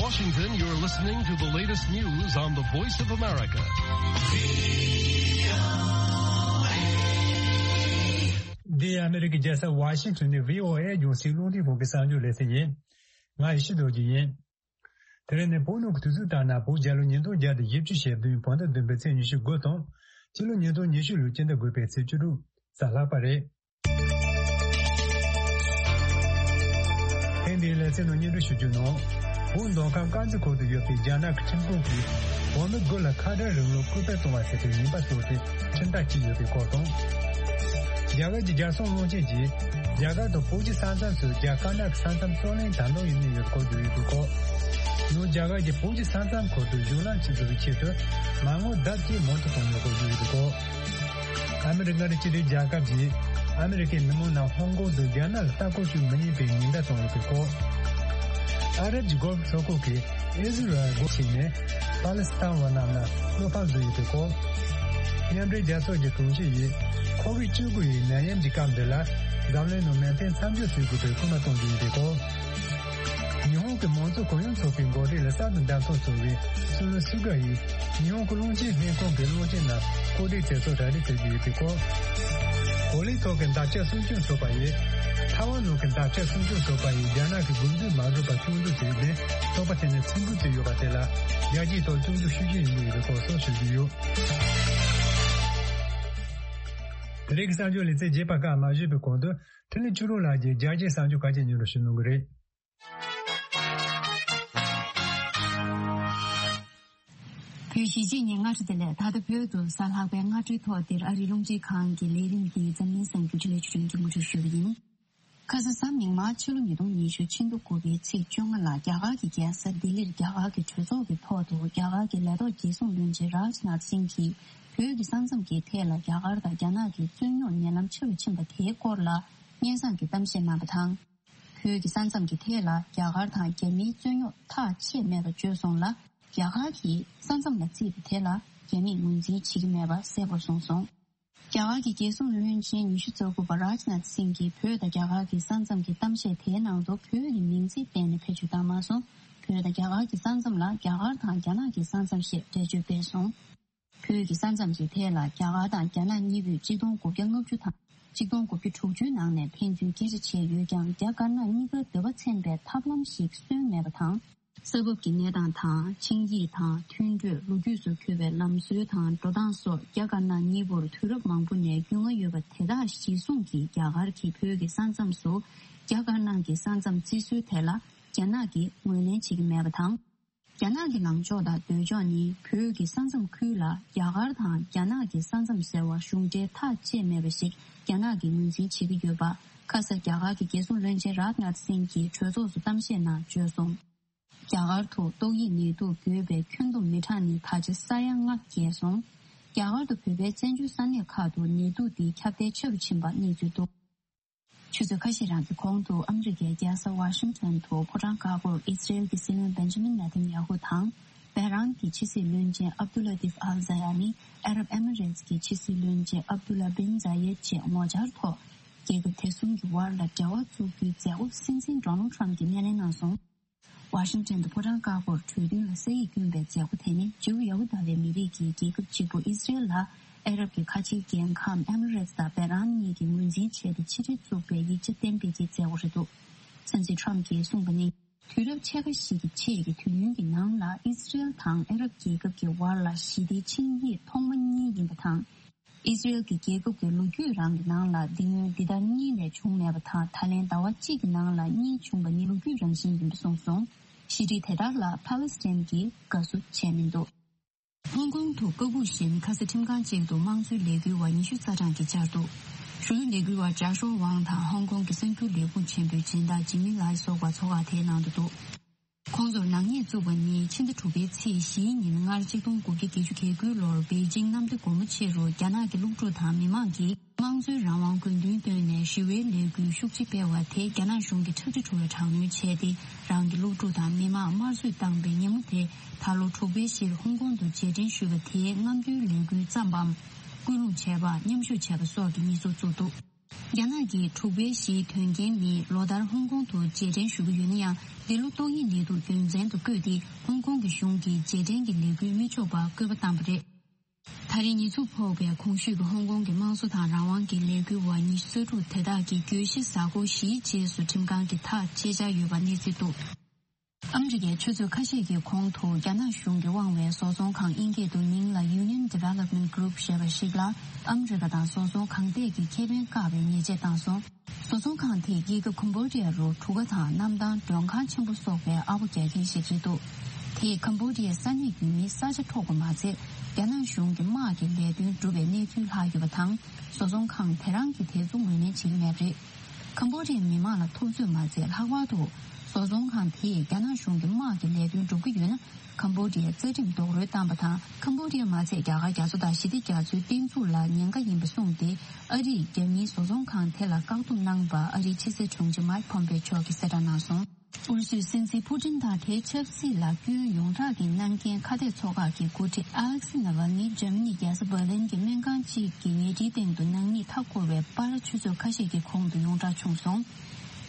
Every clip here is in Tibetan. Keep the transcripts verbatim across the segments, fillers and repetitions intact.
Washington, you're listening to the latest news on the Voice of America. འདི་ཨ་མི་རི་ཀའི་རྒྱལ་ས་ཝ་ཤིང་ཊོན་ནས་བྷི་ཨོ་ཨེ་རྒྱང་སྲིང་རླུང་འཕྲིན་ཁང་གི་གསར་འགྱུར་ལེ་ཚན་ཡིན། ང་ཡེ་ཤེས་རྡོ་རྗེ་ཡིན། དེ་རིང་ནི་བོད་ནང་གི་དུས་ཚོད་ལྟར་ན་བོད་རྒྱལ་ལོ་ཉིས་སྟོང་བརྒྱ་དང་བཞི་བཅུ་ཞེ་བདུན་བོད་ཟླ་བདུན་པའི་ཚེས་ཉི་ཤུ་དགུ་དང་། སྤྱི་ལོ་ཉིས་སྟོང་ཉི་ཤུ་ལོའི་སྤྱི་ཟླ་དགུ་པའི་ཚེས་བཅུ་དྲུག་གཟའ་ལྷག་པ་རེད། ཐེངས་འདིའི་ལེ་ཚན་ནང་སྙན་སྒྲོན་ཞུ་རྒྱུ་ནང་། བོད་མདོ་ཁམས་དཀར་མཛེས་ཁུལ་དུ་ཡོད་པའི་རྒྱ་ནག་གི་ཁྲིམས་ཁང་གིས་བོད་མི་དགུ་ལ་ཁ་བྲལ་རིང་ལུགས་སྐུལ་སྤེལ་གཏོང་བ་ཟེར་བའི་ཉེས་པ་བཙུགས་ཏེ་ཁྲིམས་ཐག་བཅད་ཡོད་པའི་སྐོར་དང་། རྒྱ་གར་གྱི་རྒྱལ་སྲུང་བློན་ཆེན་གྱིས་རྒྱ་གར་དང་བོད་ཀྱི་ས་མཚམས་སུ་རྒྱ་དཀར་ནག་གི་ས་མཚམས་རྩོད་གླེང་ད་དུང་ཡང་གནས་ཡོད་སྐོར་བརྗོད་ཡོད་པའི་སྐོར། ཡང་རྒྱ་གར་གྱིས་བོད་ཀྱི་ས་མཚམས་ཁུལ་དུ་གཞུང་ལམ་ཆེད་འཛུགས་ཀྱི་ཆེད་དུ་མ་དངུལ་ལྡབ་གཅིག་མང་དུ་བཏང་ཡོད་སྐོར་བརྗོད་ཡོད་པའི་སྐོར། ཨ་མི་རི་ཀ་མངའ་སྡེ་གཅིག་སྒྲིལ་རྒྱལ་ཁབ་ཀྱིས་ཨ་མི་རི་ཀའི་མི་མང་རྣམས་ཧོང་ཀོང་དུ་རྒྱ་ནག་ལ་ལྟ་སྐོར་ཞུ་མི་ཉན་པའི་ཉེན་བརྡ་བཏང་ཡོད་པའི་སྐོར། ཨ་རབ་ཀྱི་གྷོལ་ཕུ་མཚོ་ཁུག་གིས་ཨི་ཟི་རལ་སྒོ་ཕྱེ་ནས་པ་ལི་སི་ཐན་བ་རྣམས་ལ་བློ་ཕམ་བཟོ་ཡོད་པའི་སྐོར། མཉམ་འབྲེལ་རྒྱལ་ཚོགས་ཀྱི་དྲུང་ཆེ་ཡིས་ཁོ་བིཌ་བཅུ་དགུ་ཡི་ནད་ཡམས་ཀྱི་སྐབས་འདི་ལ་འཛམ་གླིང་ནང་མེ་འཕེན་མཚམས་འཇོག་བྱེད་དགོས་པའི་སྐུལ་མ་གཏོང་རྒྱུ་ཡིན་པའི་སྐོར། ཉི་ཧོང་གི་མང་གཙོ་གུ་ཡངས་ཚོགས་པའི་འགོ་ཁྲིད་ལ་གསར་དུ་བདམས་ཐོན་བྱུང་བའི་སུ་ལུ་སུ་གྷ་ཡིས་ཉི་ཧོང་གི་རླུང་འཕྲིན་ལྷན་ཁང་གི་རླུང་འཕྲིན་ནང་བཀོད་སྒྲིག་དེ་ཚོ་གྲ་སྒྲིག་བྱེད་ཀྱི་ཡོད་པའི་སྐོར། གོ་ལའི་ཐོག་གི་འདབ་ཆགས་སྲུང་སྐྱོབ་ཚོགས་པ་ཡིས་ཐའེ་ཝན་ནང་གི་འདབ་ཆགས་སྲུང་སྐྱོབ་ཚོགས་པ་ཡིས་རྒྱ་ནག་གི་དགོས་འདུན་མ་བསྒྲུབས་པར་སྐྱོན་འཛུགས་བྱས་ནས་ཚོགས་པ་དེ་ནས་ཚུར་འབུད་བྱས་ཡོད་པ་དེ་ལ་རྒྱལ་སྤྱིའི་ཐོག་སྐྱོན་འཛུགས་ཤུགས་ཆེ་ཡོང་གི་ཡོད་པའི་སྐོར་སོགས་ཞུ་རྒྱུ་ཡོད། དེ་རིང་གི་གསར་འགྱུར་ལེ་ཚན་རྒྱས་པ་སྐབས་མ་ཞུས་པའི་གོང་དུ་འཕྲིན་ལས་ཆོས་སྒྲོན་ལགས་ཀྱིས་རྒྱལ་སྤྱིའི་གསར་འགྱུར་ཁག་ཅིག་སྙན་སྒྲོན་ཞུ་གནང་གི་རེད། བོད་གཞིས་བྱེས་གཉིས་སྔ་དྲོ་བདེ་ལེགས། ད་ལྟ་བོད་དུ་གཟའ་ལྷག་པའི་སྔ་དྲོའི་ཐོག་འདིར་ཨ་རིའི་རླུང་འཕྲིན་ཁང་གི་ལས་རིམ་འདི་འཛམ་གླིང་གསར་འགྱུར་འཕྲིན་ལས་ཆུ་ཕྲན་གྱིས་མུ་མཐུད་ཞུ་གི་ཡིན། ཁ་ས་གཟའ་མིག་དམར་ཕྱི་ལོ་ཉིས་སྟོང་ཉི་ཤུ་ཕྱི་ཟླ་དགུ་པའི་ཚེས་བཅོ་ལྔ་ལ་རྒྱ་གར་གྱི་རྒྱལ་ས་ལྡི་ལིར་རྒྱ་གར་གྱི་གྲོས་ཚོགས་ཀྱི་ཐོག་ཏུ་རྒྱ་གར་གྱི་ལས་ཐོག་རྒྱལ་སྲུང་བློན་ཆེན་རཱཇ་ནཱཐ་སིང་གིས་བོད་ཀྱི་ས་མཚམས་ཀྱི་ཐད་ལ་རྒྱ་གར་དང་རྒྱ་ནག་གི་རྩོད་རྙོག་ཉེ་ལམ་ཆེ་རུ་ཕྱིན་པ་དེའི་སྐོར་ལ་སྙན་སེང་གི་གཏམ་བཤད་གནང་བ་དང་། བོད་ཀྱི་ས་མཚམས་ཀྱི་ཐད་ལ་རྒྱ་གར་དང་རྒྱ་མིའི་རྩོད་རྙོག་ཐག་ཆད་མེད་པ་བརྗོད་སོང་ལ། རྒྱ་གར་གྱིས་ས་མཚམས་ལ་རྩིས་པའི་ཐད་ལ་རྒྱ་མིས་ངོས་འཛིན་བྱེད་ཀྱི་མེད་པ་གསལ་པོར་གསུངས་སོང་། རྒྱ་གར་གྱི་རྒྱལ་སྲུང་བློན་ཆེན་ཉི་ཤུ་རྩ་དགུ་པ་རཱཇ་ནཱཐ་སིང་གིས་བོད་དང་རྒྱ་གར་གྱི་ས་མཚམས་ཀྱི་གཏམ་བཤད་དེའི་ནང་དུ་བོད་ཀྱི་མིང་ཚིག་གཏན་ནས་བེད་སྤྱོད་བཏང་མ་སོང་། བོད་དང་རྒྱ་གར་གྱི་ས་མཚམས་ལ་རྒྱ་གར་དང་རྒྱ་ནག་གི་ས་མཚམས་ཞེས་འགྲེལ་བརྗོད་སྤེལ་སོང་། བོད་ཀྱི་ས་མཚམས་ཀྱི་ཐད་ལ་རྒྱ་གར་དང་རྒྱ་ནག་གཉིས་པོས་གཅིག་སྟོང་དགུ་བརྒྱ་ལྔ་བཅུ་དང་གཅིག་སྟོང་དགུ་བརྒྱ་དྲུག་ཅུའི་ནང་ནས་ཕན་ཚུན་སྐད་ཆ་བྱས་ཡོད་ཀྱང་རྒྱ་དཀར་ནག་གཉིས་ཀར་འདོད་པ་ཚན་པའི་ཐབས་ལམ་ཞིག་སོན་མེད་པ་དང་། ས་བབ་ཀྱི་གནས་སྟངས་དང་ཆིངས་ཡིག་དང་མཐུན་གྲོས་ལོ་རྒྱུས་སུ་འཁོད་པའི་ལམ་སྲོལ་དང་འགྲོ་སྟངས་སོགས་རྒྱ་དཀར་ནག་གཉིས་པོར་དུས་རབས་མང་པོ་ནས་རྒྱུས་མངའ་ཡོད་པ་དེ་དག་གཞིར་བཟུང་གིས་རྒྱ་གར་གྱིས་བོད་ཀྱི་ས་མཚམས་སུ་རྒྱ་དཀར་ནག་གི་ས་མཚམས་བརྩི་སྲོལ་དེ་ལ་རྒྱ་ནག་གིས་ངོས་ལེན་བྱེད་ཀྱི་མེད་པ་དང་། རྒྱ་ནག་གི་ལངས་ཕྱོགས་དང་འདོད་ཕྱོགས་ནི་བོད་ཀྱི་ས་མཚམས་ཁུལ་ལ་རྒྱ་གར་དང་རྒྱ་ནག་གི་ས་མཚམས་ཟེར་བ་གཞུང་འབྲེལ་ཐག་བཅད་མེད་པ་ཞིག་རྒྱ་ནག་གིས་ངོས་འཛིན་བྱེད་ཀྱི་ཡོད་པ་ཁ་ས་རྒྱ་གར་གྱི་རྒྱལ་སྲུང་བློན་ཆེན་རཱཇ་ནཱཐ་སིང་གིས་གྲོས་ཚོགས་སུ་གཏམ་བཤད་ནང་བརྗོད་སོང་། རྒྱ་གར་དུ་ཏོག་དབྱིབས་ནད་དུག་འགོས་པའི་ཁྱོན་བསྡོམས་མི་གྲངས་ནི་ད་ཆ་ས་ཡ་ལྔ་བརྒལ་སོང་། རྒྱ་གར་དུ་བོད་པའི་བཙན་བྱོལ་ས་གནས་ཁག་ཏུ་ནད་དུག་འདི་ཁྱབ་གདལ་ཆེ་རུ་ཕྱིན་པ་གནས་ཚུལ་འདུག་ཆུ་ཚོད་ཁ་ཤས་རང་གི་གོང་དུ་ཨ་མི་རི་ཀའི་རྒྱལ་ས་ཝ་ཤིང་ཊོན་དུ་ཕོ་བྲང་དཀར་པོར་ཨི་སི་རེལ་གྱི་སྲིད་བློན་བེན་ཇ་མིན་ནེ་ཐན་ཡ་ཧུ་དང་། བྷེ་རན་གྱི་ཕྱི་སྲིད་བློན་ཆེན་ཨབ་དུ་ལ་ཏིབ་ཨལ་ཛ་ཡ་ནི་ཨ་རབ་ཨེ་མི་རེ་ཊི་གི་ཕྱི་སྲིད་བློན་ཆེན་ཨབ་དུ་ལ་བིན་ཛ་ཡེད་བཅས་ངོ་བཅར་ཐོག་རྒྱལ་ཁབ་དེ་གསུམ་གྱི་དབར་ལ་འབྲེལ་བ་བཙུགས་རྒྱུའི་མཛད་སྒོ་སྲིད་འཛིན་ཌོ་ནལ་ཌི་ཊརམ་ཕི་གྱིས་སྣེ་ལེན་གནང་སོང་། ཝ་ཤིང་ཊོན་དུ་ཕོ་བྲང་དཀར་པོར་གྲོས་མཐུན་ལ་ས་ཡིག་བསྐྱོན་པའི་མཛད་སྒོ་དེ་ནི་ཇིའུ་ཡ་ཧུ་དཱ་བའི་མི་རིགས་ཀྱི་རྒྱལ་ཁབ་གཅིག་པུ་ཨི་སི་རེལ་ལ་ཨ་རབ་ཀྱི་ཁ་ཆེའི་རྒྱལ་ཁམས་ཨེ་མི་རེ་ཊི་དང་བྷེ་རན་གཉིས་ཀྱིས་ངོས་འཛིན་བྱས་ཏེ་ཕྱི་འབྲེལ་བཙུགས་པའི་ཡིག་ཆ་གཏན་འབེབས་ཀྱི་མཛད་སྒོ་རེད་འདུག་སྲིད་འཛིན་ཊརམ་ཕིས་གསུངས་པ་ནི། དུས་རབས་ཕྱེད་ཀ་ཞིག་གི་ཕྱེད་ཀྱི་དུས་ཡུན་གྱི་ནང་ལ་ཨི་སི་རེལ་དང་ཨ་རབ་རྒྱལ་ཁབ་ཀྱི་དབར་ལ་ཞི་བདེའི་ཆིངས་ཡིག་ཐོག་མ་གཉིས་ཡིན་པ་དང་། ཨི་སི་རེལ་གྱི་རྒྱལ་ཁབ་ཀྱི་ལོ་རྒྱུས་རང་གི་ནང་ལ་འདི་སྔོན་འདི་ལྟར་གཉིས་ལས་བྱུང་མེད་པ་དང་ད་ལན་ཟླ་བ་གཅིག་གི་ནང་ལ་གཉིས་བྱུང་བ་ནི་ལོ་རྒྱུས་རང་བཞིན་ཡིན་པ་གསུངས་སོང་། ཞི་འགྲིག་དེ་དག་ལ་ཕཱ་ལེ་སི་ཐན་གྱིས་དགའ་བསུ་བྱས་མི་འདུག་ཧོང་ཀོང་དུ་སྐུ་སྦུག་བཞིན་ཁ་ས་ཁྲིམས་ཁང་གཅིག་ཏུ་དམངས་གཙོའི་ལས་འགུལ་བ་ཉི་ཤུ་རྩ་གྲངས་ཀྱིས་བཅར་འདུག་གཞོན་ནུ་ལས་འགུལ་བ་ཅཱ་ཧྲོ་ཝང་དང་ཧོང་ཀོང་གི་གསར་འགྱུར་ལས་ཁུངས་ཆེན་པོའི་སྦྱིན་བདག་ཇི་མི་ལའི་སོགས་པ་ཚོགས་ཁག་དེའི་ནང་དུ་འདུག་ཁོང་ཚོར་ནག་ཉེས་བཙུགས་པ་ནི་ཕྱི་ཟླ་དྲུག་པའི་ཚེས་བཞིའི་ཉིན་སྔར་གཅིག་སྟོང་དགུ་བརྒྱ་བརྒྱད་ཅུ་གྱ་དགུའི་ལོར་པེ་ཅིང་གནམ་བདེ་སྒོ་མོ་ཆེ་རུ་རྒྱ་ནག་གི་སློབ་ཕྲུག་དང་མི་མང་གིས་དམངས་གཙོའི་རང་དབང་དགོས་འདུན་བཏོན་ནས་ཞི་བའི་ལས་འགུལ་ཤུགས་ཆེ་སྤེལ་བ་དེ་རྒྱ་ནག་གཞུང་གིས་ཁྲག་དྲི་བྲོ་བའི་དྲག་གནོན་བྱས་ཏེ་རང་གི་སློབ་ཕྲུག་དང་མི་མང་དམར་གསོད་བཏང་པའི་ཉིན་མོ་དེ་ད་ལོ་དྲུག་པའི་གཞིར་ཧོང་ཀོང་དུ་རྗེས་དྲན་ཞུས་པ་དེའི་རྔམ་སྟོན་ལས་འགུལ་བརྩམས་པའམ་སྐུལ་སློང་བྱས་པ་མཉམ་ཞུགས་བྱས་པ་སོགས་ཀྱི་ཉེས་འཛུགས་བཙུགས་འདུག་རྒྱ་ནག་གིས་འབྲུག་པའི་གཞིས་དོན་རྐྱེན་མིས་ལོ་ལྟར་ཧོང་ཀོང་དུ་རྗེས་དྲན་ཞུ་གི་ཡོད་ན་ཡང་། འདི་ལོ་ཏོག་དབྱིབས་ནད་དུག་རྒྱུ་མཚན་དུ་བཀོད་དེ། ཧོང་ཀོང་གི་གཞུང་གིས་རྗེས་དྲན་གྱི་ལས་འགུལ་མི་ཆོག་པར་བཀོད་པ་བཏང་པ་རེད། ད་རེས་ཉེས་འཛུགས་ཕོག་པའི་གོང་ཞུས་ཀྱི་ཧོང་ཀོང་གི་དམངས་གཙོ་དང་རང་དབང་གི་ལས་འགུལ་བ་ཉི་ཤུ་རྩ་དྲུག་དེ་དག་གིས་གྱོད་གཞི་གཟའ་འཁོར་བཞིའི་རྗེས་སུ་ཁྲིམས་ཁང་གི་ཐག་བཅད་འཆར་ཡོད་པ་གནས་ཚུལ་འདུག་ཨ་མི་རི་ཀའི་ཆུ་ཚོད་ཁ་ཤས་ཀྱི་གོང་དུ་རྒྱ་ནག་གཞུང་གིས་དབང་བའི་བཟོ་ཚོང་ཁང་དབྱིན་སྐད་དུ་མིང་ལ་Union Development Group ཞེས་པ་ཞིག་ལ་ཨ་མི་རི་ཀ་དང་བཟོ་ཚོང་གང་ཐད་ཀྱི་ཁེ་ཕན་བཀག་པའི་ཉེས་ཆད་བཏང་སོང་། བཟོ་ཚོང་ཁང་དེ་ཡི་གེ་ཀམ་བོ་ཌི་ཡ་རུ་གྲུ་ཁ་དང་གནམ་ཐང་མགྲོན་ཁང་ཆེན་པོ་སོགས་པའི་ཨ་ཕོ་རྒྱག་མཁན་ཞིག་རེད་འདུག་དེས་ཀམ་བོ་ཌི་ཡའི་ས་གནས་ཡུལ་མིའི་ས་ཆ་འཕྲོག་པ་མ་ཚད། རྒྱ་ནག་གཞུང་གི་དམག་གི་ལས་དོན་བསྒྲུབས་པའི་གནས་ཚུལ་ལྷག་ཡོད་པ་དང་། བཟོ་ཚོང་ཁང་དེ་རང་གིས་དེ་ཚོ་ངོས་ལེན་བྱེད་ཀྱི་མེད་པ་རེད། ཀམ་བོ་ཌི་ཡའི་མི་མང་ལ་ཐུབ་ཚོད་མ་བྱས། ལྷག་པར་དུ་བཟོ་ཚོང་ཁང་དེས་རྒྱ་ནག་གཞུང་གི་དམག་གི་ལས་དོན་སྒྲུབ་ཀྱི་ཡོད་ན། ཀམ་བོ་ཌི་ཡའི་རྩ་ཁྲིམས་རྡོག་རོལ་བཏང་པ་དང་། ཀམ་བོ་ཌི་ཡ་མ་ཚད་རྒྱ་གར་རྒྱ་མཚོ་དང་ཞི་བདེ་རྒྱ་མཚོའི་བརྟན་ཚུགས་ལ་ཉེན་ཁ་ཡིན་པ་གསུངས་ཏེ། ཨ་རིས་རྒྱ་མིའི་བཟོ་ཚོང་ཁང་དེ་ལ་བཀག་སྡོམ་གནང་བར་ཨ་རིའི་ཕྱི་སྲིད་དྲུང་ཆེ་མཱིག་ཕོམ་པེ་མཆོག་གིས་གསལ་བསྒྲགས་གནང་སོང་། ཨུ་རུ་སུའི་སྲིད་འཛིན་ཕུ་ཏིན་དང་དེའི་ཆབ་སྲིད་ལ་སྐྱོན་ཡོངས་གྲགས་ཀྱི་གནང་མཁན་ཁ་གཏད་ཚོགས་ཁག་གི་འགོ་ཁྲིད་ཨ་ལེག་སི་ནཱ་ཝལ་ནི་འཇར་མ་ནི་རྒྱལ་ས་འབར་ལིན་གྱི་སྨན་ཁང་གཅིག་གི་ཉལ་ཁྲིའི་སྟེང་དུ་ནག་ཉེས་མཐའ་བསྐོར་བའི་པར་ཆུ་ཚོད་ཁ་ཤས་ཀྱི་གོང་དུ་ཡོངས་གྲགས་བྱུང་སོང་།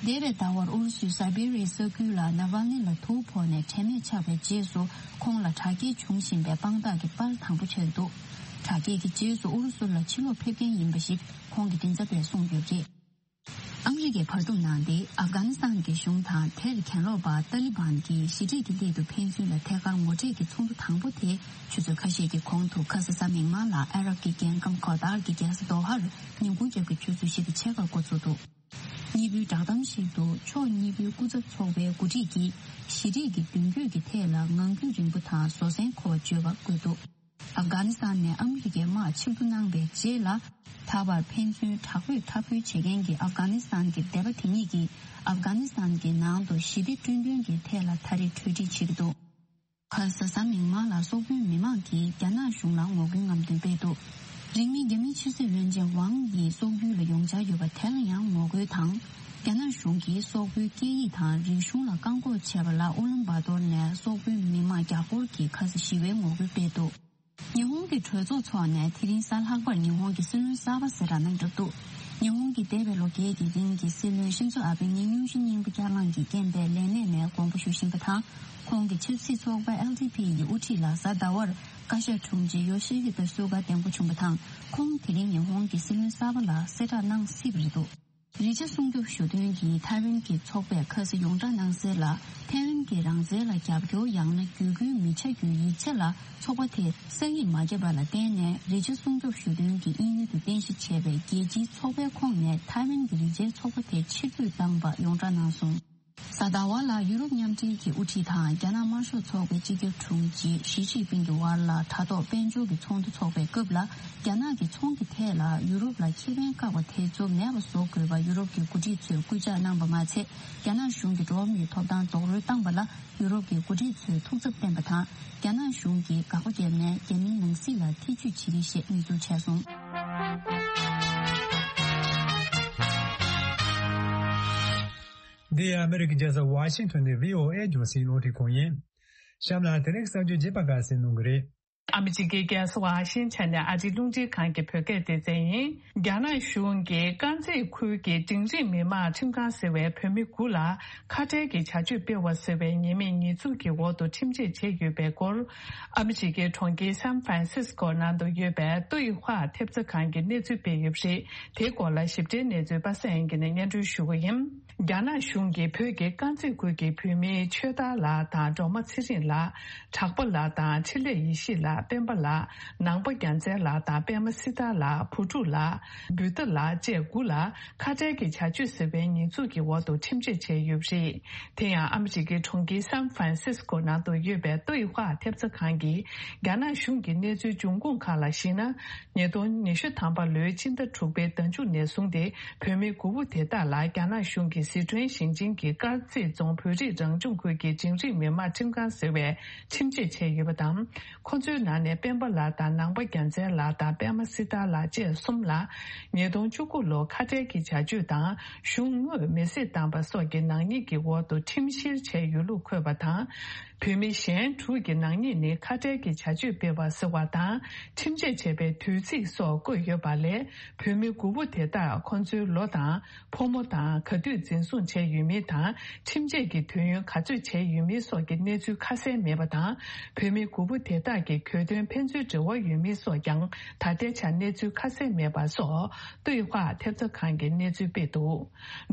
འདས་པའི་ཟླ་བར་ཨུ་རུ་སུའི་སཱི་བེ་རི་ཡའི་ས་ཁུལ་ལ་ནཱ་ཝལ་ནི་ལ་དུག་ཕོག་ནས་དྲན་མེད་ཆགས་པའི་རྗེས་སུ། ཁོང་ལ་དྲག་སྐྱེད་བྱུང་བཞིན་པའི་དཔང་རྟགས་ཀྱི་པར་དང་པོ་ཆགས་འདུག་དྲག་སྐྱེད་ཀྱི་རྗེས་སུ་ཨུ་རུ་སུ་ལ་ཕྱིར་ལོག་ཕེབས་མཁན་ཡིན་པ་ཞིག་ཁོང་གི་མགྲིན་ཚབ་པས་གསུངས་ཡོད་པ་རེད། ཨ་མི་རི་ཀས་བར་འདུམ་གནང་སྟེ། ཨབ་གྷ་ནི་སི་ཐན་གྱི་གཞུང་དང་དེར་གྱེན་ལོག་པ་ཏཱ་ལི་བན་གྱིས་ཞི་འགྲིག་གི་སླད་དུ་ཕན་ཚུན་ལ་ཐད་ཀར་ངོ་འཕྲད་ཀྱི་ཚོགས་འདུ་དང་པོ་དེ་ཆུ་ཚོད་ཁ་ཤས་ཀྱི་གོང་དུ་ཁ་ས་གཟའ་མིག་དམར་ལ་ཨ་རབ་ཀྱི་རྒྱལ་ཁམས་ཀོ་ཏར་གྱི་རྒྱལ་ས་དོ་ཧར་ཉིན་གུང་རྒྱབ་ཀྱི་ཆུ་ཚོད་བཞི་དང་ཕྱེད་ཀར་འགོ་ཚུགས་འདུག་གཉིས་པོའི་བསྒྲགས་གཏམ་ཞིག་ཏུ། ཕྱོགས་གཉིས་པོའི་སྐུ་ཚབ་ཚོགས་པའི་འགོ་ཁྲིད་ཀྱིས་ཞི་འགྲིག་གི་མདུན་སྐྱོད་ཀྱི་ཐད་ལ་ངང་རྒྱུད་རིང་པོ་དང་བཟོད་བསྲན་དགོས་པ་བརྗོད་པ་བཀོད་འདུག་ཨབ་གྷ་ནི་སི་ཐན་ནས་ཨ་མི་རི་ཀའི་དམག་ཕྱིར་བསྡུ་གནང་བའི་རྗེས་ལ། ད་བར་ཕན་ཚུན་དྲག་པོས་འཐབ་རྒོལ་བྱེད་མཁན་གྱི་ཨབ་གྷ་ནི་སི་ཐན་གྱི་སྡེ་པ་དེ་གཉིས་ཀྱིས་ཨབ་གྷ་ནི་སི་ཐན་གྱི་ནང་དུ་ཞི་བདེ་བསྐྲུན་དོན་གྱི་ཐད་ལ་ད་རེས་གྲོས་འགྲིག་བྱེད་ཀྱི་འདུག་ཁ་ས་གཟའ་མིག་དམར་ལ་སོག་པོའི་མི་མང་གིས་རྒྱ་ནག་གཞུང་ལ་ངོ་རྒོལ་རྔམ་སྟོན་སྤེལ་འདུག་རིང་མིན་རྒྱ་མིའི་ཕྱི་སྲིད་བློན་ཆེན་ཝང་ཡི་སོག་ཡུལ་ལ་ཡོང་འཆར་ཡོད་པ་དེ་ལ་ཡང་ངོ་རྒོལ་དང་། རྒྱ་ནག་གཞུང་གིས་སོག་པོའི་སྐད་ཡིག་དང་རིག་གཞུང་ལ་བཀག་འགོག་བྱས་པ་ལ་ཨུ་ལམ་བྷ་ཏོར་ནས་སོག་པོའི་མི་མང་བརྒྱ་སྐོར་གྱིས་ཁ་ས་ཞི་བའི་ངོ་རྒོལ་སྤེལ་འདུག་ཉི་ཧོང་གི་གྲོས་ཚོགས་འཚོགས་ནས་དེ་རིང་གཟའ་ལྷག་པར་ཉི་ཧོང་གི་སྲིད་བློན་གསར་པ་གསལ་བསྒྲགས་གནང་གྲབས་འདུག་ཉི་ཧོང་གི་འདས་པའི་ལོ་འགའི་གི་རིང་གི་སྲིད་བློན་ཤིན་ཛོ་ཨ་བྷེ་ནི་སྙུང་གཞི་སྙིང་པོ་བསྐྱར་ལངས་ཀྱི་རྐྱེན་པས་ལས་གནས་ནས་དགོངས་པ་ཞུ་བཞིན་པ་དང་། ཁོང་གི་ཆབ་སྲིད་ཚོགས་པ་ཨེལ་ཌི་པི་ཡི་དབུ་ཁྲིད་ལ་གཟའ་ཟླ་བར་བཀའ་ཤག་དྲུང་ཆེ་ཡོ་ཤི་ཧི་ཏ་སུ་ག་འདེམས་བསྐོ་བྱུང་པ་དང་། ཁོང་དེ་རིང་ཉི་ཧོང་གི་སྲིད་བློན་གསར་པ་ལ་གསལ་བསྒྲགས་གནང་སྲིད་པ་རེད་འདུག་རི་ཆ་སྲུང་སྐྱོབ་ཞུ་དོན་གྱི་ཐའེ་ཝན་གྱི་ཚོགས་པས་ཁ་ས་ཡོངས་བསྒྲགས་གནང་གསལ་ལ། ཐའེ་ཝན་གྱི་རང་བཙན་ལ་རྒྱབ་སྐྱོར་ཡང་ན་བརྒྱུད་སྐུལ་མི་བྱ་རྒྱུའི་ཡིག་ཆ་ལ་ཚོགས་པ་དེས་གསན་ཡིག་མ་བརྒྱབ་པ་ལ་བརྟེན་ནས། རི་ཆ་སྲུང་སྐྱོབ་ཞུ་དོན་གྱི་དབྱིན་ཡུལ་དུ་རྟེན་གཞི་བྱས་པའི་རྒྱལ་སྤྱིའི་ཚོགས་པའི་ཁོངས་ནས་ཐའེ་ཝན་གྱི་རི་ཆའི་ཚོགས་པ་དེ་ཕྱིར་འབུད་བཏང་པ་ཡོངས་བསྒྲགས་གནང་སོང་། གཟའ་ཟླ་བ་ལ་ཡུ་རོབ་མཉམ་འབྲེལ་གྱི་དབུ་ཁྲིད་དང་རྒྱ་ནག་དམར་ཤོག་ཚོགས་པའི་སྤྱི་ཁྱབ་དྲུང་ཆེ་ཞི་ཅིན་ཕིང་གི་དབར་ལ་དྲ་ཐོག་དཔལ་འབྱོར་གྱི་ཚོགས་འདུ་འཚོགས་པའི་སྐབས་ལ། རྒྱ་ནག་གི་ཚོང་གི་ཐད་ལ་ཡུ་རོབ་ལ་ཁེ་ཕན་བཀག་པ་དེ་ཚོ་མེད་པ་བཟོ་དགོས་པ་ཡུ་རོབ་ཀྱི་འགོ་ཁྲིད་ཚོས་སྐུལ་ལྕག་གནང་པ་མ་ཚད། རྒྱ་ནག་གཞུང་གིས་འགྲོ་བ་མིའི་ཐོབ་ཐང་རྡོག་རོལ་བཏང་པ་ལ་ཡུ་རོབ་ཀྱི་འགོ་ཁྲིད་ཚོས་ཐུགས་འཚབ་བསྟན་པ་དང་། རྒྱ་ནག་གཞུང་གིས་དགག་པ་བརྒྱབ་ནས་རྒྱ་མིའི་ནང་སྲིད་ལ་ཐེ་ཇུས་བྱེད་ཀྱི་ཞེས་ནུས་ཚུལ་བྱས་སོང་། འདི་ཨ་མི་རི་ཀའི་རྒྱལ་ས་ཝ་ཤིང་ཐོན་ནས་བྷི་ཨོ་ཨེ་རྒྱང་སྲིང་རླུང་འཕྲིན་ཁང་ཡིན། གཤམ་ལ་དེ་རིང་གསར་འགྱུར་རྒྱས་པ་ཁག་གསན་གནང་གི་རེད། ཨ་མི་རི་ཀའི་རྒྱལ་ས་ཝ་ཤིང་ཊོན་ནས་ཨ་རིའི་རླུང་འཕྲིན་ཁང་གི་བོད་སྐད་སྡེ་ཚན་ཡིན། རྒྱ་ནག་གཞུང་གིས་དཀར་མཛེས་ཁུལ་གྱི་འབྲིང་རིམ་མི་དམངས་ཁྲིམས་ཁང་ཟེར་བའི་བོད་མི་དགུ་ལ་ཁ་བྲལ་གྱི་བྱ་སྤྱོད་སྤེལ་བ་ཟེར་བའི་ཉེས་མིང་ཉེས་འཛུགས་ཀྱི་འོག་ཏུ་ཁྲིམས་ཆད་བཅད་ཡོད་པའི་སྐོར། ཨ་མི་རི་ཀའི་གྲོང་ཁྱེར་སན་ཧྥ་རན་སིས་ཀོ་ནང་དུ་ཡོད་པའི་ཏུའུ་ཧྭ་ཐེབས་རྩ་ཁང་གིས་གནས་ཚུལ་སྤེལ་ཡོད་པ་རེད། དེའི་སྐོར་ལ་ཞིབ་ཕྲའི་གནས་ཚུལ་པ་སངས་དབྱངས་སྐྱིད་ནས་སྙན་སྒྲོན་ཞུ་གི་ཡིན། རྒྱ་ནག་གཞུང་གིས་བོད་ཀྱི་དཀར་མཛེས་ཁུལ་གྱི་བོད་མི་ཆོས་དར་ལགས་དང་སྒྲོལ་མ་ཚེ་རིང་ལགས། གྲགས་པ་ལགས་དང་འཕྲིན་ལས་ཡེ་ཤེས་ལགས། སྤེན་པ་ལགས། ནང་པ་རྒྱལ་མཚན་ལགས་དང་པད་མ་སྲི་ཐར་ལགས། བུ་ཕྲུག་ལགས། བུདྡྷ་ལགས་བཅས་དགུ་ལ་ཁ་བྲལ་གྱི་བྱ་སྤྱོད་ཟེར་བའི་ཉེས་འཛུགས་ཀྱི་འོག་ཏུ་ཁྲིམས་ཆད་བཅད་ཡོད་པ་རེད། དེ་ཡང་ཨ་མི་རི་ཀའི་གྲོང་ཁྱེར་སན་ཧྥ་རན་སིས་ཀོ་ནང་དུ་ཡོད་པའི་ཏུའུ་ཧྭ་ཐེབས་རྩ་ཁང་གིས་རྒྱ་ནག་གཞུང་གི་གནས་ཚུལ་འབྱུང་ཁུངས་ཁག་ལ་གཞིགས་ན། ཉིས་སྟོང་ཉི་ཤུ་ཐམ་པ་ལོའི་ཕྱི་ཟླ་དྲུག་པའི་ཟླ་མཇུག་ནས་བཟུང་སྟེ། བོད་མི་དགུ་པོ་དེ་དག་ལ་རྒྱ་ནག་གཞུང་གིས་ཟི་ཁྲོན་ཞིང་ཆེན་གྱི་དཀར་མཛེས་རྫོང་བོད་རིགས་རང་སྐྱོང་ཁུལ་གྱི་འབྲིང་རིམ་མི་དམངས་ཁྲིམས་ཁང་ཟེར་བའི་ཁྲིམས་ཆད་བཅད་ཡོད་པ་དང་། ཁོ་ཚོའི་ནང་ ནས་སྤེན་པ་ལགས་དང་ནང་པ་རྒྱལ་མཚན་ལགས་དང་པད་མ་སྲི་ཐར་ལགས་བཅས་གསུམ་ལ་ཉིས་སྟོང་བཅུ་དགུ་ལོར་ཁ་བྲལ་གྱི་བྱ་སྤྱོད་དང་གཞུང་དངོས་མེ་བསྲེགས་བཏང་པ་སོགས་ཀྱི་ནག་ཉེས་ཀྱི་འོག་ཏུ་ཁྲིམས་བཤེར་བྱས་ཡོད་ལུགས་འཁོད་པ་དང་། བོད་མི་གཞན་དྲུག་གི་ནག་ཉེས་ནི་ཁ་བྲལ་གྱི་བྱ་སྤྱོད་སྤེལ་བ་ཟེར་བ་དང་ཁྲིམས་ཆད་བཅད་པའི་དུས་ཚིགས་སོགས་བཀོད་ཡོད་པ་ལས། བོད་མི་དགུ་པོ་དེ་དག་ཁོང་ཚོའི་ལོ་དང་ཕོ་མོ་དང་ག་དུས་འཛིན་བཟུང་བྱས་ཡོད་མིན་དང་ཁྲིམས་ཆད་ཀྱི་དུས་ཡུན་ག་ཚོད་བྱས་ཡོད་མིན་སོགས་ཀྱི་གནས་ཚུལ་ཁ་གསལ་མེད་པ་དང་། བོད་མི་དགུ་པོ་དེ་དག་གི་གྱོད་དོན་ཕན་ཚུན་འབྲེལ་བ་ཡོད་མིན་སོགས་ཀྱང་ད་ལྟའི་ཆར་གནས་ཚུལ་ཁ་གསལ་མེད་པ་སོགས་ཏུའེ་ཧྭ་ཐེབས་རྩ་ཁང་གིས་གནས་ཚུལ་སྤེལ་འདུག་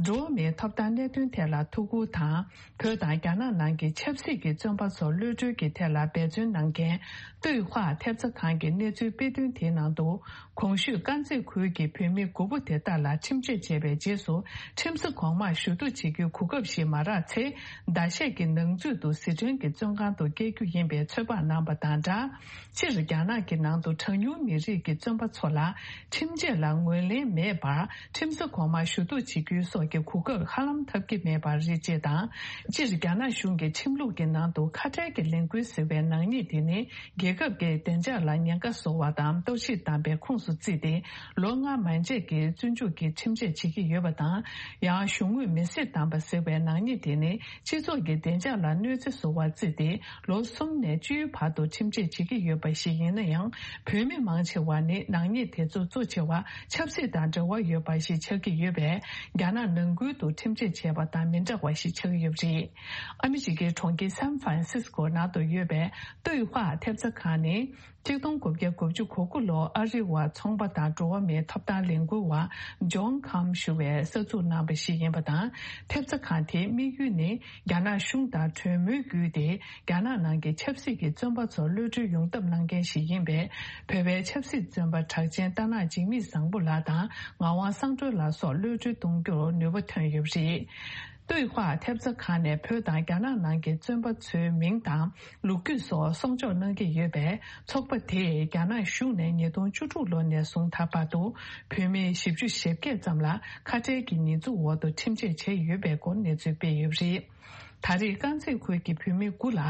འགྲོ་བ་མིའི་ཐོབ་ཐང་གནད་དོན་ཐད་ལ་ཐུགས་ཁུར་དང་། བོད་དང་རྒྱ་ནག་ནང་གི་ཆབ་སྲིད་ཀྱི་བཙོན་པ་ཚོར་གློད་གྲོལ་གྱི་ཐད་ལ་འབད་བརྩོན་གནང་མཁན་ཏུའེ་ཧྭ་ཐེབས་རྩ་ཁང་གི་གནས་ཚུལ་དཔེ་སྟོན་དེའི་ནང་དུ། གོང་ཞུས་དཀར་མཛེས་ཁུལ་གྱི་བོད་མི་དགུ་པོ་དེ་དག་ལ་ཁྲིམས་ཆད་བཅད་པའི་རྗེས་སུ་ཁྲིམས་ས་གོང་མར་ཞུ་གཏུག་བྱེད་རྒྱུའི་གོ་སྐབས་ཤིག་མ་རག་ཚེ། ཟླ་ཤས་ཀྱི་ནང་ཚུད་དུ་ཟི་ཁྲོན་གྱི་བཙོན་ཁང་དུ་བསྐྱལ་རྒྱུ་ཡིན་པའི་ཚོད་དཔག་གནང་པ་དང་སྦྲགས། སྤྱིར་རྒྱ་ནག་གི་ནང་དུ་གྲངས་ཉུང་མི་རིགས་ཀྱི་བཙོན་པ་ཚོ་ལ་ཁྲིམས་ཆད་ལ་ངོས་ལེན་མེད་པར་ཁྲིམས་ས་གོང་མར་ཞུ་གཏུག་བྱེད་རྒྱུའི་སོགས་ཀྱི་གོ་སྐབས་ཧ་ལམ་ཐོབ་ཀྱི་མེད་པ་རེད་ཅེས་དང་། སྤྱིར་རྒྱ་ནག་གཞུང་གི་ཁྲིམས་ལུགས་ཀྱི་ནང་དུ་ཁ་བྲལ་གྱི་ལས་འགུལ་ཟེར་བའི་ནག་ཉེས་དེ་ནི་རྒྱལ་ཁབ་ཀྱི་བདེ་འཇགས་ལ་ཉེན་ཁ་བཟོ་བ་དང་གཏོར་བཤིག་བཏང་པའི་ཁོངས་སུ་བརྩིས་ཏེ་ལོ་ལྔ་མན་ཆད་ཀྱི་བཙོན་འཇུག་གི་ཁྲིམས་ཆད་བྱེད་ཀྱི་ཡོད་པ་དང་། ཡང་གཞུང་དངུལ་མེ་བསྲེགས་བཏང་པ་ཟེར་བའི་ནག་ཉེས་དེ་ནི། སྤྱི་ཚོགས་ཀྱི་བདེ་འཇགས་ལ་གནོད་འཚེ་བཟོ་བར་བརྩིས་ཏེ་ལོ་གསུམ་ནས་བཅུའི་བར་དུ་ཁྲིམས་ཆད་བྱེད་ཀྱི་ཡོད་པ་ཞིག་ཡིན་ན་ཡང་། བོད་མི་མང་ཆེ་བ་ནི་ནག་ཉེས་དེ་ཚོ་གཙོ་ཆེ་བ་ཆབ་སྲིད་དང་འབྲེལ་བ་ཡོད་པ་ཞིག་ཆགས་ཀྱི་ཡོད་པས། རྒྱ་ནག་ནང་ཁུལ་དུ་ཁྲིམས་ཆད་བྱས་པ་དང་མི་འདྲ་བ་ཞིག་ཆགས་ཀྱི་ཡོད་པ་རེད། ཨ་མི་རི་ཀའི་གྲོང་ཁྱེར་སན་ཧྥ་རན་སིས་ཀོ་ནང་དུ་ཡོད་པའི་ཏུའེ་ཧྭ་ཐེབས་རྩ་ཁང་ནི། ཆིག་སྟོང་དགུ་བརྒྱ་དགུ་བཅུ་གོ་དགུ་ལོར་ཨ་རི་བ་ཚོང་པ་དང་འགྲོ་བ་མིའི་ཐོབ་ཐང་ལས་འགུལ་བ་ཇོན་ཁམ་ཞུ་བས་གསར་འཛུགས་གནང་བ་ཞིག་ཡིན་པ་དང་། ཐེབས་རྩ་ཁང་དེའི་དམིགས་ཡུལ་ནི་རྒྱ་ནག་གཞུང་དང་གྲོས་མོལ་བརྒྱུད་དེ་རྒྱ་ནག་ནང་གི་ཆབ་སྲིད་ཀྱི་བཙོན་པ་ཚོར་གློད་གྲོལ་ཡོང་ཐབས་གནང་མཁན་ཞིག་ཡིན་པས། བོད་པའི་ཆབ་སྲིད་བཙོན་པ་གྲགས་ཅན་རྟ་ནག་འཇིགས་མེད་བཟང་པོ་ལགས་དང་ངག་དབང་སངས་སྒྲོལ་ལགས་སོགས་གློད་གྲོལ་གཏོང་རྒྱུར་ནུས་པ་ཐོན་ཡོད་པ་རེད། ཏུའེ་ཧྭ་ཐེབས་རྩ་ཁང་ནས་བོད་དང་རྒྱ་ནག་ནང་གི་བཙོན་པ་ཚོའི་མིང་དང་ལོ་རྒྱུས་སོགས་གསོག་འཇོག་གནང་གི་ཡོད་པས། ཚོགས་པ་དེས་རྒྱ་ནག་གཞུང་ནས་ཉིས་སྟོང་བཅུ་དྲུག་ལོ་ནས་བཟུང་ད་བར་དུ་བོད་མི་བཞི་བཅུ་ཞེ་བརྒྱད་ཙམ་ལ་ཁ་བྲལ་གྱི་ཉེས་འཛུགས་འོག་ཏུ་ཁྲིམས་ཆད་བཅད་ཡོད་པའི་སྐོར་གནས་ཚུལ་སྤེལ་ཡོད་པ་རེད། ད་རེས་དཀར་མཛེས་ཁུལ་གྱི་བོད་མི་དགུ་ལ་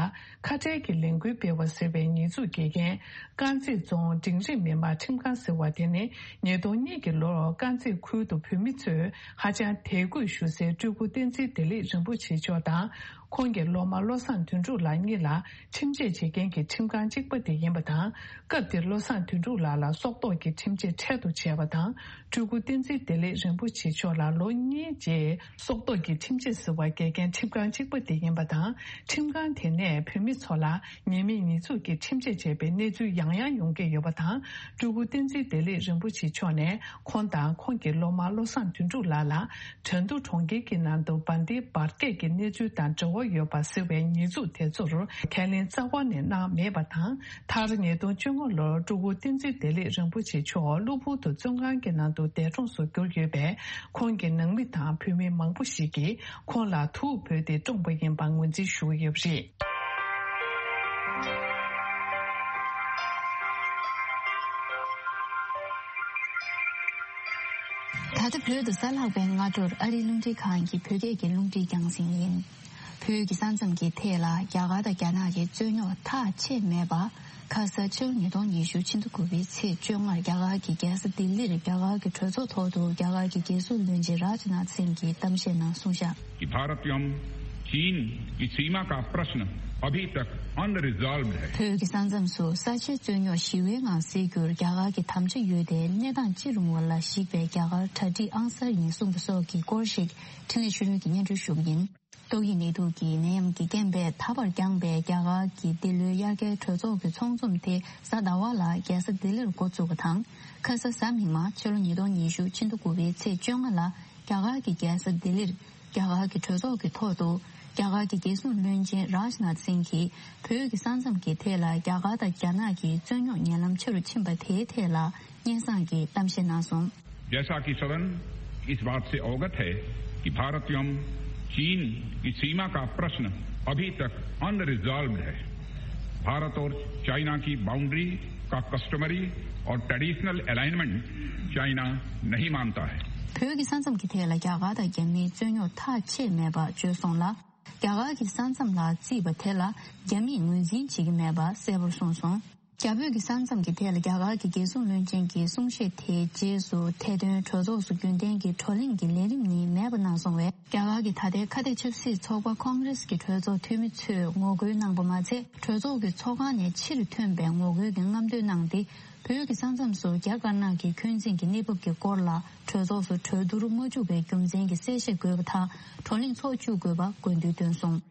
ཁ་བྲལ་གྱི་ལས་འགུལ་སྤེལ་བ་ཟེར་བའི་ཉེས་འཛུགས་འགེལ་མཁན། དཀར་མཛེས་རྫོང་འབྲིང་རིམ་མི་དམངས་ཁྲིམས་ཁང་ཟེར་བ་དེ་ནི་ཉིས་སྟོང་གཉིས་ཀྱི་ལོར་དཀར་མཛེས་ཁུལ་དུ་བོད་མི་ཚོས་ཧ་ཅང་དད་གུས་ཞུ་སའི་སྤྲུལ་སྐུ་བསྟན་འཛིན་བདེ་ལེགས་རིན་པོ་ཆེ་མཆོག་དང་ཁོང་གི་སློབ་མ་བློ་བཟང་དོན་གྲུབ་ལགས་གཉིས་ལ་ཁྲིམས་ཆད་བྱེད་མཁན་གྱི་ཁྲིམས་ཁང་གཅིག་པ་དེ་ཡིན་པ་དང་། སྐབས་དེར་བློ་བཟང་དོན་གྲུབ་ལགས་ལ་སྲོག་ཐོག་གི་ཁྲིམས་ཆད་འཕྲལ་དུ་བཅད་པ་དང་། སྤྲུལ་སྐུ་བསྟན་འཛིན་བདེ་ལེགས་རིན་པོ་ཆེ་མཆོག་ལ་ལོ་གཉིས་རྗེས་སྲོག་ཐོག་གི་ཁྲིམས་ཆད་ཟེར་བ་འགེལ་མཁན་ཁྲིམས་ཁང་གཅིག་པ་དེ་ཡིན་པ་དང་། ཁྲིམས་ཁང་དེ་ནས་བོད་མི་ཚོ་ལ་ཉེས་མེད་ཉེས་འཛུགས་ཀྱི་ཁྲིམས་ཆད་བཅད་པའི་གནས་ཚུལ་ཡང་ཡང་ཡོང་གི་ཡོད་པ་དང་། སྤྲུལ་སྐུ་བསྟན་འཛིན་བདེ་ལེགས་རིན་པོ་ཆེ་མཆོག་ནས་ཁོང་དང་ཁོང་གི་སློབ་མ་བློ་བཟང་དོན་གྲུབ་ལགས་ལ་ཁྲིན་ཏུའུ་གྲོང་ཁྱེར་གྱི་ནང་དུ་བན་དེ་བར་སྐད་ཀྱི་གནས་ཚུལ་དང་འབྲེལ་བ་ཡོད་པ་ཟེར་བའི་ཉེས་འཛུགས་དེ་ཚོར་ཁས་ལེན་རྩ་བ་ནས་གནང་མེད་པ་དང་། མཐར་ཉིས་སྟོང་བཅོ་ལྔ་ལོར་སྤྲུལ་སྐུ་བསྟན་འཛིན་བདེ་ལེགས་རིན་པོ་ཆེ་མཆོག་གློ་བུར་དུ་བཙོན་ཁང་གི་ནང་དུ་འདས་གྲོངས་སུ་གྱུར་ཡོད་པས། ཁོང་གི་ནང་མི་དང་བོད་མི་མང་པོ་ཞིག་གིས་ཁོང་ལ་ཐུགས་ཕོག་སྟེ་བཀྲོངས་པ་ཡིན་པ་ངོས་འཛིན་ཞུ་གི་ཡོད་པ་རེད། ད་ལྟ་བོད་དུ་གཟའ་ལྷག་པའི་སྔ་དྲོར་ཨ་རིའི་རླུང་འཕྲིན་ཁང་གི་བོད་སྐད་ཀྱི་རླུང་འཕྲིན་རྒྱང་སྲིང་ཡིན། བོད་ཀྱི་ས་མཚམས་ཀྱི་ཐད་ལ་རྒྱ་གར་དང་རྒྱ་ནག་གི་རྩོད་རྙོག་ཐག་ཆད་མེད་པ། ཁ་ས་ཕྱི་ལོ་ཉིས་སྟོང་ཉི་ཤུ་ཕྱི་ཟླ་དགུ་པའི་ཚེས་བཅོ་ལྔར་རྒྱ་གར་གྱི་རྒྱལ་ས་ལྡི་ལིར་རྒྱ་གར་གྱི་གྲོས་ཚོགས་ཐོག་ཏུ་རྒྱ་གར་གྱི་རྒྱལ་སྲུང་བློན་ཆེན་རཱཇ་ནཱཐ་སིང་གིས་གཏམ་བཤད་ནང་གསུངས་བཞག། कि भारत एवं चीन की सीमा का प्रश्न अभी तक अनरिजॉल्व्ड है। བོད་ཀྱི་ས་མཚམས་སུ་ས་ཆའི་རྩོད་རྙོག་ཞི་བའི་ངང་སེལ་རྒྱུར་རྒྱ་གར་གྱི་དམ་བཅའ་ཡོད་དེ། གནས་སྟངས་ཅི་རུང་བ་ལ་གཞིགས་པའི་རྒྱ་གར་གྲ་སྒྲིག་ཨང་གསར་ཡིན་གསུངས་པ་སོགས་ཀྱི་སྐོར་ཞིག་འཕྲིན་ལས་ཆོས་སྒྲོན་གྱིས་སྙན་སྒྲོན་ཞུ་གི་ཡིན། ཏོག་དབྱིབས་ནད་དུག་གི་ནད་ཡམས་ཀྱི་རྐྱེན་པས་ད་བར་འགྱངས་པའི་རྒྱ་གར་གྱི་འདི་ལོའི་དབྱར་ཁའི་གྲོས་ཚོགས་ཀྱི་ཚོགས་འཛོམས་དེ་གཟའ་ཟླ་བ་ལ་རྒྱལ་ས་ལྡི་ལིར་འགོ་བཙུགས་པ་དང་། ཁ་ས་གཟའ་མིག་དམར་ཕྱི་ལོ་ཉིས་སྟོང་ཉི་ཤུ་ཕྱི་ཟླ་དགུ་པའི་ཚེས་བཅོ་ལྔ་ལ་རྒྱ་གར་གྱི་རྒྱལ་ས་ལྡི་ལིར་རྒྱ་གར་གྱི་གྲོས་ཚོགས་ཀྱི་ཐོག་ཏུ་རྒྱ་གར་གྱི་རྒྱལ་སྲུང་བློན་ཆེན་རཱཇ་ནཱཐ་སིང་གིས་བོད་ཀྱི་ས་མཚམས་ཀྱི་ཐད་ལ་རྒྱ་གར་དང་རྒྱ་ནག་གི་རྩོད་རྙོག་ཉེ་ལམ་ཆེ་རུ་ཕྱིན་པ་དེའི་ཐད་ལ་སྙན་སེང་གི་གཏམ་བཤད་གནང་སོང་། जैसा कि सदन इस बात से अवगत है कि भारत एवं चीन की सीमा का प्रश्न अभी तक अनरिजॉल्व्ड है। भारत और चाइना की बाउंड्री का कस्टमरी और ट्रेडिशनल अलाइनमेंट चाइना नहीं मानता है। བོད་ཀྱི་ས་མཚམས་ཀྱི་ཐད་ལ་རྒྱ་གར་དང་རྒྱ་མིའི་རྩོད་རྙོག་ཐག་ཆད་མེད་པ་བརྗོད་སོང་ལ། རྒྱ་གར་གྱི་ས་མཚམས་ལ་བརྩིས་པ་དེ་ལ་རྒྱ་མིས་ངོས་འཛིན་བྱེད་ཀྱི་མེད་པ་གསལ་པོར་གསུངས་སོང་། རྒྱ་བོད་ཀྱི་ས་མཚམས་ཀྱི་ཐད་ལ་རྒྱ་གར་གྱི་རྒྱལ་སྲུང་བློན་ཆེན་གྱི་གསུང་བཤད་དེའི་རྗེས་སུ་ཐད་དོན་གྲོས་ཚོགས་སུ་རྒྱུན་ལྡན་གྱི་བགྲོ་གླེང་གི་ལས་རིམ་ནི་མེད་པ་གནང་སོང་བས། རྒྱ་གར་གྱི་ད་ལྟའི་ཁ་གཏད་ཆབ་སྲིད་ཚོགས་པ་ཁོང་རེས་ཀྱི་གྲོས་ཚོགས་འཐུས་མི་ཚོས་ངོ་རྒོལ་གནང་པ་མ་ཚད། གྲོས་ཚོགས་ཀྱི་ཚོགས་ཁང་ནས་ཕྱིར་ཐོན་པའི་ངོ་རྒོལ་གྱི་རྔམ་སྟོན་གནང་སྟེ། བོད་ཀྱི་ས་མཚམས་སུ་རྒྱ་དཀར་ནག་གི་འཁོན་འཛིན་གྱི་གནས་བབ་ཀྱི་སྐོར་ལ་གྲོས་ཚོགས་སུ་གྲོས་བསྡུར་མ་བཅུག་པའི་རྒྱུ་མཚན་གྱི་གསལ་བཤད་དགོས་པ་དང་། བགྲོ་གླེང་ཚོགས་བཅུག་དགོས་པ་དགོས་འདུན་བཏོན་སོང་།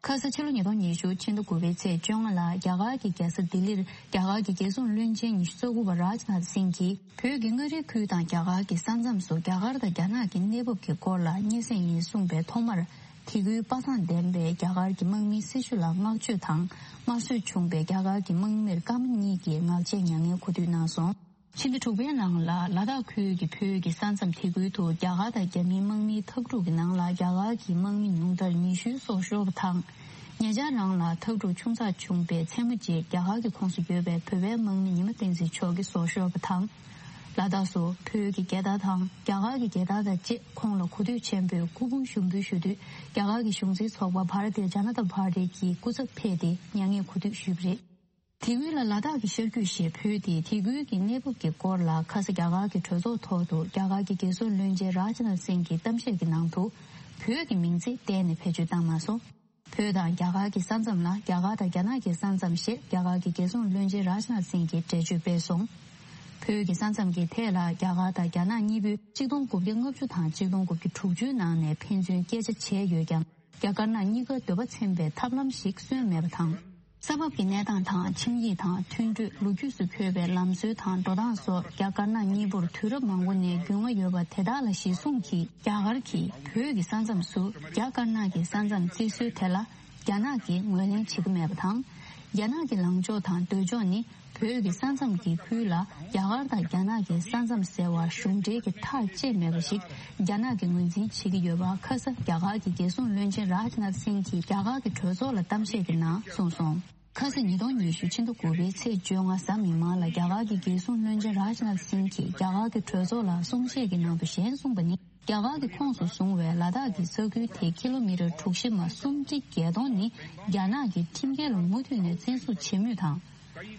ཁ་ས་ཕྱི་ལོ་ཉིས་སྟོང་ཉི་ཤུ་ཕྱི་ཟླ་དགུ་པའི་ཚེས་བཅོ་ལྔ་ལ་རྒྱ་གར་གྱི་རྒྱལ་ས་ལྡི་ལིར་རྒྱ་གར་གྱི་རྒྱལ་སྲུང་བློན་ཆེན་ཉི་ཤུ་རྩ་དགུ་པ་རཱཇ་ནཱཐ་སིང་གིས། བོད་ཀྱི་མངའ་རིས་ཁུལ་དང་རྒྱ་གར་གྱི་ས་མཚམས་སུ་རྒྱ་གར་དང་རྒྱ་ནག་གི་གནས་བབ་ཀྱི་སྐོར་ལ་སྙན་སེང་ཡིན་གསུངས་པའི་ཐོག་མར། དེ་ཁུལ་པ་སངས་ལྡན་པའི་རྒྱ་གར་གྱི་དམག་མིའི་སྲི་ཞུ་ལ་བསྔགས་བརྗོད་དང་། དམར་གསོད་བྱུང་བའི་རྒྱ་གར་གྱི་དམག་མིར་སྐར་མ་གཉིས་ཀྱི་ངག་བཅད་མྱ་ངན་གོ་སྡུད་གནང་སོང་། ཕྱི་ཟླ་དྲུག་པའི་ནང་ལ་ལ་དྭགས་ཁུལ་གྱི་བོད་ཀྱི་ས་མཚམས་དེ་ཁུལ་དུ་རྒྱ་གར་དང་རྒྱ་མིའི་དམག་མིའི་འཐབ་འཁྲུག་གི་ནང་ལ་རྒྱ་གར་གྱི་དམག་མི་ཉུང་མཐར་ཉི་ཤུའི་སྲོག་ཤོར་བ་དང་། ཉེ་ཆར་རང་ལ་འཐབ་འཁྲུག་ཆུང་ཙག་བྱུང་པའི་མཚན་མོ་རྗེས་རྒྱ་གར་གྱི་ཁོངས་སུ་ཡོད་པའི་བོད་པའི་དམག་མི་ཉི་མ་བསྟན་འཛིན་མཆོག་གི་སྲོག་ཤོར་བ་དང་། ལ་དྭགས་སུ་བོད་ཀྱི་རྒྱལ་དར་དང་རྒྱ་གར་གྱི་རྒྱལ་དར་དང་བཅས་ཁོང་ལ་གོ་ཐོས་ཆེན་པོས་སྐུ་ཕུང་ཞུགས་འབུལ་ཞུ་དུས། རྒྱ་གར་གྱི་གཞུང་འཛིན་ཚོགས་པ་བྷ་ར་ཏི་ཇ་ན་ཏ་པར་ཏི་གི་སྐུ་ཚབ་ཕེབས་ཏེ་མྱ་ངན་གོ་སྡུད་ཞུས་པ་རེད། དེ་སྔོན་ལ་ལ་དྭགས་ཀྱི་ཤར་རྒྱུད་ཞེས་འབོད་དེ། དེ་ཁུལ་གྱི་གནས་བབ་ཀྱི་སྐོར་ལ་ཁ་ས་རྒྱ་གར་གྱི་གྲོས་ཚོགས་ཐོག་ཏུ་རྒྱ་གར་གྱི་རྒྱལ་སྲུང་བློན་ཆེན་རཱཇ་ནཱཐ་སིང་གིས་གཏམ་བཤད་ཀྱི་ནང་དུ། བོད་ཀྱི་མིང་ཚིག་གཏན་ནས་བེད་སྤྱོད་བཏང་མ་སོང་། བོད་དང་རྒྱ་གར་གྱི་ས་མཚམས་ལ་རྒྱ་གར་དང་རྒྱ་ནག་གི་ས་མཚམས་ཞེས་རྒྱ་གར་གྱི་རྒྱལ་སྲུང་བློན་ཆེན་རཱཇ་ནཱཐ་སིང་གིས་འགྲེལ་བརྗོད་སྤེལ་སོང་། བོད་ཀྱི་ས་མཚམས་ཀྱི་ཐད་ལ་རྒྱ་གར་དང་རྒྱ་ནག་གཉིས་པོས་ཆིག་སྟོང་དགུ་བརྒྱ་ལྔ་བཅུ་དང་ཆིག་སྟོང་དགུ་བརྒྱ་དྲུག་ཅུའི་ནང་ནས་ཕན་ཚུན་སྐད་ཆ་བྱས་ཡོད་ཀྱང་། རྒྱ་དཀར་ནག་གཉིས་ཀ་འདོད་པ་འཚེམ་པའི་ཐབས་ལམ་ཞིག་སོན་མེད་པ་དང་། ས་བབ་ཀྱི་གནས་སྟངས་དང་། ཆིངས་ཡིག་དང་མཐུན་གྲོས། ལོ་རྒྱུས་སུ་འཁོད་པའི་ལམ་སྲོལ་དང་འགྲོ་སྟངས་སོགས་རྒྱ་དཀར་ནག་གཉིས་པོར་དུས་རབས་མང་པོ་ནས་རྒྱུས་མངའ་ཡོད་པ་དེ་དག་ལ་གཞི་བཟུང་གིས། རྒྱ་གར་གྱིས་བོད་ཀྱི་ས་མཚམས་སུ་རྒྱ་དཀར་ནག་གི་ས་མཚམས་བརྩི་སྲོལ་དེ་ལ་རྒྱ་ནག་གིས་ངོས་ལེན་བྱེད་ཀྱི་མེད་པ་དང་། རྒྱ་ནག་གི་ལངས་ཕྱོགས་དང་འདོད་ཕྱོགས་ནི། བོད་ཀྱི་ས་མཚམས་ཀྱི་ཁུལ་ལ་རྒྱ་གར་དང་རྒྱ་ནག་གི་ས་མཚམས་ཟེར་བ་གཞུང་འབྲེལ་གྱི་ཐག་བཅད་མེད་པ་ཞིག་རྒྱ་ནག་གིས་ངོས་འཛིན་བྱེད་ཀྱི་ཡོད་པ། ཁ་ས་རྒྱ་གར་གྱི་རྒྱལ་སྲུང་བློན་ཆེན་རཱཇ་ནཱཐ་སིང་གིས་རྒྱ་གར་གྱི་གྲོས་ཚོགས་ལ་གཏམ་བཤད་ཀྱི་ནང་གསུངས་སོང་། ཁ་ས་ཉིས་སྟོང་ཉི་ཤུ་ཕྱི་ཟླ་དགུ་པའི་ཚེས་བཅོ་ལྔ་གཟའ་མིག་དམར་ལ་རྒྱ་གར་གྱི་རྒྱལ་སྲུང་བློན་ཆེན་རཱཇ་ནཱཐ་སིང་གིས་རྒྱ་གར་གྱི་གྲོས་ཚོགས་ལ་གསུང་བཤད་ཀྱི་ནང་དུ་གཞན་གསུངས་པ་ནི། རྒྱ་གར་གྱི་ཁོངས་སུ་བཟུང་བའི་ལ་དྭགས་ཀྱི་ས་ཁུལ་དེ་ཀི་ལོ་མི་ཊར་གྲུ་བཞི་མ་སུམ་ཁྲི་བརྒྱད་སྟོང་ནི་རྒྱ་ནག་གི་ཁྲིམས་འགལ་ལ་མུ་མཐུད་ནས་བཙན་བཟུང་བྱེད་མུས་དང་།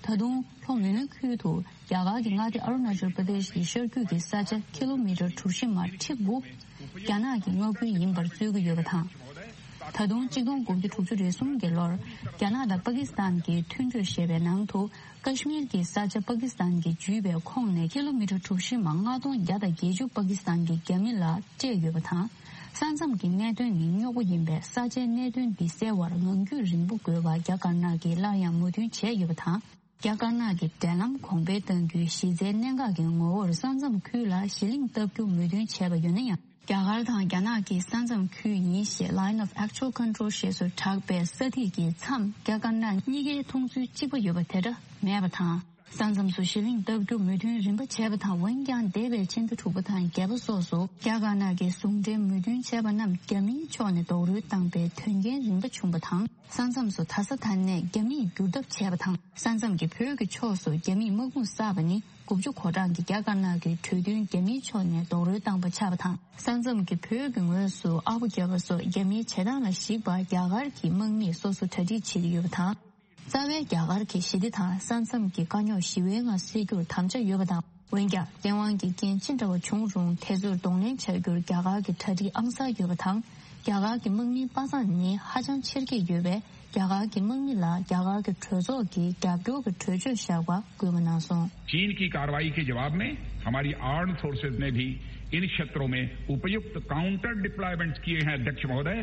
ད་དུང་ལྷོ་མོན་ཁུལ་དུ་རྒྱ་གར་གྱི་མངའ་སྡེ་ཨ་རུ་ན་ཅལ་པྲ་དེཤ་གི་ཤར་རྒྱུད་ཀྱི་ས་ཆ་ཀི་ལོ་མི་ཊར་གྲུ་བཞི་མ་ཁྲི་དགུ་རྒྱ་ནག་གི་མངའ་ཁུལ་ཡིན་པར་རྩོད་ཀྱི་ཡོད་པ་དང་། ད་དུང་གཅིག་སྟོང་དགུ་བརྒྱ་དྲུག་ཅུ་རེ་གསུམ་གྱི་ལོར་རྒྱ་ནག་དང་པ་ཀི་སི་ཐན་གྱི་མཐུན་གྲོས་ཞེས་པའི་ནང་དུ། ཀ་ཤི་མིར་གྱི་ས་ཆ་པ་ཀི་སི་ཐན་གྱིས་འཇུས་པའི་ཁོངས་ནས་ཀི་ལོ་མི་ཊར་གྲུ་བཞི་མ་ལྔ་སྟོང་བརྒྱ་དང་བརྒྱད་ཅུ་པ་ཀི་སི་ཐན་གྱི་རྒྱ་མི་ལ་སྤྲད་ཡོད་པ་དང་། ས་མཚམས་ཀྱི་གནད་དོན་ནི་རྙོག་པོ་ཡིན་པས། ས་ཆའི་གནད་དོན་འདི་སེལ་བར་ངང་རྒྱུད་རིང་པོ་དགོས་པ་རྒྱ་དཀར་ནག་གིས་སླར་ཡང་མོས་མཐུན་བྱས་ཡོད་པ་དང་། རྒྱ་དཀར་ནག་གིས་འབྲེལ་ལམ་གོང་འཕེལ་གཏང་རྒྱུའི་གཞི་རྩའི་གནད་འགག་གི་ངོ་བོར་ས་མཚམས་ཁུལ་ལ་གཞི་གླིང་བཏབ་རྒྱུ་མོས་མཐུན་བྱས་པ་ཡོད་ན་ཡང་། རྒྱ་གར་དང་རྒྱ་ནག་གི་ས་མཚམས་ཁུལ་ཡིན་ཞེས་Line of Actual Control ཞེས་སུ་གྲགས་པའི་ས་ཐིག་གི་མཚམས་རྒྱ་དཀར་ནག་གཉིས་ཀའི་མཐོང་ཚུལ་གཅིག་པ་ཡོད་པ་དེ་འདྲ་མེད་པ་དང་། ས་མཚམས་སུ་གཞི་གླིང་བཏབ་རྒྱུ་མོས་མཐུན་རིམ་པ་བྱས་པ་དང་། འོན་ཀྱང་འདས་པའི་ཕྱི་ཟླ་དྲུག་པ་དང་བརྒྱད་པ་སོགས་སུ་རྒྱ་དཀར་ནག་གིས་ཟུང་འབྲེལ་མོས་མཐུན་བྱས་པ་རྣམས་རྒྱ་མིའི་ཕྱོགས་ནས་རྡོག་རོལ་བཏང་པའི་དོན་རྐྱེན་རིམ་པ་བྱུང་བ་དང་། ས་མཚམས་སུ་ད་ས་ད་ནས་རྒྱ་མིས་བསྒྱུར་ཐབས་བྱས་པ་དང་། ས་མཚམས་ཀྱི་བོད་ཀྱི་ཕྱོགས་སུ་རྒྱ་མིས་དམག་དཔུང་བསགས་པ་ནི། དགུ་བཅུ་གོ་གྲངས་ཀྱི་རྒྱ་དཀར་ནག་གི་གྲོས་མཐུན་རྒྱ་མིའི་ཕྱོགས་ནས་རྡོག་རོལ་བཏང་པ་ཆགས་པ་དང་། ས་མཚམས་ཀྱི་བོད་ཀྱི་ངོས་སུ་ཨ་ཕོ་བརྒྱབ་པ་སོགས་རྒྱ་མིའི་བྱེད་སྟངས་ལ་གཞིགས་པར་རྒྱ་གར་གྱི་དམག་མིས་སོ་སོ་གྲ་སྒྲིག་བྱེད་ཀྱི་ཡོད་པ་དང་། རྩ་བའི་རྒྱ་གར་གྱི་ཞི་བདེ་དང་ས་མཚམས་ཀྱི་དཀའ་རྙོག་ཞི་བའི་ངང་སེལ་རྒྱུར་དམ་བཅའ་ཡོད་པ་དང་། འོན་ཀྱང་བཙན་དབང་གི་རྐྱེན་ཅི་འདྲ་བ་བྱུང་རུང་དེ་ཚོར་གདོང་ལེན་བྱ་རྒྱུར་རྒྱ་གར་གྱི་གྲ་སྒྲིག་ཨང་གསར་ཡོད་པ་དང་། རྒྱ་གར་གྱི་དམག་མིའི་པ་སངས་ནི་ཧ་ཅང་ཆེར་སྐྱེད་ཡོད་པས། རྒྱ་གར་གྱི་དམག་མི་ལ་རྒྱ་གར་གྱི་གྲོས་ཚོགས་ཀྱིས་རྒྱབ་སྐྱོར་གྱི་གྲོས་ཆོད་བཞག་པ་སྐུལ་མ་གནང་སོང་། चीन की कार्रवाई के जवाब में हमारी आर्म्ड फोर्सेज ने भी इन क्षेत्रों में उपयुक्त काउंटर डिप्लॉयमेंट्स किए हैं, अध्यक्ष महोदय।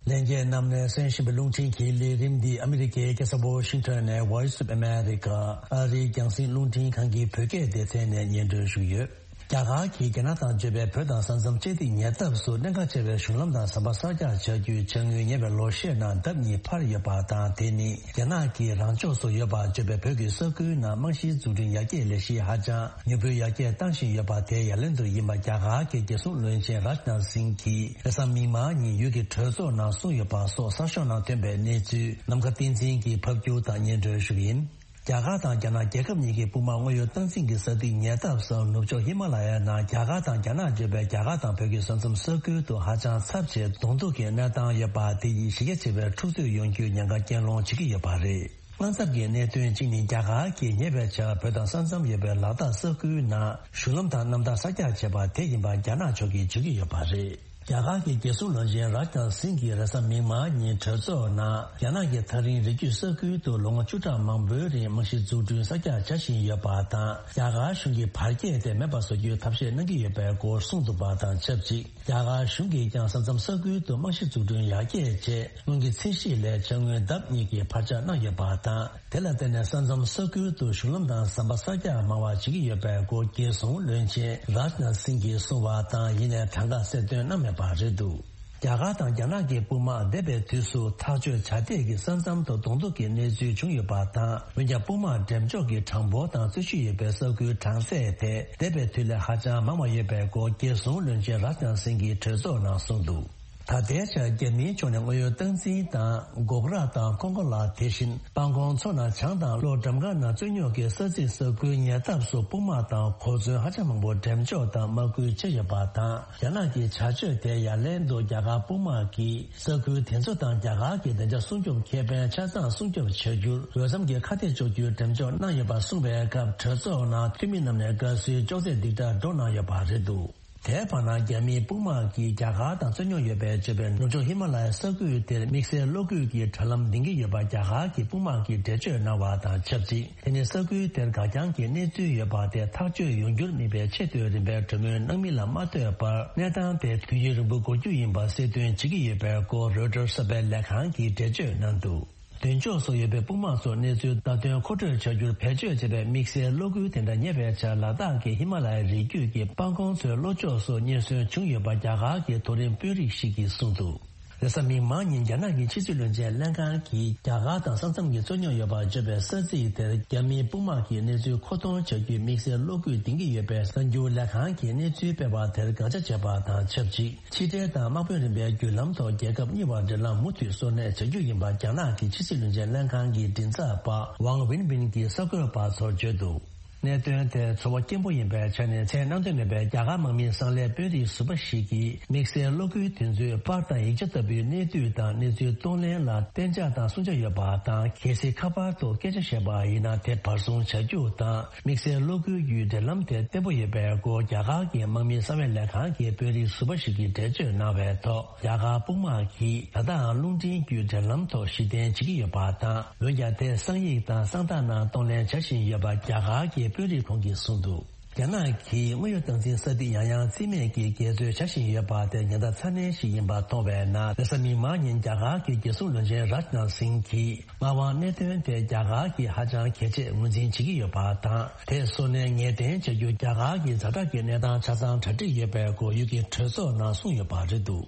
ལྷན་རྒྱས་རྣམས་ནས་གསན་བཞིན་པའི་རླུང་འཕྲིན་གྱི་ལས་རིམ་འདི་ཨ་མི་རི་ཀའི་རྒྱལ་ས་ཝ་ཤིང་ཊོན་ནས་Voice of America ཨ་རིའི་རྒྱང་སྲིང་རླུང་འཕྲིན་ཁང་གི་བོད་སྐད་སྡེ་ཚན་ནས་སྙན་སྒྲོན་ཞུ་གི་ཡོད། རྒྱ་གར་གྱིས་རྒྱ་ནག་དང་འབྱོར་པའི་བོད་དང་ས་མཚམས་བཅད་ཐིག་ཉེ་འདབས་སུ་གནད་འགག་ཆེ་བའི་གཞུང་ལམ་དང་ཟམ་པ་གསར་རྒྱག་བྱ་རྒྱུའི་བྱ་དངོས་ཉེ་བའི་ལོ་ཤས་ནང་ལྡབ་གཉིས་འཕར་ཡོད་པ་དང་། དེ་ནི་རྒྱ་ནག་གི་རང་ཕྱོགས་སུ་ཡོད་པ་བརྗོད་པའི་བོད་ཀྱི་ས་ཁུལ་ནང་རྨང་གཞིའི་འཛུགས་སྐྲུན་ཡར་རྒྱས་ལས་གཞི་ཧ་ཅང་མྱུར་པོས་ཡར་རྒྱས་བཏང་བཞིན་ཡོད་པ་དེ་ཡ་ལན་དུ་ཡིན་པ་རྒྱ་གར་གྱི་རྒྱལ་སྲུང་བློན་ཆེན་རཱཇ་ནཱཐ་སིང་གིས་རེས་གཟའ་མིག་དམར་ཉིན་ཡུལ་གྱི་གྲོས་ཚོགས་ནང་གསུངས་ཡོད་པ་སོགས་གསར་ཤོག་ནང་ཐོན་པའི་གནས་ཚུལ་ནམ་མཁའ་བསྟན་འཛིན་གྱིས་ཕབ་སྒྱུར་དང་སྙན་སྒྲོན་ཞུ་གི་ཡིན། རྒྱ་གར་དང་རྒྱ་ནག་རྒྱལ་ཁབ་གཉིས་ཀྱི་དཔུང་དམག་དངོས་ཡོད་སྟངས་འཛིན་གྱི་ས་ཐིག་ཉེ་འདབས་སུ་ནུབ་ཕྱོགས་ཧི་མ་ལ་ཡའི་ནང་རྒྱ་གར་དང་རྒྱ་ནག་བརྗོད་པའི་རྒྱ་གར་དང་བོད་ཀྱི་ས་མཚམས་ས་ཁུལ་དུ་ཧ་ཅང་ཚབས་ཆེ་གདོང་ཐུག་གི་གནས་སྟངས་ཡོད་པ་དེ་ཡིས་གཞི་རྒྱ་ཆེ་བའི་འཁྲུག་རྩོད་ཡོང་རྒྱུའི་ཉེན་ཁ་རྐྱེན་སློང་བྱེད་ཀྱི་ཡོད་པ་རེད། དངངས་འཚབ་ཀྱི་གནད་དོན་གཅིག་ནི་རྒྱ་གར་གྱིས་ཉེ་བའི་ཆར་བོད་དང་ས་མཚམས་ཡོད་པའི་ལ་དྭགས་ས་ཁུལ་ནང་གཞུང་ལམ་དང་གནམ་ཐང་གསར་རྒྱག་བྱས་པ་དེ་ཡིན་པ་རྒྱ་ནག་ཕྱོགས་ཀྱིས་བརྗོད་ཀྱི་ཡོད་པ་རེད། རྒྱ་གར་གྱི་རྒྱལ་སྲུང་བློན་ཆེན་རཱཇ་ནཱཐ་སིང་གིས་རེས་གཟའ་མིག་དམར་ཉིན་གྲོས་ཚོགས་ནང་རྒྱ་ནག་གི་ཐག་རིང་རི་རྒྱུད་ས་ཁུལ་དུ་ལོ་ངོ་བཅུ་ཕྲག་མང་པོའི་རིང་རྨང་གཞི་འཛུགས་སྐྲུན་གསར་རྒྱག་བྱ་བཞིན་ཡོད་པ་དང་། རྒྱ་གར་གཞུང་གིས་བར་བརྒལ་དེ་མེད་པ་བཟོ་རྒྱུའི་ཐབས་ཤེས་གནང་གི་ཡོད་པའི་སྐོར་གསུངས་འདུག་པ་དང་ཆབས་ཅིག་རྒྱ་གར་གཞུང་གིས་ཀྱང་ས་མཚམས་ས་ཁུལ་དུ་རྨང་གཞི་འཛུགས་སྐྲུན་ཡར་རྒྱས་ཆེད་སྔོན་གྱི་ཚད་གཞི་ལས་ཆ་སྔོན་ལྡབ་གཉིས་ཀྱི་འཕར་ཆག་གནང་ཡོད་པ་དང་། དེ་ལ་བརྟེན་ནས་ས་མཚམས་ས་ཁུལ་དུ་གཞུང་ལམ་དང་ཟམ་པ་གསར་རྒྱག་མང་བ་བྱེད་ཀྱི་ཡོད་པའི་སྐོར་རྒྱལ་སྲུང་བློན་ཆེན་རཱཇ་ནཱཐ་སིང་གིས་གསུངས་པ་དང་། ཡིན་ནའི་གྲངས་ཀ་གསལ་སྟོན་གནང་མེད་པ་རེད་འདུག་རྒྱ་གར་དང་རྒྱ་ནག་གི་དཔུང་དམག་འདས་པའི་དུས་སུ་ཐག་གཅོད་བྱ་འཐད་ཀྱི་ས་མཚམས་ཐོག་གདོང་ཐུག་གི་གནས་ཚུལ་བྱུང་ཡོད་པ་དང་། འོན་ཀྱང་དཔུང་དམག་འགྲེམས་འཇོག་གི་གྲངས་འབོར་དང་རྩོད་གཞི་ཡོད་པའི་ས་ཁུལ་གྲངས་ཚད་དེ་འདས་པའི་དུས་ལས་ཧ་ཅང་མང་བ་ཡོད་པའི་སྐོར་རྒྱལ་སྲུང་བློན་ཆེན་རཱཇ་ནཱཐ་སིང་གིས་གྲོས་ཚོགས་ནང་གསུངས་འདུག་ད་ལྟའི་ཆར་རྒྱ་མིའི་ཕྱོགས་ནས་དངོས་ཡོད་སྟངས་འཛིན་དང་། སྒོག་ར་དང་ཀོང་ཀོ་ལ། དེ་བཞིན་སྤང་གོང་མཚོ་ནང་བྱང་དང་གློ་གྲམ་ཁ་ནང་རྩོད་རྙོག་གི་ས་ཚིགས་ས་ཁུལ་ཉེ་འདབས་སུ་དཔུང་དམག་དང་གོ་མཚོན་ཧ་ཅང་མང་པོ་འགྲེམས་འཇོག་དང་དམག་སྐུལ་བྱས་ཡོད་པ་དང་། རྒྱ་ནག་གི་བྱ་སྤྱོད་དེ་ཡ་ལན་དུ་རྒྱ་གར་དཔུང་དམག་གིས་ས་ཁུལ་དེ་ཚོ་དང་རྒྱ་གར་གྱི་བདེ་འཇགས་སྲུང་སྐྱོབ་ཁེ་ཕན་ཆ་ཚང་སྲུང་སྐྱོབ་བྱ་རྒྱུར་འོས་འཚམ་གྱི་ཁ་གཏད་གཅོག་རྒྱུའི་འགྲེམས་འཇོག་གནང་ཡོད་པ་གསུངས་པའི་སྐབས། གྲོས་ཚོགས་ནང་འཐུས་མི་རྣམས་ནས་དགའ་བསུའི་ཅོག་ཙེ་རྡིག་སྒྲ་སྒྲོག་གནང་ཡོད་པ་རེད་འདུག་དེའི་བར་ན་རྒྱ་མིའི་དཔུང་དམག་གིས་རྒྱ་གར་དང་རྩོད་རྙོག་ཡོད་པའི་བྱེད་པའི་ནུབ་ཕྱོགས་ཧི་མ་ལ་ཡའི་ས་ཁུལ་དེར་དམིགས་བསལ་གློག་སྐུད་ཀྱི་དྲ་ལམ་འདིང་གི་ཡོད་པ་རྒྱ་གར་གྱི་དཔུང་དམག་གིས་འགྲེལ་བརྗོད་གནང་བ་དང་ཆབས་ཅིག་དེ་ནི་ས་ཁུལ་དེར་འགག་རྐྱང་གི་གནས་ཚུལ་ཡོད་པ་དེ་ཐག་གཅོད་ཡོང་རྒྱུར་དམིགས་པའི་ཆེས་མཐོའི་རིམ་པའི་གྲོས་མོལ་གནང་མིན་ལ་མ་ལྟོས་པར། གནས་སྟངས་དེ་དུས་ཡུན་རིང་པོ་འགོར་རྒྱུ་ཡིན་པ་གསལ་སྟོན་བྱེད་ཀྱི་ཡོད་པའི་སྐོར་རོའི་ཊར་གསར་པའི་ལས་ཁང་གིས་འགྲེལ་བརྗོད་གནང་འདུག་མདུན་ཕྱོགས་སུ་ཡོད་པའི་དཔུང་དམག་ཚོར་གནས་ཚུལ་བརྡ་སྟོན་མཁོ་སྤྲོད་བྱ་རྒྱུར་བེད་སྤྱོད་བྱེད་པའི་དམིགས་བསལ་གློག་སྐུད་དེ་འདྲ་ཉེ་བའི་ཆར་ལ་དྭགས་ཀྱི་ཧི་མ་ལ་ཡའི་རི་རྒྱུད་ཀྱི་སྤང་གོང་མཚོའི་ལྷོ་ཕྱོགས་སུ་རྙེད་སོན་བྱུང་ཡོད་པ་རྒྱ་གར་གྱི་མཐོ་རིམ་དཔོན་རིགས་ཤིག་གིས་གསུངས་འདུག་རེས་གཟའ་མིག་དམར་ཉིན་རྒྱ་ནག་གི་ཕྱི་སྲིད་བློན་ཆེན་ལྷན་ཁང་གིས་རྒྱ་གར་དང་ས་མཚམས་ཀྱི་རྩོད་རྙོག་ཡོད་པར་བརྗོད་པའི་ས་ཚིགས་དེར་རྒྱ་མིའི་དཔུང་དམག་གིས་གནས་ཚུལ་མཁོ་གཏོང་བྱ་རྒྱུའི་དམིགས་བསལ་གློག་སྐུད་འདིང་གི་ཡོད་པའི་གསར་འགྱུར་ལས་ཁང་གིས་གནས་ཚུལ་སྤེལ་བ་དེར་དགག་བྱ་བྱས་པ་དང་ཆབས་ཅིག་ཕྱི་འབྲེལ་དང་དམག་དཔོན་རིམ་པའི་བརྒྱུད་ལམ་ཐོག་རྒྱལ་ཁབ་གཉིས་བར་འབྲེལ་ལམ་མུ་མཐུད་གསོ་གནས་བྱ་རྒྱུ་ཡིན་པ་རྒྱ་ནག་གི་ཕྱི་སྲིད་བློན་ཆེན་ལྷན་ཁང་གི་མགྲིན་ཚབ་པ་ཝང་ཝིན་ཝིན་གྱིས་གསར་འགོད་པ་ཚོར་བརྗོད་འདུག་གནད་དོན་དེར་ཚོར་བ་སྐྱེན་པོ་ཡིན་པའི་ཆ་ནས། མཚན་བཏོན་མེད་པའི་རྒྱ་གར་དམག་མིའི་གསང་ལས་དཔོན་རིགས་ཟུར་པ་ཞིག་གིས་དམིགས་བསལ་གློག་སྐུད་དེ་ཚོའི་པར་དང་ཡིག་ཆ་ལྟ་བུའི་གནས་དུས་དང་གནས་ཚུལ་གཏོང་ལེན་ལ་གཏན་འཇགས་དང་སྲུང་བྱ་ཡོད་པ་དང་། གལ་སྲིད་ཁ་པར་ཐོག་སྐད་ཆ་བཤད་པ་ཡིན་ན། དེ་བར་སྲུང་བྱ་རྒྱུ་དང་། དམིགས་བསལ་གློག་སྐུད་བརྒྱུད་འབྲེལ་ལམ་དེ་བརྟན་པོ་ཡོད་པའི་སྐོར་རྒྱ་གར་གྱི་དམག་མིའི་གསང་བའི་ལས་ཁང་གི་དཔོན་རིགས་ཟུར་པ་ཞིག་གིས་འགྲེལ་བརྗོད་གནང་བའི་ཐོག་རྒྱ་གར་དཔུང་དམག་གིས་ད་ལྟའང་རླུང་འཕྲིན་བརྒྱུད་འབྲེལ་ལམ་ཐོག་གཞི་རྟེན་བྱེད་ཀྱི་ཡོད་པ་དང་། འོན་ཀྱང་དེ་གསང་ཡིག་དང་གསང་རྟགས་ནང་གཏོང་ལེན་བྱ་བཞིན་ཡོད་པ་རྒྱ་གར་གྱི་དཔོན་རིགས་ཁོང་གིས་གསུངས་འདུག་རྒྱ་ནག་གིས་དངོས་ཡོད་སྟངས་འཛིན་ས་ཐིག་ཡང་ཡང་རྩིས་མེད་ཀྱིས་འགལ་འཛོལ་བྱ་བཞིན་ཡོད་པ་དེ་ཉེན་བརྡ་ཚ་ནན་ཞིག་ཡིན་པ་མཐོང་བའི་ནང་། རེས་གཟའ་མིག་དམར་ཉིན་རྒྱ་གར་གྱི་རྒྱལ་སྲུང་བློན་ཆེན་རཱཇ་ནཱཐ་སིང་གིས། མངའ་དབང་གནད་དོན་དེ་རྒྱ་གར་གྱིས་ཧ་ཅང་གལ་ཆེ་ངོས་འཛིན་བྱེད་ཀྱི་ཡོད་པ་དང་། དེ་གསོ་གནས་ངེས་གཏན་བྱ་རྒྱུ་རྒྱ་གར་གྱི་ཛ་དྲག་གི་གནས་སྟངས་ཆ་ཚང་གྲ་སྒྲིག་ཡོད་པའི་སྐོར་ཡུལ་གྱི་གྲོས་ཚོགས་ནང་གསུངས་ཡོད་པ་རེད་འདུག་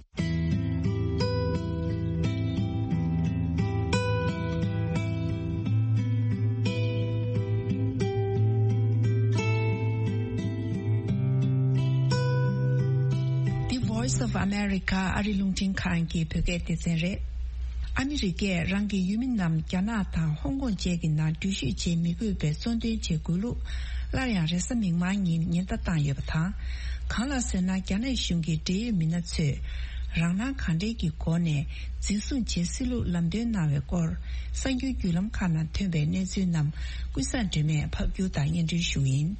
འདི་Voice of America ཨ་རི་རླུང་འཕྲིན་ཁང་གི་བོད་སྐད་སྡེ་ཚན་རེད། ཨ་མི་རི་ཀས་རང་གི་ཡུལ་མི་རྣམས་རྒྱ་ནག་དང་ཧོང་ཀོང་བཅས་ཀྱི་ནང་འགྲུལ་བཞུད་བྱེད་མི་དགོས་པའི་གཙོ་འདོན་བྱེད་དགོས་ལུགས། སླར་ཡང་རེས་གཟའ་མིག་དམར་ཉིན་ཉེན་བརྡ་བཏང་ཡོད་པ་དང་། གང་ལགས་ཟེར་ན། རྒྱ་ནག་གཞུང་གི་འབྲེལ་ཡོད་མི་སྣ་ཚོས་རང་སྣང་གང་དྲན་གྱི་སྒོ་ནས་འཛིན་བཟུང་བྱེད་སྲིད་ལུགས་ལམ་སྟོན་གནང་བའི་སྐོར། གསར་འགྱུར་བརྒྱུད་ལམ་ཁག་ནང་ཐོན་པའི་གནས་ཚུལ་རྣམས་ཀུན་བཟང་སྒྲོལ་མས་ཕབ་སྒྱུར་དང་སྙན་སྒྲོན་ཞུ་གི་ཡིན།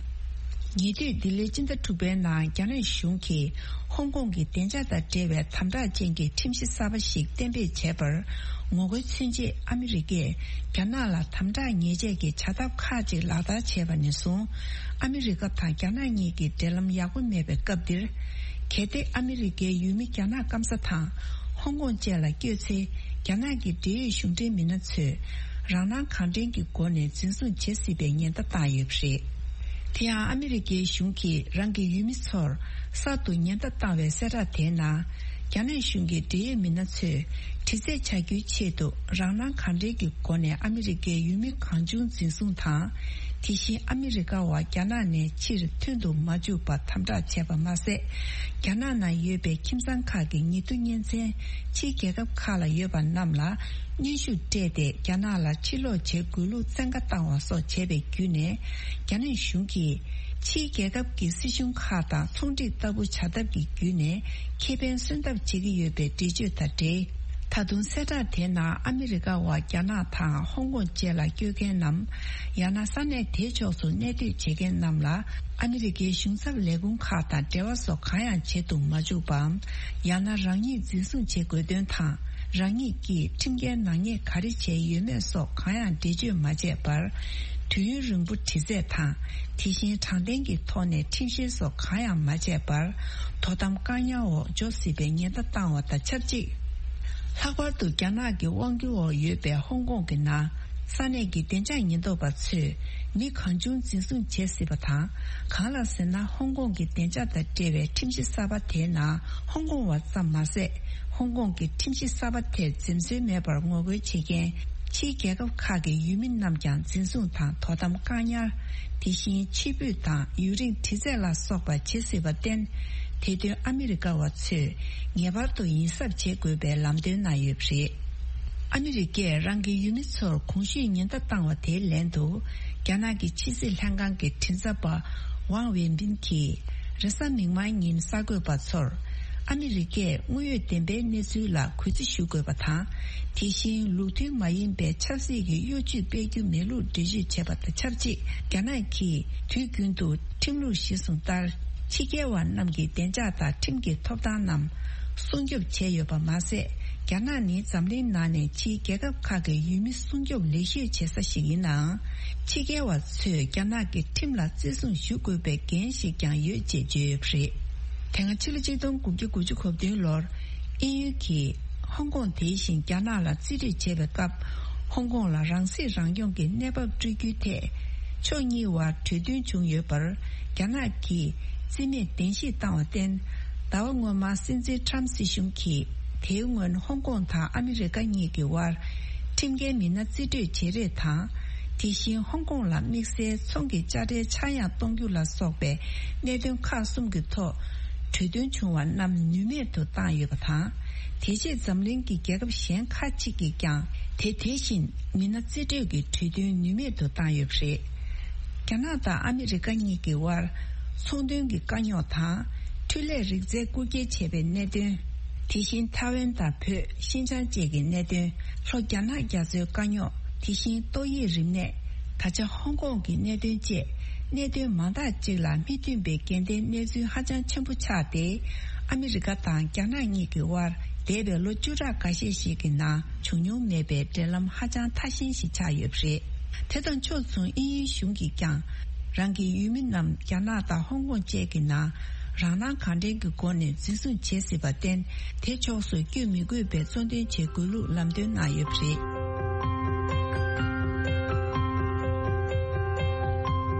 ཉེ་དུས་ལྡི་ལིར་སྤྱི་ཟླ་དྲུག་པའི་ནང་རྒྱ་ནག་གཞུང་གིས་ཧོང་ཀོང་གི་བདེ་འཇགས་དང་འབྲེལ་བའི་དམ་དྲག་ཅན་གྱི་ཁྲིམས་གཞི་གསར་པ་ཞིག་གཏན་འབེབས་བྱས་པར་ངོ་རྒོལ་མཚོན་ཆེད། ཨ་མི་རི་ཀས་རྒྱ་ནག་ལ་དམ་དྲག་ཉེས་ཆད་ཀྱི་བྱ་ཐབས་ཁག་ཅིག་ལག་བསྟར་བྱས་པ་ནས་བཟུང་། ཨ་མི་རི་ཀ་དང་རྒྱ་ནག་གཉིས་ཀྱི་འབྲེལ་ལམ་ཡག་པོ་མེད་པའི་སྐབས་འདིར། གལ་ཏེ་ཨ་མི་རི་ཀའི་ཡུལ་མི་རྒྱ་ནག་སྐམ་ས་དང་ཧོང་ཀོང་བཅས་ལ་བསྐྱོད་ཚེ། རྒྱ་ནག་གི་འབྲེལ་ཡོད་གཞུང་འབྲེལ་མི་སྣ་ཚོས་རང་སྣང་གང་དྲན་གྱི་སྒོ་ནས་འཛིན་བཟུང་བྱེད་སྲིད་པའི་ཉེན་བརྡ་བཏང་ཡོད་པ་རེད། དེ་ཡང་ཨ་མི་རི་ཀའི་གཞུང་གིས་རང་གི་ཡུལ་མི་ཚོར་གསར་དུ་ཉེན་བརྡ་བཏང་བའི་གསལ་བསྒྲགས་དེའི་ནང་། རྒྱ་ནག་གཞུང་གི་འབྲེལ་ཡོད་མི་སྣ་ཚོས་དྲི་རྩད་བྱ་རྒྱུའི་ཆེད་དུ་རང་སྣང་གང་དྲན་གྱི་སྒོ་ནས་ཨ་མི་རི་ཀའི་ཡུལ་མི་གང་བྱུང་འཛིན་བཟུང་དང་། དེ་བཞིན་ཨ་མི་རི་ཀ་བ་རྒྱ་ནག་ནས་ཕྱིར་ཐོན་དུ་མ་འཇུག་པ་དམ་དྲག་བྱས་པ་མ་ཟད། རྒྱ་ནག་ནང་ཡོད་པའི་ཁྱིམ་ཚང་ཁག་གི་ཉེ་དུ་གཉེན་ཚན་ཕྱིའི་རྒྱལ་ཁབ་ཁག་ལ་ཡོད་པ་རྣམས་ལ་གནོན་ཤུགས་སྤྲད་དེ་རྒྱ་ནག་ལ་ཕྱིར་ལོག་བྱེད་དགོས་ལུགས་བཙན་བཀའ་བཏང་བ་སོགས་བྱས་པའི་བརྒྱུད་ནས། རྒྱ་ནག་གཞུང་གིས་ཕྱིའི་རྒྱལ་ཁབ་ཀྱི་སྲིད་གཞུང་ཁག་དང་ཚོང་འགྲིག་ལྟ་བུ་བྱ་ཐབས་ཀྱི་བརྒྱུད་ནས་ཁེ་ཕན་སོན་ཐབས་བྱེད་ཀྱི་ཡོད་པའི་འགྲེལ་བརྗོད་དང་འབྲེལ། ད་དུང་གསལ་བསྒྲགས་དེའི་ནང་ཨ་མི་རི་ཀ་བ་རྒྱ་ནག་དང་ཧོང་ཀོང་བཅས་ལ་སྐྱོད་མཁན་ནམ། ཡང་ན་ས་གནས་དེའི་ཕྱོགས་སུ་གནས་སྡོད་བྱེད་མཁན་རྣམས་ལ་ཨ་མི་རི་ཀའི་གཞུང་ཚབ་ལས་ཁུངས་ཁག་དང་འབྲེལ་བ་སོགས་གང་ཡང་བྱེད་དུ་མ་བཅུག་པའམ། ཡང་ན་རང་ཉིད་འཛིན་བཟུང་བྱེད་དགོས་དོན་དང་། རང་ཉིད་ཀྱིས་ཁྲིམས་འགལ་ནག་ཉེས་ག་རེ་བྱས་ཡོད་མེད་སོགས་གང་ཡང་འགྲེལ་བརྗོད་མ་བྱས་པར། དུས་ཡུན་རིང་པོ་དྲི་རྩད་དང་། དེ་བཞིན་དྲང་བདེན་གྱི་ཐོག་ནས་ཁྲིམས་བཤེར་སོགས་གང་ཡང་མ་བྱས་པར། དོ་དམ་བཀག་ཉར་འོག་འཇོག་སྲིད་པའི་ཉེན་བརྡ་བཏང་བ་དང་ཆབས་ཅིག་ལྷག་པར་དུ་རྒྱ་ནག་གི་དབང་སྒྱུར་འོག་ཡོད་པའི་ཧོང་ཀོང་གི་ནང་ས་གནས་ཀྱི་བདེ་འཇགས་ཉེན་རྟོག་པ་ཚོས་མི་གང་བྱུང་འཛིན་བཟུང་བྱེད་སྲིད་པ་དང་། གང་ལ་ཟེར་ན་ཧོང་ཀོང་གི་བདེ་འཇགས་དང་འབྲེལ་བའི་ཁྲིམས་གཞི་གསར་པ་དེའི་ནང་ཧོང་ཀོང་བ་ཙམ་མ་ཟད། ཧོང་ཀོང་གི་ཁྲིམས་གཞི་གསར་པ་དེར་འཛེམ་ཟོན་མེད་པར་ངོ་རྒོལ་བྱེད་མཁན་ཕྱིའི་རྒྱལ་ཁབ་ཁག་གི་ཡུལ་མི་རྣམས་ཀྱང་འཛིན་བཟུང་དང་དོ་དམ་བཀག་ཉར། དེ་བཞིན་ཕྱིར་འབུད་དང་ཡུན་རིང་དྲི་རྩད་ལ་སོགས་པ་བྱེད་སྲིད་པར་བརྟེན། དེ་དོན་ཨ་མི་རི་ཀ་བ་ཚོས་ངེས་པར་དུ་ཡིད་གཟབ་བྱེད་དགོས་པའི་ལམ་སྟོན་གནང་ཡོད་པ་རེད། ཨ་མི་རི་ཀས་རང་གི་ཡུལ་མི་ཚོར་གོང་ཞུས་ཉེན་བརྡ་བཏང་བ་དེའི་ལན་དུ། རྒྱ་ནག་གི་ཕྱི་སྲིད་ལྷན་ཁང་གི་མགྲིན་ཚབ་པ་ཝང་ཝེ་པིན་གྱིས། རེས་གཟའ་མིག་དམར་ཉིན་གསར་འགོད་པ་ཚོར། ཨ་མི་རི་ཀས་དངོས་ཡོད་བདེན་པའི་གནས་ཚུལ་ལ་གུས་བརྩི་ཞུ་དགོས་པ་དང་། དེ་བཞིན་ལུགས་མཐུན་མ་ཡིན་པའི་ཆབ་སྲིད་ཀྱི་གཡོ་ཇུས་སྤེལ་རྒྱུ་མེད་ལུགས་འགྲེལ་བརྗོད་བྱས་པ་དང་ཆབས་ཅིག་རྒྱ་ནག་གིས་དུས་རྒྱུན་དུ་ཁྲིམས་ལུགས་གཞིར་བཟུང་ལྟར། ཕྱི་རྒྱལ་བ་རྣམས་ཀྱི་བདེ་འཇགས་དང་ཁྲིམས་ཀྱི་ཐོབ་ཐང་རྣམས་སྲུང་སྐྱོབ་བྱས་ཡོད་པ་མ་ཟད། རྒྱ་ནག་ནི་འཛམ་གླིང་ནང་ནས་ཕྱིའི་རྒྱལ་ཁབ་ཁག་གི་ཡུལ་མི་སྲུང་སྐྱོབ་ལེགས་ཤོས་བྱེད་ས་ཞིག་ཡིན་ནའང་། ཕྱི་རྒྱལ་བ་ཚོས་རྒྱ་ནག་གི་ཁྲིམས་ལ་བརྩི་སྲུང་ཞུ་དགོས་པའི་འགན་ཞིག་ཀྱང་ཡོད་ཅེས་བརྗོད་ཡོད་པ་རེད། དེ་སྔ་ཕྱི་ལོ་ཆིག་སྟོང་དགུ་བརྒྱ་དགུ་བཅུ་གོ་བདུན་ལོར་དབྱིན་ཡུལ་གྱིས་ཧོང་ཀོང་དེ་བཞིན་རྒྱ་ནག་ལ་རྩིས་སྤྲོད་བྱས་པའི་སྐབས། ཧོང་ཀོང་ལ་རང་སྲིད་རང་སྐྱོང་གི་གནས་བབ་སྤྲོད་རྒྱུའི་ཐད། ཕྱོགས་གཉིས་བར་གྲོས་མཐུན་བྱུང་ཡོད་པར། རྒྱ་ནག་གིས་རྩིས་མེད་གདན་ཞུས་བཏང་བར་བརྟེན། ཟླ་བ་སྔོན་མ་སྲིད་འཛིན་ཁྲམ་སྲིད་གཞུང་གིས། དེའི་སྔོན་ཧོང་ཀོང་དང་ཨ་མི་རི་ཀ་གཉིས་ཀྱི་དབར། ཁྲིམས་འགལ་མི་སྣ་རྩིས་སྤྲོད་བྱེད་རེས་དང་། དེ་བཞིན་ཧོང་ཀོང་ལ་དམིགས་བསལ་ཚོང་གི་དཔྱ་ཁྲལ་ཆག་ཡང་གཏོང་རྒྱུ་ལ་སོགས་པའི་གནད་དོན་ཁག་གསུམ་གྱི་ཐོག་གྲོས་མཐུན་བྱུང་བ་རྣམས་ནུས་མེད་དུ་བཏང་ཡོད་པ་དང་། དེ་རྗེས་འཛམ་གླིང་གི་རྒྱལ་ཁབ་གཞན་ཁག་ཅིག་གིས་ཀྱང་དེ་དེ་བཞིན་མི་སྣ་རྩིས་སྤྲོད་ཀྱི་གྲོས་མཐུན་ནུས་མེད་དུ་བཏང་ཡོད་པ་རེད། རྒྱ་ནག་དང་ཨ་མི་རི་ཀ་གཉིས་ཀྱི་དབར་ཚོང་དོན་གྱི་དཀའ་རྙོག་དང་། འཕྲུལ་ལས་རིག་རྩལ་རྐུ་འཁྱེར་བྱས་པའི་གནད་དོན། དེ་བཞིན་ཐའེ་ཝན་དང་བོད་ཤིན་ཅང་བཅས་ཀྱི་གནད་དོན། ལྷོ་རྒྱ་ནག་རྒྱ་མཚོའི་དཀའ་རྙོག་དེ་བཞིན་ཏོག་དབྱིབས་རིམས་ནད། ད་ཆ་ཧོང་ཀོང་གི་གནད་དོན་བཅས་གནད་དོན་མང་དག་ཅིག་ལ་མི་མཐུན་པའི་འགལ་ཟླའི་གནས་ཚུལ་ཧ་ཅང་ཆེན་པོ་ཆགས་ཏེ། ཨ་མི་རི་ཀ་དང་རྒྱ་ནག་གཉིས་ཀྱི་དབར་འདས་པའི་ལོ་བཅུ་ཕྲག་འགའ་ཤས་ཤིག་གི་ནང་བྱུང་མྱོང་མེད་པའི་འབྲེལ་ལམ་ཧ་ཅང་ཐ་ཞན་ཞིག་ཆགས་ཡོད་པ་རེད། དེ་དང་ཕྱོགས་མཚུངས་དབྱིན་ཡུལ་གཞུང་གིས་ཀྱང་རང་གི་ཡུལ་མི་རྣམས་རྒྱ་ནག་དང་ཧོང་ཀོང་བཅས་ཀྱི་ནང་རང་སྣང་གང་དྲན་གྱི་སྒོ་ནས་འཛིན་བཟུང་བྱེད་སྲིད་པར་བརྟེན། དེ་ཕྱོགས་སུ་བསྐྱོད་མི་དགོས་པའི་གཙོ་འདོན་བྱེད་དགོས་ལུགས་ལམ་སྟོན་གནང་ཡོད་པ་རེད།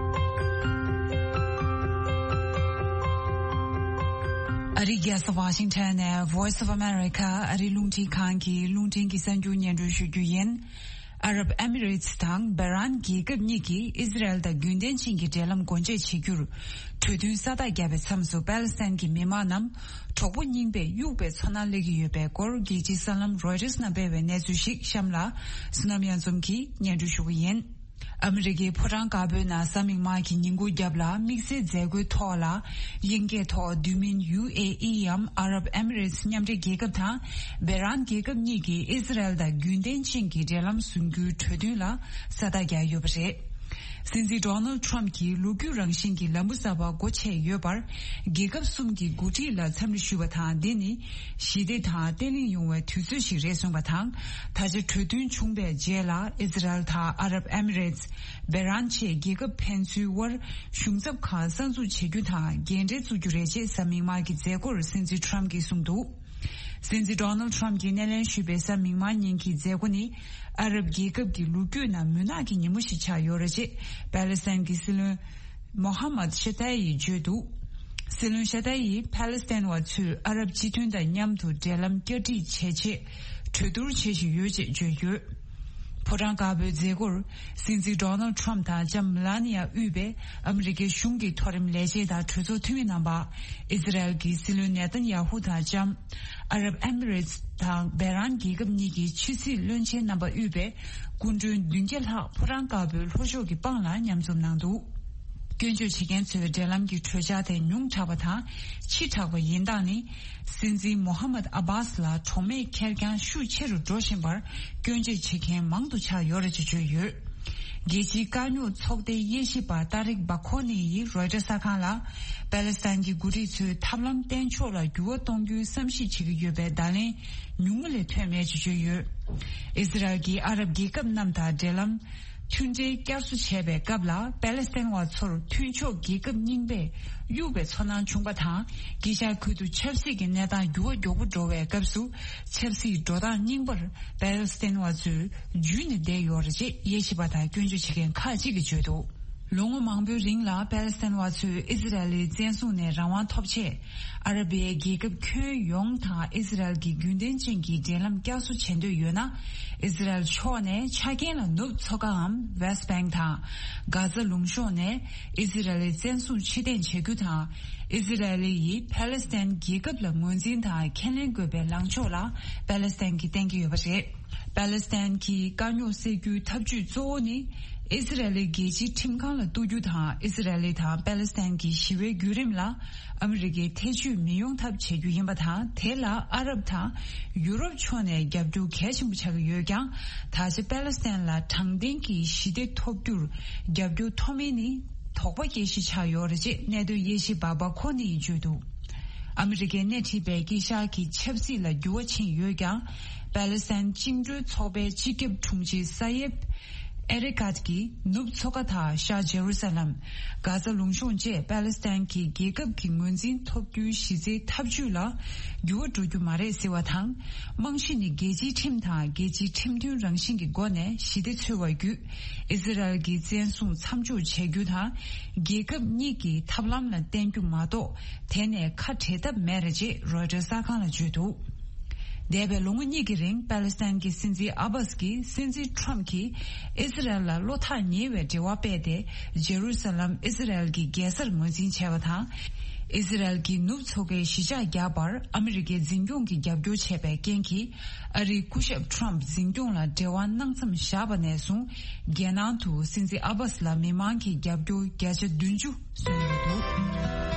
ཨ་རིའི་རྒྱལ་ས་ཝ་ཤིང་ཊོན་ནས་Voice of America ཨ་རིའི་རླུང་འཕྲིན་ཁང་གི་རླུང་འཕྲིན་གྱི་གསར་འགྱུར་སྙན་སྒྲོན་ཞུ་རྒྱུ་ཡིན། ཨ་རབ་ཨེ་མི་རེ་ཏི་དང་བྷེ་རན་རྒྱལ་ཁབ་གཉིས་ཀྱིས་ཨི་ཟི་རལ་དང་རྒྱུན་ལྡན་ཅན་གྱི་འབྲེལ་ལམ་སྒོ་འབྱེད་བྱེད་རྒྱུར་གྲོས་མཐུན་ས་རྟགས་བརྒྱབ་པའི་མཚམས་སུ། པ་ལི་སི་ཐན་གྱི་མི་མང་རྣམས་གྲོགས་པོ་རྙིང་པས་གཡུགས་པའི་ཚོར་སྣང་སླེབས་ཀྱི་ཡོད་པའི་སྐོར། རྒྱལ་སྤྱིའི་གསར་ལམ་རོའི་ཊར་ནང་སྤེལ་བའི་གནས་ཚུལ་ཞིག་གཤམ་ལ་བསོད་ནམས་གཡང་འཛོམས་ཀྱིས་སྙན་སྒྲོན་ཞུ་གི་ཡིན། ཨ་མི་རི་ཀའི་ཕོ་བྲང་དཀར་པོའི་ནང་གཟའ་མིག་དམར་གྱི་ཉིན་གུང་རྒྱབ་ལ་དམིགས་བསལ་མཛད་སྒོའི་ཐོག་ལ། དབྱིན་སྐད་ཐོག་བསྡུས་མིང་ཡུ་ཨེ་ཨི་འམ་ཨ་རབ་ཨེ་མི་རེ་ཏི་མཉམ་འབྲེལ་རྒྱལ་ཁབ་དང་བྷེ་རན་རྒྱལ་ཁབ་གཉིས་ཀྱིས་ཨི་ཟི་རལ་དང་རྒྱུན་ལྡན་ཅན་གྱི་འབྲེལ་ལམ་བཟུང་རྒྱུའི་གྲོས་མཐུན་ལ་ས་རྟགས་བརྒྱབ་ཡོད་པ་རེད། སྲིད་འཛིན་ཌོ་ནལ་ཊམ་གྱིས་ལོ་རྒྱུས་རང་བཞིན་གྱི་ལམ་བུ་གསར་པ་སྒོ་ཕྱེ་ཡོད་པར། རྒྱལ་ཁབ་གསུམ་གྱི་འགོ་ཁྲིད་ལ་འཚམས་འདྲི་ཞུས་པ་དང་། འདི་ནི་ཞི་བདེ་དང་བརྟན་ལྷིང་ཡོང་བའི་དུས་ཚོད་ཞིག་རེད་གསུངས་པ་དང་། ད་ཆ་གྲོས་མཐུན་བྱུང་བའི་རྗེས་ལ་ཨི་ཟི་རལ་དང་ཨ་རབ་ཨེ་མི་རེ་ཏི། བྷེ་རན་བཅས་རྒྱལ་ཁབ་ཕན་ཚུན་དབར་གཞུང་ཚབ་ཁང་གསར་འཛུགས་བྱེད་རྒྱུ་དང་རྒན་གྲས་བཙུགས་རྒྱུ་རེད་ཅེས་གཟའ་མིག་དམར་གྱི་མཛད་སྒོར་སྲིད་འཛིན་ཊམ་གྱིས་གསུངས་འདུག། སྲིད་འཛིན་ཌོ་ནལ་ཊམ་གྱིས་སྣེ་ལེན་ཞུས་པའི་གཟའ་མིག་དམར་ཉིན་གྱི་མཛད་སྒོ་ནི་ཨ་རབ་རྒྱལ་ཁབ་ཀྱི་ལོ་རྒྱུས་ནང་མུན་ནག་གི་ཉིན་མོ་ཞིག་ཆགས་ཡོད་རེད་ཅེས་པ་ལི་སི་ཐན་གྱི་སྲིད་བློན་མོ་ཧ་མད་ཤ་ཏཱ་ཡིས་བརྗོད་འདུག། སྲིད་བློན་ཤ་ཏཱ་ཡིས་པ་ལི་སི་ཐན་བ་ཚོས་ཨ་རབ་སྤྱི་མཐུན་དང་མཉམ་དུ་འབྲེལ་ལམ་བསྐྱར་སྒྲིག་བྱེད་ཆེད་གྲོས་བསྡུར་བྱེད་བཞིན་ཡོད་ཅེས་བརྗོད་ཡོད། ཕོ་བྲང་དཀར་པོའི་མཛད་སྒོར། སྲིད་འཛིན་ཌོ་ནལ་ཊམ་དང་ལྕམ་མེ་ལ་ནི་ཡ་དབུས་པའི་ཨ་མི་རི་ཀའི་གཞུང་གི་མཐོ་རིམ་ལས་བྱེད་དང་གྲོས་ཚོགས་འཐུས་མི་རྣམ་པ། ཨི་ཟི་རལ་གྱི་སྲིད་བློན་ནེ་ཐན་ཡ་ཧུ་དང་ལྕམ། ཨ་རབ་ཨེ་མི་རེ་ཊི་དང་བྷེ་རན་རྒྱལ་ཁབ་གཉིས་ཀྱི་ཕྱི་སྲིད་བློན་ཆེན་རྣམ་པ་དབུས་པའི་སྐུ་མགྲོན་བདུན་བརྒྱ་ལྷག་ཕོ་བྲང་དཀར་པོའི་ལྷོ་ཕྱོགས་ཀྱི་སྤང་ལ་མཉམ་འཛོམས་གནང་འདུག་སྐྱོན་བརྗོད་བྱེད་མཁན་ཚོའི་འབྲེལ་ལམ་གྱི་གྲོས་འཆར་དེ་ཉུང་དྲགས་པ་དང་ཕྱི་དྲགས་པ་ཡིན་སྟངས་ནི། སྲིད་འཛིན་མོ་ཧ་མད་ཨ་བྷཱས་ལ་གྲོགས་མེད་ཁེར་རྐྱང་ཤུགས་ཆེ་རུ་འགྲོ་བཞིན་པར་སྐྱོན་བརྗོད་བྱེད་མཁན་མང་དུ་ཆགས་ཡོད་རེད་ཅེས་བརྗོད་ཡོད། རྒྱལ་སྤྱིའི་དཀའ་རྙོག་ཚོགས་སྡེའི་དབྱེ་ཞིབ་པ་ཏཱ་རིག་བྷ་ཁོ་ནི་ཡིས་རོའི་ཊར་གསར་ཁང་ལ། པ་ལེ་སི་ཐན་གྱི་འགོ་ཁྲིད་ཚོས་ཐབས་ལམ་གཏན་འཇགས་ལ་འགྱུར་བ་གཏོང་རྒྱུའི་བསམ་གཞིག་བྱེད་ཀྱི་ཡོད་པའི་བརྡ་ལན་ཉུང་ངུ་ལས་ཐོན་མེད་ཅེས་བརྗོད་ཡོད། ཨི་ཟི་རལ་གྱིས་ཨ་རབ་རྒྱལ་ཁབ་རྣམས་དང་འབྲེལ་ལམ། མཐུན་འབྲེལ་བསྐྱར་གསོ་བྱས་པའི་སྐབས་ལ་པ་ལེ་སི་ཐན་བ་ཚོར་མཐུན་ཕྱོགས་རྒྱལ་ཁབ་རྙིང་པས་གཡུགས་པའི་ཚོར་སྣང་བྱུང་པ་དང་། དཀྱིལ་ཤར་ཁུལ་དུ་ཆབ་སྲིད་ཀྱི་གནས་སྟངས་འགྱུར་བ་མགྱོགས་པོ་འགྲོ་བའི་སྐབས་སུ། ཆབ་སྲིད་འགྲོ་སྟངས་རྙིང་པར་པ་ལེ་སི་ཐན་བ་ཚོས་འཇུས་ནས་བསྡད་ཡོད་རེད་ཅེས་དབྱེ་ཞིབ་པ་དང་སྐྱོན་བརྗོད་བྱེད་མཁན་ཁག་ཅིག་གིས་བརྗོད་འདུག་ལོ་ངོ་མང་པོའི་རིང་ལ་པ་ལེ་སི་ཐན་བ་ཚོས་ཨི་ཟི་རལ་ལི་བཙན་བཟུང་ནས་རང་དབང་ཐོབ་ཆེད། ཨ་ར་བི་ཡའི་རྒྱལ་ཁབ་ཁྱོན་ཡོངས་དང་ཨི་ཟི་རལ་གྱི་རྒྱུན་ལྡན་ཅན་གྱི་འབྲེལ་ལམ་བསྐྱར་གསོ་བྱེད་འདོད་ཡོད་ན། ཨི་ཟི་རལ་ཕྱོགས་ནས་ཆ་རྐྱེན་ལ་ནུབ་མཚོ་ཁའམ་West Bank དང་། གྷ་ཛ་ལུང་གཤོང་ནས་ཨི་ཟི་རལ་ལི་བཙན་བཟུང་ཕྱིར་འཐེན་བྱེད་རྒྱུ་དང་། ཨི་ཟི་རལ་ལི་ཡིས་ཕ་ལེ་སི་ཐན་རྒྱལ་ཁབ་ལ་ངོས་འཛིན་དང་ཁས་ལེན་དགོས་པའི་ལངས་ཕྱོགས་ལ་པ་ལེ་སི་ཐན་གྱིས་བརྟེན་གྱི་ཡོད་པ་རེད། པ་ལེ་སི་ཐན་གྱི་དཀའ་རྙོག་སེལ་རྒྱུའི་ཐབས་ཇུས་གཙོ་བོ་ནི། ཨི་ཟི་རལ་ལི་རྒྱལ་སྤྱིའི་ཁྲིམས་ཁང་ལ་གཏུག་རྒྱུ་དང་ཨི་ཟི་རལ་ལི་དང་པ་ལེ་སི་ཐན་གྱི་ཞི་བའི་བརྒྱུད་རིམ་ལ་ཨ་མི་རི་ཀའི་ཐེ་བྱུས་མི་ཡོང་ཐབས་བྱེད་རྒྱུ་ཡིན་པ་དང་། དེ་ལ་ཨ་རབ་དང་ཡུ་རོབ་ཕྱོགས་ནས་རྒྱབ་སྐྱོར་གལ་ཆེན་པོ་ཆགས་ཀྱི་ཡོད་ཀྱང་། ད་ཆ་པ་ལེ་སི་ཐན་ལ་དྲང་བདེན་གྱི་ཞི་བདེ་ཐོབ་རྒྱུར་རྒྱབ་སྐྱོར་ཐོབ་མིན་ནི་དོགས་པ་སྐྱེ་གཞི་ཆགས་ཡོད་རེད་ཅེས་གནད་དོན་དབྱེ་ཞིབ་པ་བྷ་ཁོ་ནི་ཡིས་བརྗོད་འདུག་ཨ་མི་རི་ཀས་སྣེ་ཁྲིད་པའི་དཀྱིལ་ཤར་གྱི་ཆབ་སྲིད་ལ་འགྱུར་བ་ཕྱིན་ཡོད་ཀྱང་། པ་ལེ་སི་ཐན་བཅིངས་འགྲོལ་ཚོགས་པའི་སྤྱི་ཁྱབ་དྲུང་ཆེ་ས་ཡེབ་ཨེ་རི་ཀཱད་ཀྱིས་ནུབ་མཚོ་ཁ་དང་ཤར་ཇེ་རུ་ས་ལམ། གྷ་ཛ་ལུང་གཤོང་བཅས་པ་ལེ་སི་ཐན་གྱི་རྒྱལ་ཁབ་ཀྱི་ངོས་འཛིན་ཐོབ་རྒྱུའི་གཞི་རྩའི་ཐབས་ཇུས་ལ་འགྱུར་བ་འགྲོ་རྒྱུ་མ་རེད་ཟེར་བ་དང་། རྨང་གཞི་ནི་རྒྱལ་སྤྱིའི་ཁྲིམས་དང་རྒྱལ་སྤྱིའི་ཁྲིམས་མཐུན་རང་བཞིན་གྱི་སྒོ་ནས་ཞི་བདེ་འཚོལ་བ་བརྒྱུད། ཨི་ཟི་རལ་གྱི་བཙན་བཟུང་མཚམས་འཇོག་བྱ་རྒྱུ་དང་། རྒྱལ་ཁབ་གཉིས་ཀྱི་ཐབས་ལམ་ལ་བརྟེན་རྒྱུ་མ་གཏོགས། དེ་ནས་ཁ་བྲལ་ཐབས་མེད་རེད་ཅེས་རོའི་ཊར་གསར་ཁང་ལ་བརྗོད་འདུག་འདས་པའི་ལོ་ངོ་གཉིས་ཀྱི་རིང་པ་ལེ་སི་ཐན་གྱི་སྲིད་འཛིན་ཨ་བྷཱས་ཀྱིས་སྲིད་འཛིན་ཁྲོམ་གྱིས་ཨི་ཟི་རལ་ལ་བློ་ཐག་ཉེ་བའི་འབྲེལ་བ་སྤེལ་ཏེ། ཇེ་རུ་ས་ལམ་ཨི་ཟི་རལ་གྱི་རྒྱལ་སར་ངོས་འཛིན་བྱས་པ་དང་། ཨི་ཟི་རལ་གྱི་ནུབ་མཚོ་ཁའི་གཞིས་ཆགས་བརྒྱབ་པར་ཨ་མི་རི་ཀའི་འཛིན་སྐྱོང་གིས་རྒྱབ་སྐྱོར་བྱས་པའི་རྐྱེན་གྱིས། ཨ་རིའི་སྐུ་ཞབས་ཁྲོམ་འཛིན་སྐྱོང་ལ་འབྲེལ་བ་གནང་མཚམས་བཞག་པ་ནས་བཟུང་། རྒྱལ་ནང་དུ་སྲིད་འཛིན་ཨ་བྷཱས་ལ་མི་མང་གི་རྒྱབ་སྐྱོར་བརྒྱ་ཆ་བདུན་ཅུ་སོན་ཡོད་འདུག་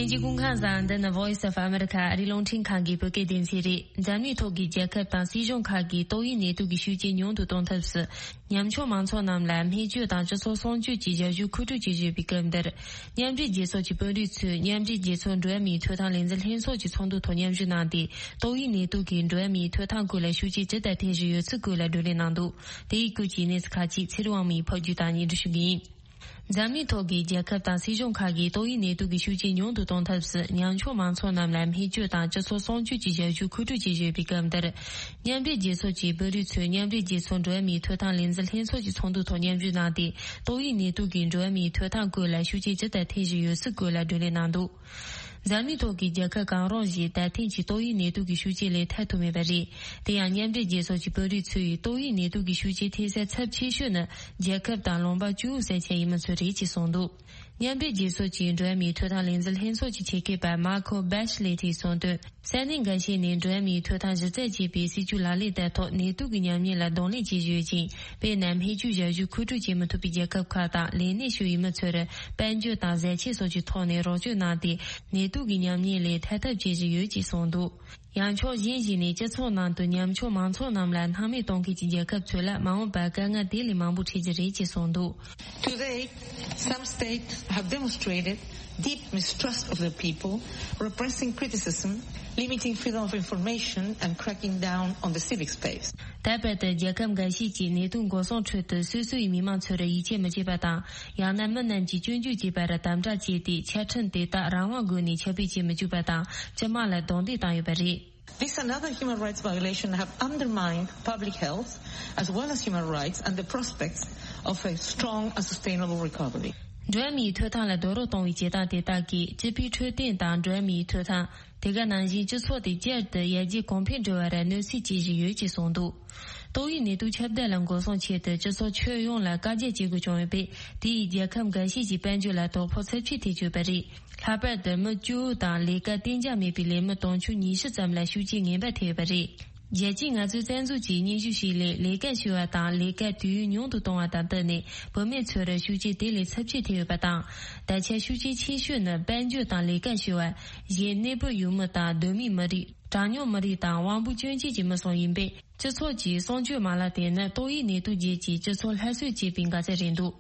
ལྷན་རྒྱས་སྐུ་ཁམས་བཟང་། འདི་ནི་Voice of America ཨ་རིའི་རླུང་འཕྲིན་ཁང་གི་བོད་སྐད་སྡེ་ཚན་རེད། འཛམ་གླིང་ཐོག་གི་རྒྱལ་ཁབ་དང་སྲིད་གཞུང་ཁག་གིས་ཏོག་དབྱིབས་ནད་དུག་གི་ཤུགས་རྐྱེན་ཉུང་དུ་གཏོང་ཐབས་སུ། ཉམ་ཆུང་མང་ཚོགས་རྣམས་ལ་སྨན་བཅོས་དང་སྤྱི་ཚོགས་སྲུང་སྐྱོབ་ཀྱི་ཞབས་ཞུ་མཁོ་སྤྲོད་བྱེད་བཞིན་པའི་སྐབས་འདིར། མཉམ་འབྲེལ་རྒྱལ་ཚོགས་ཀྱི་དཔོན་རིགས་ཚོས་མཉམ་འབྲེལ་རྒྱལ་ཚོགས་འགྲོ་བ་མིའི་ཐོབ་ཐང་ལས་འཛིན་ལྷན་ཚོགས་ཀྱི་ཚོགས་འདུ་ཐོག་མཉམ་ཞུགས་གནང་སྟེ། ཏོག་དབྱིབས་ནད་དུག་གིས་འགྲོ་བ་མིའི་ཐོབ་ཐང་སྐོར་ལ་ཤུགས་རྐྱེན་ཇི་ལྟར་ཐེབས་བཞིན་ཡོད་ཚུལ་སྐོར་ལ་བགྲོ་གླེང་གནང་འདུག་དེའི་སྐོར་གྱི་གནས་ཚུལ་ཁག་ཅིག་ཚེ་རིང་དབང་མོས་ཕབ་སྒྱུར་དང་སྙན་སྒྲོན་ཞུ་གི་ཡིན། འཛམ་གླིང་ཐོག་གི་རྒྱལ་ཁབ་དང་སྲིད་གཞུང་ཁག་གིས་ཏོག་དབྱིབས་ནད་དུག་གི་ཤུགས་རྐྱེན་ཉུང་དུ་གཏོང་ཐབས་སུ་ཉམ་ཆུང་མང་ཚོགས་རྣམས་ལ་སྨན་བཅོས་དང་སྤྱི་ཚོགས་སྲུང་སྐྱོབ་ཀྱི་ཞབས་ཞུ་མཁོ་སྤྲོད་བྱེད་བཞིན་ཡོད་པའི་སྐབས་འདིར། མཉམ་འབྲེལ་རྒྱལ་ཚོགས་ཀྱི་དཔོན་རིགས་ཚོས་མཉམ་འབྲེལ་རྒྱལ་ཚོགས་འགྲོ་བ་མིའི་ཐོབ་ཐང་ལས་འཛིན་ལྷན་ཚོགས་ཀྱི་ཚོགས་འདུ་ཐོག་མཉམ་ཞུགས་གནང་སྟེ། ཏོག་དབྱིབས་ནད་དུག་གིས་འགྲོ་བ་མིའི་ཐོབ་ཐང་སྐོར་ལ་ཤུགས་རྐྱེན་ཇི་ལྟར་ཐེབས་བཞིན་ཡོད་ཚུལ་སྐོར་ལ་བགྲོ་གླེང་གནང་འདུག་འཛམ་གླིང་ཐོག་གི་རྒྱལ་ཁབ་གང་རུང་ཞིག་ད་ཐེངས་ཀྱི་ཏོག་དབྱིབས་ནད་དུག་གི་ཤུགས་རྐྱེན་ལས་ཐར་ཐུབ་མེད་པ་རེད། དེ་ཡང་མཉམ་འབྲེལ་རྒྱལ་ཚོགས་ཀྱི་དཔོན་རིགས་ཚོས་ཏོག་དབྱིབས་ནད་དུག་གི་ཤུགས་རྐྱེན་ཐེབས་ས་ཚབས་ཆེ་ཤོས་ནི་རྒྱལ་ཁབ་དང་ལུང་པ་ཅུའུ་ས་ཆ་ཡིན་མིན་ཚོད་རེད་ཅེས་གསུངས་འདུག་མཉམ་འབྲེལ་རྒྱལ་ཚོགས་ཀྱི་འགྲོ་བ་མིའི་ཐོབ་ཐང་ལས་འཛིན་ལྷན་ཚོགས་ཀྱི་ཆེད་མཁས་པ་མཱ་ཁོ་བྷེ་ཤི་ལེ་ཏིས་གསུངས་དོན། ས་གནས་འགའ་ཤས་ནས་འགྲོ་བ་མིའི་ཐོབ་ཐང་གཞི་རྩ་བྱས་པའི་སྲིད་ཇུས་ལག་ལེན་བསྟར་ཐོག་ནད་དུག་གི་ཉམས་ཉེས་ལ་གདོང་ལེན་བྱེད་བཞིན་ཡོད་ཅིང་། དཔེར་ན། སྨན་བཅོས་ཞབས་ཞུ་མཁོ་སྤྲོད་བྱེད་མི་ཐུབ་པའི་རྒྱལ་ཁབ་ཁག་དང་ལས་སྣེ་ཞུགས་ཡོད་མི་ཚོར་དཔལ་འབྱོར་དང་ཟས་ཆས་སོགས་ཀྱི་ཐོག་ནས་རོགས་སྐྱོར་གནང་སྟེ། ནད་དུག་གི་ཉམས་ཉེས་ལས་ཐར་ཐབས་བྱེད་བཞིན་ཡོད་ཅེས་གསུངས་འདུག་ཡང་ཕྱོགས་གཞན་ཞིག་ནས་སྤྱི་ཚོགས་ནང་དུ་ཉམ་ཆུང་མང་ཚོགས་རྣམས་ལ་སྣང་མེད་གཏོང་མཁན་གྱི་རྒྱལ་ཁབ་ཚོ་ལ་མ་འོངས་པར་དཀའ་ངལ་དེ་ལས་མང་པོ་འཕྲད་ཀྱི་རེད་ཅེས་གསུངས་འདུག Today, some states have demonstrated deep mistrust of their people, repressing criticism Limiting freedom of information and cracking down on the civic space. ད་བར་དུ་རྒྱལ་ཁབ་འགའ་ཤས་ཀྱིས་ནད་དུག་འགོག་སྲུང་ཁྲོད་དུ་སོ་སོའི་མི་མང་ཚོར་ཡིད་ཆེས་མི་བྱེད་པ་དང་། ཡང་ན་མི་རྣམས་ཀྱིས་སྐྱོན་བརྗོད་བྱས་པར་དམ་དྲག་བྱས་ཏེ། ཆ་འཕྲིན་དེ་དག་རང་དབང་སྒོ་ནས་ཁྱབ་སྤེལ་བྱེད་མི་བཅུག་པ་དང་། སྤྱི་དམངས་ལ་རྡུང་རྡེག་བཏང་ཡོད་པ་རེད། This and other human rights violations have undermined public health as well as human rights and the prospects of a strong and sustainable recovery. འགྲོ་བ་མིའི་ཐོབ་ཐང་ལ་རྡོག་རོལ་གཏོང་བའི་བྱེད་སྟངས་དེ་དག་གིས་སྤྱི་པའི་འཕྲོད་བསྟེན་དང་འགྲོ་བ་མིའི་ཐོབ་ཐང་། དེ་ག་ནང་བཞིན་སྤྱི་ཚོགས་དེ་བསྐྱར་དུ་ཡར་རྒྱས་གོང་འཕེལ་འགྲོ་བར་གནོད་འཚེ་བྱེད་བཞིན་ཡོད་ཅེས་གསུངས་འདུག། ཏོག་དབྱིབས་ནད་དུག་ཁྱབ་གདལ་ལ་འགོག་སྲུང་ཆེད་དུ་སྤྱི་ཚོགས་ཁྱོན་ཡོངས་ལ་བཀའ་རྒྱ་བྱེད་དགོས་བྱུང་ཡོད་པས། དེ་ཡིས་རྒྱལ་ཁབ་འགའ་ཤས་ཀྱི་དཔལ་འབྱོར་ལ་དོ་ཕོག་ཚབས་ཆེ་ཐེབས་ཡོད་པ་རེད། ལྷག་པར་དུ་མི་བཅུ་དང་ལས་ཀ་གཏན་འཇགས་མེད་པའི་ལས་མི་དུང་ཕྱུར་ཉི་ཤུ་ཙམ་ལ་ཤུགས་རྐྱེན་ངན་པ་ཐེབས་ཡོད་པ་རེད། རྒྱལ་སྤྱིའི་ངལ་རྩོལ་རྩ་འཛུགས་ཀྱིས་སྙན་ཞུ་ཞིག་ལས། ལས་ཀ་ཞུ་བ་དང་ལས་ཀ་དུས་ཡུན་ཉུང་དུ་གཏོང་བ་དང་བསྟུན་ནས། བུད་མེད་ཚོར་ཤུགས་རྐྱེན་དེ་ལས་ཚབས་ཆེ་ཐེབས་ཡོད་པ་དང་། ད་ཆ་ཤུགས་རྐྱེན་ཆེ་ཤོས་ནི་དཔལ་འབྱོར་དང་ལས་ཀ་ཞུ་བ། གཞན་གནས་སྤོར་ཡུལ་མི་དང་གདོད་མའི་མི་རིགས། གྲངས་ཉུང་མི་རིགས་དང་དབང་པོ་སྐྱོན་ཅན་གྱི་མི་སོགས་ཡིན་པས། སྤྱི་ཚོགས་ཀྱི་སྲུང་སྐྱོབ་མ་ལག་དེ་ནི་ཏོག་དབྱིབས་ནད་དུག་རྗེས་ཀྱི་སྤྱི་ཚོགས་སླར་གསོས་བྱེད་པའི་འགག་རྩ་རེད་འདུག།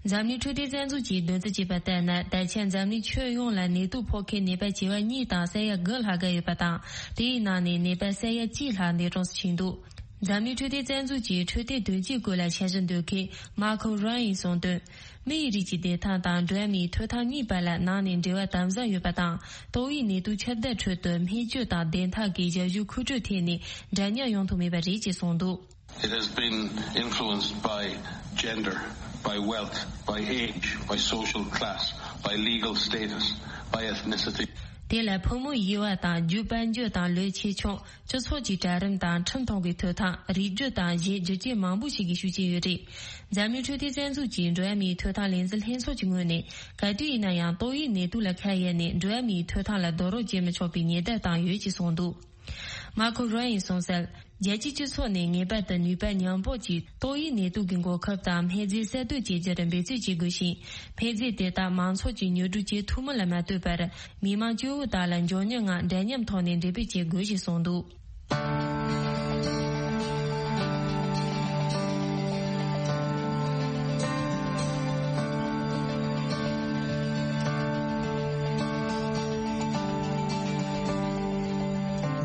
འཛམ་གླིང་འཕྲོད་བསྟེན་རྩ་འཛུགས་ཀྱིས་འདོན་རྩིས་བྱས་པ་ལྟར་ན། ད་ཆ་འཛམ་གླིང་ཁྱོན་ཡོངས་ལ་ནད་དུག་ཕོག་མཁན་ནད་པ་བྱེ་བ་གཉིས་དང་ས་ཡ་དགུ་ལྷག་བརྒལ་ཡོད་པ་དང་། དེའི་ནང་ནས་ནད་པ་ས་ཡ་གཅིག་ལྷག་འདས་གྲོངས་སུ་ཕྱིན་འདུག། འཛམ་གླིང་འཕྲོད་བསྟེན་རྩ་འཛུགས་ཀྱི་འཕྲོད་བསྟེན་དོན་གཅོད་སྐོར་ལ་འཆར་གཞི་འདོན་མཁན་མར་ཁོ་རོན་ཡིས་གསུངས་དོན། མི་ཡི་རིགས་ཀྱི་བདེ་ཐང་དང་འགྲོ་བ་མིའི་ཐོབ་ཐང་གཉིས་བར་ལ་ནང་ནས་འབྲེལ་བ་དམ་ཟབ་ཡོད་པ་དང་། ཏོག་དབྱིབས་ནད་དུག་ཁྱབ་གདལ་ཁྲོད་དུ་སྨན་བཅོས་དང་བདེ་ཐང་གི་ཞབས་ཞུ་མཁོ་སྤྲོད་ཐད་ནས་འདྲ་མཉམ་ཡོང་ཐུབ་མེད་པ་རེད་ཅེས་གསུངས་འདུག། It has been influenced by gender, by wealth, by age, by social class, by legal status, by ethnicity. དེ་ལ་ཕོ་མོའི་དབྱེ་བ་དང་། རྒྱུ་དཔལ་འབྱོར་དང་ལོས་ཆེ་ཆུང་། སྤྱི་ཚོགས་ཀྱི་གྲལ་རིམ་དང་ཁྲིམས་མཐོང་གི་ཐོབ་ཐང་། རིགས་རྒྱུད་དང་། གཞན་རྒྱུ་རྐྱེན་མང་པོ་ཞིག་གི་ཤུགས་རྐྱེན་ཡོད་རེད། འཛམ་གླིང་འཕྲོད་བསྟེན་རྩ་འཛུགས་ཀྱི་འགྲོ་བ་མིའི་ཐོབ་ཐང་ལས་འཛིན་ལྷན་ཚོགས་ཀྱི་ངོས་ནས། ག་དུས་ཡིན་ན་ཡང་ཏོག་དབྱིབས་ནད་དུག་ལ་ཁ་གཡར་ནས་འགྲོ་བ་མིའི་ཐོབ་ཐང་ལ་རྡོག་རོལ་རྒྱག་མི་ཆོག་པའི་ཉེན་བརྡ་བཏང་ཡོད་ཅེས་གསུངས་འདུག། མར་ཁོ་རོན་ཡིས་གསུངས་གསལ། རྒྱལ་སྤྱིའི་སྤྱི་ཚོགས་ནས་ངེས་པར་དུ་ནུས་པ་མཉམ་སྤོར་གྱིས་ཏོག་དབྱིབས་ནད་དུག་གི་འགོག་ཁབ་དང་སྨན་རྫས་གསར་གཏོད་བྱེད་རྒྱུར་འབད་བརྩོན་བྱེད་དགོས་ཤིང་། སྨན་རྫས་དེ་དག་མང་ཚོགས་ཀྱིས་ཉོ་སྒྲུབ་བྱེད་ཐུབ་མིན་ལ་མ་ལྟོས་པར། མི་མང་སྐྱོ་བོ་དག་ལ་མགྱོགས་མྱུར་ངང་འདྲ་མཉམ་ཐོག་ནས་འགྲེམས་སྤེལ་བྱེད་དགོས་ཞེས་གསུངས་འདུག།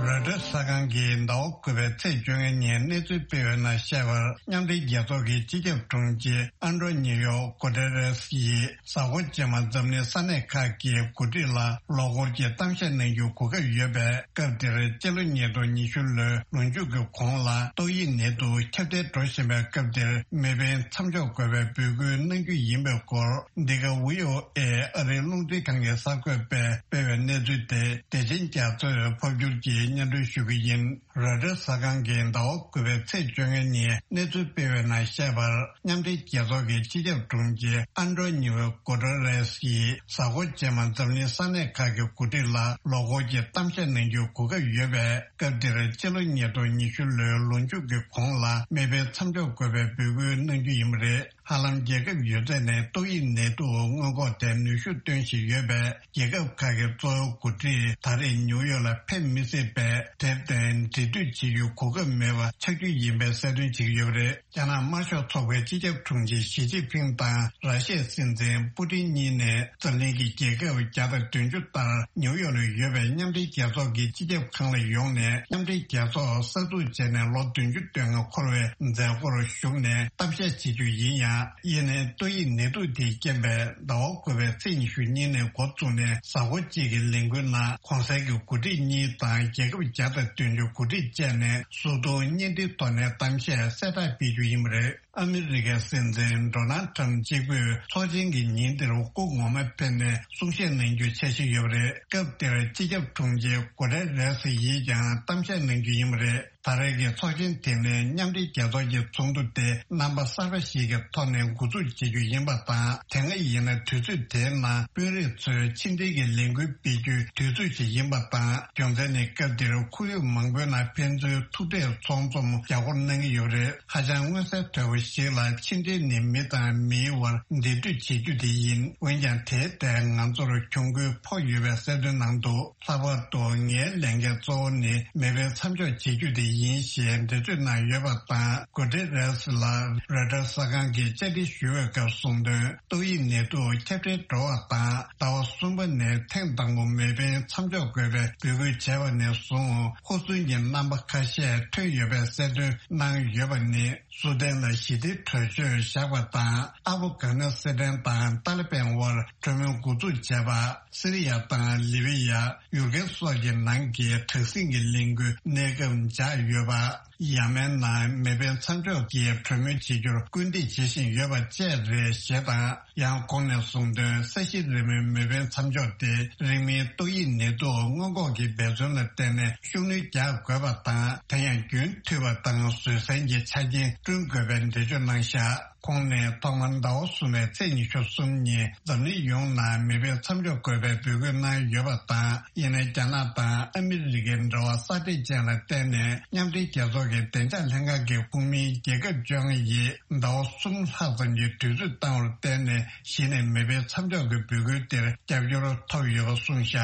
རོའི་ཊར་གསར་ཁང་གིས་ཟླ་བ་དགུ་པའི་ཚེས་བཅོ་ལྔ་ཉིན་གནས་ཚུལ་སྤེལ་བའི་ནང་བཤད་པར། མཉམ་འབྲེལ་རྒྱལ་ཚོགས་ཀྱི་སྤྱི་ཁྱབ་དྲུང་ཆེ་ཨན་ཏྲོ་ནི་ཡོ་གོ་ཏེ་རེས་ཡིས། གཟའ་འཁོར་རྗེས་མ་འཛམ་གླིང་ས་གནས་ཁག་གི་འགོ་ཁྲིད་ལ་ལོ་འཁོར་གྱི་གཏམ་བཤད་གནང་རྒྱུའི་གོ་སྐབས་ཡོད་པས། སྐབས་དེར་སྤྱི་ལོ་ཉིས་སྟོང་ཉི་ཤུ་ལོའི་ལོ་མཇུག་གི་གོང་ལ་ཏོག་དབྱིབས་ནད་དུག་ཁྱབ་གདལ་འགྲོ་བཞིན་པའི་སྐབས་དེར་མེ་འཕེན་མཚམས་འཇོག་དགོས་པའི་འབོད་སྐུལ་གནང་རྒྱུ་ཡིན་པའི་སྐོར། འདི་ག་ཝི་ཨོ་ཨེ་ཨ་རིའི་རླུང་འཕྲིན་ཁང་གི་གསར་འགོད་པས་སྤེལ་བའི་གནས་ཚུལ་དེ། བདེ་ཆེན་རྒྱ་མཚོས་ཕབ་བསྒྱུར་གྱིས་སྙན་སྒྲོན་ཞུ་གི་ཡིན། རོའི་ཊར་གསར་ཁང་གིས་ཟླ་བ་དགུ་པའི་ཚེས་བཅོ་ལྔ་ཉིན་གནས་ཚུལ་སྤེལ་བའི་ནང་བཤད་པར། མཉམ་འབྲེལ་རྒྱལ་ཚོགས་ཀྱི་སྤྱི་ཁྱབ་དྲུང་ཆེ་ཨན་ཏྲོ་ནིའོ་གོ་ཏེ་རེས་ཡིས། གཟའ་འཁོར་རྗེས་མ་འཛམ་གླིང་ས་གནས་ཁག་གི་འགོ་ཁྲིད་ལ་ལོ་འཁོར་གྱི་གཏམ་བཤད་གནང་རྒྱུའི་གོ་སྐབས་ཡོད་པས། སྐབས་དེར་སྤྱི་ལོ་ཉིས་སྟོང་ཉི་ཤུ་ལོའི་ལོ་མཇུག་གི་གོང་ལ་མེ་འཕེན་མཚམས་འཇོག་དགོས་པའི་འབོད་སྐུལ་གནང་རྒྱུ་ཡིན་པ་རེད། ཧ་ལམ་རྒྱལ་ཁབ་ཡོད་ཚད་ནས་ཏོག་དབྱིབས་ནད་དུག་སྔོན་འགོག་ཐད་ནུས་ཤུགས་བཏོན་བཞིན་ཡོད་པས། རྒྱལ་ཁབ་ཁག་གི་གཙོ་བོ་འགོ་ཁྲིད་ད་རེས་ནིའུ་ཡོག་ལ་ཕེབས་མི་སྲིད་པས། དེར་བརྟེན་འབྲེལ་མཐུད་བྱེད་རྒྱུའི་གོ་སྐབས་མེད་པ་ཆགས་རྒྱུ་ཡིན་པའི་གསལ་སྟོན་བྱེད་ཀྱི་ཡོད་པ་རེད། རྒྱ་ནག་དམར་ཤོག་ཚོགས་པའི་སྤྱི་ཁྱབ་དྲུང་ཆེ་ཞི་ཅིན་ཕིང་དང་ར་ཤི་ཡའི་སྲིད་འཛིན་པུ་ཏིན་གཉིས་ནས་འཛམ་གླིང་གི་རྒྱལ་ཁབ་བརྒྱ་དང་བདུན་ཅུ་ལྟར་ནིའུ་ཡོག་ལ་ཡོད་པའི་མཉམ་འབྲེལ་རྒྱལ་ཚོགས་ཀྱི་སྤྱི་ཁྱབ་ཁང་ལ་ཡོང་ནས། མཉམ་འབྲེལ་རྒྱལ་ཚོགས་གསར་འཛུགས་བྱས་ནས་ལོ་བདུན་ཅུ་དོན་ལྔ་འཁོར་བའི་མཛད་སྒོར་ཞུགས་ནས་གཏམ་བཤད་བྱེད་རྒྱུ་ཡིན་ཡང་། ཡིན་ནའི་ཏོག་དབྱིབས་ནད་དུག་དེའི་རྐྱེན་པས་ཟླ་བ་དགུ་པའི་ཚེས་ཉི་ཤུ་གཉིས་ནས་འགོ་བཙུགས་ནས་གཟའ་འཁོར་གཅིག་གི་ལས་འགུལ་ནང་གོང་གསལ་གྱི་འགོ་ཁྲིད་གཉིས་དང་རྒྱལ་ཁབ་བརྒྱ་དང་བདུན་ཅུ་འགོ་ཁྲིད་བཅས་ནས་གཟུགས་མཐོང་བརྙན་འཕྲིན་ཐོག་ནས་གཏམ་བཤད་གསལ་བསྒྲགས་སྤེལ་རྒྱུ་ཡིན་པ་རེད། ཨ་མི་རི་ཀའི་སྲིད་འཛིན་ཌོ་ནལ་ཊམ་གཅིག་པུས་ཚོགས་ཆེན་གྱི་ཉིན་དེར་སྐུ་ངོ་མ་ཕེབས་ནས་གསུང་བཤད་གནང་རྒྱུའི་འཆར་གཞི་ཡོད་པ་རེད། སྐབས་དེར་སྤྱི་ཁྱབ་དྲུང་ཆེ་གུ་ཏེ་རེ་སི་ཡིས་ཀྱང་གཏམ་བཤད་གནང་རྒྱུ་ཡིན་པ་རེད། ད་རེས་ཀྱི་ཚོགས་ཆེན་དེ་ནི་མཉམ་འབྲེལ་རྒྱལ་ཚོགས་ཀྱི་ཚོགས་འདུ་དེ་རྣམ་པ་གསར་པ་ཞིག་གི་ཐོག་ནས་འགོ་འཛུགས་བྱེད་རྒྱུ་ཡིན་པ་དང་། དེ་སྔ་ཡིན་ན་དུས་ཚོད་དེའི་ནང་དཔོན་རིགས་ཚོས་ཕྱི་འབྲེལ་གྱི་ལས་འགུལ་སྤེལ་རྒྱུའི་དུས་ཚོད་ཞིག་ཡིན་པ་དང་། རྒྱུ་མཚན་ནི་སྐབས་འདིར་ཁོར་ཡུག་མང་པོའི་ནང་ཕན་ཚུན་ཐུག་འཕྲད་ཚོགས་འཛོམས་རྒྱ་སྐོར་གནང་གི་ཡོད་རེད། ཧ་ཅང་མངོན་གསལ་དོད་པོ་ཞིག་ལ་ཕྱི་འབྲེལ་ནི་མི་དང་མིའི་དབར་འབྲེལ་མཐུད་བྱེད་རྒྱུ་དེ་ཡིན། འོན་ཀྱང་དེའི་ཐད་ང་ཚོར་གྱོང་གུན་ཕོག་ཡོད་པའི་གསལ་སྟོན་གནང་འདུག། ལྷག་པར་དུ་ངའི་ལས་འགན་གཙོ་བོ་ནི་མེ་འཕེན་མཚམས་འཇོག་བྱེད་རྒྱུ་དེ་ཡིན་ཞེས་འགྲེལ་བརྗོད་གནང་ཡོད་པ་དང་། གུ་ཏེ་རེས་ལ་རོའི་ཊར་གསར་ཁང་གི་ བཅར་འདྲི་ཞུ་བའི་སྐབས་གསུངས་དོན། ཏོག་དབྱིབས་ནད་དུག་ཁྱབ་གདལ་འགྲོ་བ་དང་ཟླ་བ་གསུམ་པ་ནས་ཐེངས་དང་པོ་མེ་འཕེན་མཚམས་འཇོག་དགོས་པའི་འབོད་སྐུལ་བྱས་པ་ནས་བཟུང་ཧུར་བརྩོན་གྱི་རྣམ་པ་ཁ་ཤས་ཐོན་ཡོད་པའི་གསལ་སྟོན་གནང་ཡོད་པ་ནི། སུ་དན་ལ་ཞི་བདེའི་གྲོས་ཆོད་བཞག་པ་དང་། ཨབ་གྷ་ནི་སི་ཐན་དང་ཏཱ་ལི་པན་དབར་གྲོས་མོལ་འགོ་འཛུགས་བྱས་པ། སི་རི་ཡ་དང་ལི་བི་ཡ། ཡུཀ་རེན་སོགས་ཀྱི་ནང་གི་དྲག་ཟིང་གི་གླེང་རྒྱུ་གནས་སྐབས་འཇགས་ཡོད་པ། ཡ་མན་ནང་མེ་འཕེན་མཚམས་འཇོག་གི་གྲོས་མོལ་བྱེད་རྒྱུར་སྐུལ་འདེད་བྱེད་བཞིན་ཡོད་པ་བཅས་རེད་ཞེས་དང་། ཡང་ཁོང་ནས་གསུངས་དོན། ས་གཞི་རིལ་མོའི་མེ་འཕེན་མཚམས་འཇོག་དེ་རིང་མིན་ཏོག་དབྱིབས་ནད་དུག་སྔོན་འགོག་གི་འབད་བརྩོན་ལ་བརྟེན་ནས་ཤུགས་སྣོན་རྒྱག་དགོས་པ་དང་། དེ་ཡང་རྒྱུན་མཐུད་པ་དང་བཟོད་བསྲན་གྱི་ཆ་རྐྱེན་བསྐྲུན་དགོས་པའི་འགྲེལ་བརྗོད་གནང་བཞག་ཁོང་ནས་ཐོག་མར་ཟླ་བ་གསུམ་པའི་ཚེས་ཉི་ཤུ་གསུམ་ཉིན་འཛམ་གླིང་ཡོངས་ནང་མེ་འཕེན་མཚམས་འཇོག་དགོས་པའི་འབོད་སྐུལ་གནང་ཡོད་པ་དང་། ཡིན་ནའི་རྒྱ་ནག་དང་ཨ་མི་རི་ཀའི་འབྲེལ་བ་སྲ་མཁྲེགས་ཅན་ལ་བརྟེན་ནས། མཉམ་འབྲེལ་རྒྱལ་ཚོགས་ཀྱི་བདེ་འཇགས་ལྷན་ཁང་གི་ཁོངས་མིའི་རྒྱལ་ཁབ་བཅོ་ལྔ་ཡིས་ཟླ་བ་གསུམ་ལྷག་ཙམ་གྱི་དུས་ཚོད་བཏང་བར་བརྟེན་ནས། གཞི་ནས་མེ་འཕེན་མཚམས་འཇོག་གི་འབོད་སྐུལ་དེར་རྒྱབ་སྐྱོར་ཐོབ་ཡོད་པ་གསུངས་བཞག་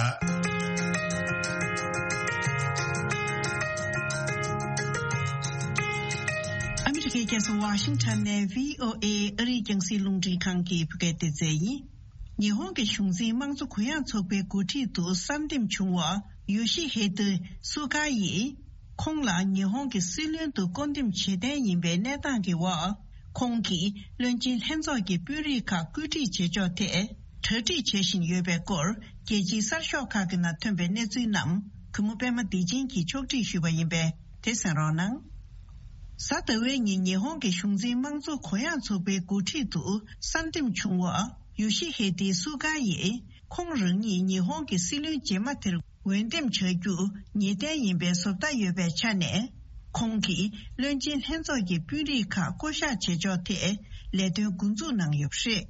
ཨ་མི་རི་ཀའི་རྒྱལ་ས་ཝ་ཤིང་ཊོན་ནས་བྷི་ཨོ་ཨེ་ཨ་རིའི་རྒྱང་སྲིང་རླུང་འཕྲིན་ཁང་གི་བོད་སྐད་སྡེ་ཚན་ཡིན། ཉི་ཧོང་གི་གཞུང་འཛིན་དམངས་གཙོ་གུ་ཡངས་ཚོགས་པའི་འགོ་ཁྲིད་དུ་གསར་འདེམས་བྱུང་བ་ཡོ་ཤི་ཧེ་ཏི་སུ་གྷ་ཡིས། ཁོང་ལ་ཉི་ཧོང་གི་སྲིད་བློན་དུ་བསྐོ་འདེམས་བྱེད་གཏན་ཡིན་པའི་གནས་སྟངས་ཀྱི་འོག་ཁོང་གིས་བློན་ཆེན་ལྷན་ཚོགས་ཀྱི་དཔོན་རིགས་ཁག་བཀོད་སྒྲིག་བྱེད་ཕྱོགས་ཐད་གྲ་སྒྲིག་བྱེད་བཞིན་ཡོད་པའི་སྐོར། རྒྱལ་སྤྱིའི་གསར་ཤོག་ཁག་གི་ནང་ཐོན་པའི་གནས་ཚུལ་རྣམས་གུས་མོ་པད་མ་བདེ་ཆེན་གྱིས་ཕྱོགས་སྒྲིག་ཞུས་པ་ཡིན་པས། དེ་གསན་རོགས་གནང་། གཟའ་ཟླ་བའི་ཉིན་ཉི་ཧོང་གི་གཞུང་འཛིན་དམངས་གཙོ་གུ་ཡངས་ཚོགས་པའི་འགོ་ཁྲིད་དུ་གསར་འདེམས་བྱུང་བ་ཡོ་ཤི་ཧེ་ཏི་སུ་གྷ་ཡིས། ཁོང་རང་ཉིད་ཉི་ཧོང་གི་སྲིད་བློན་རྗེས་མ་དེར་འོས་འདེམས་བྱ་རྒྱུ་ངེས་གཏན་ཡིན་པའི་བཟོ་ལྟ་ཡོད་པའི་ཆ་ནས། ཁོང་གིས་བློན་ཆེན་ལྷན་ཚོགས་ཀྱི་དཔོན་རིགས་ཁག་བསྐོ་གཞག་བྱེད་ཕྱོགས་ཐད་ལས་དོན་འགོ་འཛུགས་གནང་ཡོད་པ་རེད།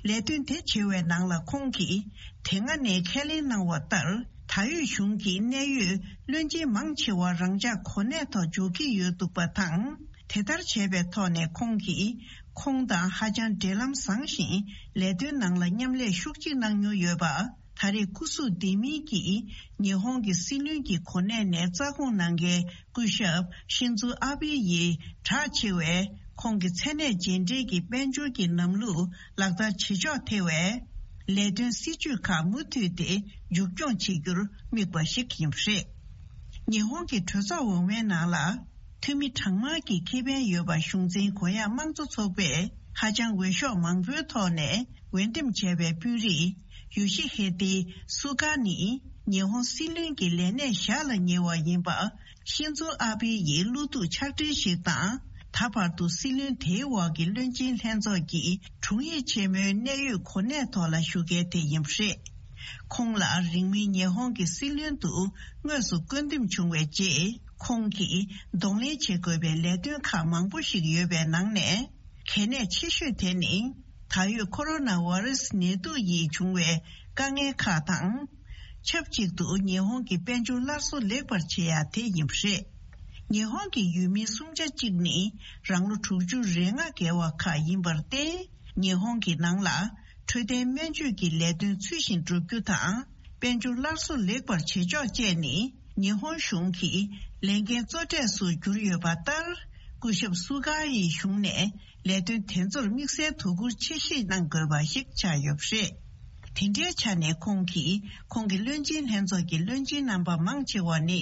ལས་དོན་དེ་བྱེད་པའི་ནང་ལ་ཁོང་གིས་དེ་སྔ་ནས་ཁས་ལེན་གནང་བ་ལྟར། ད་ཡོད་གཞུང་གི་གནད་ཡོད་བློན་ཆེན་མང་ཆེ་བ་རང་འཇགས་གོ་གནས་ཐོག་འཇོག་གི་ཡོད་འདུག་པ་དང་། དེ་ལྟར་བྱས་པའི་ཐོག་ནས་ཁོང་གིས་ཁོང་དང་ཧ་ཅང་འབྲེལ་ལམ་བཟང་ཞིང་། ལས་དོན་ནང་ལ་མཉམ་ལས་ཤུགས་ཆེ་གནང་མྱོང་ཡོད་པ། ད་རེས་སྐུ་གཟུགས་བདེ་མིན་གྱིས་ཉི་ཧོང་གི་སྲིད་བློན་གྱི་གོ་གནས་ནས་རྩ་དགོངས་གནང་མཁན་སྐུ་ཞབས་ཤིན་ཛུ་ཨ་བྷེ་ཡིས་གྲགས་ཆེ་བའི་ཁོང་གི་མཚན་གནས་རྗེས་འབྲེལ་གྱི་དཔལ་འབྱོར་གྱི་ལམ་ལུགས་ལག་བསྟར་བྱེད་ཕྱོགས་ཐད་པའི་ལས་དོན་སྲིད་ཇུས་ཁག་མུ་མཐུད་དེ་མཇུག་སྐྱོང་བྱེད་རྒྱུར་དམིགས་པ་ཞིག་ཡིན་པ་རེད། ཉི་ཧོང་གི་གྲོས་ཚོགས་འོག་མའི་ནང་ལ། འཐུས་མི་གྲངས་མང་གི་ཁེ་ཕན་ཡོད་པ་གཞུང་འཛིན་གུ་ཡངས་དམངས་གཙོ་ཚོགས་པས་ཧ་ཅང་འོས་ཤོག་མང་པོའི་ཐོག་ནས་འོས་འདེམས་བྱས་པའི་དཔོན་རིགས་ཡོ་ཤི་ཧེ་ཏི་སུ་གྷ་ནི་ཉི་ཧོང་སྲིད་བློན་གྱི་ལས་གནས་ཞར་ལ་ཉེ་བ་ཡིན་པ། ཤིན་ཛོ་ཨ་བྷེ་ཡི་བློ་ཐུག་ཕྱག་སྦྲེལ་ཞིག་དང་། ད་བར་དུ་སྲིད་བློན་དེའི་འོག་གི་བློན་ཆེན་ལྷན་ཚོགས་ཀྱི་དྲུང་ཡིག་ཆེན་མོའི་གནད་ཡོད་གོ་གནས་ཐོག་ལ་བཞུགས་མཁན་དེ་ཡིན་པ་རེད། ཁོང་ལ་རིང་མིན་ཉི་ཧོང་གི་སྲིད་བློན་དུ་དངོས་སུ་བསྐོ་འདེམས་བྱུང་བའི་རྗེས། ཁོང་གིས་གདོང་ལེན་བྱེད་དགོས་པའི་ལས་དོན་ཁག་མང་པོ་ཞིག་ཡོད་པའི་ནང་ནས། གལ་གནད་ཆེ་ཤོས་དེ་ནི། ད་ཡོད་ཁོ་རོ་ན་ཝ་རེ་སི་ནད་དུག་ཡིས་བྱུང་བའི་དཀའ་ངལ་ཁག་དང་། ཆབས་ཅིག་ཏུ་ཉི་ཧོང་གི་དཔལ་འབྱོར་སླར་གསོ་ལེགས་པར་བྱེད་ཡ་དེ་ཡིན་པ་རེད། ཉི་ཧོང་གི་ཡུལ་མི་སུམ་ཆ་གཅིག་ནི་རང་ལོ་དྲུག་ཅུ་རེ་ལྔ་བརྒལ་བ་ཁག་ཡིན་པར་བརྟེན། ཉི་ཧོང་གི་ནང་ལ་འཕྲོད་བསྟེན་སྨན་བཅོས་ཀྱི་ལས་དོན་ཚུལ་བཞིན་བསྒྲུབ་རྒྱུ་དང་། དཔལ་འབྱོར་སླར་གསོ་ལེགས་པར་བྱེད་ཕྱོགས་བཅས་ནི་ཉི་ཧོང་གཞུང་གི་ལས་འགན་གཙོ་གྲས་སུ་གྱུར་ཡོད་པ་ལྟར། སྐུ་ཞབས་སུ་གྷ་ཡི་གཞུང་ནས་ལས་དོན་དེ་ཚོར་དམིགས་བསལ་དོ་ཁུར་ཆེ་བཞེས་གནང་དགོས་པ་ཞིག་ཆགས་ཡོད་པ་རེད། དེ་འདྲའི་ཆ་ནས་ཁོང་གིས་ཁོང་གི་བློན་ཆེན་ལྷན་ཚོགས་ཀྱི་བློན་ཆེན་རྣམ་པ་མང་ཆེ་བ་ནི།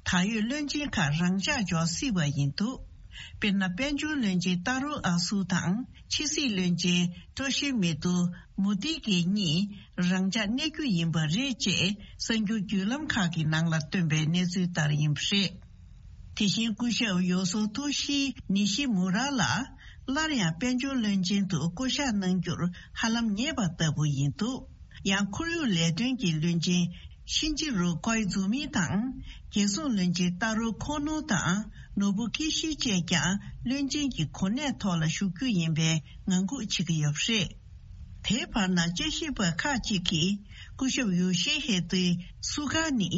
ད་ཡོད་བློན་ཆེན་ཁག་རང་འཇགས་འཇོག་སྲིད་པ་ཡིན་འདུག་དཔེར་ན། དཔལ་འབྱོར་བློན་ཆེན་ཏཱ་རུ་ཨ་སུ་དང་། ཕྱི་སྲིད་བློན་ཆེན་ཏོ་ཤི་མི་ཏུ་མུ་ཏི་གི་གཉིས་རང་འཇགས་གནས་རྒྱུ་ཡིན་པ་རེད་ཅེས་གསར་འགྱུར་བརྒྱུད་ལམ་ཁག་གི་ནང་ལ་བཏོན་པའི་གནས་ཚུལ་ལྟར་ཡིན་པ་རེད། དེ་བཞིན་སྐུ་ཞབས་ཡོ་སོ་ཏོ་ཤི་ནི་ཤི་མུ་ར་ལ་སླར་ཡང་དཔལ་འབྱོར་བློན་ཆེན་དུ་བསྐོ་གཞག་གནང་རྒྱུར་ཧ་ལམ་ཉེ་བ་ལྟ་བུ་ཡིན་འདུག་ཡང་ཁོར་ཡུག་ལས་དོན་གྱི་བློན་ཆེན་ཤིན་ཅི་རུ་ཀོའི་ཛུ་མི་དང་། རྒྱལ་སྲུང་བློན་ཆེན་ཏཱ་རུ་ཁོ་ནོ་དང་ནོ་བུ་ཀི་ཤི་བཅས་ཀྱང་བློན་ཆེན་གྱི་གོ་གནས་ཐོག་ལ་བཞུགས་རྒྱུ་ཡིན་པའི་ངང་སྒུག་བྱེད་ཀྱི་ཡོད་པ་རེད། དེའི་བར་ན་དཔྱད་ཞིབ་པ་ཁག་ཅིག་གིས་སྐུ་ཞབས་ཡོ་ཤི་ཧེ་ཏི་སུ་གྷ་ནི་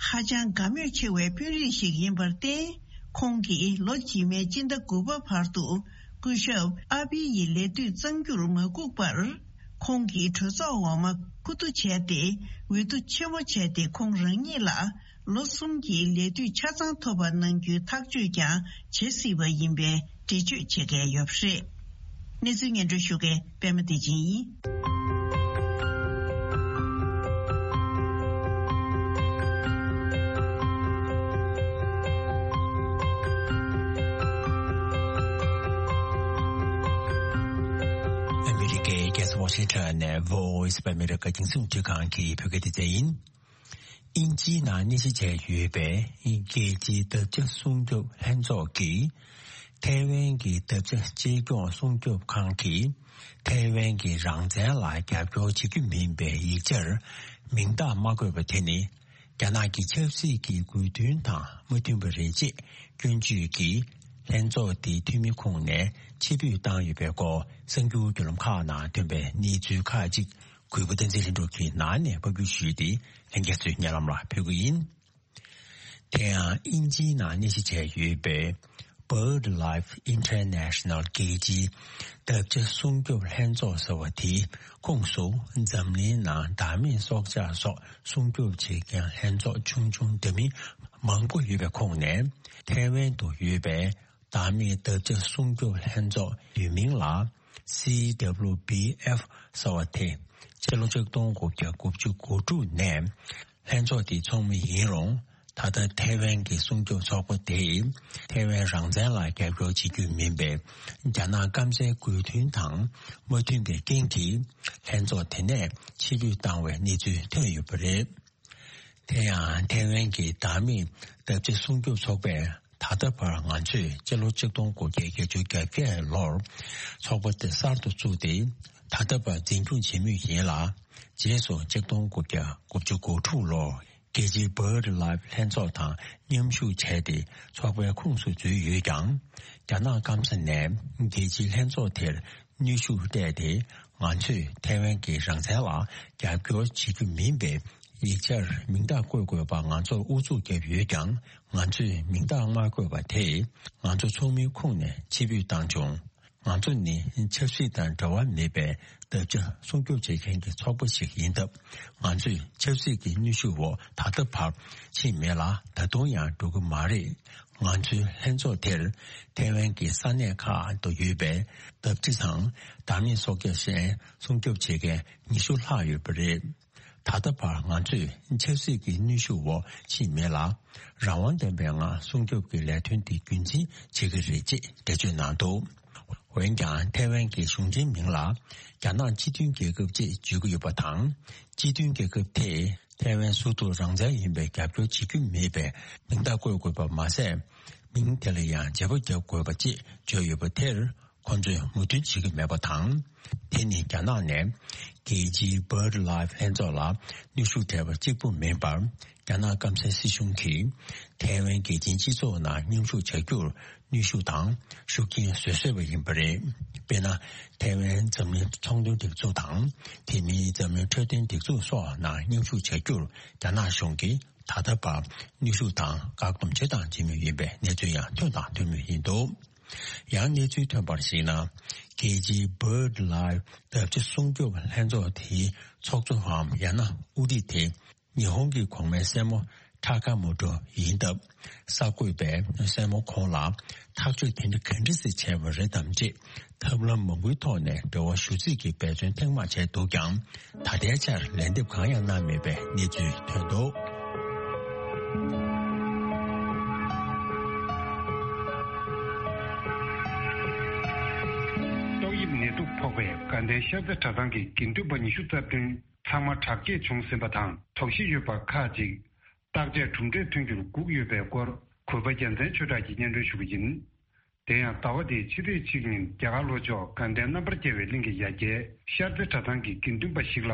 ཧ་ཅང་དགའ་མོས་ཆེ་བའི་དཔོན་རིགས་ཤིག་ཡིན་པར་བརྟེན། ཁོང་གིས་ལོ་རྗེས་མའི་སྤྱི་ཟླ་དགུ་པ་བར་དུ་སྐུ་ཞབས་ཨ་བྷི་ཡི་ལས་དུས་གཙང་རྒྱུར་མ་བསྒུགས་པར། ཁོང་གིས་གྲོས་ཚོགས་འོག་མ་ཁུ་བསྡུ་བྱས་ཏེ། འོས་བསྡུ་ཆེན་མོ་བྱས་ཏེ། ཁོང་རང་ཉིད་ལ་ལོ་གསུམ་གྱི་ལས་དུས་ཆ་ཚང་ཐོབ་པ་གནང་རྒྱུའི་ཐག་གཅོད་ཀྱང་བྱེད་སྲིད་པ་ཡིན་པའི་འགྲེལ་བརྗོད་བྱེད་མཁན་ཡོད་པ་རེད། གནས་ཚུལ་སྙན་སྒྲོན་ཞུ་མཁན་པད་མ་བདེ་ཆེན་ཡིན། ཨ་མི་རི་ཀའི་རྒྱལ་ས་ཝ་ཤིང་ཊོན་ནས་Voice of America རྒྱང་སྲིང་རླུང་འཕྲིན་ཁང་གི་བོད་སྐད་སྡེ་ཚན་ཡིན། དབྱིན་ཇིའི་ནང་གནས་གཞི་བྱས་ཡོད་པའི་རྒྱལ་སྤྱིའི་འདབ་ཆགས་སྲུང་སྐྱོབ་ལྷན་ཚོགས་ཀྱིས། ཐའེ་ཝན་གྱི་འདབ་ཆགས་གཅེས་སྐྱོང་སྲུང་སྐྱོབ་ཁང་གིས། ཐའེ་ཝན་གྱི་རང་བཙན་ལ་རྒྱབ་སྐྱོར་བྱེད་རྒྱུ་མིན་པའི་ཡིག་ཆར་མིང་རྟགས་མ་བཀོད་པ་དེ་ནི། རྒྱ་ནག་གི་ཆབ་སྲིད་ཀྱི་དགོས་འདུན་དང་མ་མཐུན་པ་རེད་ཅེས་སྐྱོན་བརྗོད་ཀྱིས། ལྷན་ཚོགས་དེའི་འཐུས་མི་ཁོངས་ནས་ཕྱིར་འབུད་བཏང་ཡོད་པའི་སྐོར་གསར་འགྱུར་བརྒྱུད་ལམ་ཁག་ནང་ཐོན་པའི་གནས་ཚུལ་ཁག་ཅིག་གུས་པ་བསྟན་འཛིན་ལྷུན་གྲུབ་ཀྱིས་ནང་ནས་ཕབ་སྒྱུར་ཞུས་ཏེ་ལྷན་རྒྱས་ཚོའི་སྙན་ལམ་ལ་ཕུལ་གྱི་ཡིན། དེ་ཡང་དབྱིན་ཇིའི་ནང་གནས་གཞི་བྱས་ཡོད་པའི་Bird Life International རྒྱལ་སྤྱིའི་འདབ་ཆགས་སྲུང་སྐྱོབ་ལྷན་ཚོགས་ཟེར་བ་དེའི་ཁོངས་སུ་འཛམ་གླིང་ནང་བདག་མེད་སྲོག་ཆགས་སོགས་སྲུང་སྐྱོབ་བྱེད་མཁན་ལྷན་ཚོགས་ཆུང་ཆུང་འདྲ་མིན་མང་པོ་ཡོད་པའི་ཁོངས་ནས་ཐའེ་ཝན་དུ་ཡོད་པའི་བདག་མེད་འདབ་ཆགས་སྲུང་སྐྱོབ་ལྷན་ཚོགས་ཡུལ་མིང་ལ་སི་ཌབ་ལུ་བི་ཨེཕ་ཟེར་བ་དེ་ཕྱི་ལོ་ཆིག་སྟོང་དགུ་བརྒྱ་དགུ་བཅུ་གོ་དྲུག་ནས་ལྷན་ཚོགས་དེའི་ཚོགས་མི་ཡིན་རུང་། ད་ལྟ་ཐའེ་ཝན་གྱི་སྲུང་སྐྱོབ་ཚོགས་པ་དེས་ཐའེ་ཝན་རང་བཙན་ལ་རྒྱབ་སྐྱོར་བྱེད་རྒྱུ་མིན་པའི་རྒྱ་ནག་སྐམ་སའི་དགོས་འདུན་དང་མ་མཐུན་པའི་རྐྱེན་གྱིས་ལྷན་ཚོགས་དེ་ནས་ཕྱིར་འབུད་བཏང་བའི་གནས་ཚུལ་ཐོན་ཡོད་པ་རེད། དེ་ཡང་ཐའེ་ཝན་གྱི་བདག་མེད་འདབ་ཆགས་སྲུང་སྐྱོབ་ཚོགས་པས་ད་ལྟ་བར་ང་ཚོས་སྤྱི་ལོ་ཆིག་སྟོང་དགུ་བརྒྱ་བརྒྱད་ཅུ་གྱ་བརྒྱད་ལོར་ཚོགས་པ་དེ་གསར་དུ་བཙུགས་ཏེ། ད་ལྟ་བར་འཛིན་སྐྱོང་བྱེད་མུས་ཡིན་ལ། རྗེས་སུ་ཆིག་སྟོང་དགུ་བརྒྱ་དགུ་བཅུ་གོ་དྲུག་ལོར་རྒྱལ་སྤྱིའི་Bird Life ལྷན་ཚོགས་དང་མཉམ་ཞུགས་བྱས་ཏེ་ཚོགས་པའི་ཁོངས་སུ་འཛུལ་ཡོད་ཀྱང་། རྒྱ་ནག་སྐམ་ས་ནས་རྒྱལ་སྤྱིའི་ལྷན་ཚོགས་དེར་གནོན་ཤུགས་སྤྲད་དེ། ང་ཚོས་ཐའེ་ཝན་གྱི་རང་བཙན་ལ་རྒྱབ་སྐྱོར་བྱེད་རྒྱུ་མིན་པའི་ཡིག་ཆར་མིང་རྟགས་བཀོད་དགོས་པ་ང་ཚོར་ཨུ་ཚུགས་བརྒྱབ་ཡོད་ཀྱང་། ང་ཚོས་མིང་རྟགས་མ་བཀོད་པ་དེས་ང་ཚོ་ཚོགས་མིའི་ཁོངས་ནས་ཕྱིར་འབུད་བཏང་བྱུང་། ང་ཚོ་ནི་ཆབ་སྲིད་དང་འབྲེལ་བ་མེད་པའི་འདབ་ཆགས་སྲུང་སྐྱོབ་བྱེད་མཁན་གྱི་ཚོགས་པ་ཞིག་ཡིན་སྟབས། ང་ཚོས་ཆབ་སྲིད་ཀྱི་གནོན་ཤུགས་འོག་ད་ལྟ་བར་ཕྱིན་མེད་ལ། ད་དུང་ཡང་འགྲོ་གི་མ་རེད། ང་ཚོའི་ལྷན་ཚོགས་དེར་ཐའེ་ཝན་གྱི་ས་གནས་ཁག་ཏུ་ཡོད་པའི་འདབ་ཆགས་དང་བདག་མེད་སྲོག་ཆགས་གཞན་སྲུང་སྐྱོབ་བྱེད་མཁན་ཉི་ཤུ་ལྷག་ཡོད་པ་རེད། ད་ལྟ་བར་ང་ཚོས་ཆབ་སྲིད་ཀྱི་གནོན་ཤུགས་འོག་ཕྱིན་མེད་ལ། རང་དབང་ལྡན་པའི་ངང་སྲུང་སྐྱོབ་ཀྱི་ལས་དོན་དེ་རྒྱུན་འཛིན་བྱེད་ཀྱི་རེད་ཅེས་འགྲེལ་བརྗོད་གནང་འདུག་འོན་ཀྱང་ཐའེ་ཝན་གྱི་གཞུང་འབྲེལ་མིང་ལ་རྒྱ་ནག་སྤྱི་མཐུན་རྒྱལ་ཁབ་ཅེས་བརྗོད་ཀྱི་ཡོད་པ་དང་། སྤྱི་མཐུན་རྒྱལ་ཁབ་དེས་ཐའེ་ཝན་སོ་སོ་རང་བཙན་ཡིན་པའི་རྒྱབ་སྐྱོར་བྱེད་རྒྱུ་མེད་པའི་མིང་རྟགས་བཀོད་དགོས་པ་མ་ཟད། མིང་དེ་ལ་ཡང་བརྗེ་པོ་རྒྱག་དགོས་པ་ཅེས་བརྗོད་ཡོད་པ་དེར། ཁོ་ཚོས་མོས་མཐུན་བྱེད་ཀྱི་མེད་པ་དང་། དེ་ནི་རྒྱ་ནག་ནས་རྒྱལ་སྤྱིའི་Bird Life ལྷན་ཚོགས་ལ་གནོན་ཤུགས་སྤྲད་པ་གཅིག་པུ་མིན་པར། རྒྱ་ནག་སྐམ་སའི་སྲིད་གཞུང་གིས་ཐའེ་ཝན་རྒྱལ་སྤྱིའི་སྤྱི་ཚོགས་ནང་མཉམ་ཞུགས་བྱ་རྒྱུར་གནོན་ཤུགས་དང་ཤུགས་རྐྱེན་བཟོ་བཟོས་པ་ཡིན་པ་རེད། དཔེར་ན། ཐའེ་ཝན་འཛམ་གླིང་ཚོང་དོན་སྒྲིག་འཛུགས་དང་། དེ་མིན་འཛམ་གླིང་འཕྲོད་བསྟེན་སྒྲིག་འཛུགས་སོགས་ནང་མཉམ་ཞུགས་བྱ་རྒྱུར་རྒྱ་ནག་གཞུང་གིས་ད་ལྟ་བར་གནོན་ཤུགས་དང་བཀག་སྡོམ་བྱས་དང་བྱེད་མུས་ཡིན་པའི་གནས་ཚུལ་ཡང་ཐོན་དང་ཐོན་མུས་ཡིན་འདུག་ཡང་གནས་ཚུལ་ཐོན་པར་གཞིགས་ན། རྒྱལ་སྤྱིའི་Bird Life འདབ་ཆགས་སྲུང་སྐྱོབ་ལྷན་ཚོགས་དེའི་ཚོགས་གཙོའམ་ཡང་ན་དབུ་ཁྲིད་དེ་ཉི་ཧོང་གི་གོང་མའི་སྲས་མོ་ཁྲ་ཀ་མོ་ཏོ་ཡིན་སྟབས། གསར་འགོད་པས་སྲས་མོ་ཁོང་ལ་ཐག་གཅོད་དེ་འདྲ་ག་འདྲ་ཞིག་བྱས་པ་རེད་དམ་ཅེས་ཐབས་ལམ་མང་པོའི་ཐོག་ནས་འབྲེལ་བ་ཞུ་རྩིས་ཀྱི་འབད་བརྩོན་ཐེངས་མང་བྱས་འདུག་ཀྱང་། ད་ལྟའི་ཆར་ལན་འདེབས་གང་ཡང་གནང་མེད་པའི་གནས་ཚུལ་ཐོན་འདུག་ཏོག་དབྱིབས་ནད་དུག་ཕོག་པས་དགའ་ལྡན་ཤར་རྩེ་གྲྭ་ཚང་གི་དགེ་འདུན་པ་ཉི་ཤུ་རྩ་བདུན་ཚང་མ་དྲག་སྐྱེད་བྱུང་ཟིན་པ་དང་། དོགས་གཞི་ཡོད་པ་ཁག་ཅིག་བརྟག་དཔྱད་གྲུབ་འབྲས་ཐོན་རྒྱུར་སྒུག་ཡོད་པའི་སྐོར་གུས་པ་རྒྱལ་མཚན་ཆོས་གྲགས་ཀྱིས་སྙན་སྒྲོན་ཞུ་གི་ཡིན། དེ་ཡང་ཟླ་བ་འདིའི་ཕྱི་ཚེས་གཅིག་ཉིན་རྒྱ་གར་ལྷོ་ཕྱོགས་དགའ་ལྡན་རྣམ་པར་རྒྱལ་བའི་གླིང་གི་ཡ་གྱལ་ཤར་རྩེ་གྲྭ་ཚང་གི་དགེ་འདུན་པ་ཞིག་ལ་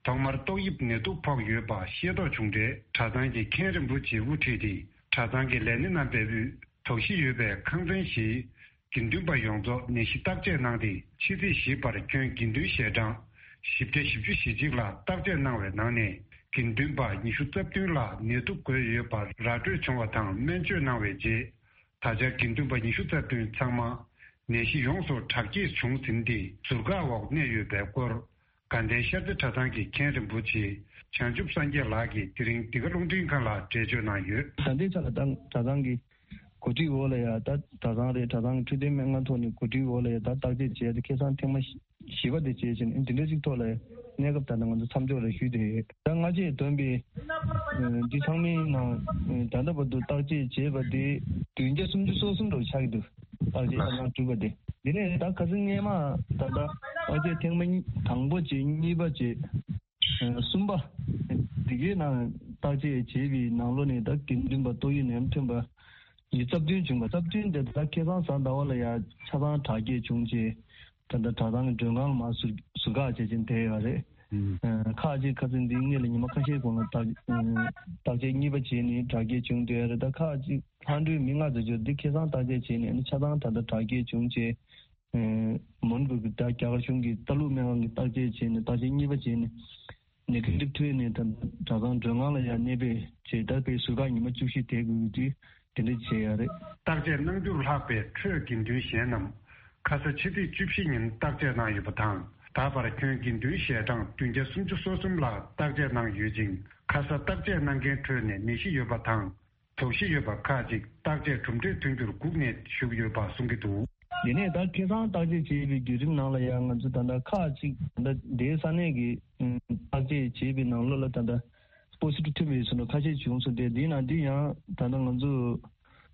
ཐོག་མར་ཏོག་དབྱིབས་ནད་དུག་ཕོག་ཡོད་པ་ཤེས་རྟོགས་བྱུང་འཕྲལ། གྲྭ་ཚང་གི་མཁན་རིན་པོ་ཆེ་དབུ་ཁྲིད་དེ་གྲྭ་ཚང་གི་ལས་སྣེ་རྣམ་པའི་དབུས་དོགས་གཞི་ཡོད་པའི་ཁང་ཚན་བཞིའི་དགེ་འདུན་པ་ཡོངས་རྫོགས་ནད་གཞི་བརྟག་དཔྱད་གནང་སྟེ། ཕྱི་ཚེས་བཞི་བར་ཁྱོན་དགེ་འདུན་ཞལ་གྲངས་བཞི་བརྒྱ་བཞི་བཅུ་ཞེ་གཅིག་ལ་བརྟག་དཔྱད་གནང་བའི་ནང་ནས་དགེ་འདུན་པ་ཉི་ཤུ་རྩ་བདུན་ལ་ནད་དུག་འགོས་ཡོད་པ་ར་སྤྲོད་བྱུང་བ་དང་སྨན་བཅོས་གནང་བའི་རྗེས། ད་ཆ་དགེ་འདུན་པ་ཉི་ཤུ་རྩ་བདུན་ཚང་མ་ནད་གཞི་ཡོངས་སུ་དྲག་སྐྱེད་བྱུང་ཟིན་ཏེ་ཟུར་བཀག་འོག་གནས་ཡོད་པའི་སྐོར། དགའ་ལྡན་ཤར་རྩེ་གྲྭ་ཚང་གི་མཁན་རིན་པོ་ཆེ་བྱང་ཆུབ་སངས་རྒྱས་ལགས་ཀྱིས་དེ་རིང་འདི་ག་རླུང་འཕྲིན་ཁང་ལ་འགྲེལ་བརྗོད་གནང་ཡོད། ད་ལྟའི་ཆར་ལ་ད་གྲྭ་ཚང་གི་ གོ་སྒྲིག་འོག་ལ་ཡ་ད་གྲྭ་ཚང་རེད། གྲྭ་ཚང་གི་འཕྲོད་བསྟེན་སྨན་ཁང་ཐོག་ནས་གོ་སྒྲིག་འོག་ལ་ཡ་ད་བརྟག་དཔྱད་བྱས་ཏེ་ཁ་སང་ཐེངས་མ་བཞི་པ་དེ་བྱས་ཕྱིན་འདི་འདྲ་ཅིག་ཐོག་ལ་གནས་སྐབས་ད་ལྟ་ང་ཚོ་མཚམས་འཇོག་རེ་ཞུས་ཏེ་ཡོད། ད་སྔ་རྗེས་བཏོན་པའི་འདི་ཚང་མའི་ནང་ད་ལྟ་བར་དུ་བརྟག་དཔྱད་བྱས་པ་དེ་བདུན་བརྒྱ་སུམ་ཅུ་སོ་གསུམ་འདྲ་བོ་ཆགས་ཀྱི་འདུག་བརྟག་དཔྱད་ལགས། ཆ་ཚང་གྲུབ་པ་དེ། དེ་ནས་ད་ཁ་སང་སྔས་མ་ད་ལྟ་བརྟག་དཔྱད་ཐེངས་མ་གཉིས་དང་པོ་བྱས། གཉིས་པ་བྱས། གསུམ་པ། དེ་གའི་ནང་བརྟག་དཔྱད་བྱས་པའི་ནང་ལོགས་ནས་ད་དགེ་འདུན་པ་ཏོག་དབྱིབས་ནད་ཡམས་ཐོན་པ་ཡི་རྩ་བདུན་བྱུང་བ། རྩ་བདུན་དེ་ད་ཁ་སང་གཟའ་ཟླ་བ་ལ་ཡ་ཆ་ཚང་དྲག་སྐྱེད་བྱུང་རྗེས་ད་ལྟ་གྲྭ་ཚང་གི་མགྲོན་ཁང་ལ་མར་ཟུར་ཟུར་བཀག་བྱས་ཕྱིན་བསྡད་ཡོད་རེད། ཨུམ། ཁག་ཅིག་ཁ་སང་འདིའི་སྔོན་ལ་ཉི་མ་ཁ་ཤས་གོང་ལ་བརྟག་བརྟག་དཔྱད་གཉིས་པ་བྱས་ནས་དྲག་སྐྱེད་བྱུང་བསྡད་ཡོད་རེད། ད་ཁག་ཅིག་ལྷག་འཕྲོས་མི་ལྔ་ཙམ་ཅིག་འདི་ཁ་སང་བརྟག་དཔྱད་བྱས་ནས་ཆ་ཚང་ད་ལྟ་དྲག་སྐྱེད་བྱུང་རྗེས། མོན་གྷོ་གི་ད་རྒྱ་གར་གཞུང་གི་ལྟ་ཀློག་སྨན་ཁང་གི་བརྟག་དཔྱད་བྱས་ནས་བརྟག་དཔྱད་གཉིས་པ་བྱས་ནས་ནེ་གེ་ཊིབ་ཐོན་ནས་ད་གྲྭ་ཚང་མགྲོན་ཁང་ལ་ཡང་གནས་སྤོས་བྱས། ད་དཔེ་ཟུར་བཀག་ཉི་མ་བཅུ་བཞི་བསྡད་དགོས་ཀྱི་དུས་དེ་འདྲ་བྱས་ཡོད་རེད། བརྟག་དཔྱད་གནང་རྒྱུར་ལྷག་པའི་ཁྲོད་དགེ་འདུན་གཞན་རྣམས་ཁ་ས་ཕྱི་ཚེས་བཅུ་བཞི་ཉིན་བརྟག་དཔྱད་གནང་ཡོད་པ་དང་། ད་བར་ཁྱོན་དགེ་འདུན་ཞལ་གྲངས་བདུན་བརྒྱ་སུམ་ཅུ་སོ་གསུམ་ལ་བརྟག་དཔྱད་གནང་ཡོད་ཅིང་། ཁ་ས་བརྟག་དཔྱད་གནང་མཁན་ཁྲོད་ནས་ནད་གཞི་ཡོད་པ་དང་། དོགས་གཞི་ཡོད་པ་ཁག་ཅིག་བརྟག་དཔྱད་གྲུབ་འབྲས་ཐོན་རྒྱུར་སྒུག་ནས་བཞུགས་ཡོད་པ་གསུང་གི་འདུག་དེ་ནས་ད་ཁ་སང་བརྟག་དཔྱད་བྱས་པའི་བརྒྱུད་རིམ་ནང་ལ་ཡང་ང་ཚོ་ད་ལྟ་ཁག་ཅིག་ད་ལྟ་དེའི་ས་གནས་ཀྱི་བརྟག་དཔྱད་བྱས་པའི་ནང་ལོགས་ལ་ད་ལྟ་པོ་སི་ཊིབ་ཐོན་པའི་ཚོ་ཁ་ཤས་བྱུང་སོང་སྟེ། དེའི་ནང་འདི་ཡང་ད་ལྟ་ང་ཚོ་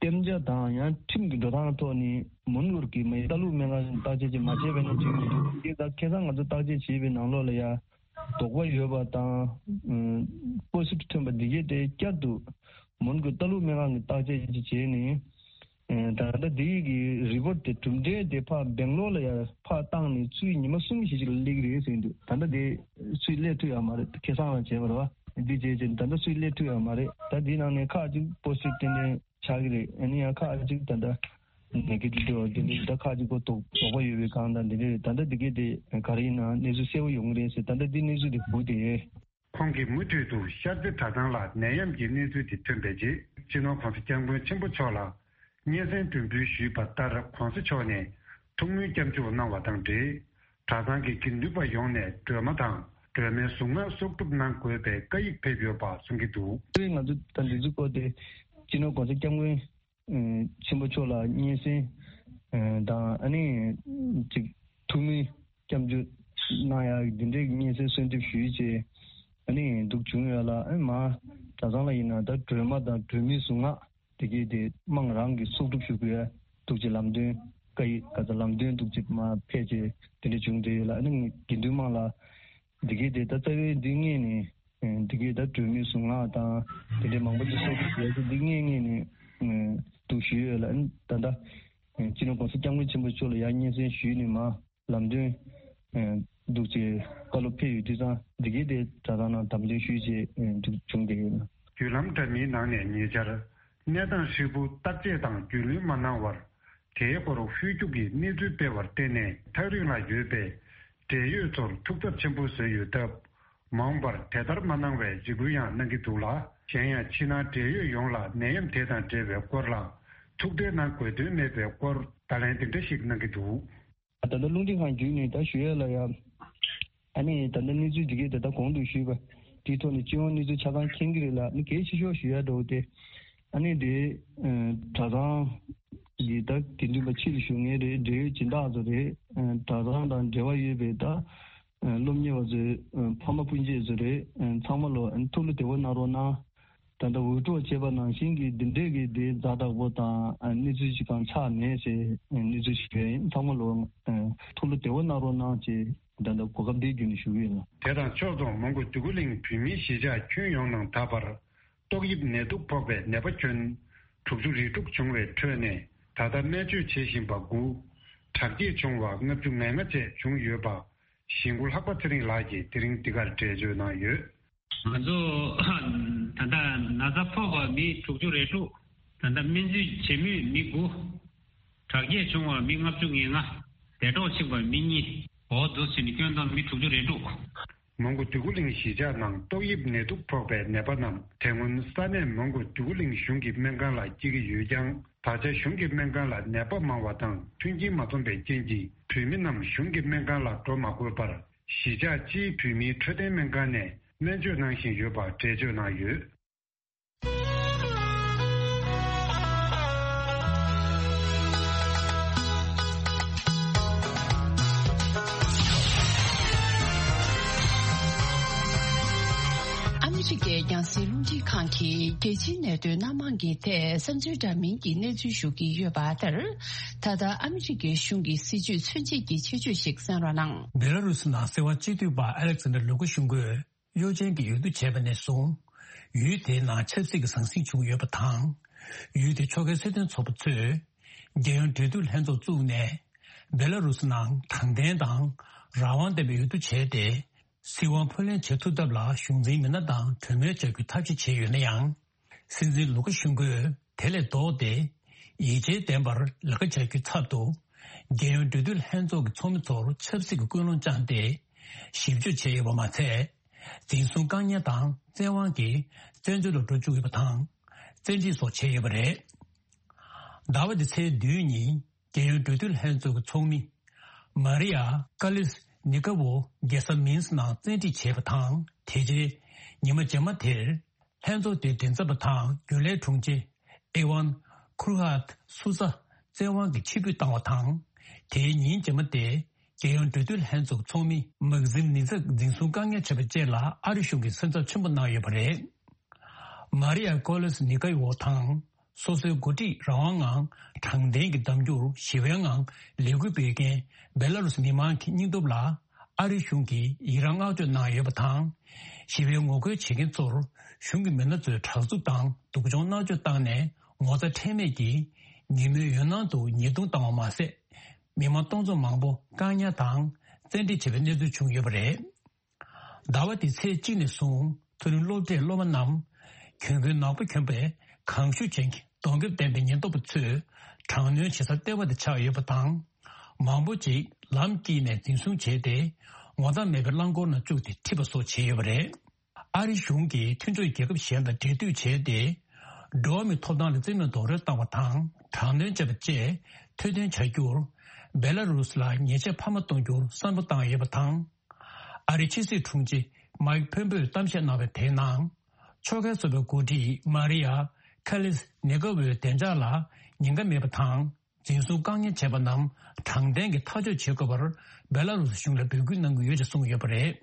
གཏན་འཇགས་དང་ཡང་ཁྲིམས་ཀྱི་འགྲོ་སྟངས་ཐོག་ནས་མོན་གྷོ་གི་མི་ལྟ་ཀློག་སྨན་ཁང་བརྟག་དཔྱད་ཅིག་མ་བྱས་པ་ནས་བྱུང་མི་འདུག་འདི་ད་ཁ་སང་ང་ཚོ་བརྟག་དཔྱད་བྱས་པའི་ནང་ལོགས་ལ་ཡང་དོགས་པ་ཡོད་པ་དང་། པོ་སི་ཊིབ་ཐོན་པ་འདི་གས་དེ་བསྐྱར་དུ་མོན་གྷོ་ལྟ་ཀློག་སྨན་ཁང་གི་བརྟག་དཔྱད་ཅིག་བྱས་ནས། ད་ལྟ་འདི་གི་རི་པོཊ་དེ་གྲུབ་འབྲས་དེ་ཕར་སྦེང་ལོར་ལ་ཡར་ཕར་བཏང་ནས་ཚུར་ཉི་མ་གསུམ་བཞི་ཅིག་ལ་སླེབས་ཀྱི་རེད་ཟེར་གྱི་འདུག་ད་ལྟ་དེ་ཚུར་སླེབས་ཐུབ་ཡོད་མ་རེད། ཁ་སང་ལ་བྱས་པ་རེད་བ། འདི་བྱས་རྗེས་ད་ལྟ་ཚུར་སླེབས་ཐུབ་ཡོད་མ་རེད། ད་འདི་ནང་ནས་ཁག་ཅིག་པོ་སི་ཊིབ་ཏན་ཏན་ཆགས་ཀྱི་རེད། ཨ་ནི་ཡང་ཁག་ཅིག་ད་ལྟ་ནེ་གེ་ཊིབ་འདི་འདྲ། ད་ཁག་ཅིག་པོ་དོགས་དོགས་པ་ཡོད་པའི་སྒང་དང་འདི་འདྲ་རེད། ད་ལྟ་འདི་གས་དེ་ག་རེ་ཡིན་ན་གནས་ཚུལ་གསལ་པོ་ཡོང་གི་རེད་ཟེར། ད་ལྟ་འདི་གནས་ཚུལ་དེ་སྒུག་བསྡད་ཡོད། ཁོང་གིས་མུ་མཐུད་དུ་ཤར་རྩེ་གྲྭ་ཚང་ལ་ནད་ཡམས་ཀྱི་གནས་ཚུལ་དེ་ཐོན་པའི་རྗེས། སྤྱི་ནོར་༧གོང་ས་༧སྐྱབས་མགོན་ཆེན་པོ་མཆོག་ལ་སྙན་སེང་སྒྲོན་འབུལ་ཞུས་པ་ལྟར། ༧གོང་ས་མཆོག་ནས་ཐུགས་སྨོན་སྐྱབས་འཇུག་གནང་བ་དང་འབྲེལ། གྲྭ་ཚང་གི་དགེ་འདུན་པ་ཡོངས་ནས་སྒྲོལ་མ་དང་སྒྲོལ་མའི་གཟུངས་སྔགས་གསོག་སྒྲུབ་གནང་དགོས་པའི་བཀའ་ཡིག་ཕེབས་ཡོད་པ་གསུང་གི་འདུག་ང་ཚོ་ད་འདི་ཚོའི་སྐོར་དེ་སྤྱི་ནོར་༧གོང་ས་༧སྐྱབས་མགོན་ཆེན་པོ་མཆོག་ལ་སྙན་སེང་དང་། ཨ་ནི་ཅིག་ཐུགས་སྨོན་སྐྱབས་འཇུག་གནང་ཡག་འདི་འདྲའི་སྙན་སེང་གསོལ་འདེབས་ཞུས་རྗེས། ཨ་ནི་འདུག་བྱུང་ཡོད་ལ། ཨ་ནི་མར་གྲྭ་ཚང་ལ་ཡིན་ན་ད་སྒྲོལ་མ་དང་སྒྲོལ་མའི་གཟུངས་སྔགས་དེ་གས་དེ་དམངས་རང་གིས་གསོག་སྒྲུབ་ཞུ་དགོས། འདུག་ཅེས་ལམ་སྟོན་བཀའ་ཡིག་ག་ཚ་ལམ་སྟོན་འདུག་ཅེས་མར་ཕེབས་རྗེས་དེ་འདྲ་བྱུང་བསྡད་ཡོད་ལ། ཨ་ནི་དགེ་འདུན་དམངས་ལ་འདི་གས་དེ་ད་རྩ་བའི་འདི་སྔས་ནས། འདི་གས་ད་སྒྲོལ་མའི་གཟུངས་སྔགས་དང་དེ་འདྲའི་མང་པོ་ཅིག་གསོག་སྒྲུབ་བྱས་ཏེ་འདི་སྔས་སྔས་ནས་འདུག་ཞུས་ཡོད་ལ། ཨ་ནི་ད་ལྟ་སྤྱི་ནོར་༧གོང་ས་༧སྐྱབས་མགོན་ཆེན་པོ་མཆོག་ལ་ཡང་སྙན་སེང་ཞུས་ནས་མར་ལམ་སྟོན་འདུག་ཅེས་བཀའ་སློབ་ཕེབས་ཡོད་དུས་ཙང་། འདི་གས་དེ་གྲྭ་ཚང་ནང་དམ་འདོན་ཞུས་རྗེས་འདུག་བྱུང་བསྡད་ཡོད། བརྒྱུད་ལམ་འདྲ་མིན་ནང་ནས་ཉེ་ཆར་གནས་སྟངས་ཧྲིལ་པོ་བརྟག་དཔྱད་དང་རྒྱུས་ལོན་མ་གནང་བར། དེའི་སྐོར་ཧུར་རྒྱུག་གིས་གནས་ཚུལ་སྤེལ་བར་བརྟེན་ནས། ཐག་རིང་ལ་ཡོད་པའི་འབྲེལ་ཡོད་ཚོར་ཐུགས་འཚབ་ཆེན་པོ་བཟོས་ཡོད་སྟབས། མ་འོངས་པར་དེ་ལྟར་མ་གནང་བའི་འཇིགས་སྐུལ་ཡང་གནང་གི་འདུག་ལ། གཞན་ཡང་ཕྱི་ནང་འབྲེལ་ཡོད་ཡོངས་ལ་ནད་ཡམས་དེ་དང་འབྲེལ་བའི་སྐོར་ལ་ཐུགས་ཁྲལ་གནང་དགོས་དོན་མེད་པའི་སྐོར་བརྡ་ལན་འདི་འདྲ་ཞིག་གནང་གི་འདུག་ད་ལྟ་རླུང་འཕྲིན་ཁང་བརྒྱུད་ནས་ད་ཞུ་ཡ་ལ་ཡ། ཨ་ནི་ད་ལྟ་གནས་ཚུལ་འདི་གས་ད་ལྟ་གོང་དུ་ཞུས་པ་དེའི་ཐོག་ནས་སྤྱི་ཡོངས་གནས་ཚུལ་ཆ་ཚང་མཁྱེན་གྱི་རེད་ལ། ཨ་ནི་གལ་ཆེ་ཤོས་ཞུ་ཡ་འདྲ་བོ་དེ། ཨ་ནི་དེ་གྲྭ་ཚང་གི་ད་དགེ་འདུན་པ་ཕྱི་ལ་བཞུགས་མཁན་རེད། འབྲེལ་ཡོད་སྦྱིན་བདག་ཚོ་རེད། གྲྭ་ཚང་དང་འབྲེལ་བ་ཡོད་པའི་ད་སློབ་གཉེར་བ་ཚོའི་ཕ་མ་སྤུན་མཆེད་ཚོ་རེད། ཚང་མ་ལོ་ཐུགས་ལ་བདེ་པོ་གནང་རོགས་གནང་། ད་ལྟ་འུར་སྒྲོག་བྱས་པ་ནང་བཞིན་གྱི་འདི་འདྲས་ཀྱི་དེ་ཛ་དྲག་པོ་དང་གནས་ཚུལ་ཅིག་གང་ཆགས་མེད་ཟེར་གནས་ཚུལ་ཞིག་ཡོད། ཡིན་ཚང་མ་ལོ་ཐུགས་ལ་བདེ་པོ་གནང་རོགས་གནང་ཅེས་ད་ལྟ་གོ་སྐབས་འདི་བརྒྱུད་ནས་ཞུ་གི་ཡིན། དེ་དང་ཕྱོགས་མཚུངས་མོན་གྷོ་འདོད་རྒུ་གླིང་བོད་མིའི་གཞིས་ཆགས་ཁྱོན་ཡོངས་ནང་ད་བར་ཏོག་དབྱིབས་ནད་དུག་ཕོག་པའི་ནད་པ་ཁྱོན་དྲུག་ཅུ་རེ་དྲུག་བྱུང་བའི་ཁྲོད་ནས། ད་ལྟ་སྨན་བཅོས་བྱེད་བཞིན་པ་དགུ། དྲག་སྐྱེད་བྱུང་བ་ལྔ་བཅུ་ང་ལྔ་བཅས་བྱུང་ཡོད་པ། གཞིས་འགོ་ལྷག་པ་ཚེ་རིང་ལགས་ཀྱིས་དེ་རིང་འདི་གར་འགྲེལ་བརྗོད་གནང་ཡོད། ང་ཚོ་ད་ལྟ་ན་ཚ་ཕོག་པ་མི་དྲུག་ཅུ་རེ་དྲུག་ད་ལྟ་སྨན་བཅོས་བྱེད་མུས་མི་དགུ། དྲག་སྐྱེད་བྱུང་བ་མི་ལྔ་བཅུ་ང་ལྔ། འདས་གྲོངས་ཕྱིན་པ་མི་གཉིས། འོ་འདུག་ཟེར་ནས་སྐྱོན་བཏང་མི་དྲུག་ཅུ་རེ་དྲུག་མོན་གྷོ་འདོད་རྒུ་གླིང་གཞིས་ཆགས་ནང་ཏོག་དབྱིབས་ནད་དུག་ཕོག་པའི་ནད་པ་རྣམས་དེ་སྔོན་ས་གནས་མོན་གྷོ་འདོད་རྒུ་གླིང་གཞུང་གི་སྨན་ཁང་ལ་སྐྱེལ་གྱི་ཡོད་ཀྱང་། ད་ཆ་གཞུང་གི་སྨན་ཁང་ལ་ནད་པ་མང་བ་དང་མཐུན་རྐྱེན་མ་འཛོམས་པའི་རྐྱེན་གྱིས། བོད་མི་རྣམས་གཞུང་གི་སྨན་ཁང་ལ་འགྲོ་མ་དགོས་པར། གཞིས་ཆགས་སྤྱིའི་བོད་མིའི་འཕྲོད་བསྟེན་སྨན་ཁང་ནས་སྨན་བཅོས་གནང་བཞིན་ཡོད་པ་འགྲེལ་བརྗོད་གནང་ཡོད། རྒྱང་སྲིང་རླུང་འཕྲིན་ཁང་གིས་རྒྱལ་སྤྱིའི་གནད་དོན་སྣ་མང་གི་ཐད་བསམ་ཚུལ་འདྲ་མིན་གྱི་གནས་ཚུལ་ཞུ་གི་ཡོད་པ་ལྟར། ད་ལྟ་ཨ་མི་རི་ཀའི་གཞུང་གི་སྲིད་བྱུས་མཚོན་བྱེད་ཀྱི་ཆེད་བརྗོད་ཞིག་གསན་རོགས་གནང་། བེ་ལ་རུ་སི་ནང་སྲིད་དབང་སྤྱི་འཐུས་པ་ཨ་ལེག་སན་དར་ལུ་ཀ་ཤུན་ཀོས་གཡོ་ཅན་གྱི་འོས་བསྡུ་བྱས་པ་ནས་བཟུང་། ཡུལ་དེའི་ནང་ཆབ་སྲིད་ཀྱི་ཟང་ཟིང་བྱུང་ཡོད་པ་དང་། ཡུལ་དེའི་ཕྱོགས་འགལ་སྲིད་དོན་ཚོགས་པ་ཚོས་རྒྱལ་ཡོངས་འབྲེལ་མཐུད་ལྷན་ཚོགས་བཙུགས་ནས། བེ་ལ་རུ་སི་ནང་དྲང་བདེན་དང་རང་དབང་ལྡན་པའི་འོས་བསྡུ་བྱས་ཏེ། སྲིད་དབང་འཕོ་ལེན་བྱེད་ཐུབ་ཐབས་ལ་གཞུང་འཛིན་མི་སྣ་དང་གྲོས་མོལ་བྱ་རྒྱུའི་ཐབས་ཤེས་བྱས་ཡོད་ན་ཡང་། སྲིད་འཛིན་ལུ་ཀ་ཤུན་ཀོས་དེ་ལས་ལྡོག་སྟེ། ཡིད་ཆེས་ལྡན་པར་ལས་ཀ་བྱ་རྒྱུའི་ཚབ་ཏུ། རྒྱལ་ཡོངས་འབྲེལ་མཐུད་ལྷན་ཚོགས་ཀྱི་ཚོགས་མི་ཚོར་ཆབ་སྲིད་ཀྱི་ཀུན་སློང་བཅངས་ཏེ། ཞིབ་འཇུག་བྱས་ཡོད་པ་མ་ཚད། འཛིན་བཟུང་བཀག་ཉར་དང་བཙན་དབང་གིས་བཙན་བྱོལ་དུ་འགྲོ་བཅུག་ཡོད་པ་དང་། བཙན་ཁྲིད་སོགས་བྱས་ཡོད་པ་རེད། ཟླ་བ་འདི་ཚེས་བདུན་ཉིན། རྒྱལ་ཡོངས་འབྲེལ་མཐུད་ལྷན་ཚོགས་ཀྱི་ཚོགས་མི། མ་རི་ཡ་ཀ་ལིས་ནི་ཀ་ཝོ་རྒྱལ་ས་མིན་སི་ནང་བཙན་ཁྲིད་བྱས་པ་དང་། དེ་རྗེས་ཉི་མ་རྗེས་མ་དེར། ལྷན་ཚོགས་དེའི་མགྲིན་ཚབ་པ་དང་རྒྱུན་ལས་དྲུང་ཆེ་ཨེ་ཝན་ཁུར་ཧཱད་སུ་ཛ་བཙན་དབང་གིས་ཕྱིར་འབུད་བཏང་བ་དང་། དེའི་ཉིན་རྗེས་མ་སྟེ། རྒྱལ་ཡོངས་འབྲེལ་མཐུད་ལྷན་ཚོགས་ཀྱི་ཚོགས་མི་མག་ཟིམ་ནི་ཛག་འཛིན་བཟུང་བཀག་ཉར་བྱས་པ་བཅས་ལ་ཨ་རི་གཞུང་གིས་སེམས་འཚབ་ཆེན་པོ་གནང་ཡོད་པ་རེད། མ་རི་ཡ་ཀོ་ལིས་ནི་ཀ་ཝོ་དང་། སོ་སོའི་འགོ་ཁྲིད་རང་དབང་ངང་དྲང་བདེན་གྱི་གདམ་རྒྱུར་ཞི་བའི་ངང་ལས་འགུལ་སྤེལ་མཁན་བེ་ལ་རུ་སི་མི་མང་གི་སྙིང་སྟོབས་ལ་ཨ་རི་གཞུང་གིས་ཡི་རངས་བསྔགས་བརྗོད་གནང་ཡོད་པ་དང་། ཞི་བའི་ངོ་རྒོལ་བྱེད་མཁན་ཚོར་གཞུང་གི་མི་སྣ་ཚོས་དྲག་རྩུབ་དང་སྡུག་སྦྱོང་མནར་གཅོད་བཏང་ནས་ངོ་ཚ་ཁྲེལ་མེད་ཀྱིས་ཉིན་མོའི་འོད་སྣང་དུ་ཉེས་རྡུང་བཏང་བ་མ་ཟད། མི་མང་སྟོང་ཚོ་མང་པོ་བཀག་ཉར་དང་བཙན་ཁྲིད་བྱས་པའི་གནས་ཚུལ་བྱུང་ཡོད་པ་རེད། ཟླ་བ་འདིའི་ཚེས་གཅིག་ནས་བཟུང་། མཐོ་རིམ་སློབ་གྲྭའི་སློབ་མ་རྣམས། གྱོན་གོས་ནག་པོ་གྱོན་པའི་གང་ཤུགས་ཅན་གྱི་གདོང་ཁེབས་ལྡན་པའི་ཉེན་རྟོག་པ་ཚོས་དྲག་གནོན་བྱེད་ས་ལྟེ་བ་དེ་ཆགས་ཡོད་པ་དང་། མང་པོ་ཅིག་ལམ་དཀྱིལ་ནས་འཛིན་བཟུང་བྱས་ཏེ། ངོ་ཐག་མེད་པའི་རླངས་འཁོར་ནང་བཅུག་སྟེ་ཁྲིད་པ་སོགས་བྱས་ཡོད་པ་རེད། ཨ་རི་གཞུང་གིས་མཐུན་ཕྱོགས་རྒྱལ་ཁབ་གཞན་དང་འབྲེལ་མཐུད་བྱས་ཏེ། འགྲོ་བ་མིའི་ཐོབ་ཐང་ལ་རྩིས་མེད་རྡོག་རོལ་བཏང་བ་དང་། དྲག་གནོན་བྱས་པ་བཅས་ཐེར་འདོན་བྱ་རྒྱུར། བེ་ལ་རུ་སི་ལ་ཉེས་ཆད་འཕར་མ་གཏོང་རྒྱུར་བསམ་བློ་བཏང་ཡོད་པ་དང་། ཨ་རིའི་ཕྱི་སྲིད་དྲུང་ཆེ་མའིག་ཕོམ་པེའོས་གཏམ་བཤད་གནང་བའི་དེའི་ནང་། ཕྱོགས་འགལ་ཚོགས་པའི་འགོ་ཁྲིད་མ་རི་ཡ་ཁ་ལིས་ནེ་ཀ་ཝོའི་བདེ་འཇགས་ལ་ཉེན་ཁ་མེད་པ་དང་། འཛིན་བཟུང་བཀག་ཉར་བྱས་པ་རྣམས་དྲང་བདེན་གྱིས་ཐག་གཅོད་བྱེད་དགོས་པར་བེ་ལ་རུ་སི་གཞུང་ལ་འབོད་སྐུལ་གནང་གི་ཡོད་ཅེས་གསུངས་ཡོད་པ་རེད།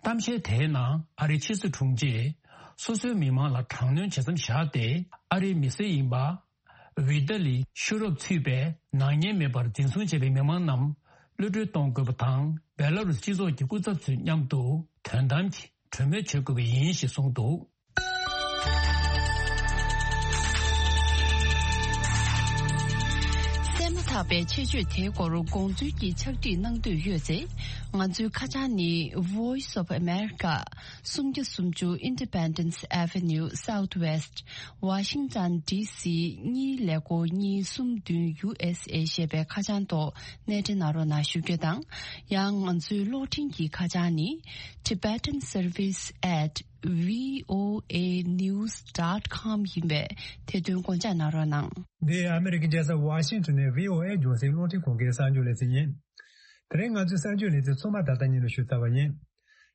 གཏམ་བཤད་དེའི་ནང་ཨ་རིའི་ཕྱི་སྲིད་དྲུང་ཆེས་སོ་སོའི་མི་མང་ལ་དྲག་གནོན་བྱེད་མཚམས་བཞག་སྟེ། ཨ་རིའི་མི་སེར་ཡིན་པ། ཝི་ཏཱ་ལི་ཤུ་རོབ་ཚུད་པའི་ནག་ཉེས་མེད་པར་འཛིན་བཟུང་བྱས་པའི་མི་མང་རྣམས་གློད་གྲོལ་གཏོང་དགོས་པ་དང་། བེ་ལ་རུ་སི་སྤྱི་ཚོགས་ཀྱི་སྐུ་ཚབ་ཚོའི་མཉམ་དུ་དོན་དམ་གྱི་གྲོས་མོལ་བྱེད་དགོས་པ་ཡིན་ཞེས་གསུངས་འདུག། གསན་མ་ཐག་པའི་ཆེད་བརྗོད་དེའི་སྐོར་དགོངས་ཚུལ་གྱི་ཕྱག་བྲིས་གནང་འདོད་ཡོད་ཚེ། ང་ཚོའི་ཁ་བྱང་ནི། Voice of America། སུམ་བརྒྱ་སུམ་ཅུ། Independence Avenue Southwest། Washington D C གཉིས་ཀླད་ཀོར་གཉིས་གསུམ་བདུན། U S A ཞེས་པའི་ཁ་བྱང་ཐོག་གནས་འབྲེལ་གནང་རོགས་གནང་ཞུ་རྒྱུ་དང་། ཡང་ང་ཚོའི་གློག་འཕྲིན་གྱི་ཁ་བྱང་ནི། Tibetan Service at V O A news dot com ཡིན་པས་དེ་དོན་དགོངས་འཇགས་གནང་རོགས་གནང་། འདི་ཨ་མི་རི་ཀའི་རྒྱལ་ས་ཝ་ཤིང་ཊོན་ནས་V O A རྒྱང་སྲིང་རླུང་འཕྲིན་ཁང་གི་གསར་འགྱུར་ལེ་ཚན་ཡིན། དེ་རིང་ང་ཚོའི་གསར་འགྱུར་ལེ་ཚན་ཚང་མ་ད་ལྟ་ཉིད་ནས་ཞུས་ཚར་བ་ཡིན།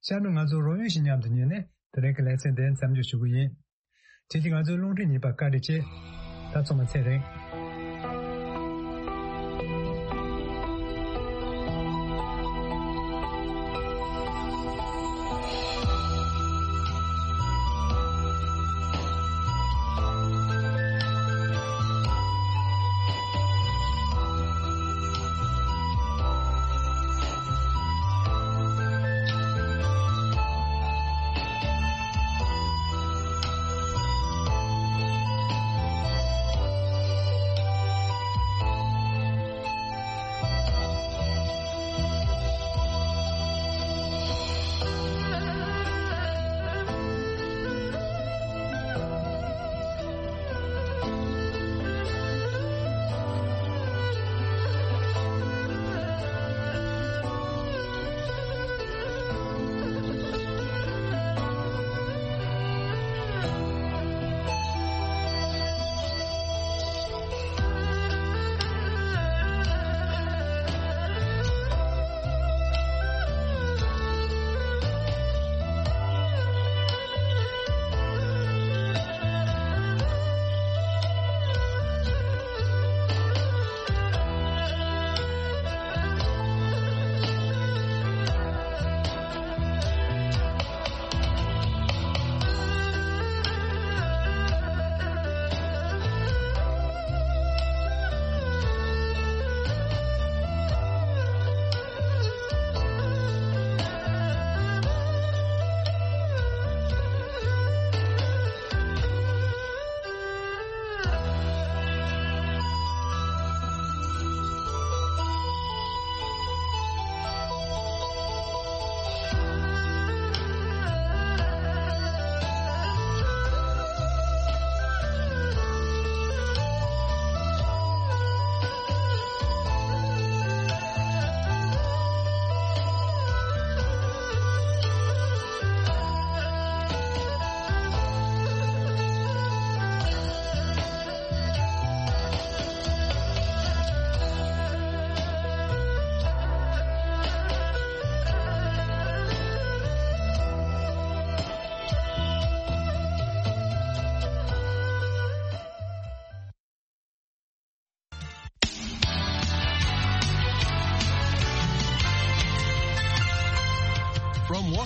ཤར་ནས་ང་ཚོ་རོགས་ཡོད་ཞིག་མཉམ་དུ་ཉན་ནས་དེ་རིང་གི་ལེ་ཚན་འདི་མཚམས་འཇོག་ཞུ་གི་ཡིན། དེ་བཞིན་ང་ཚོའི་རླུང་འཕྲིན་ཉན་པར་བཀའ་དྲིན་ཆེ། ད་ཚང་མ་ཚེ་རིང་།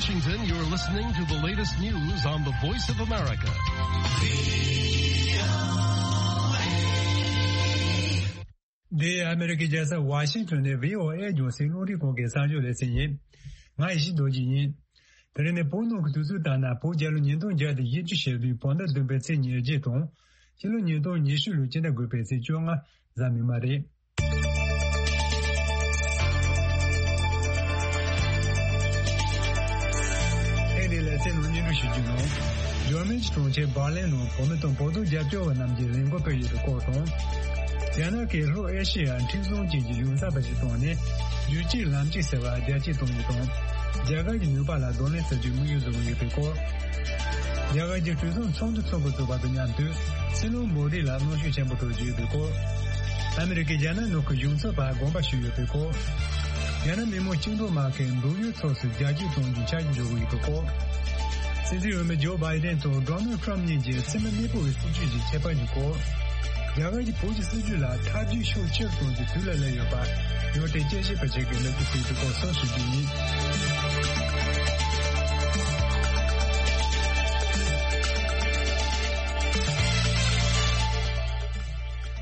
Washington, you're listening to the latest news on the Voice of America. འདི་ཨ་མི་རི་ཀའི་རྒྱལ་ས་ཝ་ཤིང་ཊོན་ནས་བྷི་ཨོ་ཨེ་རྒྱང་སྲིང་རླུང་འཕྲིན་ཁང་གི་གསར་འགྱུར་ལེ་ཚན་ཡིན། ང་ཡེ་ཤེས་རྡོ་རྗེ་ཡིན། དེ་རིང་ནི་བོད་ནང་གི་དུས་ཚོད་ལྟར་ན་བོད་རྒྱལ་ལོ་ཉིས་སྟོང་བརྒྱ་དང་བཞི་བཅུ་ཞེ་བདུན་བོད་ཟླ་བདུན་པའི་ཚེས་ཉེར་བརྒྱད་དང་། སྤྱི་ལོ་ཉིས་སྟོང་ཉི་ཤུ་ལོའི་སྤྱི་ཟླ་དགུ་པའི་ཚེས་བཅོ་ལྔ་གཟའ་མིག་དམར་རེད། ཐེངས་འདིའི་ལེ་ཚན་ནང་སྙན་སྒྲོན་ཞུ་རྒྱུ་ནང་། འཇར་མན་གྱི་གྲོང་ཁྱེར་འབར་ལིན་ནང་བོད་མི་དང་བོད་དོན་རྒྱབ་སྐྱོར་བ་རྣམས་ཀྱིས་ལས་འགུལ་སྤེལ་ཡོད་པའི་སྐོར་དང་། རྒྱ་ནག་གིས་ལྷོ་ཨེ་ཤེ་ཡ་མཁྲེགས་བཟུང་ཅན་གྱི་གཞུང་ཚབ་པ་ཞིག་བཏང་ནས་རྒྱུད་གཅིག་ལམ་གཅིག་ཟེར་བར་རྒྱ་སྐྱེད་གཏོང་རྒྱུ་དང་། རྒྱ་གར་གྱི་ནུས་པ་ལ་གདོང་ལེན་བྱ་རྒྱུའི་དམིགས་ཡུལ་བཟུང་ཡོད་པའི་སྐོར། རྒྱ་གར་གྱི་གྲོས་ཚོགས་ཚོགས་འདུ་འཚོགས་འགོ་བཙུགས་པ་དང་མཉམ་དུ། སྲིད་བློན་མོ་དི་ལ་གནོན་ཤུགས་ཆེན་པོ་སྤྲོད་རྒྱུ་ཡོད་པའི་སྐོར། ཨ་མི་རི་ཀས་རྒྱ་ནག་ནང་གི་གཞུང་ཚབ་པར་དགོངས་པ་ཞུས་ཡོད་པའི་སྐོར། རྒྱ་ནག་མི་དམངས་བཅིངས་འགྲོལ་དམག་གིས་འབྲུག་ཡུལ་ཕྱོགས་སུ་རྒྱ་སྐྱེད་གཏོང་རྒྱུའི་འཆར་གཞི་འཇོག་གི་ཡོད་པའི་སྐོར། སྲིད་འཛིན་འོས་མི་ཇོ་བྷའི་ཌེན་དང་ཌོ་ནལ་ཊམ་གཉིས་ཀྱི་མཚན་མོ་གནས་སྤོ་བའི་སྲིད་ཇུས་ཀྱི་ཁྱད་པར་གྱི་སྐོར། རྒྱ་གར་གྱིས་བོད་ཀྱི་སྲིད་ཇུས་ལ་ཐབས་ཇུས་ཤུགས་ཆེ་རུ་གཏོང་རྒྱུའི་དུས་ལ་སླེབས་ཡོད་པ། ཡོད་དེ་དཔྱད་ཞིབ་པ་ཞིག་གིས་ལེགས་པོ་གསལ་དུ་སྐོར་གསལ་ཞུ་རྒྱུ་ཡིན།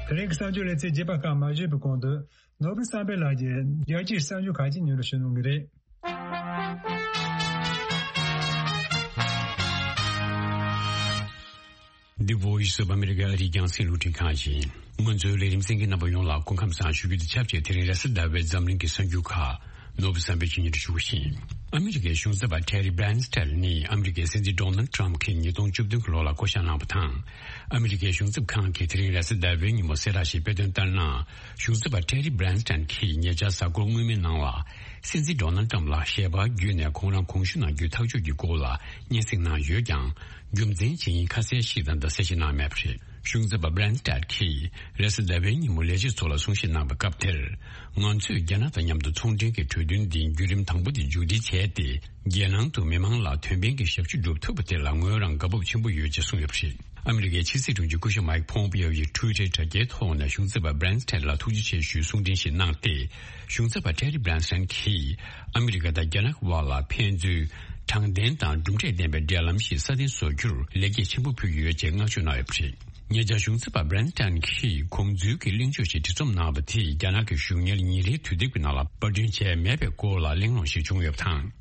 དེ་རིང་གི་གསར་འགྱུར་ལེ་ཚན་རྒྱས་པ་ཁག་མ་ཞུས་པའི་གོང་དུ། ནོར་བུ་བསམ་འཕེལ་ལགས་ཀྱིས་རྒྱལ་སྤྱིའི་གསར་འགྱུར་ཁག་ཅིག་སྙན་སྒྲོན་ཞུ་གནང་གི་རེད། The Voice of America ཨ་རིའི་རྒྱང་སྲིང་རླུང་འཕྲིན་ཁང་ཡིན། ང་ཚོའི་ལས་རིམ་གསན་མཁན་རྣམ་པ་ཡོངས་ལ་སྐུ་ཁམས་བཟང་ཞུ་རྒྱུ་དང་ཆབས་ཅིག་དེ་རིང་རེས་གཟའ་ཟླ་བའི་འཛམ་གླིང་གི་གསར་འགྱུར་ཁག་ནོར་བུ་བསམ་འཕེལ་གྱིས་སྙན་སྒྲོན་ཞུ་གི་ཡིན། ཨ་མི་རི་ཀའི་གཞུང་ཚབ་པ་ཊེ་རི་བྷི་རན་སི་ཊན་ནི་ཨ་མི་རི་ཀའི་སྲིད་འཛིན་ཌོ་ནལ་ཊམ་གྱིས་ཉིས་སྟོང་བཅུ་བདུན་གྱི་ལོ་ལ་བསྐོ་བཞག་གནང་བ་དང་། ཨ་མི་རི་ཀའི་གཞུང་ཚབ་ཁང་གིས་དེ་རིང་རེས་གཟའ་ཟླ་བའི་ཉིན་མོ་གསལ་བསྒྲགས་ཤིག་སྤེལ་དོན་ལྟར་ན། གཞུང་ཚབ་པ་ཊེ་རི་བྷི་རན་སི་ཊན་གྱིས་ཉེ་ཆར་གཟའ་འཁོར་སྔོན་མའི་ནང་ལ། སྲིད་འཛིན་ཌོ་ནལ་ཊམ་ལ་ཞལ་པར་བརྒྱུད་ནས་ཁོང་རང་གོང་ཞུ་གནང་རྒྱུའི་ཐག་གཅོད་ཀྱི་སྐོར་ལ་སྙན་སེང་གནང་ཡོད་ཀྱང་། རྒྱུ་མཚན་ཇི་ཡིན་ཁ་གསལ་ཞིག་དང་འདང་གསལ་ཞིག་གནང་མེད་པ་རེད། གཞུང་ཚབ་པ་བྷི་རན་སི་ཊན་གྱིས་རེས་གཟའ་ཟླ་བའི་ཉིན་མོ་ལས་བྱེད་ཚོ་ལ་གསུང་བཤད་གནང་བའི་སྐབས་དེར། ང་ཚོས་རྒྱ་ནག་དང་མཉམ་དུ་ཚོང་འབྲེལ་གྱི་གྲོས་མཐུན་འདིའི་བརྒྱུད་རིམ་དང་པོ་དེ་མཇུག་སྒྲིལ་བྱས་ཏེ། རྒྱལ་ནང་དུ་མི་མང་ལ་ཐོན་སྤེལ་གྱི་ཞབས་ཞུ་སྒྲུབ་ཐུབ་པ་དེ་ལ་ངོས་རང་དགའ་སྤོབས་ཆེན་པོ་ཡོད་ཅེས་གསུངས་ཡོད་པ་རེད། ཨ་མི་རི་ཀའི་ཕྱི་སྲིད་དྲུང་ཆེ་སྐུ་ཞབས་མའིག་ཕོམ་པེའོ་ཡིས་ཊུའི་ཊར་དྲ་རྒྱའི་ཐོག་ནས་གཞུང་ཚབ་པ་བྷི་རན་སི་ཊན་ལ་ཐུགས་རྗེ་ཆེ་ཞུའི་གསུང་འཕྲིན་ཞིག་གནང་སྟེ། གཞུང་ཚབ་པ་ཊེ་རི་བྷི་རན་སི་ཊན་གྱིས་ཨ་མི་རི་ཀ་དང་རྒྱ་ནག་དབར་ལ་ཕན་ཚུན་དྲང་བདེན་དང་གྲུབ་འབྲས་ལྡན་པའི་འབྲེལ་ལམ་ཞིག་སྲ་བརྟན་བཟོ་རྒྱུར་ལེགས་སྐྱེས་ཆེན་པོ་ཕུལ་ཡོད་ཅེས་བསྔགས་བརྗོད་གནང་ཡོད་པ་རེད། ཉེ་ཆར་གཞུང་ཚབ་པ་བྷི་རན་སི་ཊན་གྱིས་དགོངས་ཚུལ་གྱི་གླེང་བརྗོད་ཞིག་བྲིས་རྩོམ་གནང་བ་དེས་རྒྱ་ནག་གི་གཞུང་གཉེར་ཉིན་རེའི་དུས་དེབ་ཀྱི་ནང་ལ་པར་སྐྲུན་བྱས་མེད་པའི་སྐོར་ལ་གླེང་སློང་ཞིག་བྱུང་ཡོད་པ་དང་།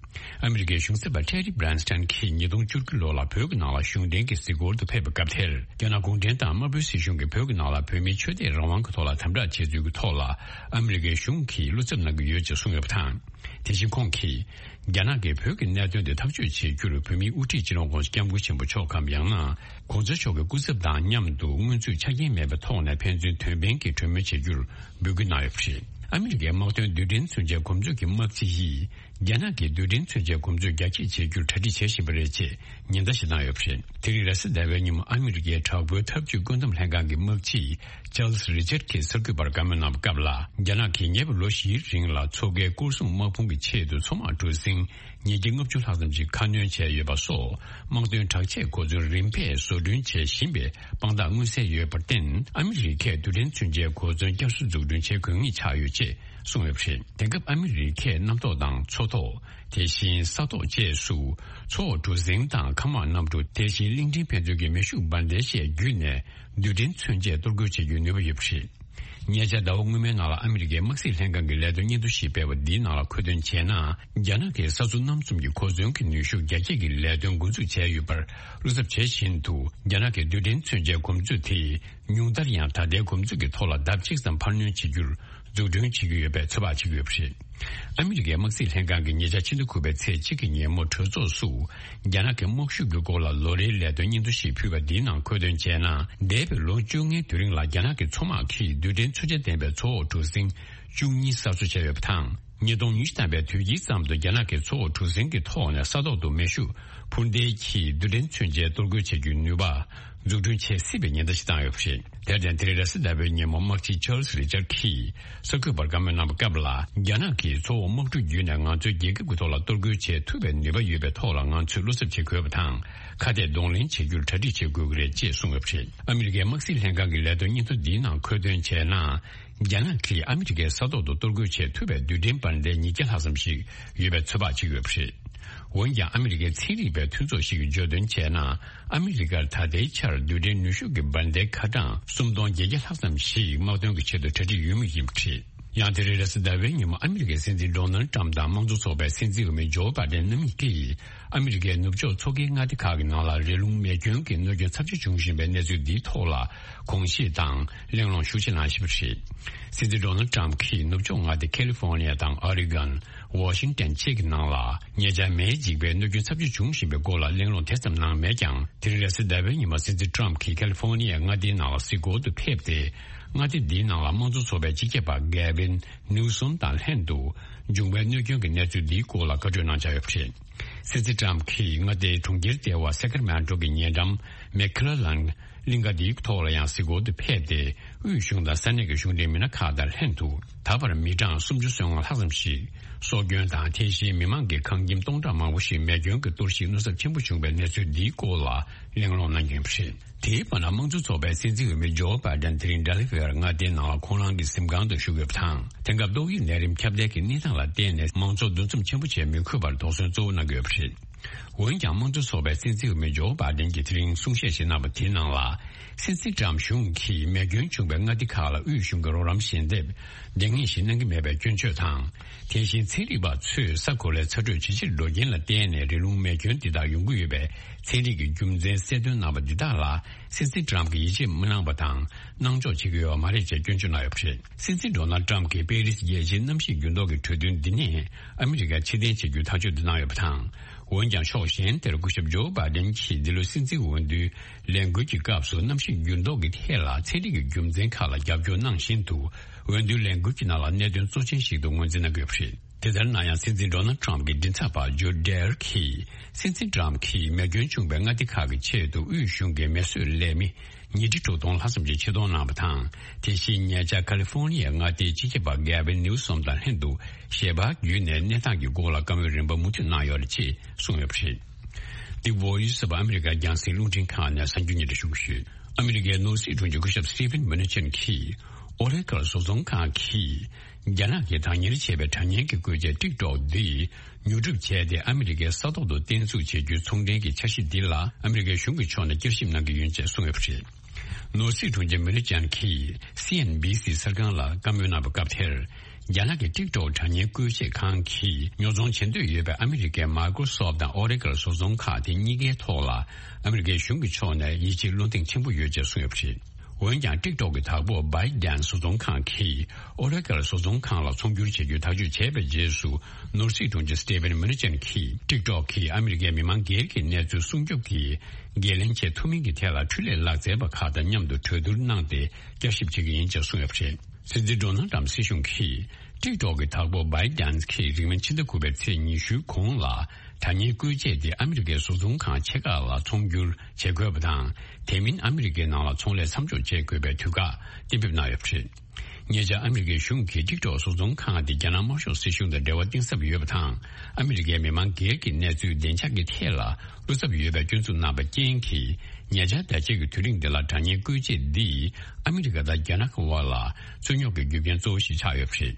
ཨ་མི་རི་ཀའི་གཞུང་ཚབ་པ་ཊེ་རི་བྷི་རན་སི་ཊན་གྱིས་ཉིས་སྟོང་བཅུ་དགུ་ལོ་ལ་བོད་ཀྱི་ནང་ལ་གཞུང་འབྲེལ་གྱི་གཟིགས་སྐོར་དུ་ཕེབས་པའི་སྐབས་དེར། རྒྱ་ནག་གུང་ཁྲན་ཏང་དམར་པོའི་སྲིད་གཞུང་གིས་བོད་ཀྱི་ནང་ལ་བོད་མིའི་ཆོས་དད་རང་དབང་གི་ཐོག་ལ་དམ་དྲག་བྱས་ཚུལ་གྱི་ཐོག་ལ་ཨ་མི་རི་ཀའི་གཞུང་གིས་བློ་འཚབ་གནང་གི་ཡོད་ཅེས་གསུངས་ཡོད་པ་དང་། དེ་བཞིན་ཁོང་གིས། རྒྱ་ནག་གིས་བོད་ཀྱི་གནད་དོན་དེ་ཐག་གཅོད་བྱེད་རྒྱུར་བོད་མིའི་དབུ་ཁྲིད་སྤྱི་ནོར་༧གོང་ས་༧སྐྱབས་མགོན་ཆེན་པོ་མཆོག་གམ་ཡང་ན། ༧གོང་ས་མཆོག་གི་སྐུ་ཚབ་དང་མཉམ་དུ་སྔོན་ཚུད་ཆ་རྐྱེན་མེད་པའི་ཐོག་ནས་ཕན་ཚུན་དོན་ཕན་གྱི་གྲོས་མོལ་བྱེད་རྒྱུར་འབོད་སྐུལ་གནང་ཡོད་པ་རེད། ཨ་མི་རི་ཀའི་དམག་དོན་རྡུལ་ཕྲན་མཚོན་ཆའི་གོམ་བགྲོད་ཀྱི་དམག་སྤྱི་ཡིས། རྒྱ་ནག་གིས་རྡུལ་ཕྲན་མཚོན་ཆའི་གོམ་བགྲོད་རྒྱ་སྐྱེད་བྱེད་རྒྱུར་གྲ་སྒྲིག་བྱེད་བཞིན་པ་རེད་ཅེས་ཉེན་བརྡ་ཞིག་བཏང་ཡོད་པ་རེད། དེ་རིང་རེས་གཟའ་ཟླ་བའི་ཉིན་མོ་ཨ་མི་རི་ཀའི་དྲག་པོའི་འཐབ་ཇུས་བཀོད་འདོམས་ལྷན་ཁང་གི་དམག་སྤྱི་ཅཱལ་སི་རི་ཅར་གྱིས་གསར་འགོད་པར་བཀའ་མོལ་གནང་བའི་སྐབས་ལ། རྒྱ་ནག་གིས་ཉེ་བའི་ལོ་བཞིའི་རིང་ལ་མཚོ་ཁའི་སྐོར་སྲུང་དམག་དཔུང་གི་ཆེད་དུ་མཚོ་དམག་གྲུ་གཟིངས་ཉིས་བརྒྱ་ལྔ་བཅུ་ལྷག་ཙམ་ཞིག་ཁ་སྣོན་བྱས་ཡོད་པ་སོགས། དམག་དོན་དྲག་ཆས་གོ་མཚོན་རིམ་པས་བཟོ་སྐྲུན་བྱེད་བཞིན་པའི་དཔང་རྟགས་མངོན་གསལ་ཡོད་པར་བརྟེན། ཨ་མི་རི་ཀས་རྡུལ་ཕྲན་མཚོན་ཆའི་གོ་མཚོན་བསྐྱར་གསོ་འཛུགས་སྐྲུན་བྱེད་དགོས་ངེས་ཆགས་ཡོད་ཅེས་གསུངས་ཡོད་པ་རེད། དེང་སྐབས་ཨ་མི་རི་ཀས་གནམ་ཐོག་དང་མཚོ་ཐོག་དེ་བཞིན་ས་ཐོག་བཅས་སུ། མཚོ་འོག་གྲུ་གཟིངས་དང་མཁའ་དམག་གནམ་གྲུ། དེ་བཞིན་གླིང་ཕྲན་ཕན་ཚུན་གྱི་མེ་ཤུགས་འབར་མདེལ་བཅས་བརྒྱུད་ནས་རྡུལ་ཕྲན་མཚོན་ཆས་གཏོར་རྒོལ་བྱེད་རྒྱུའི་ནུས་པ་ཡོད་པ་རེད། ཉེ་ཆར་ཟླ་བ་སྔོན་མའི་ནང་ལ་ཨ་མི་རི་ཀའི་དམག་སྲིད་ལྷན་ཁང་གི་ལས་དོན་སྙན་ཐོ་ཞིག་སྤེལ་བ་འདིའི་ནང་ལ་འཁོད་དོན་བྱས་ན། རྒྱ་ནག་གིས་ས་མཚོ་གནམ་གསུམ་གྱི་གོ་མཚོན་གྱི་ནུས་ཤུགས་རྒྱ་སྐྱེད་ཀྱི་ལས་དོན་འགོ་འཛུགས་བྱས་ཡོད་པར་བློ་འཚབ་བྱེད་བཞིན་དུ། རྒྱ་ནག་གིས་རྡུལ་ཕྲན་མཚོན་ཆའི་གོམ་མཛོད་དེ་ཉུང་མཐར་ཡང་ད་ལྟའི་གོམ་མཛོད་ཀྱི་ཐོག་ལ་ལྡབ་གཅིག་ཙམ་འཕར་སྣོན་བྱེད་རྒྱུར་འཛུགས་སྐྲུན་བྱེད་ཀྱི་ཡོད་པའི་ཚོད་དཔག་བྱེད་ཀྱི་ཡོད་པ་རེད། ཨ་མི་རི་ཀའི་དམག་སྲིད་ལྷན་ཁང་གིས་ཉེ་ཆར་ཕྱི་ཟླ་དགུ་པའི་ཚེས་གཅིག་གི་ཉིན་མོ་གྲོས་ཚོགས་སུ། རྒྱ་ནག་གི་དམག་ཤུགས་ཀྱི་སྐོར་ལ་ལོ་རེའི་ལས་དོན་སྙན་ཐོ་ཞིག་ཕུལ་བ་འདིའི་ནང་འཁོད་དོན་བྱས་ན། འདས་པའི་ལོ་བཅོ་ལྔའི་དུས་རིང་ལ་རྒྱ་ནག་གི་མཚོ་དམག་གིས་རྡུལ་ཕྲན་མཚོན་ཆ་ལྡན་པའི་མཚོ་འོག་གྲུ་གཟིངས་བཅུ་གཉིས་གསར་བཟོ་བྱས་ཡོད་པ་དང་། ཉིས་སྟོང་ཉི་ཤུ་ཐམ་པའི་དུས་དཀྱིལ་ཙམ་དུ་རྒྱ་ནག་གིས་མཚོ་འོག་གྲུ་གཟིངས་ཀྱི་ཐོག་ནས་ས་ཐོག་ཏུ་མེ་ཤུགས་འཕུར་མདེལ་གྱིས་རྡུལ་ཕྲན་མཚོན་ཆས་གཏོར་རྒོལ་བྱེད་རྒྱུའི་ནུས་པ། འཛུགས་སྐྲུན་བྱེད་སྲིད་པའི་ཉེན་བརྡ་ཞིག་བཏང་ཡོད་པ་རེད། དེར་བརྟེན། དེ་རིང་རེས་གཟའ་ཟླ་བའི་ཉིན་མོ་དམག་སྤྱི་ཅཱལ་སི་རི་ཅར་གྱིས་གསར་འགོད་པར་བཀའ་མོལ་གནང་བའི་སྐབས་ལ། རྒྱ་ནག་གིས་མཚོ་འོག་དམག་གྲུ་བརྒྱུད་ནས་ང་ཚོའི་རྒྱལ་ཁབ་ཀྱི་ཐོག་ལ་གཏོར་རྒོལ་བྱེད་ཐུབ་པའི་ནུས་པ་ཡོད་པའི་ཐོག་ལ་ང་ཚོས་བློ་འཚབ་བྱེད་དགོས་པ་དང་། ཁ་གཏད་གདོང་ལེན་བྱེད་རྒྱུར་གྲ་སྒྲིག་བྱེད་དགོས་ཀྱི་རེད་ཅེས་གསུངས་ཡོད་པ་རེད། ཨ་མི་རི་ཀའི་དམག་སྲིད་ལྷན་ཁང་གི་ལས་དོན་སྙན་ཐོ་འདིའི་ནང་འཁོད་དོན་བྱས་ན། རྒྱ་ནག་གིས་ཨ་མི་རི་ཀའི་ས་ཐོག་ཏུ་གཏོར་རྒོལ་བྱེད་ཐུབ་པའི་རྡུལ་ཕྲན་འབར་མདེལ་ཉིས་བརྒྱ་ལྷག་ཙམ་ཞིག་ཡོད་པའི་ཚོད་དཔག་བྱེད་ཀྱི་ཡོད་པ་རེད། འོན་ཀྱང་ཨ་མི་རི་ཀའི་ཚན་རིག་པའི་མཐུན་ཚོགས་ཤིག་གིས་བརྗོད་དོན་བྱས་ན། ཨ་མི་རི་ཀར་ད་ལྟའི་ཆར་རྡུལ་ཕྲན་ནུས་ཤུགས་ཀྱི་འབར་མདེལ་ཁ་གྲངས་སུམ་སྟོང་བརྒྱད་བརྒྱ་ལྷག་ཙམ་ཞིག་དམག་དོན་གྱི་ཆེད་དུ་གྲ་སྒྲིག་ཡོད་མུས་ཡིན་པ་རེད། ཡང་དེ་རིང་རེས་གཟའ་ཟླ་བའི་ཉིན་མོ་ཨ་མི་རི་ཀའི་སྲིད་འཛིན་ཌོ་ནལ་ཊམ་དང་དམངས་གཙོ་ཚོགས་པའི་སྲིད་འཛིན་འོས་མི་ཇོ་བྷ་ཌེན་རྣམ་གཉིས་ཀྱིས་ཨ་མི་རི་ཀའི་ནུབ་ཕྱོགས་མཚོ་ཁའི་མངའ་སྡེ་ཁག་གི་ནང་ལ་རི་ཀླུང་མེ་སྐྱོན་གྱི་གནོད་སྐྱོན་ཚབས་ཆེ་བྱུང་བཞིན་པའི་གནས་ཚུལ་འདིའི་ཐོག་ལ་དགོངས་བཞེས་དང་གླེང་སློང་ཤུགས་ཆེ་གནང་བཞིན་པ་རེད། སྲིད་འཛིན་ཌོ་ནལ་ཊམ་གྱིས་ནུབ་ཕྱོགས་མངའ་སྡེ་ཁ་ལི་ཧྥོ་ནི་ཡ་དང་ཨོ་རི་གོན། ཝ་ཤིང་ཏན་བཅས་ཀྱི་ནང་ལ་ཉེ་ཆར་མེས་འཇིགས་པའི་གནོད་སྐྱོན་ཚབས་ཆེ་བྱུང་བཞིན་པའི་སྐོར་ལ་གླེང་སློང་དེ་ཙམ་གནང་མེད་ཀྱང་། དེ་རིང་རེས་གཟའ་ཟླ་བའི་ཉིན་མ་སྲིད་འཛིན་ཊམ་གྱིས་ཁ་ལི་ཧྥོ་ནི་ཡའི་མངའ་སྡེའི་ནང་ལ་གཟིགས་སྐོར་དུ་ཕེབས་ཏེ། མངའ་སྡེ་འདིའི་ནང་ལ་དམངས་གཙོ་ཚོགས་པའི་སྤྱི་ཁྱབ་པ་གེ་ཝིན་ནིའུ་སོམ་དང་ལྷན་དུ་འབྱུང་བའི་གནོད་སྐྱོན་གྱི་གནས་ཚུལ་འདིའི་སྐོར་ལ་བཀའ་འཁྲོལ་གནང་འཆར་ཡོད་པ་རེད། སྲིད་འཛིན་ཊམ་གྱིས་མངའ་སྡེའི་གྲོང་ཁྱེར་ལྟེ་བ་ས་ཀར་མན་ཊོ་གི་ཉེ་འགྲམ་མེ་ཁི་ལ་ལན་གླིང་ག་འདིའི་ཐོག་ལ་ཡང་གཟིགས་སྐོར་དུ་ཕེབས་ཏེ། དབུས་གཞུང་དང་ས་གནས་ཀྱི་གཞུང་འབྲེལ་མི་སྣ་ཁག་དང་ལྷན་དུ། ད་བར་མི་གྲངས་སུམ་ཅུ་སོ་ལྔ་ལྷག་ཙམ་ཞིག་སྲོག་སྐྱོན་དང་། དེ་བཞིན་མི་མང་གི་ཁང་ཁྱིམ་སྟོང་ཕྲག་མང་པོ་ཞིག་མེ་སྐྱོན་གྱི་གཏོར་བཤིག་གནོད་ཚབས་ཆེན་པོ་བྱུང་བའི་གནས་ཚུལ་འདིའི་སྐོར་ལ་གླེང་སློང་གནང་གི་ཡོད་པ་རེད། དེའི་བར་ན་དམངས་གཙོ་ཚོགས་པའི་སྲིད་འཛིན་འོས་མི་ཇོ་བྷ་ཌེན་དེ་རིང་ཌེ་ལི་ཝེར་མངའ་སྡེའི་ནང་ལ་ཁོང་རང་གི་གཟིམ་ཁང་དུ་བཞུགས་ཡོད་པ་དང་། དེང་སྐབས་ཏོག་དབྱིབས་ནད་རིམས་ཁྱབ་གདལ་གྱི་གནས་སྟངས་ལ་བརྟེན་ནས་མང་ཚོགས་འདུ་འཛོམས་ཆེན་པོ་བྱེད་མི་དགོས་པར་དོགས་ཟོན་གཙོ་བོ་གནང་གི་ཡོད་པ་རེད། འོན་ཀྱང་དམངས་གཙོ་ཚོགས་པའི་སྲིད་འཛིན་འོས་མི་ཇོ་བྷ་ཌེན་གྱིས་དེ་རིང་གསུང་བཤད་ཞིག་གནང་བ་དེའི་ནང་ལ། སྲིད་འཛིན་ཊམ་གཞུང་གིས་མེ་སྐྱོན་བྱུང་བའི་མངའ་སྡེ་ཁག་ལ་དབུས་གཞུང་གི་རོགས་རམ་ཞལ་འདེབས་འདང་ངེས་ཤིག་གནང་གི་མེད་པའི་སྐྱོན་བརྗོད་དང་། དེ་བཞིན་ཚན་རིག་པ་ཚོས་ས་གོ་ལའི་ཚ་དྲོད་ཇེ་ཆེར་འགྲོ་རྐྱེན་ལ་བརྟེན་ནས་རི་ཀླུང་མེ་སྐྱོན་འདི་དག་ཡོང་གི་ཡོད་པའི་ཚན་རིག་གི་རྒྱུ་མཚན་གསལ་སྟོན་གནང་བ་འདི་དག་ལ། སྲིད་འཛིན་ཊམ་གྱིས་ཡིད་ཆེས་མ་གནང་བ་དང་། སྣང་འཇོག་བྱེད་ཀྱི་ཡོད་པ་མ་རེད་ཅེས་སྐྱོན་བརྗོད་གནང་ཡོད་པ་རེད། སྲིད་འཛིན་ཌོ་ནལ་ཊམ་གྱིས་པེ་རིས་རྒྱལ་སྤྱིའི་གནམ་གཤིས་འགྱུར་ལྡོག་གི་གྲོས་མཐུན་འདི་ནས་ཨ་མི་རི་ཀར་ཕྱིར་འཐེན་བྱེད་རྒྱུའི་ཐག་གཅོད་འདི་གནང་ཡོད་པ་དང་། འོན་ཀྱང་ཕྱོགས་གཞན་དེར་སྐུ་ཞབས་ཇོ་བྷ་ཌེན་གྱིས་འདི་ལོའི་སྲིད་འཛིན་འོས་བསྡུའི་ལས་འགུལ་གྱི་སྐབས་སུ་གནམ་གཤིས་འགྱུར་ལྡོག་གི་ཐད་ལ་ཚན་རིག་གི་རྒྱུ་མཚན་ཁག་ལ་རྒྱབ་སྐྱོར་གནང་བཞིན་དུ། འོས་བསྡུའི་ལས་འགུལ་གྱི་ནང་ལ་གནད་དོན་གཙོ་ཆེན་ཞིག་ཏུ་ངོས་འཛིན་གནང་དགོས་པ་རེད། དེ་ལྟར་ན་ཡང་སྲིད་འཛིན་ཌོ་ནལ་ཊམ་གྱི་མགྲིན་ཚབ་པ་ཇོ་ཌེར་གྱིས། སྲིད་འཛིན་ཊམ་གྱིས་མེ་སྐྱོན་བྱུང་བའི་མངའ་སྡེ་ཁག་གི་ཆེད་དུ་དབུས་གཞུང་གི་མེ་གསོད་ལས་མི་ཉིས་ཁྲི་དྲུག་སྟོང་ལྷག་ཙམ་ཞིག་ཆེད་གཏོང་གནང་བ་དང་། དེ་བཞིན་ཉེ་ཆར་ཁ་ལི་ཧྥོ་ནི་ཡའི་མངའ་སྡེའི་སྤྱི་ཁྱབ་པ་གེ་ཝིན་ནིའུ་སོམ་དང་ལྷན་དུ་ཞལ་པར་བརྒྱུད་ནས་གནས་སྟངས་ཀྱི་སྐོར་ལ་བཀའ་མོལ་རིམ་པ་མུ་མཐུད་གནང་ཡོད་རེད་ཅེས་གསུངས་ཡོད་པ་རེད། འདི་བོ་ཡི་སི་ཨ་མི་རི་ཀ་རྒྱང་སྲིང་རླུང་འཕྲིན་ཁང་ནས་གསར་འགྱུར་སྙན་སྒྲོན་ཞུ་གི་ཡོད། ཨ་མི་རི་ཀའི་ནོར་སྲིད་དྲུང་ཆེ་སྐུ་ཞབས་སི་ཊི་ཕན་མུ་ནེ་ཆན་གྱིས། ཨོ་རེ་ཀལ་བཟོ་ཚོང་ཁང་གིས། རྒྱ་ནག་གིས་བདག་གཉེར་བྱས་པའི་དྲ་བརྙན་གྱི་བཀོལ་ཆས་ཊིག་ཊོག་འདི་ཉོ་སྒྲུབ་བྱས་ཏེ། ཨ་མི་རི་ཀའི་ས་ཐོག་ཏུ་བརྟན་འཛུགས་བྱེད་རྒྱུའི་ཚོང་འབྲེལ་གྱི་འཆར་གཞི་འདི་ལ་ཨ་མི་རི་ཀའི་གཞུང་གི་ཕྱོགས་ནས་བསྐྱར་ཞིབ་གནང་གི་ཡིན་ཅེས་གསུངས་ཡོད་པ་རེད། ནོར་སྲིད་དྲུང་ཆེ་མུ་ནེ་ཆན་གྱིས་སི་ཨེན་བྷི་སི་གསར་ཁང་ལ་བཀའ་མོལ་གནང་བའི་སྐབས་དེར། རྒྱ་ནག་གི་ཊིག་ཊོག་དྲ་བརྙན་བཀོལ་ཆས་ཁང་གིས་ཉོ་ཚོང་བྱེད་འདོད་ཡོད་པའི་ཨ་མི་རི་ཀའི་མའི་ཀྲོ་སོབ་དང་ཨོ་རེ་ཀལ་བཟོ་ཚོང་ཁང་དེ་གཉིས་ཀའི་ཐོག་ལ་ཨ་མི་རི་ཀའི་གཞུང་གི་ཕྱོགས་ནས་ཡིད་ཆེས་བློ་འདེངས་ཆེན་པོ་ཡོད་ཅེས་གསུངས་ཡོད་པ་རེད། འོན་ཀྱང་ཊིག་ཊོག་གི་བདག་པོ་བྷའི་ཌན་བཟོ་ཚོང་ཁང་གིས་ཨོ་རེ་ཀལ་བཟོ་ཚོང་ཁང་ལ་ཚོང་སྒྱུར་བྱེད་རྒྱུའི་ཐག་གཅོད་བྱས་པའི་རྗེས་སུ། ནོར་སྲིད་དྲུང་ཆེ་སི་ཊི་ཕན་མུ་ནེ་ཆན་གྱིས་ཊིག་ཊོག་གིས་ཨ་མི་རི་ཀའི་མི་མང་སྒེར་གྱི་གནས་ཚུལ་སྲུང་སྐྱོབ་ཀྱི་འགན་ལེན་བྱེད་ཐུབ་མིན་གྱི་ཐད་ལ་འཕྲུལ་ལས་ལག་རྩལ་པ་ཁག་དང་མཉམ་དུ་གྲོས་བསྡུར་གནང་སྟེ་བསྐྱར་ཞིབ་བྱེད་ཀྱི་ཡིན་ཅེས་གསུངས་ཡོད་པ་རེད། སྲིད་འཛིན་ཌོ་ནལ་ཊམ་སྲིད་གཞུང་གིས་ཊིག་ཊོག་གི་བདག་པོ་བྷའི་ཌན་གྱིས་རིང་མིན་ཕྱི་ཟླ་དགུ་པའི་ཚེས་ཉི་ཤུའི་གོང་ལ། དྲ་བརྙན་བཀོལ་ཆས་དེ་ཨ་མི་རི་ཀའི་བཟོ་ཚོང་ཁང་ཆེ་ཁག་ལ་ཚོང་སྒྱུར་བྱེད་དགོས་པ་དང་། དེ་མིན་ཨ་མི་རི་ཀའི་ནང་ལ་ཚོང་ལས་མཚམས་འཇོག་བྱེད་དགོས་པའི་དུས་བཀག་གཏན་འབེབས་གནང་ཡོད་པ་རེད། ཉེ་ཆར་ཨ་མི་རི་ཀའི་གཞུང་གིས་ཊིག་ཊོག་བཟོ་ཚོང་ཁང་དེ་རྒྱ་ནག་དམར་ཤོག་སྲིད་གཞུང་དང་འབྲེལ་བ་གཏིང་ཟབ་ཡོད་པ་དང་། ཨ་མི་རི་ཀའི་མི་མང་སྒེར་གྱི་གནས་ཚུལ་བདེ་འཇགས་ཀྱི་ཐད་ལ་བློ་འཚབ་ཡོད་པའི་སྐྱོན་འཛུགས་གནང་བའི་རྐྱེན་གྱིས། ཉེ་ཆར་ཟླ་ཕྱེད་ཀྱི་དུས་རིང་འདི་ལ་དྲ་བརྙན་བཀོལ་ཆས་འདིས་ཨ་མི་རི་ཀ་དང་རྒྱ་ནག་གི་དབར་ལ་རྩོད་རྙོག་གི་རྒྱུ་རྐྱེན་གཙོ་བོ་ཞིག་ཆགས་ཡོད་པ་རེད།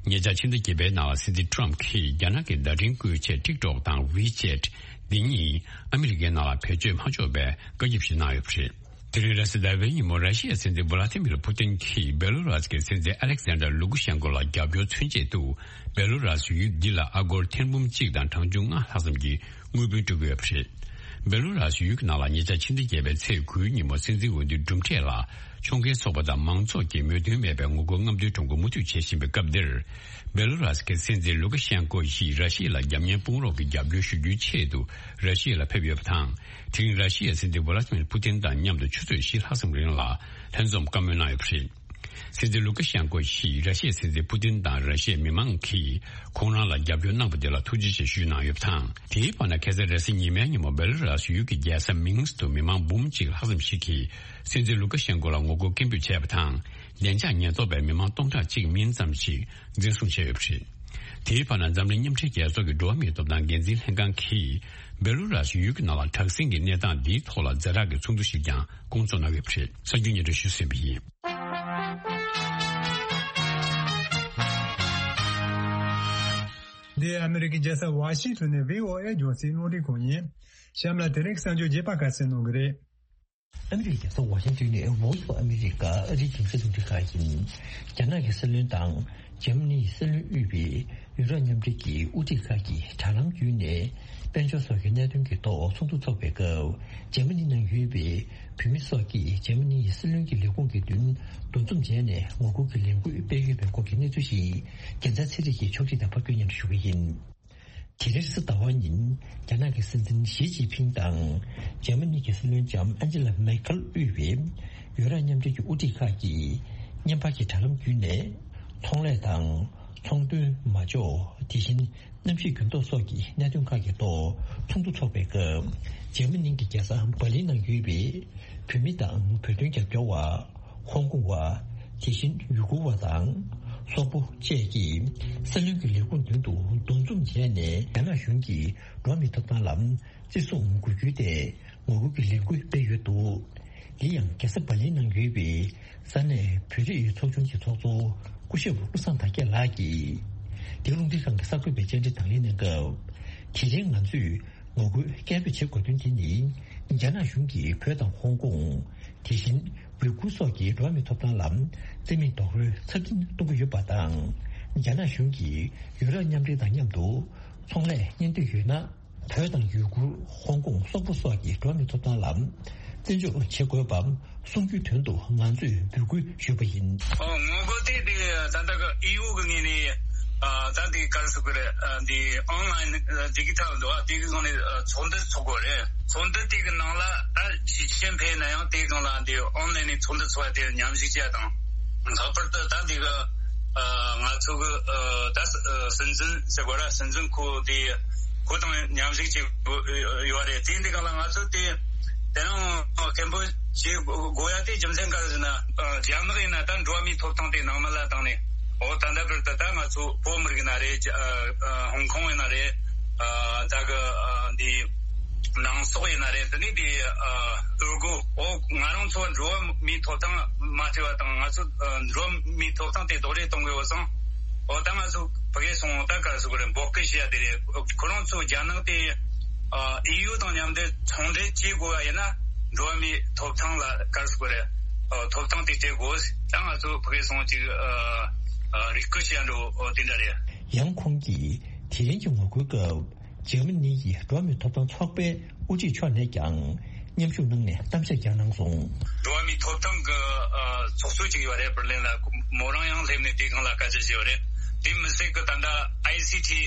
ཉེ་ཆར་ཕྱི་ཟླ་བརྒྱད་པའི་ནང་ལ་སྲིད་འཛིན་ཊམ་གྱིས་རྒྱ་ནག་གི་བརྡ་འཕྲིན་བཀོལ་ཆས་ཊིག་ཊོག་དང་ཝི་ཅེཊ་འདི་གཉིས་ཨ་མི་རི་ཀའི་ནང་ལ་བེད་སྤྱོད་མ་ཆོག་པའི་བཀའ་ཁྱབ་ཞིག་གནང་ཡོད་པ་རེད། དེ་རིང་རེས་གཟའ་ཟླ་བའི་ཉིན་མོ་ར་ཤི་ཡའི་སྲིད་འཛིན་ཝ་ལ་ཏི་མིར་ཕུ་ཏིན་གྱིས་བེ་ལོ་རཱས་ཀྱི་སྲིད་འཛིན་ཨ་ལེག་སན་ཌར་ལུ་ཀུ་ཤན་ཀོ་ལ་རྒྱབ་སྐྱོར་མཚོན་ཆེད་དུ་བེ་ལོ་རཱས་ཡུལ་འདི་ལ་ཨ་སྒོར་ཐེར་འབུམ་གཅིག་དང་གྲངས་ཆུང་ལྔ་ལྷག་ཙམ་གྱི་དངུལ་བུན་སྤྲོད་ཀྱི་ཡོད་པ་རེད། བེ་ལོ་རཱས་ཡུལ་གྱི་ནང་ལ་ཉེ་ཆར་ཕྱི་ཟླ་བརྒྱད་པའི་ཚེས་དགུའི་ཉིན་མོ་སྲིད་འཛིན་འོས་བསྡུའི་གྲུབ་འབྲས་ལ་ཕྱོགས་འགལ་ཚོགས་པ་དང་མང་ཚོགས་ཀྱིས་མོས་མཐུན་མེད་པའི་ངོ་རྒོལ་རྔམ་སྟོན་ཁྲོམ་སྐོར་མུ་མཐུད་བྱེད་བཞིན་པའི་སྐབས་འདིར། བེ་ལོ་རཱས་ཀྱི་སྲིད་འཛིན་ལུ་ཀ་ཤན་ཀོ་ཡིས་ར་ཤི་ཡ་ལ་རྒྱབ་གཉེར་དཔུང་རོགས་ཀྱི་རྒྱབ་སྐྱོར་ཞུ་རྒྱུའི་ཆེད་དུ་ར་ཤི་ཡ་ལ་ཕེབས་ཡོད་པ་དང་། དེ་རིང་ར་ཤི་ཡའི་སྲིད་འཛིན་ཝ་ལ་ཏི་མིར་ཕུ་ཏིན་དང་མཉམ་དུ་ཆུ་ཚོད་བཞི་ལྷག་ཙམ་རིང་ལ་ལྷན་འཛོམས་བཀའ་མོལ་གནང་ཡོད་པ་རེད། སྲིད་འཛིན་ལུ་ཀ་ཤན་ཀོ་ཡིས་ར་ཤི་ཡའི་སྲིད་འཛིན་ཕུ་ཏིན་དང་ར་ཤི་ཡའི་མི་མང་གིས་ཁོང་རང་ལ་རྒྱབ་སྐྱོར་གནང་པ་དེ་ལ་ཐུགས་རྗེ་ཆེ་ཞུས་གནང་ཡོད་པ་དང་། དེའི་བར་ན་ཁ་སང་རེས་གཟའ་ཉི་མའི་ཉིན་མོ་བེ་ལོ་རཱས་ཡུལ་གྱི་རྒྱལ་ས་མིན་སི་ཀི་དུ་མི་མང་འབུམ་གཅིག་ལྷག་ཙམ་ཞིག་གིས་སྲིད་འཛིན་ལུ་ཀ་ཤན་ཀོ་ལ་ངོ་རྒོལ་སྐད་འབོད་བྱས་པ་དང་། བདེ་འཇགས་ཉེན་རྟོག་པས་མི་མང་སྟོང་ཕྲག་གཅིག་མིན་ཙམ་ཞིག་འཛིན་བཟུང་བྱས་ཡོད་པ་རེད། དེའི་བར་ན་འཛམ་གླིང་མཉམ་འབྲེལ་རྒྱལ་ཚོགས་ཀྱི་འགྲོ་བ་མིའི་ཐོབ་ཐང་འགན་འཛིན་ལྷན་ཁང་གིས་བེ་ལོ་རཱས་ཡུལ་གྱི་ནང་ལ་དྲག་ཟིང་གི་གནས་སྟངས་འདིའི་ཐོག་ལ་ཛ་དྲག་གི་ཚོགས་འདུ་ཞིག་ཀྱང་སྐོང་ཚོགས་གནང་ཡོད་པ་རེད། གསར་འགྱུར་སྙན་སྒྲོན་ཞུས་ཟིན་པ་ཡིན། འདི་ཨ་མི་རི་ཀའི་རྒྱལ་ས་ཝ་ཤིང་ཊོན་ནས་བྷི་ཨོ་ཨེ་རྒྱང་སྲིང་རླུང་འཕྲིན་ཁང་ཡིན། གཤམ་ལ་དེ་རིང་གི་གསར་འགྱུར་རྒྱས་པ་ཁ་གསལ་གནང་གི་རེད། ཨ་མི་རི་ཀའི་རྒྱལ་ས་ཝ་ཤིང་ཊོན་ནས་Voice of America ཨ་རིའི་རྒྱང་སྲིང་རླུང་འཕྲིན་ཁང་ཡིན། རྒྱ་ནག་གི་སྲིད་བློན་དང་འཇར་མ་ནིའི་སྲིད་བློན་དབུས་པའི་ཡུ་རོབ་མཉམ་འབྲེལ་གྱི་དབུ་ཁྲིད་ཁག་གིས་དྲ་ལམ་བརྒྱུད་ནས་དཔལ་འབྱོར་སོགས་ཀྱི་གནད་དོན་གྱི་ཐོག་ཚོགས་འདུ་འཚོགས་པའི་སྐབས། འཇར་མ་ནི་ནང་ཡོད་པའི་བོད་མི་སོགས་ཀྱིས་འཇར་མ་ནིའི་སྲིད་བློན་གྱི་ལས་ཁུངས་ཀྱི་མདུན་འདུ་འཛོམས་བྱས་ནས་ངོ་རྒོལ་གྱི་ལས་འགུལ་སྤེལ་ཡོད་པའི་སྐོར་གྱི་གནས་ཚུལ་ཞིག་རྒྱལ་མཚན་ཚེ་རིང་གིས་ཕྱོགས་སྒྲིག་དང་ཕབ་སྒྱུར་སྙན་སྒྲོན་ཞུ་གི་ཡིན། དེ་རིང་རེས་གཟའ་ཟླ་བ་ཉིན་རྒྱ་ནག་གི་སྲིད་འཛིན་ཞི་ཅིན་ཕིང་དང་འཇར་མ་ནི་གི་སྲིད་བློན་ལྕམ་ཨན་ཇི་ལ་མེར་ཁེལ་དབུས་པའི་ཡུ་རོབ་མཉམ་འབྲེལ་གྱི་དབུ་ཁྲིད་ཁག་གིས་བརྙན་པར་གྱི་དྲ་ལམ་བརྒྱུད་ནས་ཚོང་ལས་དང་ཚོང་དོན། མ་འཇོག་དེ་བཞིན་གནམ་གཤིས་འགྱུར་ལྡོག་སོགས་ཀྱི་གནད་དོན་ཁག་གི་ཐོག་ཚོགས་འདུ་འཚོགས་པའི་སྐབས། འཇར་མ་ནི་གི་རྒྱལ་ས་འབར་ལིན་ནང་ཡོད་པའི་བོད་མི་དང་བོད་དོན་རྒྱབ་སྐྱོར་བ། ཧོང་ཀོང་བ། དེ་བཞིན་ཡུ་གུར་བ་དང་སོག་པོ་བཅས་ཀྱིས་སྲིད་བློན་གྱི་ལས་ཁུངས་མདུན་དུ་འདུ་འཛོམས་བྱས་ནས་རྒྱ་ནག་གཞུང་གིས་འགྲོ་བ་མིའི་ཐོབ་ཐང་ལ་བརྩི་སྲུང་དགོས་རྒྱུའི་ཐད་ངོ་རྒོལ་གྱི་ལས་འགུལ་སྤེལ་ཡོད་འདུག་དེ་ཡང་རྒྱལ་ས་འབར་ལིན་ནང་ཡོད་པའི་ས་གནས་བོད་རིགས་ཚོགས་ཆུང་གི་ཚོགས་གཙོ་སྐུ་ཞབས་བློ་བཟང་དར་རྒྱས་ལགས་ཀྱིས། དེ་རླུང་འཕྲིན་ཁང་གི་གསར་འགོད་པའི་བཅར་འདྲི་དང་ལེན་གནང་སྐབས། དེ་རིང་ང་ཚོས་ངོ་རྒོལ་སྐད་འབོད་བྱེད་དགོས་དོན་དེ་ནི། རྒྱ་ནག་གཞུང་གིས་བོད་དང་ཧོང་ཀོང་། དེ་བཞིན་ཝི་གུར་སོགས་ཀྱི་འགྲོ་བ་མིའི་ཐོབ་ཐང་ལ་བརྩི་མེད་རྡོག་རོལ་ཚབས་ཆེན་གཏོང་གི་ཡོད་པ་དང་། རྒྱ་ནག་གཞུང་གིས་ཡུ་རོབ་མཉམ་འབྲེལ་དང་མཉམ་དུ་ཚོང་ལས་གཉེན་སྡོད་ཡོད་ན། བོད་དང་ཡུ་གུར། ཧོང་ཀོང་། སོག་པོ་སོགས་ཀྱི་འགྲོ་བ་མིའི་ཐོབ་ཐང་ལ་བརྩི་འཇོག་བྱེད་དགོས་པ་གསུང་རྒྱུའི་དོན་དུ་ང་ཚོས་འབོད་སྐུལ་ཞུས་པ་ཡིན། ཨོ། ངོ་རྒོལ་དེ་དེ་ད་ལྟ་གི་ཨི་ཡུ་གི་ངོས་ནས་ཨ་ད་དེ་ག་རེ་ཟེར་དགོས་རེད། ཨ་འདི་ཨོན་ལ་ཡིན་ཨ་ཌི་ཇི་ཊལ་འདུག་ཨ། དེ་གི་སྒང་ནས་ཨ་ཚོགས་འདུ་ཚོགས་དགོས་རེད། ཚོགས་འདུ་དེ་གི་ནང་ལ་ད་ཞི་ཅིན་ཕིང་ན་ཡང་དེ་སྒང་ལ་འདི་ཨོན་ལ་ཡིན་ནས་ཚོགས་འདུ་ཚོགས་ཡ་དེ་མཉམ་ཞུགས་བྱས་དང་། ལྷག་པར་དུ་ད་འདི་གི་ཨ་ང་ཚོ་གི་ཨ་ད་ཨ་སྲིད་འཛིན་ཟེར་དགོས་ར། སྲིད་འཛིན་ཁོ་དེ་ཁོ་དང་མཉམ་ཞུགས་བྱེད་དགོས་ཡོད་རེད། དེ་འདི་གང་ལ་ང་ཚོ་དེ་དེ་རིང་སྐད་འབོད་བྱེད་དགོས་ཡ་དེ་རྒྱུ་མཚན་ག་རེ་ཟེར་ན། ཨ་རྒྱ་ནག་ཡིན་ན་ད་འགྲོ་བ་མིའི་ཐོབ་ཐང་དེ་ནང་མི་ལ་བཏང་ནས། འོ་ད་ལྟ་བར་དུ་ད་ང་ཚོ་བོད་མི་རིགས་ཡིན་ན་རེད། ཨ་ཨ་ཧོང་ཀོང་ཡིན་ན་རེད། ཨ་ད་གི་ཨ་འདི་ནང་སོག་ཡིན་ན་རེད། དེ་ནས་དེ་ཨ་འུར་གོ། འོ་ང་རང་ཚོ་འགྲོ་བ་མིའི་ཐོབ་ཐང་མ་བརྩི་བ་དང་། ང་ཚོ་ཨ་འགྲོ་བ་མིའི་ཐོབ་ཐང་དེ་རྡོག་རོལ་གཏོང་དགོས་བསམ། འོ་ད་ང་ཚོ་ཕ་གིར་སོང་ད་ག་རེ་ཟེར་དགོས་རེད། འབོད་སྐུལ་བྱེད་ཡ་དེ་རེད། ཁོ་རང་ཚོ་རྒྱ་ནག་དེ་ཨ་ཨི་ཡུ་དང་མཉམ་དུ་ཚོང་འབྲེལ་བྱེད་དགོས་པ་ཡིན་ན། འགྲོ་བ་མིའི་ཐོབ་ཐང་ལ་ག་རེ་ཟེར་དགོས་རེད། ཨ་ཐོབ་ཐང་དེ་སྤྲད་དགོས། ད་ང་ཚོ་ཕ་གིར་སོང་ཅིག་ཨ་ཨ་རེ་སྐུལ་བྱེད་ཡ་འགྲོ། འོ་དེ་འདྲ་རེད། ཡང་ཁོང་གིས་དེ་རིང་གི་ངོ་རྒོལ་སྐབས། འཇར་མ་ནི་ཡི་འགྲོ་བ་མིའི་ཐོབ་ཐང་ཚོགས་པའི་དབུ་ཁྲིད་མཆོག་ནས་ཀྱང་མཉམ་ཞུགས་གནང་ནས་གཏམ་བཤད་ཀྱང་གནང་སོང་། འགྲོ་བ་མིའི་ཐོབ་ཐང་གི་ཨ་ཚོགས་གཙོ་ཅིག་ཡོད་རེད། པར་ལེན་ལ་མོ་རང་ཡང་སླེབས་ནས་དེ་སྒང་ལ་སྐད་ཆ་བཤད་ཡོད་རེད། དེ་མི་ཚད་ཀྱི་ད་ལྟ་ཨའི་སི་ཊི་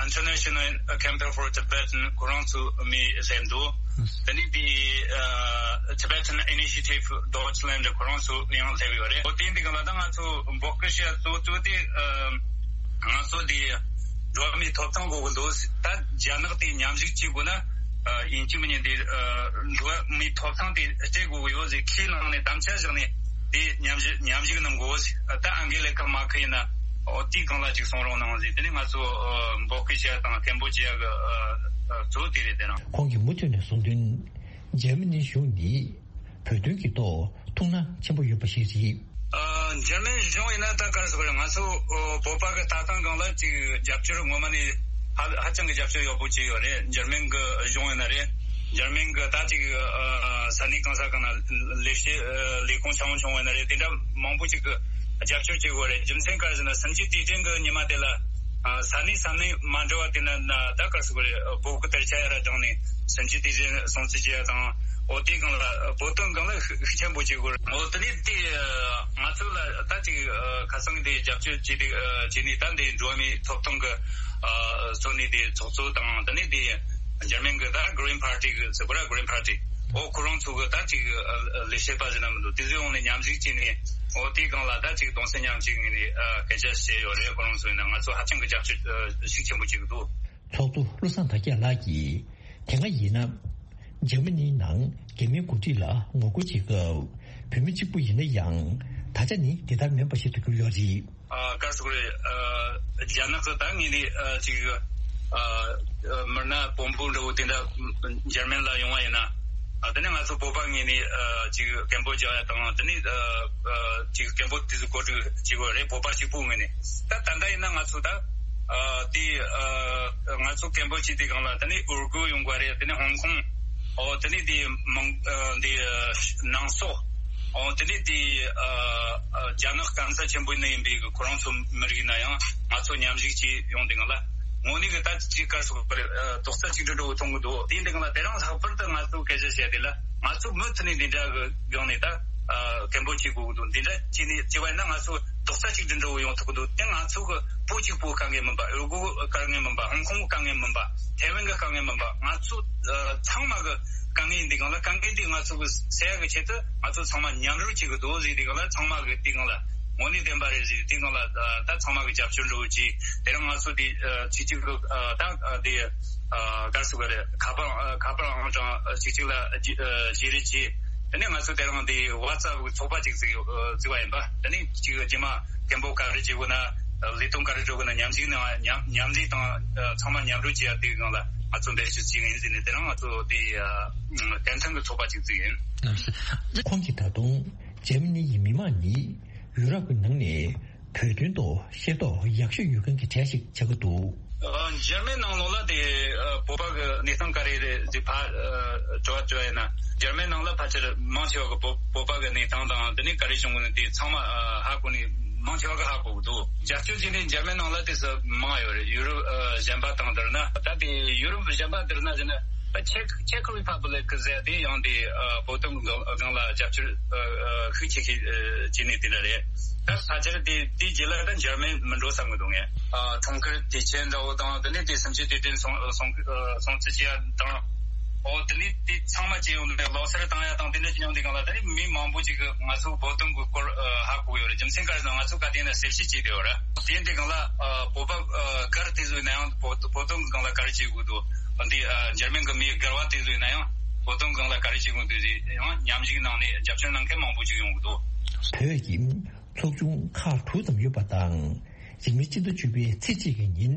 ཨ་International Campaign for Tibetan ཁོ་རང་ཚོ་མི་སླེབས་འདུག་དེ་ནས་དེ་ཨ་Tibetan Initiative Deutschland ཁོ་རང་ཚོ་ཡང་སླེབས་ཡོད་རེད། འོ་དེ་འདི་སྒང་ལ་ད་ང་ཚོ་འབོད་སྐུལ་བྱེད་ཡ་གཙོ་བོ་དེ་ཨ་ང་ཚོ་དེ། འགྲོ་བ་མིའི་ཐོབ་ཐང་དགོས་ཀྱི་འདུག་ད་རྒྱ་ནག་དེ་མཉམ་ཞུགས་བྱེད་དགོས་ན། ཨ་ཡིན་གཅིག་མིན་གཉིས་དེ་ཨ་འགྲོ་བ་མིའི་ཐོབ་ཐང་དེ་སྤྲད་དགོས་ཀྱི་ཡོད་ཟེར་ཁས་བླངས་ནས་དམ་བཅའ་བཞག་ནས་དེ་མཉམ་ཞུགས་མཉམ་ཞུགས་གནང་དགོས། ད་ཨང་གེ་ལ་ཁ་མར་ཁེལ་ཡིན་ན་འོ་དེའི་སྒང་ལ་ཅིག་གསུང་རོགས་གནང་ཟེར། དེ་ནས་ང་ཚོ་ཨ་འབོད་སྐུལ་བྱེད་ཡ་དང་སྐད་འབོད་བྱེད་ཡ་གི་ཨ་ཨ་གཙོ་བོ་དེ་རེད། དེ་རང་། ཁོང་གིས་མུ་མཐུད་ནས་གསུངས་དོན། འཇར་མ་ནིའི་གཞུང་ནི་བོད་དོན་གྱི་ཐོག་ཐུགས་སྣང་ཆེན་པོ་ཡོད་པ་ཞིག་རེད། ཨ་འཇར་མན་གཞུང་ཡིན་ན་ད་ག་རེ་ཟེར་དགོས་རེད། ང་ཚོ་ཨོ་བོད་པ་གི་ལྟ་སྟངས་སྒང་ལ་ཅིག་རྒྱབ་སྐྱོར་ངོ་མ་ནས་ཧ་ཧ་ཅང་གི་རྒྱབ་སྐྱོར་ཡག་པོ་བྱས་ཡོད་རེད། འཇར་མན་གི་གཞུང་ཡིན་ན་རེད། འཇར་མན་གི་ད་ཅིག་ཨ་ས་གནས་གང་ས་གང་ན་ལས་བྱེད་ཨ་ལས་ཁུངས་ཆུང་ཆུང་ཡིན་ན་རེད། དེ་འདྲ་མང་པོ་ཅིག་གི་རྒྱབ་སྐྱོར་བྱེད་དགོས་རེད། རྒྱུ་མཚན་ག་རེ་ཟེར་ན་གསུམ་བཅུའི་དུས་དྲན་གི་ཉི་མ་དེ་ལ་ཨ་ས་གནས་ས་གནས་མ་འདྲ་བ་དེ་ན་ན་ད་ག་རེ་ཟེར་དགོས་རེད། བོད་ཀྱི་དར་ཆ་ཡར་བསྒྲེངས་ནས་གསུམ་བཅུའི་དུས་དྲན་སྲུང་བརྩི་བྱེད་ཡ་དང་། འོ་དེའི་སྒང་ལ་བོད་དོན་སྒང་ལ་ཤུགས་ཤུགས་ཆེན་པོ་བྱེད་དགོས་རེད། འོ་དེ་ནས་དེ་ང་ཚོ་ལ་ད་ཅིག་ཨ་ཁ་སང་དེ་རྒྱབ་སྐྱོར་བྱས་ཏེ་ཨ་བྱས་ནས་ད་འདི་འགྲོ་བ་མིའི་ཐོབ་ཐང་གི་ཨ་གཙོ་གནད་དེ་ཚོགས་གཙོ་དང་། དེ་ནས་དེ་འཇར་མན་གི་ད་Green Party གི་ཟེར་དགོས་ར། Green Party འོ་ཁོ་རང་ཚོ་གི་ད་ཅིག་ཨ་ལས་བྱེད་པ་ཟེར་ན་མི་འདུག་དེ་ཚོའི་འོག་ནས་མཉམ་ཞུགས་བྱས་ནས། འོ་དེའི་སྒང་ལ་ད་ཅིག་གདུང་སེམས་མཉམ་སྐྱེད་ངོས་ནས་ཨ་སྐད་ཆ་བཤད་ཡོད་རེད། ཁོ་རང་ཚོ་ཡིན་ན་ང་ཚོ་ཧ་ཅང་གི་རྒྱབ་སྐྱོར་ཨ་ཤུགས་ཆེན་པོ་བྱེད་ཀྱི་འདུག་ཚོགས་གཙོ་བློ་བཟང་དར་རྒྱས་ལགས་ཀྱིས་དེ་སྔ་ཡིན་ན་འཇར་མ་ནིའི་ནང་རྒྱ་མིའི་འགོ་ཁྲིད་ལ་ངོ་རྒོལ་བྱེད་སྐབས་བོད་མི་གཅིག་པུ་ཡིན་ན་ཡང་ད་ཆ་ནི་དེ་ལྟར་མིན་པ་ཞིག་ཏུ་གྱུར་ཡོད་རེད། ཨ་ག་རེ་ཟེར་དགོས་རེད། ཨ་རྒྱ་ནག་གི་ད་ངོས་ནས་ཨ་ཅིག་ཨ་མི་སྣ་དཔོན་པོ་འདྲ་བོ་དེ་འདྲ་འཇར་མན་ལ་ཡོང་བ་ཡིན་ན། ཨ་དེ་ནས་ང་ཚོ་བོད་པ་ངོས་ནས་ཨ་ཅིག་སྐད་འབོད་རྒྱག་ཡ་དང་། དེ་ནས་ཨ་ཨ་ཅིག་སྐད་འབོད་དེ་ཚོ་གོ་སྒྲིག་བྱེད་དགོས་རེད། བོད་པ་གཅིག་པུ་ངོས་ནས། ད་ད་ལྟ་ཡིན་ན་ང་ཚོ་ད་ ཨ་དེ་ཨ་ང་ཚོ་ཀེམ་པོ་ཆེ་དེ་སྒང་ལ་དེ་ནས་ཨུར་གུ་ཡོང་གི་རེད། དེ་ནས་ཧོང་ཀོང་། ཨོ་དེ་ནས་དེ་མང་ཨ་དེ་ཨ་ནང་སོག་ཨོ་དེ་ནས་དེ་ཨ་ཨ་རྒྱ་ནག་སྐམ་ས་ཆེན་པོ་ནས་ཡིན་པའི་གི་ཁོ་རང་ཚོ་མི་རིགས་ན་ཡང་ང་ཚོ་མཉམ་ཞུགས་བྱས་ཡོང་དེ་སྒང་ལ་དངོས་གནས་གི་ད་ཅིག་ག་རེ་ཟེར་དགོས་རེད། ཨ་རྡོག་རྩ་གཅིག་སྒྲིལ་འདྲ་བོ་མཐོང་གི་འདུག་དེ་འདི་སྒང་ལ་དེ་རིང་ལྷག་པར་དུ་ང་ཚོ་སྐད་ཆ་བཤད་དེ་ལ་ང་ཚོ་མུ་མཐུད་ནས་འདི་འདྲ་གི་སྒང་ནས་ད་ཨ་ཀེམ་པོ་ཆེ་དགོས་གི་འདུག་འདི་འདྲ་བྱས་ནས་བྱས་པ་ཡིན་ན་ང་ཚོ་རྡོག་རྩ་གཅིག་སྒྲིལ་འདྲ་བོ་ཡོང་ཐུབ་ཀྱི་འདུག་དེ་ང་ཚོ་གི་བོད་གཅིག་པོ་དཀའ་ངལ་མིན་པ། ཨུ་གུ་དཀའ་ངལ་མིན་པ། ཧོང་ཀོང་དཀའ་ངལ་མིན་པ། ཐའེ་ཝན་གི་དཀའ་ངལ་མིན་པ། ང་ཚོ་ཨ་ཚང་མ་གི་དཀའ་ངལ་ཡིན་དུས་སྒང་ལ་དཀའ་ངལ་འདི་ང་ཚོ་གི་སེལ་ཡག་གི་ཆེད་དུ་ང་ཚོ་ཚང་མ་མཉམ་རུབ་བྱེད་ཀྱི་འདུག་ཟེར་དུས་སྒང་ལ་ཚང་མ་གི་དེ་སྒང་ལ་དངོས་གནས་བདེན་པ་རེད་ཟེར་དུས་སྒང་ལ་ཨ་ད་ཚང་མ་གི་རྒྱབ་སྐྱོར་འདྲ་བོ་བྱས། དེ་རིང་ང་ཚོ་དེ་ཨ་ཚིག་གཅིག་གི་ཨ་ད་ཨ་དེ་ཨ་ག་རེ་ཟེར་དགོས་རེད། ཁ་པར་ཨ་ཁ་པར་ཨང་གྲངས་ཨ་གཅིག་གཅིག་ལ་བརྗེ་ཨ་བརྗེ་རེས་བྱས། དེ་ནས་ང་ཚོ་དེ་རིང་འདི་ཝ་ཙབ་གི་ཚོགས་པ་ཅིག་བཙུགས་ཡོད་ཨ་བཙུགས་པ་ཡིན་པ། དེ་ནས་ཅིག་རྗེས་མ་སྐད་འབོད་ག་རེ་བྱེད་དགོས་ན་ལས་དོན་ག་རེ་འགྲོ་དགོས་ན་མཉམ་ཞུགས་ནང་མཉམ་མཉམ་ལས་དང་ཨ་ཚང་མ་མཉམ་རུབ་བྱེད་ཡ་དེའི་སྒང་ལ་ང་ཚོ་འབད་བརྩོན་བྱེད་ཀྱི་ཡིན་ཟེར་ནས་དེ་རིང་ང་ཚོ་དེ་ཨ་བདེན་མཐུན་གྱི་ཚོགས་པ་ཅིག་བཙུགས་ཡིན། ཁོང་གིས་ད་དུང་འཇར་མ་ནི་ཡི་མི་མང་ནི་ཡུ་རོབ་ཀྱི་ནང་ནས་བོད་དོན་ཐོག་ཤེས་རྟོགས་ཡག་ཤོས་ཡོད་མཁན་གྱི་གྲས་ཤིག་ཆགས་ཀྱི་འདུག་ཨ་འཇར་མན་ནང་ལོགས་ལ་དེ་ཨ་བོད་པ་གི་གནས་སྟངས་ག་རེ་རེད་ཟེར་ཕར་ཨ་དྲི་བ་དྲི་བ་ཡིན་ན། འཇར་མན་ནང་ལ་ཕལ་ཆེར་མང་ཆེ་བ་གི་བོད་བོད་པ་གི་གནས་སྟངས་དང་དེ་ནས་ག་རེ་བྱུང་གི་ནི་དེ་ཚང་མ་ཨ་ཧ་གོ་ནི་མང་ཆེ་བ་གི་ཧ་གོ་གི་འདུག་རྒྱབ་སྐྱོར་བྱས་ནས་འཇར་མན་ནང་ལ་དེ་ཚོ་མང་ཡོད་རེད། ཡུ་རོབ་ཨ་གཞན་པ་དང་བསྡུར་ན། ད་དེ་ཡུ་རོབ་གཞན་པ་བསྡུར་ན་ཟེར་ན་ཆེག་ཆེག་རི་ཕབ་ལིག་ཟེར་དེ་ཡང་དེ་ཨ་བོད་དོན་གི་སྒང་ལ་རྒྱབ་སྐྱོར་ཨ་ཤུགས་ཆེ་ཤོས་བྱས་ནས་དེ་འདྲ་རེད། ད་ཕལ་ཆེར་དེ་དེའི་རྗེས་ལ་ད་འཇར་མན་མི་འགྲོ་བསམ་གི་འདུག་ངས། ཨ་གྲོང་ཁྱེར་དེ་ཆེ་འདྲ་བོ་དང་དེ་ནས་དེ་གསུམ་བཅུའི་དུས་དྲན་སྲུང་སྲུང་སྲུང་བརྩི་བྱེད་ཡ་དང་། ཨོ་དེ་ནས་དེ་ཚང་མ་བྱས་ཡོང་དུས་ལོ་གསར་བཏང་ཡ་དང་དེ་འདྲ་བྱས་ཡོང་དུས་སྒང་ལ་ད་ནི་མི་མང་པོ་ཅིག་གིས་ང་ཚོ་བོད་དོན་གི་སྐོར་ཨ་ཧ་གོ་ཡོད་རེད། རྒྱུ་མཚན་ག་རེ་ཟེར་ན་ང་ཚོ་ག་དེ་ན་གསལ་བཤད་བྱས་བསྡད་ཡོད་རེད། དེ་འདྲའི་སྒང་ལ་ཨ་བོད་པ་ཨ་སྒེར་དེ་ཚོ་ཡིན་ན་ཡང་བོད་བོད་དོན་གི་སྒང་ལ་ག་རེ་བྱེད་དགོས་འདུག་འདི་ཨ་འཇར་མན་གི་མི་སྒེར་བ་དེ་ཚོ་ཡིན་ན་ཡང་བོད་དོན་གི་སྒང་ལ་ག་རེ་བྱེད་དགོས་འདུག་ཟེར་ཡང་མཉམ་ཞུགས་གནང་ནས་རྒྱབ་སྐྱོར་གནང་མཁན་མང་པོ་ཅིག་ཡོང་གི་འདུག་བོད་ཀྱི་ཚོགས་ཆུང་ཁག་དྲུག་ཙམ་ཡོད་པ་དང་། རིང་མིན་སྤྱི་ཟླ་བཅུ་པའི་ཚེས་གཅིག་གི་ཉིན།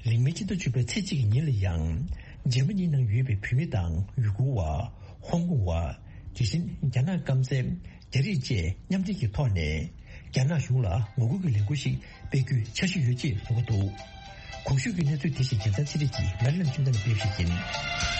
རིང་མིན་སྤྱི་ཟླ་བཅུ་པའི་ཚེས་གཅིག་གི་ཉིན་ལ་ཡང་འཇར་མ་ནི་ནང་ཡོད་པའི་བོད་མི་དང་ཡུ་གུར་བ། ཧོང་ཀོང་བ། དེ་བཞིན་རྒྱ་ནག་སྐམ་སའི་རྒྱ་རིགས་བཅས་མཉམ་འབྲེལ་གྱི་ཐོག་ནས་རྒྱ་ནག་གཞུང་ལ་ངོ་རྒོལ་གྱི་ལས་འགུལ་ཞིག་སྤེལ་རྒྱུའི་འཆར་གཞི་ཡོད་ཅེས་གསུངས་ཀྱི་འདུག་གོང་ཞུས་ཀྱི་གནས་ཚུལ་དེ་བཞིན་རྒྱལ་མཚན་ཚེ་རིང་གིས་མེ་ལན་ཁྱིམ་ཚང་ནས་སྤེལ་བ་ཞིག་ཡིན།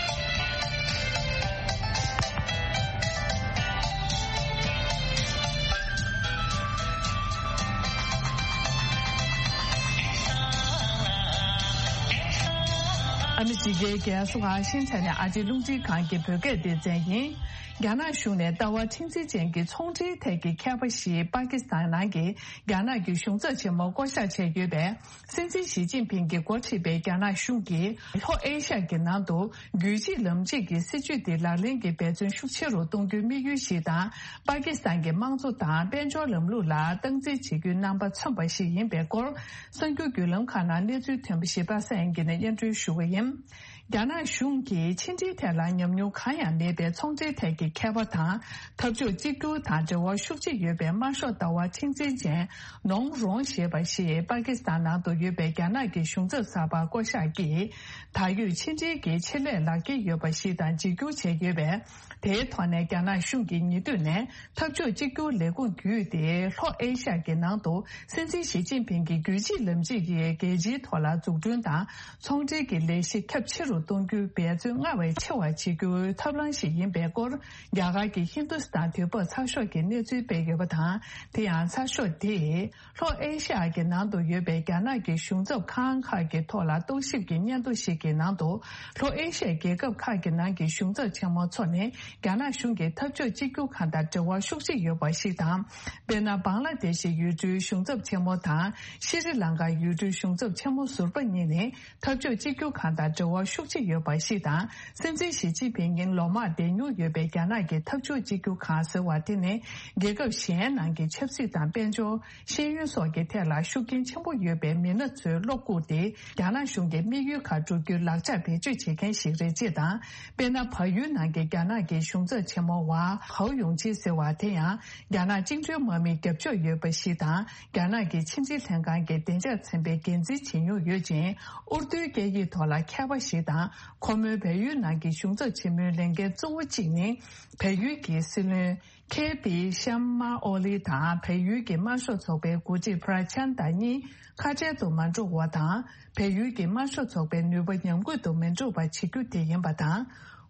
ཨ་མི་རི་ཀའི་རྒྱལ་ས་ཝ་ཤིང་ཊོན་ནས་ཨ་རིའི་རླུང་འཕྲིན་ཁང་གི་བོད་སྐད་སྡེ་ཚན་ཡིན། རྒྱ་ནག་གཞུང་ནས་ལྟ་བ་མཁྲེགས་འཛིན་ཅན་གྱི་ཚོང་འབྲེལ་ཐད་ཀྱི་མཁས་པ་ཞིག་པ་ཀི་སི་ཐན་ནང་གི་རྒྱ་ནག་གི་གཞུང་ཚབ་ཆེན་མོར་བསྐོ་གཞག་བྱས་ཡོད་པས། སྲིད་འཛིན་ཞི་ཅིན་ཕིང་གིས་འགོ་ཁྲིད་པའི་རྒྱ་ནག་གཞུང་གིས་ལྷོ་ཨེ་ཤ་ཡ་གི་ནང་དུ་རྒྱུད་གཅིག་ལམ་གཅིག་གི་སྲིད་བྱུས་དེ་ལག་ལེན་གྱི་འབད་བརྩོན་ཤུགས་ཆེ་རུ་གཏོང་རྒྱུའི་དམིགས་ཡུལ་ཞིག་དང་། པ་ཀི་སི་ཐན་གྱི་དམངས་གཙོ་དང་དཔལ་འབྱོར་ལམ་ལུགས་ལ་སྟངས་འཛིན་བྱེད་རྒྱུའི་རྣམ་པ་མཚོན་པ་ཞིག་ཡིན་པའི་སྐོར། གསར་འགྱུར་བརྒྱུད་ལམ་ཁག་ནང་གནས་ཚུལ་ཐོན་པ་ཞིག་པ་སངས་དབྱངས་སྐྱིད་ནས་སྙན་སྒྲོན་ཞུ་གི་ཡིན། རྒྱ་ནག་གཞུང་གིས་ཕྱི་འབྲེལ་ཐད་ལ་ཉམས་མྱོང་གང་ཡང་མེད་པའི་ཚོང་འབྲེལ་ཐད་ཀྱི་མཁས་པ་དང་། འཐབ་ཕྱོགས་གཅིག་གྱུར་དང་འབྲེལ་བ་ཤུགས་ཆེ་ཡོད་པའི་དམར་ཤོག་ལྟ་བ་མཁྲེགས་འཛིན་ཅན་ནོང་རོང་ཞེས་པ་ཞིག་པ་ཀི་སི་ཐན་ནང་དུ་ཡོད་པའི་རྒྱ་ནག་གི་གཞུང་ཚབ་གསར་པར་བསྐོ་གཞག་གིས། ད་ཡོད་ཕྱི་འབྲེལ་གྱི་ཆེད་ལས་ལག་འཁྱེར་ཡོད་པ་ཞིག་དང་འཇིགས་སྐུལ་བྱས་ཡོད་པས། དེའི་ཐོག་ནས་རྒྱ་ནག་གཞུང་གིས་ཉེ་དུས་ནས་འཐབ་ཕྱོགས་གཅིག་གྱུར་ལས་ཁུངས་བརྒྱུད་དེ་ལྷོ་ཨེ་ཤ་ཡ་གི་ནང་དུ་སྲིད་འཛིན་ཞི་ཅིན་ཕིང་གི་རྒྱུད་གཅིག་ལམ་གཅིག་གི་རྒྱལ་སྤྱིའི་ཐོག་ལ་འཛུགས་སྐྲུན་དང་། ཚོང་འབྲེལ་གྱི་ལས་གཞི་ཁྱབ་ཆེ་རུ་གཏོང་རྒྱུའི་འབད་བརྩོན་སྔར་བས་ཆེ་བ་བྱེད་རྒྱུའི་ཐབས་ལམ་ཞིག་ཡིན་པའི་སྐོར། རྒྱ་གར་གྱི་ཧིན་དུ་སི་ཐན་དུས་བབ་ཚགས་ཤོག་གིས་གནས་ཚུལ་སྤེལ་ཡོད་པ་དང་། དེ་ཡང་ཚགས་ཤོག་དེས་ལྷོ་ཨེ་ཤ་ཡ་གི་ནང་དུ་ཡོད་པའི་རྒྱ་ནག་གི་གཞུང་ཚབ་ཁང་ཁག་གི་ཐོག་ལ་རྟོག་ཞིབ་ཀྱི་སྙན་ཐོ་ཞིག་གི་ནང་དུ། ལྷོ་ཨེ་ཤ་ཡའི་རྒྱལ་ཁབ་ཁག་གི་ནང་གི་གཞུང་ཚབ་ཆེན་མོ་ཚོ་ནི་རྒྱ་ནག་གཞུང་གི་འཐབ་ཕྱོགས་གཅིག་གྱུར་ཁང་དང་འབྲེལ་བ་ཤུགས་ཆེ་ཡོད་པ་ཞིག་དང་། དཔེར་ན། བང་ལ་དེ་ཤི་ཡུལ་གྲུའི་གཞུང་ཚབ་ཆེན་མོ་དང་ཤི་རི་ལང་ཀ་ཡུལ་གྲུའི་གཞུང་ཚབ་ཆེན་མོ་ཟུར་པ་གཉིས་ནི། འཐབ་ཕྱོགས་གཅིག་གྱུར་ཁང་དང་འབྲེལ་བ་ཤུགས་ཆེ་ཡོད་པ་ཞིག་དང་། སྲིད་འཛིན་ཞི་ཅིན་ཕིང་ཉིན་ལོ་མང་བསྡད་མྱོང་ཡོད་པའི་རྒྱ་ནག་གི་འཐབ་ཕྱོགས་གཅིག་གྱུར་ཁང་ཟེར་བ་དེ་ནི། རྒྱལ་ཁབ་གཞན་ནང་གི་ཆབ་སྲིད་དང་དཔལ་འབྱོར། ཤེས་ཡོན་སོགས་ཀྱི་ཐད་ལ་ཤུགས་རྐྱེན་ཆེན་པོ་ཡོད་པའི་མི་སྣ་ཚོའི་བློ་བཀུག་སྟེ། རྒྱ་ནག་གཞུང་གི་དམིགས་ཡུལ་ཁག་བསྒྲུབ་རྒྱུའི་ལག་ཆ་བེད་སྤྱོད་བྱེད་མཁན་ཞིག་རེད་ཅེས་དང་། དཔེར་ན། བལ་ཡུལ་ནང་གི་རྒྱ་ནག་གི་གཞུང་ཚབ་ཆེན་མོ་ཝ་ཧའོ་ཡུང་ཆི་ཟེར་བ་དེ་ཡང་། རྒྱ་ནག་བཅིངས་འགྲོལ་དམག་མིའི་རྒྱབ་ཕྱོགས་ཡོད་པ་ཞིག་དང་། རྒྱ་ནག་གི་ཕྱི་འབྲེལ་ལྷན་ཁང་གི་བདེ་འཇགས་ཚན་པའི་འགན་འཛིན་བྱེད་མྱོང་ཡོད་ཅིང་། ཨུར་རྡོའི་སྐད་ཡིག་ཐོག་ལ་མཁས་པ་ཞིག་དང་། ཁོ་མོའི་བལ་ཡུལ་ནང་གི་གཞུང་ཚབ་ཆེན་མོའི་ལས་འགན་གཙོ་བོ་གཅིག་ནི། བལ་ཡུལ་གྱི་སྲིད་བློན་ ཁེ་པི་ཤམ་མ་ཨོ་ལི་དང་བལ་ཡུལ་གྱི་དམར་ཤོག་ཚོགས་པའི་འགོ་ཁྲིད་པྲ་ཆན་ད་གཉིས་ཁ་བྲལ་དུ་མ་འགྲོ་བ་དང་། བལ་ཡུལ་གྱི་དམར་ཤོག་ཚོགས་པའི་ནུས་པ་ཉམས་རྒུད་དུ་མི་འགྲོ་བ་བྱེད་རྒྱུ་དེ་ཡིན་པ་དང་།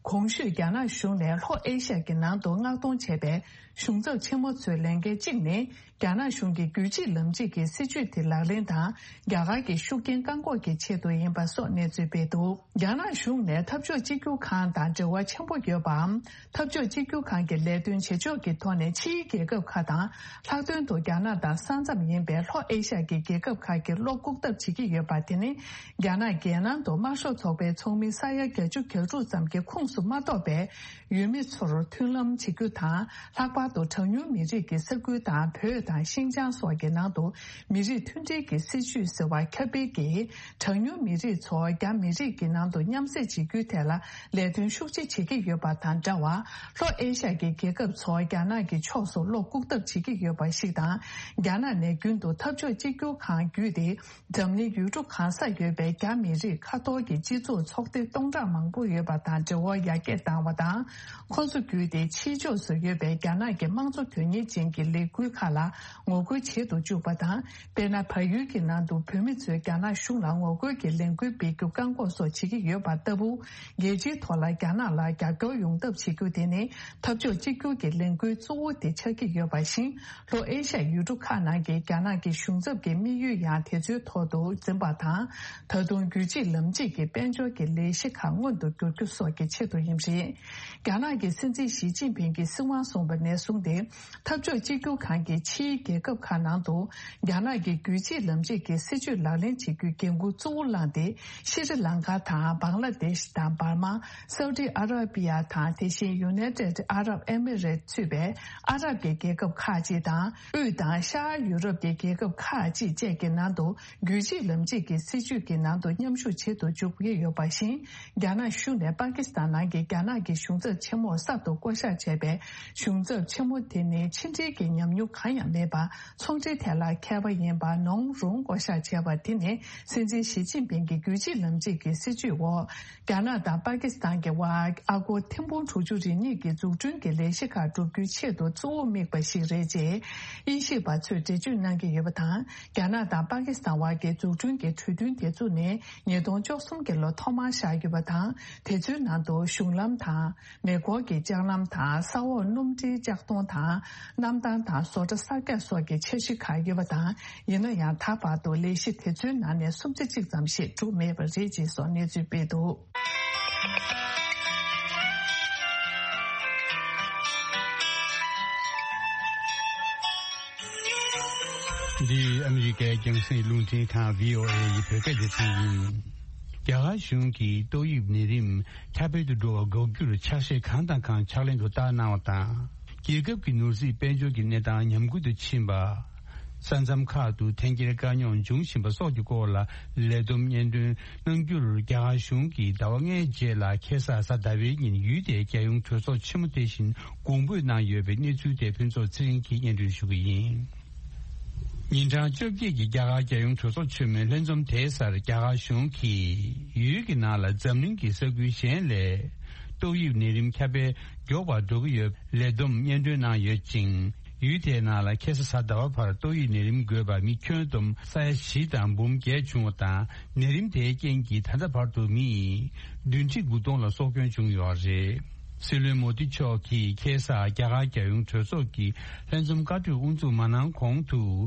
གོང་ཞུས་རྒྱ་ནག་གཞུང་ནས་ལྷོ་ཨེ་ཤ་ཡ་གི་ནང་དུ་མངགས་གཏོང་བྱས་པའི་གཞུང་ཚབ་ཆེན་མོ་ཚོའི་ལས་འགན་གཅིག་ནི། རྒྱ་ནག་གཞུང་གི་རྒྱུད་གཅིག་ལམ་གཅིག་གི་སྲིད་བྱུས་དེ་ལག་ལེན་དང་། རྒྱ་གར་གྱི་ཤུགས་རྐྱེན་བཀག་འགོག་གི་ཆེད་དུ་ཡིན་པ་སོགས་གནས་ཚུལ་སྤེལ་འདུག་རྒྱ་ནག་གཞུང་ནས་འཐབ་ཕྱོགས་གཅིག་གྱུར་ཁང་དང་འབྲེལ་བ་ཆེན་པོ་ཡོད་པའམ། འཐབ་ཕྱོགས་གཅིག་གྱུར་ཁང་གི་ལས་དོན་བྱེད་ཕྱོགས་ཀྱི་ཐོག་ནས་ཕྱིའི་རྒྱལ་ཁབ་ཁག་དང་། ལྷག་དོན་དུ་རྒྱ་ནག་དང་ས་མཚམས་ཡིན་པའི་ལྷོ་ཨེ་ཤ་ཡ་གི་རྒྱལ་ཁབ་ཁག་གི་བློ་བཀུག་ཐབས་བྱེད་ཀྱི་ཡོད་པ་དེ་ནི། རྒྱ་ནག་རྒྱལ་ནང་དུ་དམར་ཤོག་ཚོགས་པའི་ཚོགས་མི་ས་ཡ་བརྒྱད་ཅུ་གྱ་དྲུག་ཙམ་གྱི་ཁོངས་སུ་མ་གཏོགས་པའི་ཡུལ་མི་ཚོར་མཐུན་ལམ་བྱེད་རྒྱུ་དང་། ལྷག་པར་དུ་གྲངས་ཉུང་མི་རིགས་ཀྱི་ས་ཁུལ་དང་། བོད་དང་ཤིན་ཅང་སོགས་ཀྱི་ནང་དུ་མི་རིགས་མཐུན་སྒྲིལ་གྱི་སྲིད་བྱུས་ཟེར་བ་ཁྱབ་སྤེལ་གྱིས། གྲངས་ཉུང་མི་རིགས་ཚོ་རྒྱ་མི་རིགས་ཀྱི་ནང་དུ་མཉམ་བསྲེས་བྱེད་རྒྱུའི་ཐད་ལ་ལས་དོན་ཤུགས་ཆེ་བྱེད་ཀྱི་ཡོད་པ་དང་འདྲ་བར། ལྷོ་ཨེ་ཤ་ཡ་གི་རྒྱལ་ཁབ་ཚོ་རྒྱ་ནག་གི་ཕྱོགས་སུ་བློ་བཀུག་ཐབས་བྱེད་ཀྱི་ཡོད་པ་ཞིག་དང་། རྒྱ་ནག་ནས་རྒྱུན་དུ་འཐབ་ཕྱོགས་གཅིག་གྱུར་ཁང་བརྒྱུད་དེ། འཛམ་གླིང་ཡུལ་གྲུ་གང་སར་ཡོད་པའི་རྒྱ་མི་རིགས་ཁ་ཐོར་གྱི་སྤྱི་ཚོགས་ཚོགས་སྡེ་སྟོང་ཕྲག་མང་པོ་ཡོད་པ་དང་འབྲེལ་བ་ཡར་རྒྱས་བཏང་བ་དང་། ཁོ་ཚོ་བརྒྱུད་དེ་ཕྱིའི་ཕྱོགས་སུ་ཡོད་པའི་རྒྱ་ནག་གི་དམངས་གཙོ་དོན་གཉེར་ཅན་གྱི་ལས་འགུལ་ཁག་ལ་ངོ་རྒོལ་བྱེད་དུ་བཅུག་པ་དང་། དཔེར་ན། བལ་ཡུལ་གྱི་ནང་དུ་བོད་མི་ཚོས་རྒྱ་ནག་གཞུང་ལ་ངོ་རྒོལ་གྱི་ལས་འགུལ་སྤེལ་རྒྱུ་བཀག་འགོག་སོགས་བྱེད་ཀྱི་ཡོད་པ་ལྟ་བུ། རྒྱལ་སྤྱིའི་ཐོག་ལ་རྒྱ་ནག་ལ་རྒྱབ་སྐྱོར་ཡོང་ཐབས་བྱེད་རྒྱུ་དེ་ནི། འཐབ་ཕྱོགས་གཅིག་གྱུར་གྱི་ལས་འགུལ་གཙོ་བོ་དེ་ཆགས་ཀྱི་ཡོད་པ་བཞིན། ལྷོ་ཨེ་ཤ་ཡ་ཡུལ་གྲུ་ཁག་ནང་གི་རྒྱ་ནག་གི་གཞུང་ཚབ་ཀྱི་དམིགས་ཡུལ་ཡང་དེ་ཚོའི་ཐོག་ཏུ་འཛིན་པ་དང་། ད་དུང་རྒྱུད་གཅིག་ལམ་གཅིག་གི་དཔལ་འབྱོར་གྱི་ལས་གཞི་ཁག་མངོན་དུ་འགྱུར་རྒྱུ་སོགས་ཀྱི་ཆེད་དུ་ཡིན་པ་རེད། རྒྱ་ནག་གི་སྲིད་འཛིན་ཞི་ཅིན་ཕིང་གིས་སྲིད་དབང་བཟུང་བ་ནས་བཟུང་སྟེ། འཐབ་ཕྱོགས་གཅིག་གྱུར་ཁང་གིས་ཕྱིའི་རྒྱལ་ཁབ་ཁག་ནང་དུ་རྒྱ་ནག་གི་རྒྱུད་གཅིག་ལམ་གཅིག་གི་སྲིད་བྱུས་ལག་ལེན་བྱེད་རྒྱུའི་འགན་འཁུར་གཙོ་བོ་བླངས་ཏེ། ཤྲི་ལང་ཀ་དང་། བང་ལ་དེཤ་དང་། འབར་མ། སའུ་ཏི་ཨ་ར་པི་ཡ་དང་། དེ་བཞིན་ཡུ་ནའི་ཏེད་ཨ་རབ་ཨེ་མི་རེ་ཊི་གཙོས་པའི་ཨ་རབ་ཀྱི་རྒྱལ་ཁབ་ཁག་ཅིག་དང་། དབུས་དང་ཤར་ཡུ་རོབ་ཀྱི་རྒྱལ་ཁབ་ཁག་ཅིག་བཅས་ཀྱི་ནང་དུ་རྒྱུད་གཅིག་ལམ་གཅིག་གི་སྲིད་བྱུས་ཀྱི་ནང་དུ་མཉམ་ཞུགས་བྱེད་དུ་འཇུག་གི་ཡོད་པ་བཞིན། རྒྱ་ནག་གཞུང་ནས་པ་ཀི་སི་ཐན་ནང་གི་རྒྱ་ནག་གི་གཞུང་ཚབ་ཆེན་མོར་གསར་དུ་བསྐོ་གཞག་བྱས་པའི་གཞུང་ཚབ་ཆེན་མོ་དེ་ནི་ཕྱི་འབྲེལ་གྱི་ཉམས་མྱོང་གང་ཡང་མེད་པར། ཚོང་འབྲེལ་ཐད་ལ་མཁས་པ་ཡིན་པ་ནོང་རུང་བསྐོ་གཞག་བྱས་པ་དེ་ནི། སྲིད་འཛིན་ཞི་ཅིན་ཕིང་གི་རྒྱུད་གཅིག་ལམ་གཅིག་གི་སྲིད་བྱུས་འོག་རྒྱ་ནག་དང་པ་ཀི་སི་ཐན་གྱི་དབར་ཨ་སྒོར་ཐེར་འབུམ་དྲུག་ཅུ་རེ་གཉིས་ཀྱི་འཛུགས་སྐྲུན་གྱི་ལས་གཞི་ཁག་བསྒྲུབ་རྒྱུའི་ཆེད་དུ་གཙོ་བོ་དམིགས་པ་ཞིག་རེད་ཅེས་དབྱིན་ཞིབ་པ་ཚོས་འགྲེལ་བརྗོད་གནང་གི་ཡོད་པ་དང་། རྒྱ་ནག་དང་པ་ཀི་སི་ཐན་དབར་གྱི་འཛུགས་སྐྲུན་གྱི་གྲོས་མཐུན་དེ་བཙུགས་ནས་ཉིས་སྟོང་བཅུ་གསུམ་གྱི་ལོ་ཐོག་མར་བཞག་ཡོད་པ་དང་། དེ་ཚོའི་ནང་དུ་གཞུང་ལམ་དང་། མེ་འཁོར་གྱི་ལྕགས་ལམ་དང་། ས་འོག་སྣུམ་འདྲེན་ལྕགས་མདོང་དང་། གནམ་ཐང་དང་བཟོ་གྲྭ་གསར་རྒྱག་སོགས་ཀྱི་འཆར་གཞི་ཁག་ཡོད་པ་དང་། ཡིན་ན་ཡང་ད་བར་དུ་ལས་གཞི་དེ་ཚོའི་ནང་ནས་སུམ་ཆ་གཅིག་ཙམ་ཞིག་གྲུབ་མེད་པ་རེད་ཅེས་སོགས་གནས་ཚུལ་སྤེལ་འདུག་འདི་ཨ་མི་རི་ཀའི་རྒྱང་སྲིང་རླུང་འཕྲིན་ཁང་། བྷི་ཨོ་ཨེ་ཡི་བོད་སྐད་སྡེ་ཚན་ཡིན། རྒྱ་གར་གཞུང་གིས་ཏོག་དབྱིབས་ནད་རིམས་ཁྱབ་སྤེལ་དུ་འགྲོ་བ་འགོག་རྒྱུར་ཕྱག་བཞེས་གང་དང་གང་ཕྱག་ལེན་དུ་བསྟར་གནང་བ་དང་། རྒྱལ་ཁབ་ཀྱི་ནོར་སྲིད་དཔལ་འབྱོར་གྱི་གནས་སྟངས་ཉམས་རྒུད་དུ་ཕྱིན་པ། ས་མཚམས་ཁག་ཏུ་འཐེན་འཁྱེར་དཀའ་རྙོག་འབྱུང་བཞིན་པ་སོགས་ཀྱི་སྐོར་ལ་ལས་བསྡོམས་སྙན་སྒྲོན་གནང་རྒྱུར། རྒྱ་གར་གཞུང་གིས་ཟླ་བ་ལྔའི་རྗེས་ལ་ཁ་སང་གཟའ་ཟླ་བའི་ཉིན་ཡུལ་དེའི་རྒྱལ་ཡོངས་གྲོས་ཚོགས་ཆེན་མོ་དེ་བཞིན་དགོངས་འབུལ་གནང་ཡོད་པའི་གནས་ཚུལ་དེ་ཕུན་ཚོགས་ཚེ་རིང་གིས་སྙན་སྒྲོན་ཞུ་གི་ཡིན། ཉིན་གྲངས་བཅོ་བརྒྱད་ཀྱི་རྒྱ་གར་རྒྱལ་ཡོངས་གྲོས་ཚོགས་ཆེན་མོའི་ལྷན་འཛོམས་དེའི་སར་རྒྱ་གར་གཞུང་གིས་ཡུལ་གྱི་ནང་ལ་འཛམ་གླིང་གི་ས་ཁུལ་གཞན་ལས་ཏོག་དབྱིབས་ནད་རིམས་ཁྱབ་སྤེལ་མགྱོགས་པར་འགྲོ་གི་ཡོད་པའི་ལས་བསྡོམས་སྙན་སྒྲོན་གནང་ཡོད་ཅིང་། ཡུལ་དེའི་ནང་ལ་ཁ་སང་གཟའ་ཟླ་བ་བར་ཏོག་དབྱིབས་ནད་རིམས་འགོས་པ་མི་ཁྱོན་བསྡོམས་ས་ཡ་བཞི་དང་འབུམ་བརྒྱད་བྱུང་བ་དང་། ནད་རིམས་དེའི་རྐྱེན་གྱིས་ད་ལྟ་བར་དུ་མི་བདུན་ཁྲི་དགུ་སྟོང་ལ་སྲོག་སྐྱོན་བྱུང་ཡོད་རེད། སྲིད་བློན་མོ་དི་མཆོག་གིས་ཁ་སང་རྒྱ་གར་རྒྱལ་ཡོངས་གྲོས་ཚོགས་ཀྱི་ལྷན་འཛོམས་བཀའ་གྲོས་དབུ་འཛུགས་མ་གནང་གོང་དུ་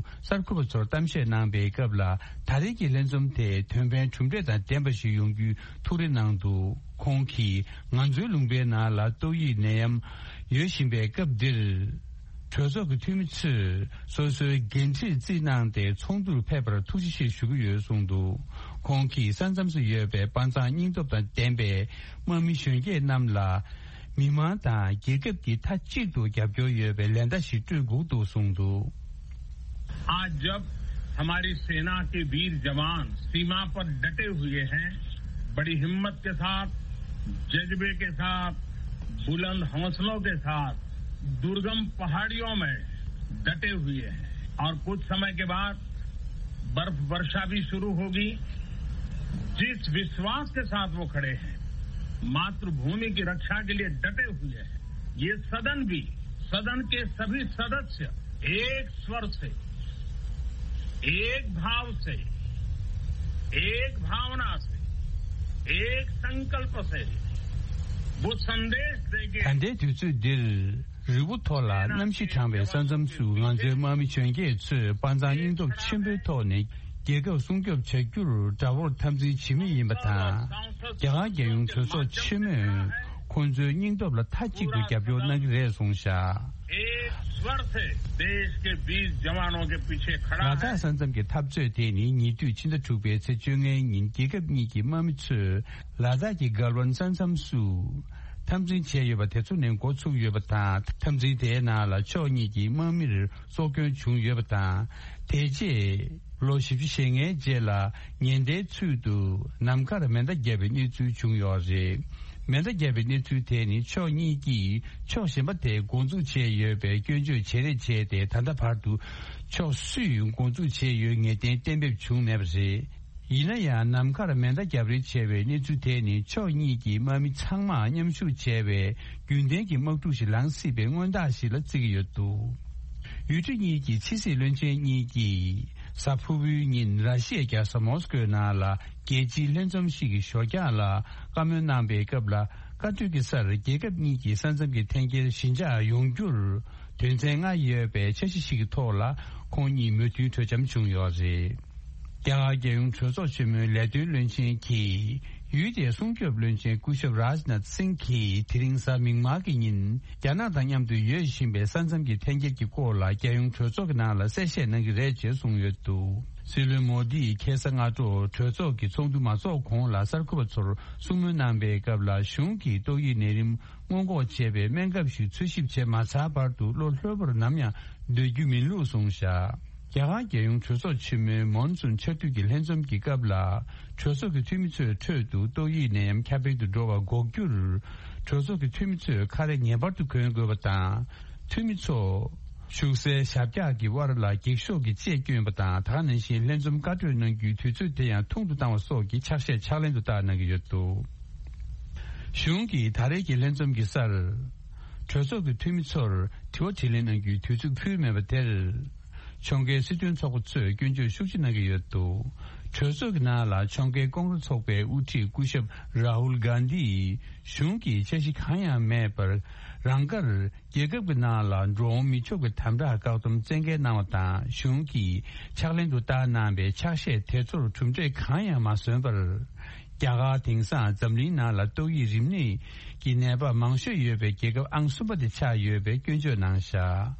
གསར་འགོད་པ་ཚོར་གཏམ་བཤད་གནང་པའི་སྐབས་ལ། ད་རེས་ཀྱི་ལྷན་འཛོམས་དེ་དོན་ཕན་གྲུབ་འབྲས་དང་ལྡན་པ་ཞིག་ཡོང་རྒྱུའི་ཐུགས་རེ་གནང་འདུག་ཁོང་གིས་ང་ཚོའི་ལུང་པའི་ནང་ལ་ཏོག་དབྱིབས་ནད་ཡམས་ཡོད་བཞིན་པའི་སྐབས་འདིར། གྲོས་ཚོགས་ཀྱི་འཐུས་མི་ཚོས་སོ་སོའི་འགན་འཁྲི་རྩིས་གནང་སྟེ་ཚོགས་འདུར་ཕེབས་པར་ཐུགས་རྗེ་ཆེ་ཞུ་གི་ཡོད་གསུངས་འདུག་ཁོང་གིས་ས་མཚམས་སུ་ཡོད་པའི་དཔའ་མཛངས་སྙིང་སྟོབས་དང་ལྡན་པའི་དམག་མི་གཞོན་སྐྱེས་རྣམས་ལ། མི་མང་དང་རྒྱལ་ཁབ་ཀྱིས་མཐའ་གཅིག་ཏུ་རྒྱབ་སྐྱོར་ཡོད་པའི་ལན་བརྡ་ཞིག་སྤྲོད་དགོས་འདུག་གསུངས་འདུག आज जब हमारी सेना के वीर जवान सीमा पर डटे हुए हैं, बड़ी हिम्मत के साथ, जज्बे के साथ, बुलंद हौसलों के साथ दुर्गम पहाड़ियों में डटे हुए हैं और कुछ समय के बाद बर्फ वर्षा भी शुरू होगी। जिस विश्वास के साथ वो खड़े हैं, मातृभूमि की रक्षा के लिए डटे हुए हैं, ये सदन भी सदन के सभी सदस्य एक स्वर से, एक भाव से, एक भावना से, एक संकल्प से वो संदेश देंगे। ད་ལྟའི་དུས་ཚོད་འདིར། རི་བོ་མཐོ་ལ་གནམ་གཤིས་གྲང་བའི་ས་མཚམས་སུ། ང་ཚོའི་དམག་མི་གྱོན་སྐྱེས་ཚོས་དཔའ་མཛངས་སྙིང་སྟོབས་ཆེན་པོའི་ཐོག་ནས་རྒྱལ་ཁབ་སྲུང་སྐྱོབ་བྱ་རྒྱུར་དགྲ་བོར་འཐབ་འཛིང་བྱེད་མུས་ཡིན་པ་དང་། རྒྱ་གར་རྒྱལ་ཡོངས་གྲོས་ཚོགས་ཆེན་མོས་ཁོང་ཚོའི་སྙིང་སྟོབས་ལ་མཐའ་གཅིག་ཏུ་རྒྱབ་སྐྱོར་གནང་གི་རེད་གསུངས་བཞག། एक स्वर से देश के बीस जवानों के पीछे खड़ा है। ལ་དྭགས་ས་མཚམས་ཀྱི་འཐབ་རྩོད་དེ་ནི་ཉེ་དུས་ཕྱི་ཟླ་དྲུག་པའི་ཚེས་བཅོ་ལྔའི་ཉིན་རྒྱལ་ཁབ་གཉིས་ཀྱི་དམག་མི་ཚོས་ལ་དྭགས་ཀྱི་གལ་ཝན་ས་མཚམས་སུ་འཐབ་འཛིང་བྱས་ཡོད་པ་དེ་ཚོ་ནས་འགོ་ཚུགས་ཡོད་པ་དང་། འཐབ་འཛིང་དེའི་ནང་ལ་ཕྱོགས་གཉིས་ཀྱི་དམག་མིར་སྲོག་སྐྱོན་བྱུང་ཡོད་པ་དང་། དེ་རྗེས་ལོ་བཞི་བཅུ་ཞེ་ལྔའི་རྗེས་ལ་ཉེན་བརྡའི་ཚུལ་དུ་ནམ་མཁར་མེ་མདའ་བརྒྱབ་པའི་གནས་ཚུལ་བྱུང་ཡོད་རེད། མེ་མདའ་བརྒྱབ་པའི་གནས་ཚུལ་དེ་ནི་ཕྱོགས་གཉིས་ཀྱིས་ཕྱོགས་གཞན་པ་དེ་འགོ་འཛུགས་བྱས་ཡོད་པའི་སྐྱོན་བརྗོད་བྱེད་རེས་བྱས་ཏེ། ད་ལྟ་བར་དུ་ཕྱོགས་སུས་འགོ་འཛུགས་བྱས་ཡོད་ངེས་གཏན་གཏན་འབེབས་བྱུང་མེད་པ་རེད། ཡིན་ན་ཡང་ནམ་མཁར་མེ་མདའ་བརྒྱབ་རེས་བྱས་པའི་གནས་ཚུལ་དེ་ནི་ཕྱོགས་གཉིས་ཀྱི་དམག་མི་ཚང་མ་མཉམ་ཞུགས་བྱས་པའི་རྒྱུན་ལྡན་གྱི་དམག་འཁྲུག་ཞིག་ལངས་སྲིད་པའི་སྔོན་རྟགས་ཤིག་ལ་བརྩི་གི་ཡོད་འདུག། ཡུལ་གྲུ་གཉིས་ཀྱི་ཕྱི་སྲིད་བློན་ཆེན་གཉིས་ཀྱིས་གཟའ་ཕུར་བུའི་ཉིན་ར་ཤི་ཡའི་རྒྱལ་ས་མོ་སི་ཀོའི་ནང་ལ་རྒྱལ་སྤྱིའི་ལྷན་འཛོམས་ཤིག་གི་ཞོར་རྒྱག་ལ་བཀའ་མོལ་གནང་པའི་སྐབས་ལ། བཀའ་གྲོས་ཀྱི་སར་རྒྱལ་ཁབ་གཉིས་ཀྱི་ས་མཚམས་ཀྱི་འཐེན་འཁྱེར་ཞི་འཇགས་ཡོང་རྒྱུར་དོན་ཚན་ལྔ་ཡོད་པའི་འཆར་གཞི་ཞིག་གི་ཐོག་ལ་ཁོང་གཉིས་མོས་མཐུན་གྲོས་འཆམ་བྱུང་ཡོད་རེད། རྒྱ་གར་རྒྱལ་ཡོངས་གྲོས་ཚོགས་ཆེན་མོའི་ལས་དོན་བློན་ཆེན་གྱིས་ཡུལ་དེའི་སྲུང་སྐྱོབ་བློན་ཆེན་སྐུ་ཞབས་རཱཇ་ནཱཐ་སིང་གིས་དེ་རིང་གཟའ་མིག་དམར་གྱི་ཉིན་རྒྱ་ནག་དང་མཉམ་དུ་ཡོད་བཞིན་པའི་ས་མཚམས་ཀྱི་འཐེན་འཁྱེར་གྱི་སྐོར་ལ་རྒྱལ་ཡོངས་གྲོས་ཚོགས་ཀྱི་ནང་ལ་གསལ་བཤད་གནང་གི་རེད་ཅེས་གསུངས་ཡོད་འདུག། སྲིད་བློན་མོ་དིས་ཁ་སང་སྔ་དྲོ་གྲོས་ཚོགས་ཀྱི་ཚོགས་འདུ་མ་ཚོགས་གོང་ལ་གསར་འགོད་པ་ཚོར་གསུང་མོལ་གནང་པའི་སྐབས་ལ། གཞུང་གིས་ཏོག་དབྱིབས་ནད་རིམས་སྔོན་འགོག་བྱེད་པའི་སྨན་ཁབ་ཞིག་འཚོལ་ཞིབ་བྱས་མ་ཚར་བར་དུ་ལོ་ལྷོད་པོར་ནམ་ཡང་སྡོད་རྒྱུ་མིན་ལུགས་གསུངས་བཞག། རྒྱ་གར་རྒྱལ་ཡོངས་གྲོས་ཚོགས་ཆེན་མོའི་མོན་སུན་ཆར་དུས་ཀྱི་ལྷན་འཛོམས་ཀྱི་སྐབས་ལ། གྲོས་ཚོགས་ཀྱི་འཐུས་མི་ཚོའི་ཁྲོད་དུ་ཏོག་དབྱིབས་ནད་ཡམས་ཁྱབ་སྤེལ་དུ་འགྲོ་བ་འགོག་རྒྱུར། གྲོས་ཚོགས་ཀྱི་འཐུས་མི་ཚོས་ཁ་རས་ངེས་པར་དུ་གོན་དགོས་པ་དང་། འཐུས་མི་ཚོ། བཞུགས་སའི་ཞབས་བཀྱག་གི་དབར་ལ་འགྱིག་ཤོག་གི་ལྕེ་བསྐྱོན་པ་དང་། ད་ག་ནང་བཞིན་ལྷན་འཛོམས་བཀའ་གྲོས་གནང་རྒྱུའི་དུས་ཚོད་དེ་ཡང་ཐུང་དུ་བཏང་བ་སོགས་ཀྱི་ཕྱག་བཞེས་ཕྱག་ལེན་དུ་བསྟར་གནང་གི་ཡོད་འདུག། གཞུང་གིས་ད་རེས་ཀྱི་ལྷན་འཛོམས་ཀྱི་སར། གྲོས་ཚོགས་ཀྱི་འཐུས་མི་ཚོར་དྲི་བ་དྲིས་ལན་གནང་རྒྱུའི་དུས་ཚོད་ཕུལ་མེད་པ་དེར། ཕྱོགས་འགལ་སྲིད་དོན་ཚོགས་པ་ཚོས་སྐྱོན་བརྗོད་ཤུགས་ཆེ་གནང་གི་ཡོད་འདུག། གྲོས་ཚོགས་ཀྱི་ནང་ལ་ཕྱོགས་འགལ་ཀོང་རེ་ཚོགས་པའི་དབུ་ཁྲིད་སྐུ་ཞབས་རཱ་ཧུལ་གྷན་དྷིས་གཞུང་གིས་འཆར་གཞི་གང་ཡང་མེད་པར། རང་དགར་རྒྱལ་ཁབ་ཀྱི་ནང་ལ་འགྲོ་འོང་མི་ཆོག་པའི་དམ་དྲག་བཀག་སྡོམ་བཙན་འགེལ་གནང་བ་དང་། གཞུང་གིས་ཕྱག་ལེན་དུ་བསྟར་གནང་བའི་ཕྱག་བཞེས་དེ་ཚོར་གྲུབ་འབྲས་གང་ཡང་མ་སོན་པར། རྒྱ་གར་དེང་སང་འཛམ་གླིང་ནང་ལ་ཏོག་དབྱིབས་རིམས་ནད་ཀྱི་ནད་པ་མང་ཤོས་ཡོད་པའི་རྒྱལ་ཁབ་ཨང་གསུམ་པ་དེ་ཆགས་ཡོད་པའི་སྐྱོན་བརྗོད་གནང་བཞག།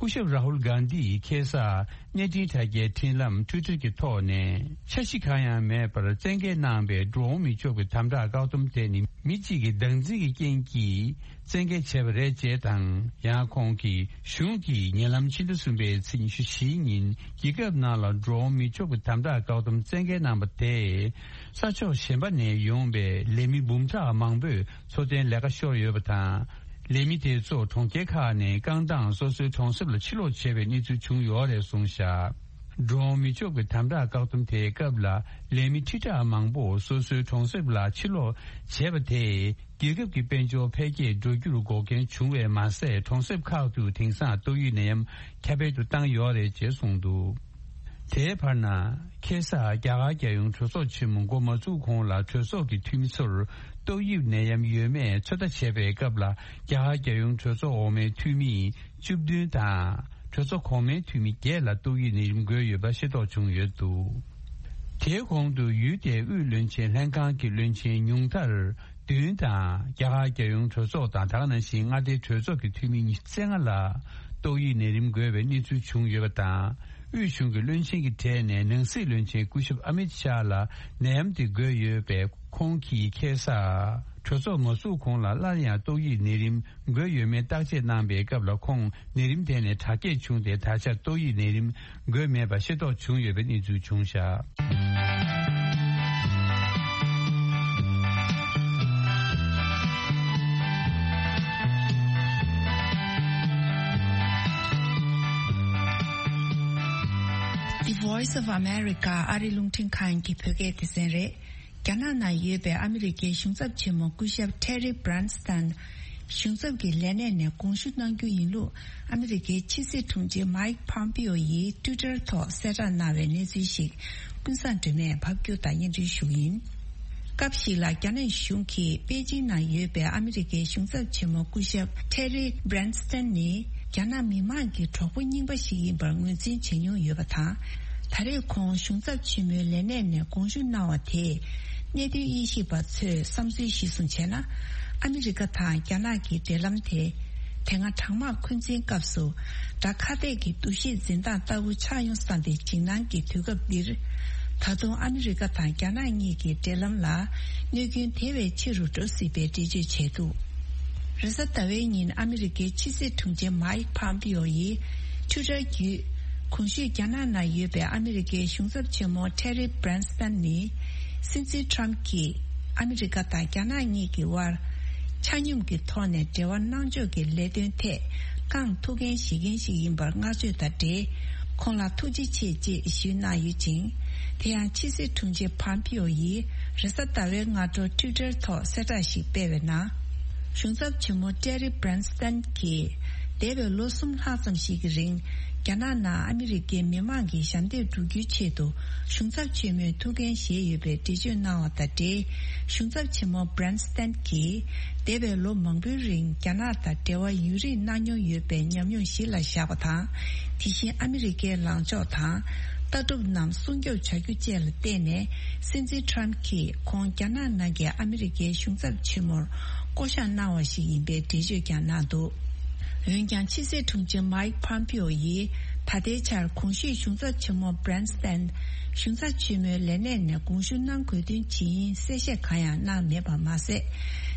སྐུ་ཞབས་རཱ་ཧུལ་གྷན་དྷིས་ཁ་སང་གནས་འཕྲིན་དྲ་རྒྱའི་འཕྲིན་ལམ་ཊུའི་ཊར་གྱི་ཐོག་ནས། འཆར་གཞི་གང་ཡང་མེད་པར་བཙན་འགེལ་གནང་བའི་འགྲོ་འོང་མི་ཆོག་པའི་དམ་དྲག་བཀག་སྡོམ་དེ་ནི་མི་གཅིག་གི་བདག་འཛིན་གྱི་རྐྱེན་གྱིས་བཙན་འགེལ་བྱས་པ་རེད་ཅེས་དང་། ཡང་ཁོང་གིས་གཞུང་གིས་ཉེ་ལམ་ཕྱི་ཟླ་གསུམ་པའི་ཚེས་ཉི་ཤུ་བཞིའི་ཉིན་རྒྱལ་ཁབ་ནང་ལ་འགྲོ་འོང་མི་ཆོག་པའི་དམ་དྲག་བཀག་སྡོམ་བཙན་འགེལ་གནང་བ་དེས། ས་ཕྱོགས་གཞན་པ་ནས་ཡོང་པའི་ལས་མི་འབུམ་ཕྲག་མང་པོས་འཚོ་རྟེན་ལས་ཀ་ཤོར་ཡོད་པ་དང་། ལས་མི་དེ་ཚོ་གྲོང་ཁྱེར་ཁག་ནས་རྐང་ཐང་སོ་སོའི་གྲོང་གསེབ་ལ་ཕྱིར་ལོག་བྱས་པའི་གནས་ཚུལ་བྱུང་ཡོད་རེད་གསུངས་བཞག། འགྲོ་འོང་མི་ཆོག་པའི་དམ་དྲག་བཀག་སྡོམ་དེའི་སྐབས་ལ་ལས་མི་ཁྲི་ཕྲག་མང་པོ་སོ་སོའི་གྲོང་གསེབ་ལ་ཕྱིར་ལོག་བྱས་པ་དེས། རྒྱལ་ཁབ་ཀྱི་དཔལ་འབྱོར་འཕེལ་རྒྱས་འགྲོ་རྒྱུར་འགོག་རྐྱེན་བྱུང་བས་མ་ཟད། གྲོང་གསེབ་ཁག་ཏུ་དེང་སང་ཏོག་དབྱིབས་ནད་ཡམས་ཁྱབ་སྤེལ་དུ་བཏང་ཡོད་རེད་ཅེས་གསུངས་འདུག། དེའི་བར་ན། ཁ་སང་རྒྱ་གར་རྒྱལ་ཡོངས་གྲོས་ཚོགས་ཆེན་མོ་འགོ་མ་ཚུགས་གོང་ལ། གྲོས་ཚོགས་ཀྱི་འཐུས་མི་ཚོར་ཏོག་དབྱིབས་ནད་ཡམས་ཡོད་མེད་ཚོད་ལྟ་བྱས་པའི་སྐབས་ལ། རྒྱ་གར་རྒྱལ་ཡོངས་གྲོས་ཚོགས་འོག་མའི་འཐུས་མི་བཅུ་བདུན་དང་། གྲོས་ཚོགས་གོང་མའི་འཐུས་མི་བརྒྱད་ལ་ཏོག་དབྱིབས་ནད་རིམས་འགོས་ཡོད་པ་ཤེས་རྟོགས་བྱུང་ཡོད་འདུག། དེའི་གོང་དུ་ཡུལ་དེའི་དབུས་བློན་ཆེན་ལྷན་ཁང་གི་བློན་ཆེན་ཉུང་མཐར་བདུན་དང་། རྒྱ་གར་རྒྱལ་ཡོངས་གྲོས་ཚོགས་དང་། ད་ག་ནང་བཞིན་མངའ་སྡེའི་གྲོས་ཚོགས་ཀྱི་འཐུས་མི་ཉི་ཤུ་རྩ་ལྔ་ལ་ཏོག་དབྱིབས་ནད་རིམས་འགོས་པའི་གནས་ཚུལ་བྱུང་ཡོད་པ་དང་། དབུས་གཞུང་གི་བློན་ཆེན་གྱི་གྲས་ནས་ནང་སྲིད་བློན་ཆེན་སྐུ་ཞབས་ཨ་མིད་ཤཱ་ལ་ནད་ཡམས་དེ་འགོས་ཡོད་པས། ཁོང་གིས་ཁ་སང་གྲོས་ཚོགས་མ་ཚུགས་གོང་ལ་སླར་ཡང་ཏོག་དབྱིབས་ནད་རིམས་འགོས་ཡོད་མེད་བརྟག་དཔྱད་གནང་པའི་སྐབས་ལ། ཁོང་ནད་རིམས་དེ་ནས་དྲག་སྐྱེད་བྱུང་སྟེ། ད་ཆ་ཏོག་དབྱིབས་ནད་རིམས་འགོས་མེད་པ་ཤེས་རྟོགས་བྱུང་ཡོད་པའི་གནས་ཚུལ་བྱུང་བཞག། The Voice of America ཨ་རི་རླུང་འཕྲིན་ཁང་གི་བོད་སྐད་སྡེ་ཚན་རེད། རྒྱ་ནག་ནང་ཡོད་པའི་ཨ་མི་རི་ཀའི་གཞུང་ཚབ་ཆེན་མོ་སྐུ་ཞབས་ཊེ་རི་བྷི་རན་སི་དང་། གཞུང་ཚབ་ཀྱི་ལས་གནས་ནས་དགོངས་ཞུ་གནང་རྒྱུ་ཡིན་ལུགས་ཨ་མི་རི་ཀའི་ཕྱི་སྲིད་དྲུང་ཆེ་མའིག་ཕོམ་པིའོ་ཡིས་ཊུའི་ཊར་ཐོག་གསལ་བསྒྲགས་གནང་བའི་གནས་ཚུལ་ཞིག་ཀུན་བཟང་སྒྲོལ་མས་ཕབ་སྒྱུར་དང་སྙན་སྒྲོན་ཞུ་རྒྱུ་ཡིན། སྐབས་ཤིག་ལ་རྒྱ་ནག་གཞུང་གིས་པེ་ཅིང་ནང་ཡོད་པའི་ཨ་མི་རི་ཀའི་གཞུང་ཚབ་ཆེན་མོ་སྐུ་ཞབས་ཊེ་རི་བྷི་རན་སི་ཏན་ནི་རྒྱ་ནག་མི་མང་གི་གྲོགས་པོ་རྙིང་པ་ཞིག་ཡིན་པར་ངོས་འཛིན་བྱེད་མྱོང་ཡོད་པ་དང་། ད་རེས་ཁོང་གཞུང་ཚབ་ཆེན་མོའི་ལས་གནས་ནས་དགོངས་ཞུ་གནང་བ་དེས། གནད་དོན་དབྱེ་ཞིབ་པ་ཚོས་བསམ་ཚུལ་གཞིར་བཟུང་བྱས་ན། ཨ་མི་རི་ཀ་དང་རྒྱ་ནག་གི་འབྲེལ་ལམ་དེ། དེ་སྔ་གྲང་དམག་འཁོན་འཛིན་སྐབས་སུ། དགྲ་ཁ་གཏད་ཀྱི་འདུ་ཤེས་འཛིན་སྟངས་ལྟ་བུ་ཆགས་ཡོང་བསམ་པའི་འཇིགས་སྣང་གི་དུས་སྐབས་འདིར། ད་དུང་ཨ་མི་རི་ཀ་དང་རྒྱ་ནག་གཉིས་ཀྱི་འབྲེལ་ལམ་ལ། གནོད་སྐྱོན་དེ་བས་ཆེ་རུ་འགྲོ་སྲིད་པའི་འགྲེལ་བརྗོད་བྱས་འདུག་རེས་གཟའ་ཟླ་བའི་ཉིན་ཨ་མི་རི་ཀའི་ཕྱི་སྲིད་དྲུང་ཆེ་མའིག་ཕོམ་པིའོ་ཡིས། ཊུའི་ཊར་བརྒྱུད། གོང་ཞུས་རྒྱ་ནག་ནང་ཡོད་པའི་ཨ་མི་རི་ཀའི་གཞུང་ཚབ་ཆེན་མོ་ཊེ་རི་བྷི་རན་སི་ཏན་ནི། སྲིད་འཛིན་ཊརམ་གྱིས་ཨ་མི་རི་ཀ་དང་རྒྱ་ནག་གཉིས་ཀྱི་དབར། ཆ་སྙོམས་ཀྱི་ཐོག་ནས་འབྲེལ་བ་གནང་ཕྱོགས་ཀྱི་ལས་དོན་ཐད་རྐང་ཐུག་འགན་བཞེས་མཁན་ཞིག་ཡིན་པར་བསྔགས་བརྗོད་དང་འབྲེལ། ཁོང་ལ་ཐུགས་རྗེ་ཆེ་ཅེས་ཞུས་གནང་ཡོད་ཅིང་། དེ་ཡང་ཕྱི་སྲིད་དྲུང་ཆེ་ཕོམ་པིའོ་ཡིས་རེས་གཟའ་ཟླ་བའི་སྔ་དྲོ་ཊུའི་ཊར་ཐོག་གསལ་བསྒྲགས་ཤིག་སྤེལ་བའི་ནང་། གཞུང་ཚབ་ཆེན་མོ་ཊེ་རི་བྷི་རན་སི་ཏན་གྱིས། འདས་པའི་ལོ་གསུམ་ལྷག་ཙམ་ཞིག་གི་རིང་། རྒྱ་ནག་ནང་ཨ་མི་རི་ཀའི་མི་མང་གི་ཞབས་འདེགས་སྒྲུབ་རྒྱུའི་ཆེད་དུ། གཞུང་ཚབ་ཆེན་མོས་ཐུགས་འགན་བཞེས་ཡོད་པའི་འགྲེལ་བརྗོད་གནང་བ་དང་འབྲེལ། གཞུང་ཚབ་ཆེན་མོ་བྷི་རན་སི་ཏན་གྱིས། འདས་པའི་ལོ་མང་པོའི་རིང་རྒྱ་ནག་དང་འབྲེལ་བ་ཡུན་རིང་གནང་མྱོང་ཡོད་པའི་ཉམས་མྱོང་གཞི་ལ་བཞག་པ་དང་། དེ་བཞིན་ཨ་མི་རི་ཀའི་ལངས་ཕྱོགས་དང་། ལྟ་གྲུབ་རྣམས་སྲུང་སྐྱོབ་བྱ་རྒྱུ་བཅས་ལ་བརྟེན་ནས། སྲིད་འཛིན་ཊརམ་གྱིས་ཁོང་རྒྱ་ནག་ནང་གི་ཨ་མི་རི་ཀའི་གཞུང་ཚབ་ཆེན་མོར་བསྐོ་གཞག་གནང་བ་ཞིག་ཡིན་པའི་འགྲེལ་བརྗོད་ཀྱང་གནང་འདུག་འོན་ཀྱང་ཕྱི་སྲིད་དྲུང་ཆེ་མའིག་ཕོམ་པིའོ་ཡིས་ད་ལྟའི་ཆར་གོང་ཞུས་གཞུང་ཚབ་ཆེན་མོ་བྷི་རན་སི་ཏན་གཞུང་ཚབ་ཆེན་མོའི་ལས་གནས་ནས་དགོངས་ཞུ་གནང་དགོས་དོན་ཇི་ཡིན་གསལ་བཤད་གང་ཡང་གནང་མེད་པ་མ་ཟད།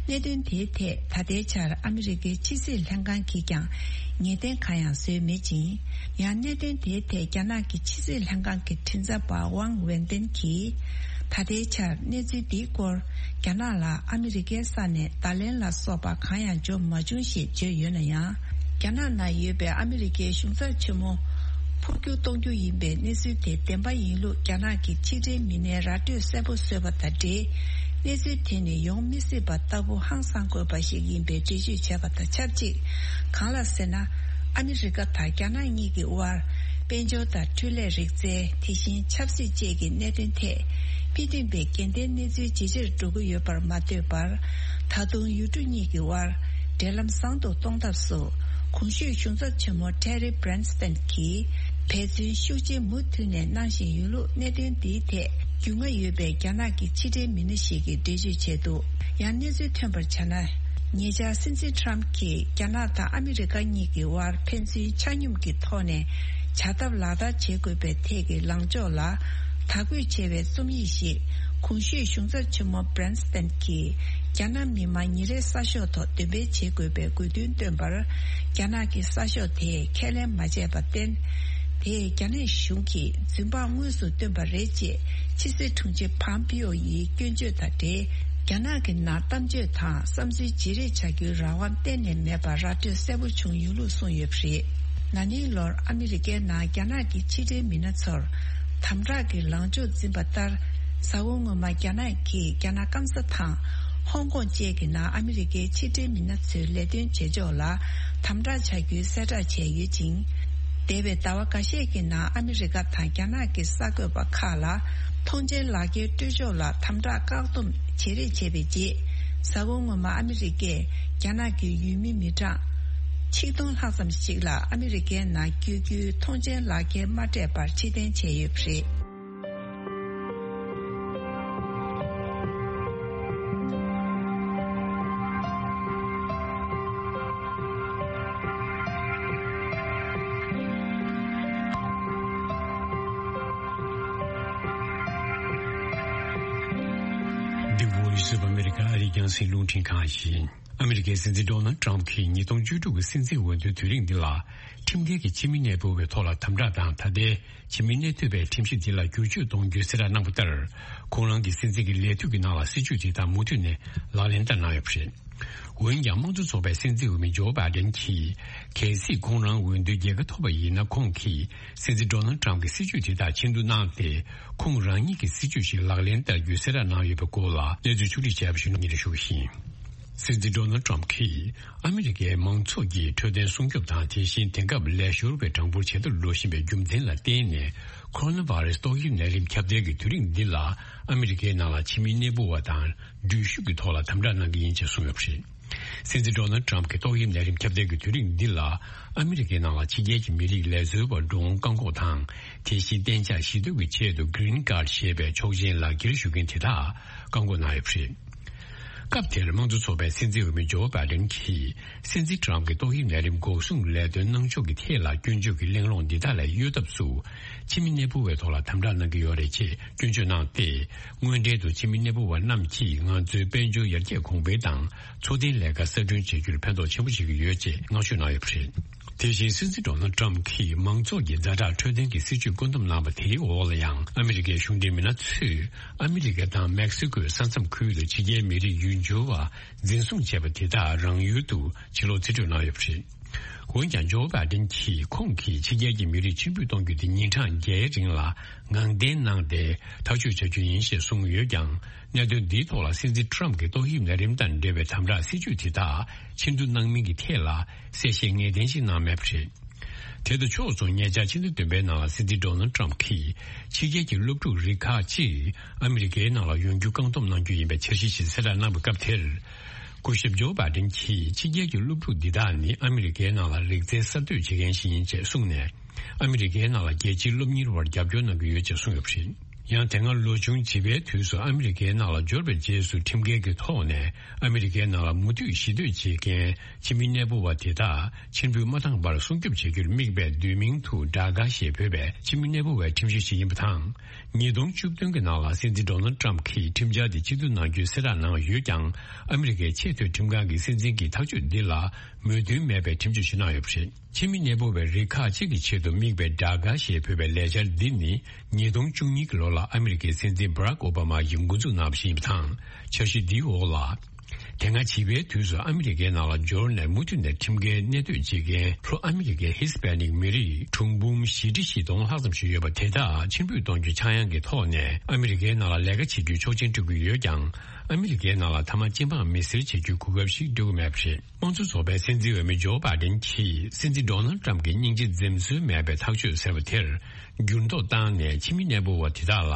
གནད་དོན་དེའི་ཐད་ད་ལྟའི་ཆར་ཨ་མི་རི་ཀའི་ཕྱི་སྲིད་ལྷན་ཁང་གིས་ཀྱང་ངེས་གཏན་གང་ཡང་བཟོས་མེད་ཅིང་། ཡང་གནད་དོན་དེའི་ཐད་རྒྱ་ནག་གི་ཕྱི་སྲིད་ལྷན་ཁང་གི་མགྲིན་ཚབ་པ་ཝང་ཝེན་ཏེན་གྱིས། ད་ལྟའི་ཆར་གནས་ཚུལ་འདིའི་སྐོར་རྒྱ་ནག་ལ་ཨ་མི་རི་ཀའི་ས་ནས་བརྡ་ལན་ལ་སོགས་པ་གང་ཡང་འབྱོར་མ་བྱུང་ཞེས་བརྗོད་ཡོད་ན་ཡང་། རྒྱ་ནག་ནང་ཡོད་པའི་ཨ་མི་རི་ཀའི་གཞུང་ཚབ་ཆེན་མོ་འཕོ་འགྱུར་གཏོང་རྒྱུ་ཡིན་པའི་གནས་ཚུལ་དེ་བདེན་པ་ཡིན་ལུགས་རྒྱ་ནག་གི་ཕྱི་འབྲེལ་མི་སྣས་ར་སྤྲོད་གསལ་པོ་བཟོས་པ་དང་འབྲེལ། གནས་ཚུལ་དེ་ནི་ཡོང་མི་སྲིད་པ་ལྟ་བུ་ཧང་སང་དགོས་པ་ཞིག་ཡིན་པའི་འགྲེལ་བརྗོད་བྱས་པ་དང་ཆབས་ཅིག་གང་ལགས་ཟེར་ན། ཨ་མི་རི་ཀ་དང་རྒྱ་ནག་གཉིས་ཀྱི་དབར། དཔལ་འབྱོར་དང་འཕྲུལ་ལས་རིག་རྩལ། དེ་བཞིན་ཆབ་སྲིད་བཅས་ཀྱི་གནད་དོན་ཐད། དཔེ་མཐུན་པའི་འགལ་ཟླའི་གནས་ཚུལ་ཇེ་ཆེར་འགྲོ་གི་ཡོད་པར་མ་ལྟོས་པར། ད་དུང་ཡུལ་གྲུ་གཉིས་ཀྱི་དབར། འབྲེལ་ལམ་བཟང་དུ་གཏོང་ཐབས་སུ། གོང་ཞུས་གཞུང་ཚབ་ཆེན་མོ་ཊེ་རི་བྷི་རན་སི་ཏན་གྱིས། འབད་བརྩོན་ཤུགས་ཆེ་མུ་མཐུད་ནས་གནང་བཞིན་ཡོད་ལུགས་གནད་དོན་འདིའི་ཐད། རྒྱུས་མངའ་ཡོད་པའི་རྒྱ་ནག་གི་ཕྱི་འབྲེལ་མི་སྣ་ཞིག་གིས་འགྲེལ་བརྗོད་བྱས་འདུག་ཡང་གནས་ཚུལ་ཐོན་པར་བྱས་ན། ཉེ་ཆར་སྲིད་འཛིན་ཊརམ་གྱིས་རྒྱ་ནག་དང་ཨ་མི་རི་ཀ་གཉིས་ཀྱི་དབར་ཕན་ཚུན་ཆ་སྙོམས་ཀྱི་ཐོག་ནས་བྱ་ཐབས་ལག་བསྟར་བྱེད་དགོས་པའི་ཐད་ཀྱི་ལངས་ཕྱོགས་ལ་དག་སྐུལ་བྱས་པའི་རྩོམ་ཡིག་ཞིག་གོང་ཞུས་གཞུང་ཚབ་ཆེན་མོ་བྷི་རན་སི་ཏན་གྱིས་རྒྱ་ནག་མི་དམངས་ཉིན་རེའི་གསར་ཤོག་ཐོག་འདོན་སྤེལ་བྱེད་དགོས་པའི་དགོས་འདུན་བཏོན་པར། རྒྱ་ནག་གི་གསར་ཤོག་དེས་ཁས་ལེན་མ་བྱས་པར་བརྟེན། དེས་རྒྱ་ནག་གཞུང་གིས་རྫུན་དཔང་དངོས་སུ་བཏོན་པ་རེད་ཅེས་ཕྱི་སྲིད་དྲུང་ཆེ་ཕམ་པིའོ་ཡིས་སྐྱོན་བརྗོད་དང་འབྲེལ། རྒྱ་ནག་གི་ནང་གཏམ་བརྗོད་དང་བསམ་ཚུལ་བརྗེ་རེས་བྱ་རྒྱུའི་རང་དབང་གཏན་ནས་མེད་པར་ར་སྤྲོད་གསལ་པོ་བྱུང་ཡོད་ལུགས་གསུངས་ཡོད་པ་རེད། ན་ནིང་ལོར་ཨ་མི་རི་ཀའི་ནང་རྒྱ་ནག་གི་ཕྱི་འབྲེལ་མི་སྣ་ཚོར་དམ་དྲག་གི་ལངས་ཕྱོགས་འཛིན་པ་ལྟར། གཟའ་འཁོར་སྔོན་མ་རྒྱ་ནག་གིས་རྒྱ་ནག་སྐམ་ས་དང་ཧོང་ཀོང་བཅས་ཀྱི་ནང་ཨ་མི་རི་ཀའི་ཕྱི་འབྲེལ་མི་སྣ་ཚོའི་ལས་དོན་བྱེད་ཕྱོགས་ལ་དམ་དྲག་བྱ་རྒྱུའི་གསལ་བསྒྲགས་བྱས་ཡོད་ཅིང་། འདས་པའི་ཟླ་བ་འགའ་ཤས་ཀྱི་ནང་ཨ་མི་རི་ཀ་དང་རྒྱ་ནག་གི་གསར་འགོད་པ་ཁག་ལ་ཐོངས་མཆན་ལག་འཁྱེར་སྤྲོད་ཕྱོགས་ལ་དམ་དྲག་བཀག་སྡོམ་བྱེད་རེས་བྱས་པའི་རྗེས། གཟའ་འཁོར་སྔོན་མ་ཨ་མི་རི་ཀས་རྒྱ་ནག་གི་ཡུལ་མི་མི་གྲངས་ཆིག་སྟོང་ལྷག་ཙམ་ཞིག་ལ་ཨ་མི་རི་ཀའི་ནང་བསྐྱོད་རྒྱུའི་ཐོངས་མཆན་ལག་འཁྱེར་མ་སྤྲད་པར་ཕྱིར་འཐེན་བྱས་ཡོད་པ་རེད། འདི་Voice of America ཨ་རིའི་རྒྱང་སྲིང་རླུང་འཕྲིན་ཁང་ཡིན། ཨ་མི་རི་ཀའི་སྲིད་འཛིན་ཌོ་ནལ་ཊམ་གྱིས་ཉིས་སྟོང་བཅུ་དྲུག་གི་སྲིད་འཛིན་འོས་བསྡུའི་དུས་རིང་འདི་ལ་ཁྲིམས་འགལ་གྱི་ཕྱི་མི་གནས་སྤོ་བའི་ཐོག་ལ་དམ་དྲག་དང་། ད་ལྟའི་ཕྱི་མི་གནས་ཐུབ་པའི་ཁྲིམས་གཞི་འདི་ལ་བསྒྱུར་བཅོས་གཏོང་རྒྱུའི་གསལ་བསྒྲགས་གནང་བ་ལྟར། ཁོང་རང་གི་སྲིད་འཛིན་གྱི་ལས་དུས་ཀྱི་ནང་ལ་སྲིད་ཇུས་དེ་དག་མུ་མཐུད་ནས་ལག་ལེན་བསྟར་གནང་ཡོད་པ་རེད། འོན་ཀྱང་། དམངས་གཙོ་ཚོགས་པའི་སྲིད་འཛིན་འོས་མི་ཇོ་བྷའི་ཌེན་གྱིས། གལ་སྲིད་ཁོང་རང་འོས་བསྡུའི་རྒྱལ་ཁ་ཐོབ་པ་ཡིན་ན། ཁོང་གིས་སྲིད་འཛིན་ཌོ་ནལ་ཊམ་གྱི་སྲིད་ཇུས་དེ་དག་ཕྱིར་བསྡུ་གནང་སྟེ། ཁོང་རང་ཉིད་ཀྱི་སྲིད་ཇུས་ཤིག་ལག་ལེན་བསྟར་རྒྱུའི་གསལ་བསྒྲགས་གནང་ཡོད་པའི་སྐོར་ལ་གནས་ཚུལ་ཕྱོགས་སྒྲིག་བྱས་པ་ཞིག་སྙན་སྒྲོན་ཞུ་གི་ཡིན། སྲིད་འཛིན་ཌོ་ནལ་ཏྲམ་གྱིས་ཨ་མི་རི་ཀའི་མང་ཚོགས་ཀྱི་འཕྲོད་བསྟེན་སྲུང་སྐྱོབ་དང་། དེ་བཞིན་དེང་སྐབས་ལས་ཤོར་བའི་གྲངས་འབོར་ཇེ་མཐོར་འགྲོ་བཞིན་པའི་རྒྱུ་མཚན་ལ་བརྟེན་ནས། ཁོ་རོ་ན་བྷ་རེ་སི་ཏོག་དབྱིབས་ནད་རིམས་ཁྱབ་གདལ་གྱི་དུས་རིང་འདི་ལ་ཨ་མི་རི་ཀའི་ནང་ལ་ཕྱི་མི་གནས་སྤོ་བ་དང་འགྲུལ་བཞུད་ཀྱི་ཐོག་ལ་དམ་དྲག་གནང་གི་ཡིན་ཅེས་གསུངས་ཡོད་པ་རེད། སྲིད་འཛིན་ཌོ་ནལ་ཏྲམ་གྱིས་ཏོག་དབྱིབས་ནད་རིམས་ཁྱབ་གདལ་གྱི་དུས་རིང་འདི་ལ་ཨ་མི་རི་ཀའི་ནང་ལ་ཕྱི་རྒྱལ་གྱི་མི་རིགས་ལས་བཟོ་བ་འགྲོ་འོང་བཀག་འགོག་དང་། དེ་བཞིན་གཏན་འཇགས་གཞིས་སྡོད་ཀྱི་ཆེད་དུ་Green Card་ཞེས་པའི་ཆོག་མཆན་ལག་འཁྱེར་ཞུ་མཁན་དེ་དག་བཀག་འགོག་གནང་ཡོད་པ་རེད། སྐབས་དེར་དམངས་གཙོ་ཚོགས་པའི་སྲིད་འཛིན་འོས་མི་ཇོ་བྷའི་ཌེན་གྱིས་སྲིད་འཛིན་ཏྲམ་གྱི་ཏོག་དབྱིབས་ནད་རིམས་འགོག་སྲུང་ལས་དོན་གནང་ཕྱོགས་ཀྱི་ཐད་ལ་སྐྱོན་བརྗོད་ཀྱི་གླེང་སློང་འདི་དག་ལས་གཡོལ་ཐབས་སུ། ཕྱི་མི་གནས་སྤོ་བའི་ཐོག་ལ་དམ་དྲག་གནང་གི་ཡོད་རེད་ཅེས་སྐྱོན་བརྗོད་གནང་སྟེ། དངོས་འབྲེལ་དུ་ཕྱི་མི་གནས་སྤོ་བ་རྣམས་ཀྱིས་ང་ཚོའི་དཔལ་འབྱོར་ཡར་རྒྱས་གོང་འཕེལ་དང་འཚོ་རྟེན་ལས་ཀ་གསར་སྐྲུན་བྱེད་རྒྱུར་ཕན་ཐོགས་ཆེན་པོ་བྱེད་ཀྱི་ཡོད་ཅེས་བསྔགས་བརྗོད་གནང་ཡོད་པ་རེད། དེ་བཞིན་སྲིད་འཛིན་ཌོ་ནལ་ཏྲམ་གྱིས་མང་ཚོགས་ཀྱི་ཛ་དྲག་འཕྲོད་བསྟེན་གྱི་སྲིད་ཇུས་བཀོད་འདོམས་གནང་བ་དེའི་འོག་ལ་ཡང་ཨ་མི་རི་ཀའི་གཞུང་འབྲེལ་མི་སྣ་ཚོས་ཨ་མི་རི་ཀ་དང་མེག་སི་ཀོའི་ས་མཚམས་ཁུལ་དུ་ཕྱི་རྒྱལ་མི་རིགས་ཡུལ་འབྱོར་བ་འཛིན་བཟུང་བྱས་པ་དེ་དག་རང་ཡུལ་དུ་ཕྱིར་ལོག་རྩིས་སྤྲོད་གནང་ཡོད་པ་རེད། འོན་ཀྱང་ཇོ་བྷའི་ཌེན་གྱིས་ཁོང་གིས་ཕྱི་རྒྱལ་གྱི་མི་རིགས་ཕྱིར་འབུད་གཏོང་རྒྱུ་དེ་ཉིན་གྲངས་བརྒྱད་རིང་ལ་ངང་བརྟན་གནང་སྟེ་ཐག་གཅོད་བྱ་རྒྱུ་ཡིན་ཞེས་གསུངས་ཡོད་ཀྱང་། གནད་དོན་འདིའི་ཐོག་ལ་སྲིད་འཛིན་ཏྲམ་གྱིས་ཏོག་དབྱིབས་ནད་རིམས་དང་འབྲེལ་བའི་དམ་དྲག་སྲིད་ཇུས་དེ་དག་ཕྱིར་བསྡུ་གནང་མིན་གྱི་ཐད་ལ་གསལ་བཤད་ངེས་གཏན་ཞིག་གནང་མེད་པ་རེད། དེ་དང་ཕྱོགས་མཚུངས་ཉེ་ཆར་ཕྱི་ཟླ་བདུན་པའི་ནང་ལ་སྲིད་འཛིན་ཌོ་ནལ་ཏྲམ་གྱིས་ཕྱི་རྒྱལ་གྱི་སློབ་ཕྲུག་རིགས་ཁག་ཅིག་ཨ་མི་རི་ཀའི་ནང་ལ་ཡོང་རྒྱུ་བཀག་སྡོམ་གནང་རྒྱུ་ཡིན་པའི་འཆར་གཞི་ཞིག་གསལ་བསྒྲགས་གནང་བའི་སྐབས་དེར། སྐུ་ཞབས་ཇོ་བྷའི་ཌེན་གྱིས་ཕྱི་རྒྱལ་གྱི་སློབ་ཕྲུག་འདི་དག་ནི་ཨ་མི་རི་ཀའི་ནང་ལ་རིག་རྩལ་གསར་གཏོད་བྱེད་མཁན་ཞིག་ཡིན་ཅེས་གསུངས་ནས། ཨ་མི་རི་ཀའི་ནང་ལ་རྒྱལ་སྤྱིའི་སློབ་གཉེར་བར་རྒྱབ་སྐྱོར་གནང་གི་ཡོད་ཅེས་གསུངས་ཡོད་པ་རེད། ཡང་དེ་སྔ་ལོ་ཆུང་བྱིས་པའི་དུས་སུ་ཨ་མི་རི་ཀའི་ནང་ལ་འབྱོར་བའི་རྗེས་སུ་ཁྲིམས་འགལ་གྱི་ཐོག་ནས་ཨ་མི་རི་ཀའི་ནང་ལ་མུ་མཐུད་གཞིས་སྡོད་བྱེད་མཁན་ཕྱི་མི་གནས་སྤོ་བ་དེ་དག་ཕྱིར་འབུད་མ་བཏང་བར་སྲུང་སྐྱོབ་བྱེད་རྒྱུར་དམིགས་པའི་བསྡུས་མིང་དུ་ཌ་ཀ་ཞེས་འབོད་པའི་ཕྱི་མི་གནས་སྤོ་བའི་ཁྲིམས་གཞི་ཞིག་ཡིན་པ་དང་། ཉིས་སྟོང་བཅུ་བདུན་གྱི་ནང་ལ་སྲིད་འཛིན་ཌོ་ནལ་ཏྲམ་གྱིས་ཁྲིམས་འཆར་དེ་ཕྱིར་བསྡུ་གནང་རྒྱུའི་གསལ་བསྒྲགས་གནང་ཡོད་ཀྱང་། ཨ་མི་རི་ཀའི་ཆེས་མཐོའི་ཁྲིམས་ཁང་གི་སྲིད་འཛིན་གྱི་ཐག་གཅོད་འདི་ལ་མོས་མཐུན་མེད་པའི་ཁྲིམས་གཅོད་ཞིག་གནང་ཡོད་པ་རེད། ཕྱི་མི་གནས་སྤོ་བའི་རིགས་ཁག་ཅིག་གི་ཆེད་དུ་དམིགས་པའི་ཌ་ཀ་ཞེས་འབོད་པའི་ལས་འཆར་འདི་ནི་ཉིས་སྟོང་བཅུ་གཉིས་ཀྱི་ལོ་ལ་ཨ་མི་རི་ཀའི་སྲིད་འཛིན་བྷ་རག་ཨོ་བྷ་མ་ཡིས་འགོ་འཛུགས་གནང་བ་ཞིག་ཡིན་པ་དང་། འཆར་གཞི་འདིའི་འོག་ལ། དེ་སྔ་བྱིས་པའི་དུས་སུ་ཨ་མི་རི་ཀའི་ནང་ལ་འབྱོར་ནས་མུ་མཐུད་ནས་ཁྲིམས་འགལ་གནས་སྡོད་བྱེད་མཁན་ལྷོ་ཨ་མི་རི་ཀའི་ཧི་སི་པེ་ནིག་མི་རིགས་གྲངས་འབོར་བཞི་ཁྲི་བཞི་སྟོང་ལྷག་ཙམ་ཞིག་ཡོད་པ་དེ་དག་ཕྱིར་འབུད་གཏོང་རྒྱུ་ཆག་ཡང་གི་ཐོག་ནས་ཨ་མི་རི་ཀའི་ནང་ལ་ལས་ཀ་བྱེད་རྒྱུའི་ཆོག་མཆན་སྤྲོད་ཀྱི་ཡོད་ཀྱང་། ཨ་མི་རི་ཀའི་ནང་ལ་མཐའ་མ་སྤྱི་འབངས་མི་སེར་བྱེད་རྒྱུའི་གོ་སྐབས་ཤིག་སྤྲོད་ཀྱི་མེད་པ་རེད། དམངས་གཙོ་ཚོགས་པའི་སྲིད་འཛིན་འོས་མི་ཇོ་བྷའི་ཌེན་གྱིས་སྲིད་འཛིན་ཌོ་ནལ་ཏྲམ་གྱི་སྙིང་རྗེ་འཛེམ་ཟོན་མེད་པའི་ཐག་གཅོད་ཟེར་བ་དེར་འགྱུར་ལྡོག་བཏང་ནས་ཕྱི་མི་གནས་སྤོ་བ་དེ་དག་ལ་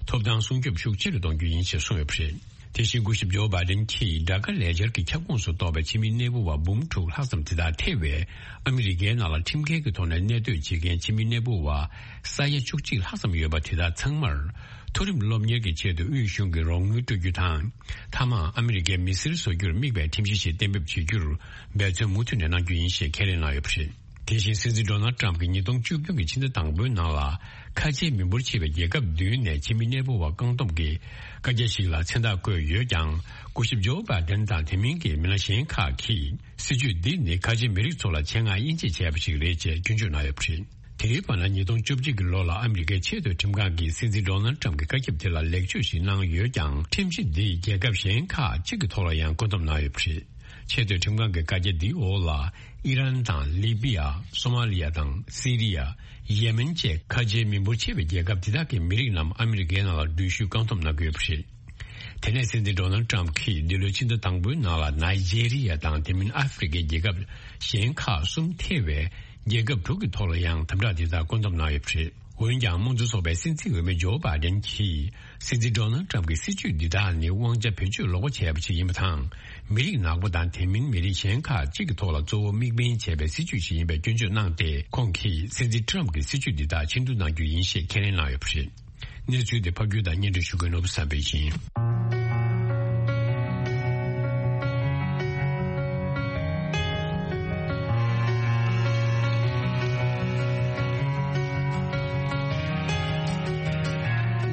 ཐོབ་ཐང་སྲུང་སྐྱོབ་ཤུགས་ཆེ་རུ་གཏོང་རྒྱུ་ཡིན་ཞེས་གསུངས་ཡོད་པ་རེད། དེ་བཞིན་སྐུ་ཞབས་ཇོ་བྷའི་ཌེན་གྱིས་ཌ་ཀ་ལས་འཆར་གྱི་ཁྱབ་ཁོངས་སུ་གཏོགས་པའི་ཕྱི་མི་གནས་སྤོ་བ་འབུམ་དྲུག་ལྷག་ཙམ་དེ་དག་ཐེ་བའི་ཨ་མི་རི་ཀའི་ནང་ལ་ཁྲིམས་འགལ་གྱི་ཐོག་ནས་གནས་སྡོད་བྱེད་མཁན་ཕྱི་མི་གནས་སྤོ་བ་ས་ཡ་བཅུ་གཅིག་ལྷག་ཙམ་ཡོད་པ་དེ་དག་ཚང་མར་མཐོ་རིམ་སློབ་གཉེར་གྱི་ཆེད་དུ་དབུས་གཞུང་གིས་རོགས་དངུལ་སྤྲོད་རྒྱུ་དང་། མཐའ་མར་ཨ་མི་རི་ཀའི་མི་སེར་བཟོ་རྒྱུར་དམིགས་པའི་ཁྲིམས་གཞི་ཞིག་གཏན་འབེབས་བྱེད་རྒྱུར་འབད་བརྩོན་མུ་མཐུད་ནས་གནང་རྒྱུ་ཡིན་ཞེས་ཁས་ལེན་གནང་ཡོད་པ་རེད། དེ་བཞིན་སྲིད་འཛིན་ཌོ་ནལ་ཏྲམ་གྱིས་ཉིས་སྟོང་བཅུ་བདུན་གྱི་ཕྱི་ཟླ་དང་པོའི་ནང་ལ་ཁ་ཆེའི་མི་འབོར་ཆེ་བའི་རྒྱལ་ཁབ་བདུན་ནས་ཕྱི་མི་གནས་སྤོ་བ་བཀག་སྡོམ་གྱི་བཀའ་རྒྱ་ཞིག་ལ་མཚན་རྟགས་བཀོད་ཡོད་ཀྱང་། སྐུ་ཞབས་ཇོ་བྷའི་ཌེན་དང་དེ་མིན་གྱི་མི་སྣ་གཞན་ཁག་གིས་སྲིད་ཇུས་འདི་ནི་ཁ་ཆེའི་མི་རིགས་ཚོ་ལ་ཆེད་མངགས་དབྱེ་འབྱེད་བྱས་པ་ཞིག་རེད་ཅེས་སྐྱོན་བརྗོད་གནང་ཡོད་པ་རེད། དེའི་བར་ན་ཉིས་སྟོང་བཅུ་གཅིག་གི་ལོ་ལ་ཨ་མི་རི་ཀའི་ཆེས་མཐོའི་ཁྲིམས་ཁང་གིས་སྲིད་འཛིན་ཌོ་ནལ་ཏྲམ་གྱི་བཀའ་ཁྱབ་དེ་ལ་ལེགས་བཅོས་ཤིག་གནང་ཡོད་ཀྱང་། ཁྲིམས་གཞི་འདིས་རྒྱལ་ཁབ་གཞན་ཁག་ཅིག་གི་ཐོག་ལ་ཡང་བཀོད་འདོམས་གནང་ཡོད་པ་རེད། ཆེས་མཐོའི་ཁྲིམས་ཁང་གི་བཀའ་རྒྱ་འདིའི་འོག་ལ་ཨི་རན་དང་ལི་པི་ཡ། སོ་མ་ལི་ཡ་དང་སི་རི་ཡ། ཡེ་མེན་བཅས་ཁ་ཆེའི་མི་འབོར་ཆེ་བའི་རྒྱལ་ཁབ་དེ་དག་གི་མི་རིགས་རྣམས་ཨ་མི་རི་ཀའི་ནང་ལ་འགྲུལ་བཞུད་བཀག་སྡོམ་གནང་གི་ཡོད་པ་རེད། དེ་ནས་སྲིད་འཛིན་ཌོ་ནལ་ཏྲམ་གྱིས་འདི་ལོའི་ཕྱི་ཟླ་དང་པོའི་ནང་ལ་ནཱི་ཇེ་རི་ཡ་དང་དེ་མིན་ཨ་ཧྥེ་རི་ཀའི་རྒྱལ་ཁབ་གཞན་ཁག་གསུམ་ཐེ་བའི་རྒྱལ་ཁབ་དྲུག་གི་ཐོག་ལ་ཡང་དམ་དྲག་འདི་དག་བཀོད་འདོམས་གནང་ཡོད་པ་རེད། འོན་ཀྱང་། དམངས་གཙོ་ཚོགས་པའི་སྲིད་འཛིན་འོས་མི་ཇོ་བྷའི་ཌེན་གྱིས། སྲིད་འཛིན་ཌོ་ནལ་ཏྲམ་གྱི་སྲིད་ཇུས་འདི་དག་ནི་དབང་ཆ་བེད་སྤྱོད་ལོག་པ་བྱས་པ་ཞིག་ཡིན་པ་དང་། མི་རིགས་ནག་པོ་དང་དེ་མིན་མི་རིགས་གཞན་ཁག་ཅིག་གི་ཐོག་ལ་གཙོ་བོ་དམིགས་འབེན་བྱས་པའི་སྲིད་ཇུས་ཤིག་ཡིན་པའི་སྐྱོན་བརྗོད་གནང་སྟེ། ཁོང་གིས་སྲིད་འཛིན་ཏྲམ་གྱི་སྲིད་ཇུས་འདི་དག་ཕྱིར་བསྡུ་གནང་རྒྱུ་ཡིན་ཞེས་ཁས་ལེན་གནང་ཡོད་པ་རེད། གནས་ཚུལ་དེ་ཕབ་སྒྱུར་དང་སྙན་སྒྲོན་ཞུ་མཁན་ནོར་བུ་བསམ་འཕེལ་ཡིན།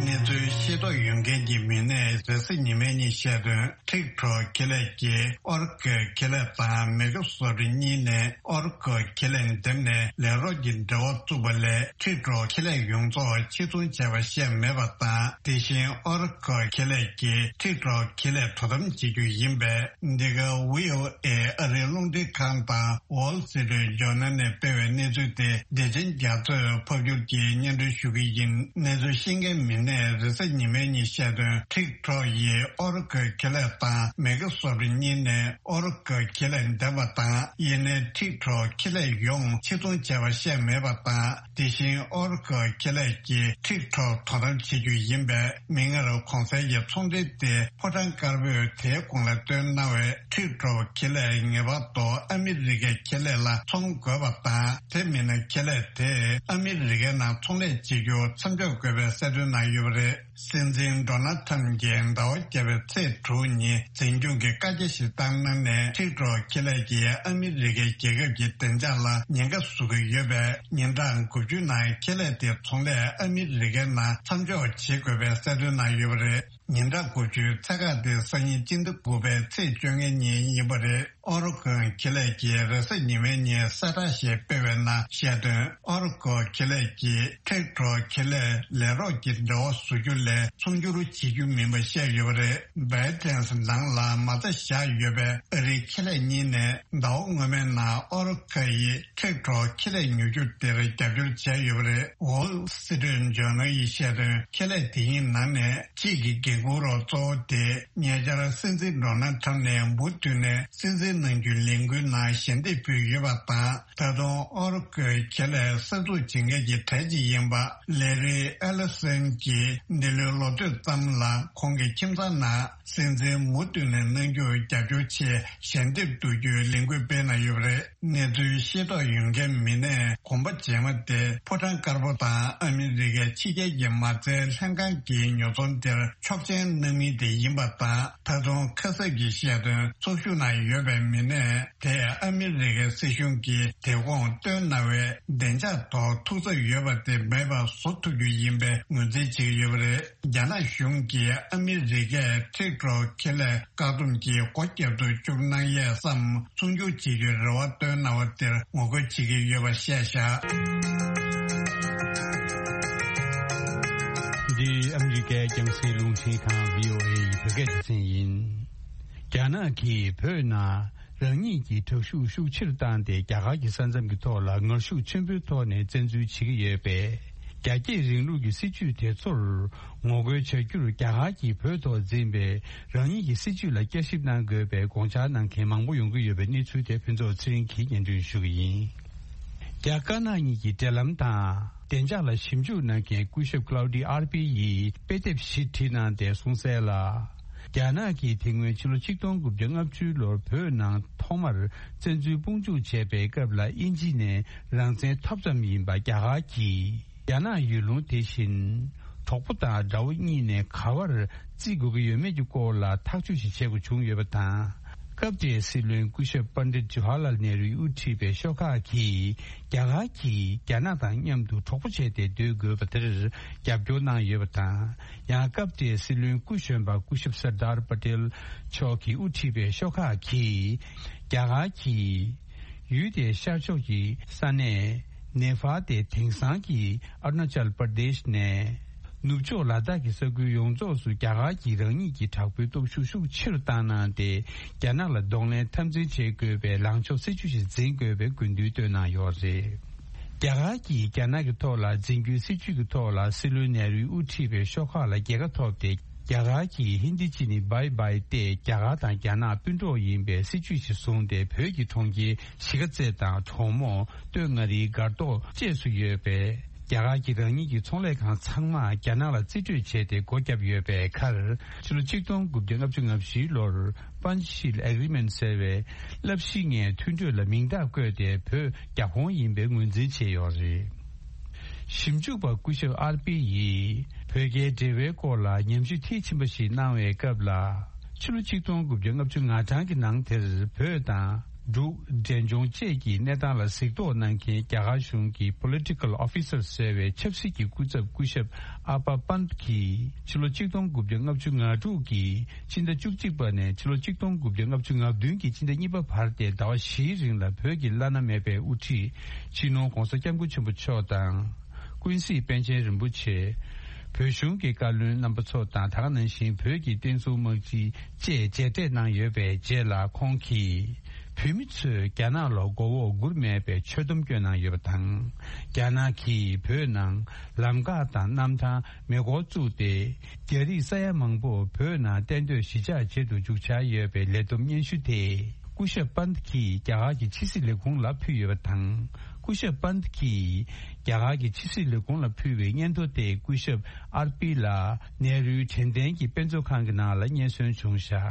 གནས་ཚུལ་ཤེས་རྟོགས་ཡོད་མཁན་གྱི་མི་སྣས་རེས་གཟའ་ཉི་མའི་ཉིན་བཤད་དོན། ཊིག་ཊོག་ཁེ་ལས་ཀྱིས་ཨོ་ར་ཀལ་ཁེ་ལས་དང་མའེ་ཀྲོ་སོབ་གཉིས་ནས་ཨོ་ར་ཀལ་ཁེ་ལས་འདེམས་ནས་ལས་རོགས་ཀྱི་འབྲེལ་བ་བཙུགས་པ་ལས། ཊིག་ཊོག་ཁེ་ལས་ཡོངས་རྫོགས་ཕྱིར་ཚོང་བྱས་པ་བཤད་མེད་པ་དང་། དེ་བཞིན་ཨོ་ར་ཀལ་ཁེ་ལས་ཀྱིས་ཊིག་ཊོག་ཁེ་ལས་དོ་དམ་བྱེད་རྒྱུ་ཡིན་པས། འདི་ག་ཝི་ཨོ་ཨེ་ཨ་རིའི་རླུང་འཕྲིན་ཁང་དང་ཝོལ་སི་ཊི་ཇོར་ནལ་ནས་སྤེལ་བའི་གནས་ཚུལ་དེ་བདེ་ཆེན་རྒྱ་མཚོས་ཕབ་སྒྱུར་གྱིས་སྙན་སྒྲོན་ཞུ་གི་ཡིན། གནས་ཚུལ་ཤེས་མཁན་མི་སྣས་རེས་གཟའ་ཉི་ ཉི་མའི་ཉིན་བཤད་དོན། ཊིག་ཊོག་ཡིས་ཨོ་ར་ཀལ་ཁེ་ལས་དང་མའི་ཀི་སོབ་གཉིས་ནས་ཨོ་ར་ཀལ་ཁེ་ལས་འདེམས་པ་དང་། ཡིན་ནའི་ཊིག་ཊོག་ཁེ་ལས་ཡོངས་ཕྱིར་ཚོང་བྱས་པ་བཤད་མེད་པ་དང་། དེ་བཞིན་ཨོ་ར་ཀལ་ཁེ་ལས་ཀྱིས་ཊིག་ཊོག་དོ་དམ་བྱེད་རྒྱུ་ཡིན་པས། མིག་སྔར་གོང་གསལ་གྱི་ཚོང་འབྲེལ་དེ་ཕོ་བྲང་དཀར་པོས་དེའི་གོང་ལ་བཏོན་གནང་བའི་ཊིག་ཊོག་ཁེ་ལས་ངེས་པར་དུ་ཨ་མི་རི་ཀའི་ཁེ་ལས་ལ་ཚོང་དགོས་པ་དང་། དེ་མིན་ན་ཁེ་ལས་དེས་ཨ་མི་རི་ཀའི་ནང་ཚོང་ལས་བྱེད་རྒྱུ་མཚམས་འཇོག་དགོས་པའི་གསལ་སྟོན་གནང་ཡོད་པ་རེད། སྲིད་འཛིན་ཌོ་ནལ་ཁྲམ་གྱིས་ཟླ་བ་བརྒྱད་པའི་ཚེས་དྲུག་ཉིན་འཛིན་སྐྱོང་གི་བཀའ་རྒྱ་ཞིག་བཏང་གནང་ནས། ཊིག་ཊོག་ཁེ་ལས་ཀྱིས་ཨ་མི་རི་ཀའི་རྒྱལ་ཁབ་ཀྱི་བདེ་འཇགས་ལ་ཉེན་ཁ་བཟོ་གི་ཡོད་པས། ཉིན་གྲངས་དགུ་བཅུ་ནང་ཁེ་ལས་དེ་ཚོང་ལས་ཨ་མི་རི་ཀའི་ནང་མཚམས་འཇོག་བྱེད་དགོས་པའི་གསལ་སྟོན་གནང་ཡོད་པ་རེད། ཉིན་གྲངས་དགུ་བཅུའི་ཚད་བཀག་དེ་སང་ཉིན་སྤྱི་ཟླ་དགུ་པའི་ཚེས་བཅོ་ལྔ་ཉིན་ཡིན་པ་རེད། ཨོ་ར་ཀལ་ཁེ་ལས་ཀྱིས་རེས་གཟའ་ཉི་མའི་ཉིན་གསལ་བསྒྲགས་ཤིག་སྤེལ་བའི་ནང་བཤད་དོན། ཨོ་ར་ཀལ་ཁེ་ལས་ཀྱིས་ཊིག་ཊོག་ཁེ་ལས་ལས་རོགས་ཀྱི་འབྲེལ་བ་བཟོ་རྒྱུ་ལས་ཚོང་སྒྱུར་བྱེད་རྒྱུ་མིན་པ་བཤད་ཡོད་པ་རེད། བྷའི་ཌེན་ནང་ལ་མ་རྩ་བཞག་ཡོད་པའི་ཨ་རིའི་ཁེ་ལས་གཉིས་ནས་ཟླ་བ་སྔོན་མའི་ནང་ཨོ་ར་ཀལ་ཡིས་ཊིག་ཊོག་ཁེ་ལས་ཉོ་རྒྱུ་དེར་རྒྱབ་སྐྱོར་བྱས་ཡོད་པ་རེད། ཝོལ་སི་ཊི་རིཊ་ཇོར་ནལ་ཡིས་བཤད་དོན། ཁེ་ལས་དེ་གཉིས་ནང་ནས་གཅིག་གི་འགན་འཁུར་རོགས་གཙོ་བོ་དེ་ཉེ་ཆར་སྲིད་འཛིན་ཌོ་ནལ་ཁྲམ་ནས་འབུར་བཏོན་ནས་སྲིད་འཛིན་གནང་རྒྱུའི་ལས་འགུལ་ནང་ཞལ་འདེབས་ཕུལ་ཡོད་པ་དང་། ད་དུང་ཨོ་ར་ཀལ་ཁེ་ལས་གསར་འཛུགས་བྱེད་མཁན་གྱི་གྲས་གཅིག་ཡིན་པ་ལེ་རི་ཨེ་ལི་སན་གྱིས་འདི་ལོའི་ལོ་སྟོད་ཙམ་ལ་ཁོང་གི་ཁྱིམ་ཚང་ནང་སྲིད་འཛིན་མུ་མཐུད་ནས་གནང་རྒྱུར་རྒྱབ་སྐྱོར་ཆེད་ཞལ་འདེབས་བསྡུ་རྒྱུའི་ལས་འགུལ་སྤེལ་གནང་ཡོད་པ་རེད། གནས་ཚུལ་ཤེས་རྟོགས་ཡོད་མཁན་མི་སྣས་གོམ་པ་རྗེས་མ་དེ་ཕོ་བྲང་དཀར་པོ་དང་ཨ་མི་རི་ཀའི་ཕྱི་རྒྱལ་གྱི་མ་རྩའི་ལྷན་ཁང་གི་ཉོ་ཚོང་དེར་ཆོག་མཆན་གནང་མིན་དེ་ཡིན་པ་དང་། ད་དུང་ཁ་གསབ་ཀྱི་བཤད་དོན། ཚོགས་ཞུགས་གནང་ཡོད་པའི་མི་སྣས་དེས་ཨ་མི་རི་ཀའི་སྲིད་གཞུང་གིས་དེ་གོང་བཏོན་གནང་བའི་བདེ་འཇགས་ཐོག་ཐུགས་འཚབ་ཡོད་པ་དེ་མེད་པ་བཟོ་ཐུབ་རྒྱུ་ཡིན་པའི་ངོས་འཛིན་བྱེད་ཀྱི་ཡོད་པ་རེད། རྒྱ་ནག་གཞུང་གིས་ཨ་མི་རི་ཀས་ཊིག་ཊོག་ཁེ་ལས་བཀག་སྡོམ་གྱིས་སྒོ་བརྒྱབ་ཏུ་བཅུག་གནང་ཡས་སམ་ཚོང་སྒྱུར་བྱེད་རྒྱུའི་རེ་བ་བཏོན་གནང་བ་དེར་ངོ་རྒོལ་བྱེད་ཀྱི་ཡོད་པ་བཤད་བཞག་འདི་ཨ་མི་རི་ཀའི་རྒྱང་སྲིང་རླུང་འཕྲིན་ཁང་བྷི་ཨོ་ཨེ་ཡི་བོད་སྐད་སྡེ་ཚན་ཡིན། རྒྱ་ནག་གིས་བོད་ནང་རང་ཉིད་ཀྱི་དྲག་ཤུགས་ཤུགས་ཆེར་བཏང་སྟེ་རྒྱ་གར་གྱི་ས་མཚམས་ཀྱི་ཐོག་ལ་ངར་ཤུགས་ཆེན་པོའི་ཐོག་ནས་བཙན་འཛུལ་བྱེད་ཀྱི་ཡོད་པས། རྒྱ་སྐྱེད་རིང་ལུགས་ཀྱི་སྲིད་བྱུས་དེ་ཚོར་ངོ་རྒོལ་བྱ་རྒྱུར་རྒྱ་གར་གྱིས་བོད་ཐོག་འཛིན་པའི་རང་ཉིད་ཀྱི་སྲིད་བྱུས་ལ་བསྐྱར་ཞིབ་གནང་དགོས་པའི་དགོངས་འཆར་གནང་མཁན་མང་པོ་ཡོང་གི་ཡོད་པའི་གནས་ཚུལ་དེ་ཕུན་ཚོགས་ཚེ་རིང་གིས་སྙན་སྒྲོན་ཞུ་གི་ཡིན། རྒྱ་དཀར་ནག་གཉིས་ཀྱི་འབྲེལ་ལམ་དང་བདེ་འཇགས་ལ་ཞིབ་འཇུག་གནང་མཁན་སྐུ་ཞབས་ཀླའུ་ཌི་ཨར་པི་ཡིས་དཔེ་དེབ་ཞིག་བྲིས་གནང་སྟེ་གསུངས་གསལ་ལ། རྒྱ་ནག་གིས་དེ་སྔོན་ཕྱི་ལོ་ཆིག་སྟོང་དགུ་བརྒྱ་ལྔ་བཅུ་ལོར་བོད་ནང་ཐོག་མར་བཙན་འཛུལ་དཔུང་འཇུག་བྱས་པའི་སྐབས་ལ་དབྱིན་ཇི་ནས་རང་བཙན་ཐོབ་ཙམ་ཡིན་པ་རྒྱ་གར་གྱིས། རྒྱ་ནག་ཡུལ་ལུང་དེ་བཞིན་གྲོགས་པོ་དང་དགྲ་བོ་གཉིས་ནས་ག་བར་བརྩི་དགོས་ཀྱི་ཡོད་མེད་ཀྱི་སྐོར་ལ་ཐག་གཅོད་ཞིག་བྱེད་དགོས་བྱུང་ཡོད་པ་དང་། སྐབས་དེའི་སྲིད་བློན་སྐུ་ཞབས་པཎྜི་ཏ་ཇཱ་ཧར་ལཱལ་ནེ་རུས་དབུ་ཁྲིད་པའི་ཤོག་ཁག་གིས་རྒྱ་གར་གྱིས་རྒྱ་ནག་དང་མཉམ་དུ་གྲོགས་པོ་བྱས་ཏེ་སྡོད་དགོས་པ་དེར་རྒྱབ་སྐྱོར་གནང་ཡོད་པ་དང་། ཡང་སྐབས་དེའི་སྲིད་བློན་སྐུ་གཞོན་པ་སྐུ་ཞབས་སར་དར་པ་ཏེལ་མཆོག་གིས་དབུ་ཁྲིད་པའི་ཤོག་ཁག་གིས་རྒྱ་གར་གྱིས་ཡུལ་དེའི་ཤར་ཕྱོགས་ཀྱི་ས་གནས་ནེ་ཕཱལ་དེ་དེང་སང་གི་ཨ་རུ་ན་ཅལ་པར་དེཤ་ནས་ནུབ་ཕྱོགས་ལ་དྭགས་ཀྱི་ས་ཁུལ་ཡོངས་རྫོགས་སུ་རྒྱ་གར་གྱིས་རང་ཉིད་ཀྱི་དྲག་པོའི་སྟོབས་ཤུགས་ཤུགས་ཆེ་རུ་བཏང་གནང་སྟེ། རྒྱ་ནག་ལ་གདོང་ལེན་འཐབ་འཛིང་བྱེད་དགོས་པའི་ལངས་ཕྱོགས་སྲིད་ཇུས་ཤིག་འཛིན་དགོས་པའི་དགོས་འདུན་བཏོན་གནང་ཡོད་རེད། རྒྱ་གར་གྱིས་རྒྱ་ནག་གི་ཐོག་ལ་འཛིན་རྒྱུའི་སྲིད་ཇུས་ཀྱི་ཐོག་ལ་སྲིད་བློན་ནེ་རུས་དབུ་ཁྲིད་པའི་ཤོག་ཁག་ལ་རྒྱལ་ཁ་ཐོབ་སྟེ། རྒྱ་གར་གྱིས་ཧིན་དི་ཅི་ནི་བྷའི་བྷའི་སྟེ་རྒྱ་གར་དང་རྒྱ་ནག་སྤུན་གྲོགས་ཡིན་པའི་སྲིད་ཇུས་ཤིག་བཟུང་སྟེ། བོད་ཀྱི་གྲོང་ཁྱེར་གཞིས་ཀ་རྩེ་དང་གྲོ་མོ། སྟོད་མངའ་རིས། སྒར་ཏོག་བཅས་སུ་ཡོད་པའི་རྒྱ་གར་གྱི་རང་ཉིད་ཀྱི་ཚོང་ལས་ཁང་ཚང་མ་རྒྱ་ནག་ལ་རྩིས་སྤྲོད་བྱས་ཏེ་སྒོ་བརྒྱབ་ཡོད་པའི་ཁར། ཕྱི་ལོ་ཆིག་སྟོང་དགུ་བརྒྱ་ལྔ་བཅུ་ང་བཞི་ལོར་པཱན་ཤིལ་ཨེ་གྷི་རི་མེན་ཟེར་བའི་རླབས་གཞི་ལྔའི་མཐུན་གྲོས་ལ་མིང་རྟགས་བཀོད་དེ་བོད་རྒྱ་ཁོངས་ཡིན་པའི་ངོས་འཛིན་བྱས་ཡོད་རེད། ཞིབ་འཇུག་པ་སྐུ་ཞབས་ཨར་པི་ཡིས་བོད་རྒྱའི་འབྲེལ་བའི་སྐོར་ལ་ཉམས་ཞིབ་མཐིལ་ཕྱིན་པ་ཞིག་གནང་བའི་སྐབས་ལ། ཕྱི་ལོ་ཆིག་སྟོང་དགུ་བརྒྱ་ལྔ་བཅུ་ང་གྲངས་ཀྱི་ནང་དེར་བོད་དང་འབྲུག་འབྲས་ལྗོངས་བཅས་ཀྱི་གནས་སྟངས་ལ་གཟིགས་རྟོག་གནང་མཁན་རྒྱ་གར་གཞུང་གི་Political Officer ཟེར་བའི་ཆབ་སྲིད་ཀྱི་སྐུ་ཚབ་སྐུ་ཞབས་ཨ་པ་པཱན་གྱིས་ཕྱི་ལོ་ཆིག་སྟོང་དགུ་བརྒྱ་ལྔ་བཅུ་ང་དྲུག་གི་སྤྱི་ཟླ་བཅུ་གཅིག་པ་ནས་ཕྱི་ལོ་ཆིག་སྟོང་དགུ་བརྒྱ་ལྔ་བཅུ་ང་བདུན་གྱི་སྤྱི་ཟླ་གཉིས་པ་བར་ཏེ་ཟླ་བ་བཞིའི་རིང་ལ་བོད་ཀྱི་བླ་ན་མེད་པའི་དབུ་ཁྲིད་སྤྱི་ནོར་༧གོང་ས་༧སྐྱབས་མགོན་ཆེན་པོ་མཆོག་དང་། ཀུན་གཟིགས་པཎ་ཆེན་རིན་པོ་ཆེ། བོད་གཞུང་གི་བཀའ་བློན་རྣམ་པ་ཚོ་དང་། ད་ག་ནང་བཞིན་བོད་ཀྱི་བསྟན་སྲུང་དམག་སྤྱི་བཅས་མཇལ་འཕྲད་གནང་ཡོད་པའི་རྗེས་ལ། ཁོང་གིས་ བོད་མི་ཚོས་རྒྱ་ནག་ལ་མགོ་འོག་སྒུར་མེད་པའི་ཆོད་སྡོམ་བསྐྱོན་གནང་ཡོད་པ་དང་། རྒྱ་ནག་གིས་བོད་ནང་ལམ་ཁ་དང་གནམ་ཐང་། མེ་འཁོར་བཙུགས་ཏེ། རྒྱ་རིགས་ས་ཡ་མང་པོ་བོད་ནང་གཏན་སྡོད་གཞིས་ཆགས་བྱེད་དུ་འཇུག་འཆར་ཡོད་པའི་ལས་བསྡོམས་སྙན་ཞུ་དེ། སྐུ་ཞབས་པཱན་ཏི་གིས་རྒྱ་གར་གྱི་ཕྱི་སྲིད་ལས་ཁུངས་ལ་ཕུལ་ཡོད་པ་དང་། སྐུ་ཞབས་པཱན་ཏི་གིས་རྒྱ་གར་གྱི་ཕྱི་སྲིད་ལས་ཁུངས་ལ་ཕུལ་བའི་སྙན་ཐོ་དེ་སྐུ་ཞབས་ཨར་པི་ལ་ནེ་རུའི་དྲན་རྟེན་གྱི་དཔེ་མཛོད་ཁང་གི་ནང་ལ་རྙེད་སོན་བྱུང་བཞག་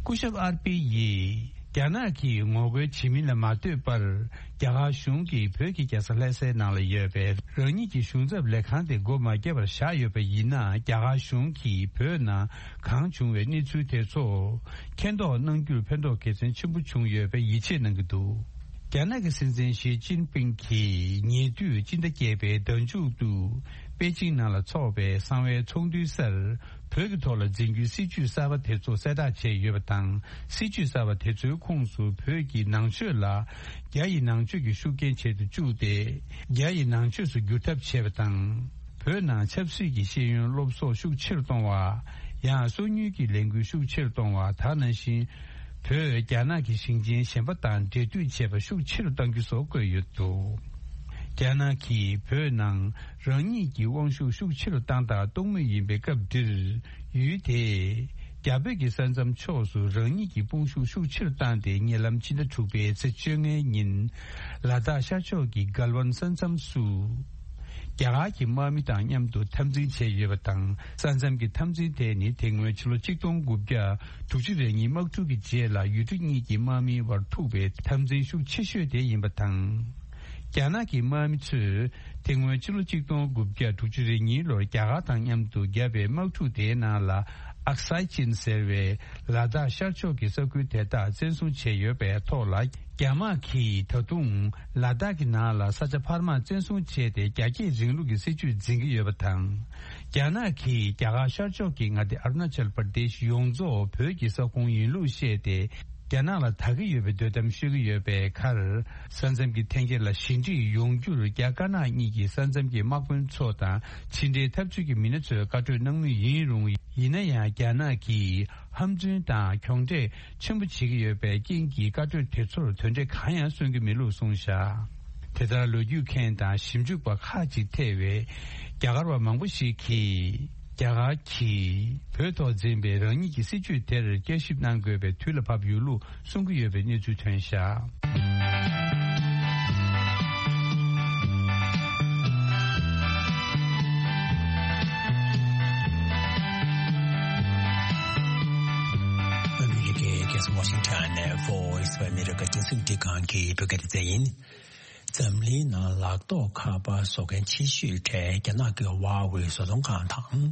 སྐུ་ཞབས་ཨར་པི་ཡིས། རྒྱ་ནག་གིས་ངོ་རྒོལ་བྱེད་མིན་ལ་མ་ལྟོས་པར། རྒྱ་གར་གཞུང་གིས་བོད་ཀྱི་རྒྱལ་ས་ལྷ་སའི་ནང་ལ་ཡོད་པའི་རང་ཉིད་ཀྱི་གཞུང་ཚབ་ལས་ཁང་དེ་སྒོ་མ་བརྒྱབ་པར་བཞག་ཡོད་པ་ཡིན་ན། རྒྱ་གར་གཞུང་གིས་བོད་ནང་གང་བྱུང་བའི་གནས་ཚུལ་དེ་ཚོ་མཁྱེན་རྟོགས་གནང་རྒྱུར་ཕན་ཐོགས་གལ་ཆེན་པོ་བྱུང་ཡོད་པའི་ཡིད་ཆེས་གནང་གི་འདུག་རྒྱ་ནག་གི་སྲིད་འཛིན་ཞི་ཅིན་ཕིང་གིས་ཉེ་དུས་སྤྱི་ཟླ་བརྒྱད་པའི་ཟླ་མཇུག་ཏུ་པེ་ཅིང་ནང་ལ་འཚོགས་པའི་གསང་བའི་ཚོགས་འདུའི་སར། བོད་ཀྱི་ཐོག་ལ་འཛིན་རྒྱུའི་སྲིད་ཇུས་གསར་པ་དེ་ཚོ་གསལ་བསྒྲགས་བྱས་ཡོད་པ་དང་། སྲིད་ཇུས་གསར་པ་དེ་ཚོའི་ཁོངས་སུ་བོད་ཀྱི་ནང་ཆོས་ལ་རྒྱ་ཡི་ནང་ཆོས་ཀྱི་ཤུགས་རྐྱེན་བྱེད་དུ་བཅུག་སྟེ། རྒྱ་ཡི་ནང་ཆོས་སུ་བསྒྱུར་ཐབས་བྱས་པ་དང་། བོད་ནང་ཆབ་སྲིད་ཀྱི་ཤེས་ཡོན་སློབ་གསོ་ཤུགས་ཆེ་རུ་གཏོང་བ། ཡང་སོ་ཉུལ་གྱི་ལས་འགུལ་ཤུགས་ཆེ་རུ་གཏོང་བ། ད་ནང་བཞིན། བོད་རྒྱ་ནག་གི་ཞིང་ཆེན་གཞན་པ་དང་འབྲེལ་མཐུད་བྱེད་པ་ཤུགས་ཆེ་རུ་གཏང་རྒྱུ་སོགས་བཀོད་ཡོད་འདུག་རྒྱ་ནག་གིས་བོད་ནང་རང་ཉིད་ཀྱི་དབང་ཤུགས་ཤུགས་ཆེ་རུ་བཏང་དང་གཏོང་མུས་ཡིན་པའི་སྐབས་འདིར། ཡུལ་དེས་རྒྱ་བོད་ཀྱི་ས་མཚམས་ཕྱོགས་སུ་རང་ཉིད་ཀྱི་དཔུང་ཤུགས་ཤུགས་ཆེ་རུ་བཏང་སྟེ། ཉེ་ལམ་ཕྱི་ཟླ་དྲུག་པའི་ཚེས་བཅོ་ལྔའི་ཉིན། ལ་དྭགས་ཤར་ཕྱོགས་ཀྱི་གལ་ཝན་ས་མཚམས་སུ། རྒྱ་གར་གྱི་དམག་མི་དང་མཉམ་དུ་འཐབ་འཛིང་བྱས་ཡོད་པ་དང་། ས་མཚམས་ཀྱི་འཐབ་འཛིང་དེ་ནི་དེ་སྔོན་ཕྱི་ལོ་གཅིག་སྟོང་དགུ་བརྒྱ་དྲུག་ཅུ་རེ་གཉིས་དམག་འཁྲུག་གི་རྗེས་ལ་ཡུལ་གྲུ་གཉིས་ཀྱི་དམག་མིའི་བར་ཐུག་པའི་འཐབ་འཛིང་ཤུགས་ཆེ་ཤོས་དེ་ཡིན་པ་དང་། རྒྱ་ནག་གི་དམག་མི་ཚོས་དེ་སྔོན་ཕྱི་ལོ་གཅིག་སྟོང་དགུ་བརྒྱ་དྲུག་ཅུ་རེ་གཉིས་ལོར་རྒྱ་གར་དང་མཉམ་དུ་བརྒྱབ་པའི་དམག་འཁྲུག་དེའི་ནང་ལ། ཨག་སའི་ཅིན་ཟེར་བའི་ལ་དྭགས་ཤར་ཕྱོགས་ཀྱི་ས་ཁུལ་དེ་དག་བཙན་བཟུང་བྱས་ཡོད་པའི་ཐོག་ལ། རྒྱ་དམག་གིས་ད་དུང་ལ་དྭགས་ཀྱི་ནང་ལ་ས་ཆ་འཕར་མ་བཙན་བཟུང་བྱས་ཏེ། རྒྱ་སྐྱེད་རིང་ལུགས་ཀྱི་སྲིད་ཇུས་འཛིན་གྱི་ཡོད་པ་དང་། རྒྱ་ནག་གིས་རྒྱ་གར་ཤར་ཕྱོགས་ཀྱི་མངའ་སྡེ་ཨ་རུ་ན་ཅལ་པར་དེཤ་ཡོངས་རྫོགས་བོད་ཀྱི་ས་ཁོངས་ཡིན་ལུགས་བཤད་དེ། རྒྱ་ནག་ལ་དག་གི་ཡོད་པའི་འདོད་གཏམ་ཤོད་ཀྱི་ཡོད་པའི་ཁར། ས་མཚམས་ཀྱི་འཐེན་འཁྱེར་ལ་ཞི་འགྲིག་ཡོང་རྒྱུར་རྒྱ་དཀར་ནག་གཉིས་ཀྱི་ས་མཚམས་ཀྱི་དམག་དཔོན་ཚོ་དང་ཕྱི་འབྲེལ་འཐབ་རྩོད་ཀྱི་མི་སྣ་ཚོས་བཀའ་གྲོས་གནང་མུས་ཡིན་རུང་། ཡིན་ན་ཡང་རྒྱ་ནག་གིས་ཧམ་རྫུན་དང་གྱོང་འབྲས་ཆེན་པོ་བྱེད་ཀྱི་ཡོད་པའི་རྐྱེན་གྱིས། བཀའ་གྲོས་དེ་ཚོར་དོན་འབྲས་གང་ཡང་སོན་གྱི་མེད་ལུགས་གསུངས་བཞག་དེ་ལྟར་ལོ་རྒྱུས་མཁན་དང་ཞིབ་འཇུག་པ་ཁག་ཅིག་ཐེ་བའི་རྒྱ་གར་བ་མང་པོ་ཞིག་གིས། རྒྱ་གར་གྱིས་བོད་ཐོག་འཛིན་པའི་རང་ཉིད་ཀྱི་སྲིད་ཇུས་དེར་བསྐྱར་ཞིབ་གནང་དགོས་པའི་དུས་ལ་བབ་ཡོད་ལུགས་གསུང་གི་ཡོད་པའི་གནས་ཚུལ་ཐོན་བཞག་ཨ་མི་རི་ཀའི་རྒྱལ་ས་ཝ་ཤིང་ཊོན་ནས་Voice of America་རྒྱང་སྲིང་རླུང་འཕྲིན་ཁང་གི་བོད་སྐད་སྡེ་ཚན་ཡིན། འཛམ་གླིང་ནང་ལག་ཐོགས་ཁ་པར་བཟོ་མཁན་ཆེ་ཤོས་གྲས་རྒྱ་ནག་གི་ཧྭ་ཝེ་བཟོ་ཚོང་ཁང་དང་།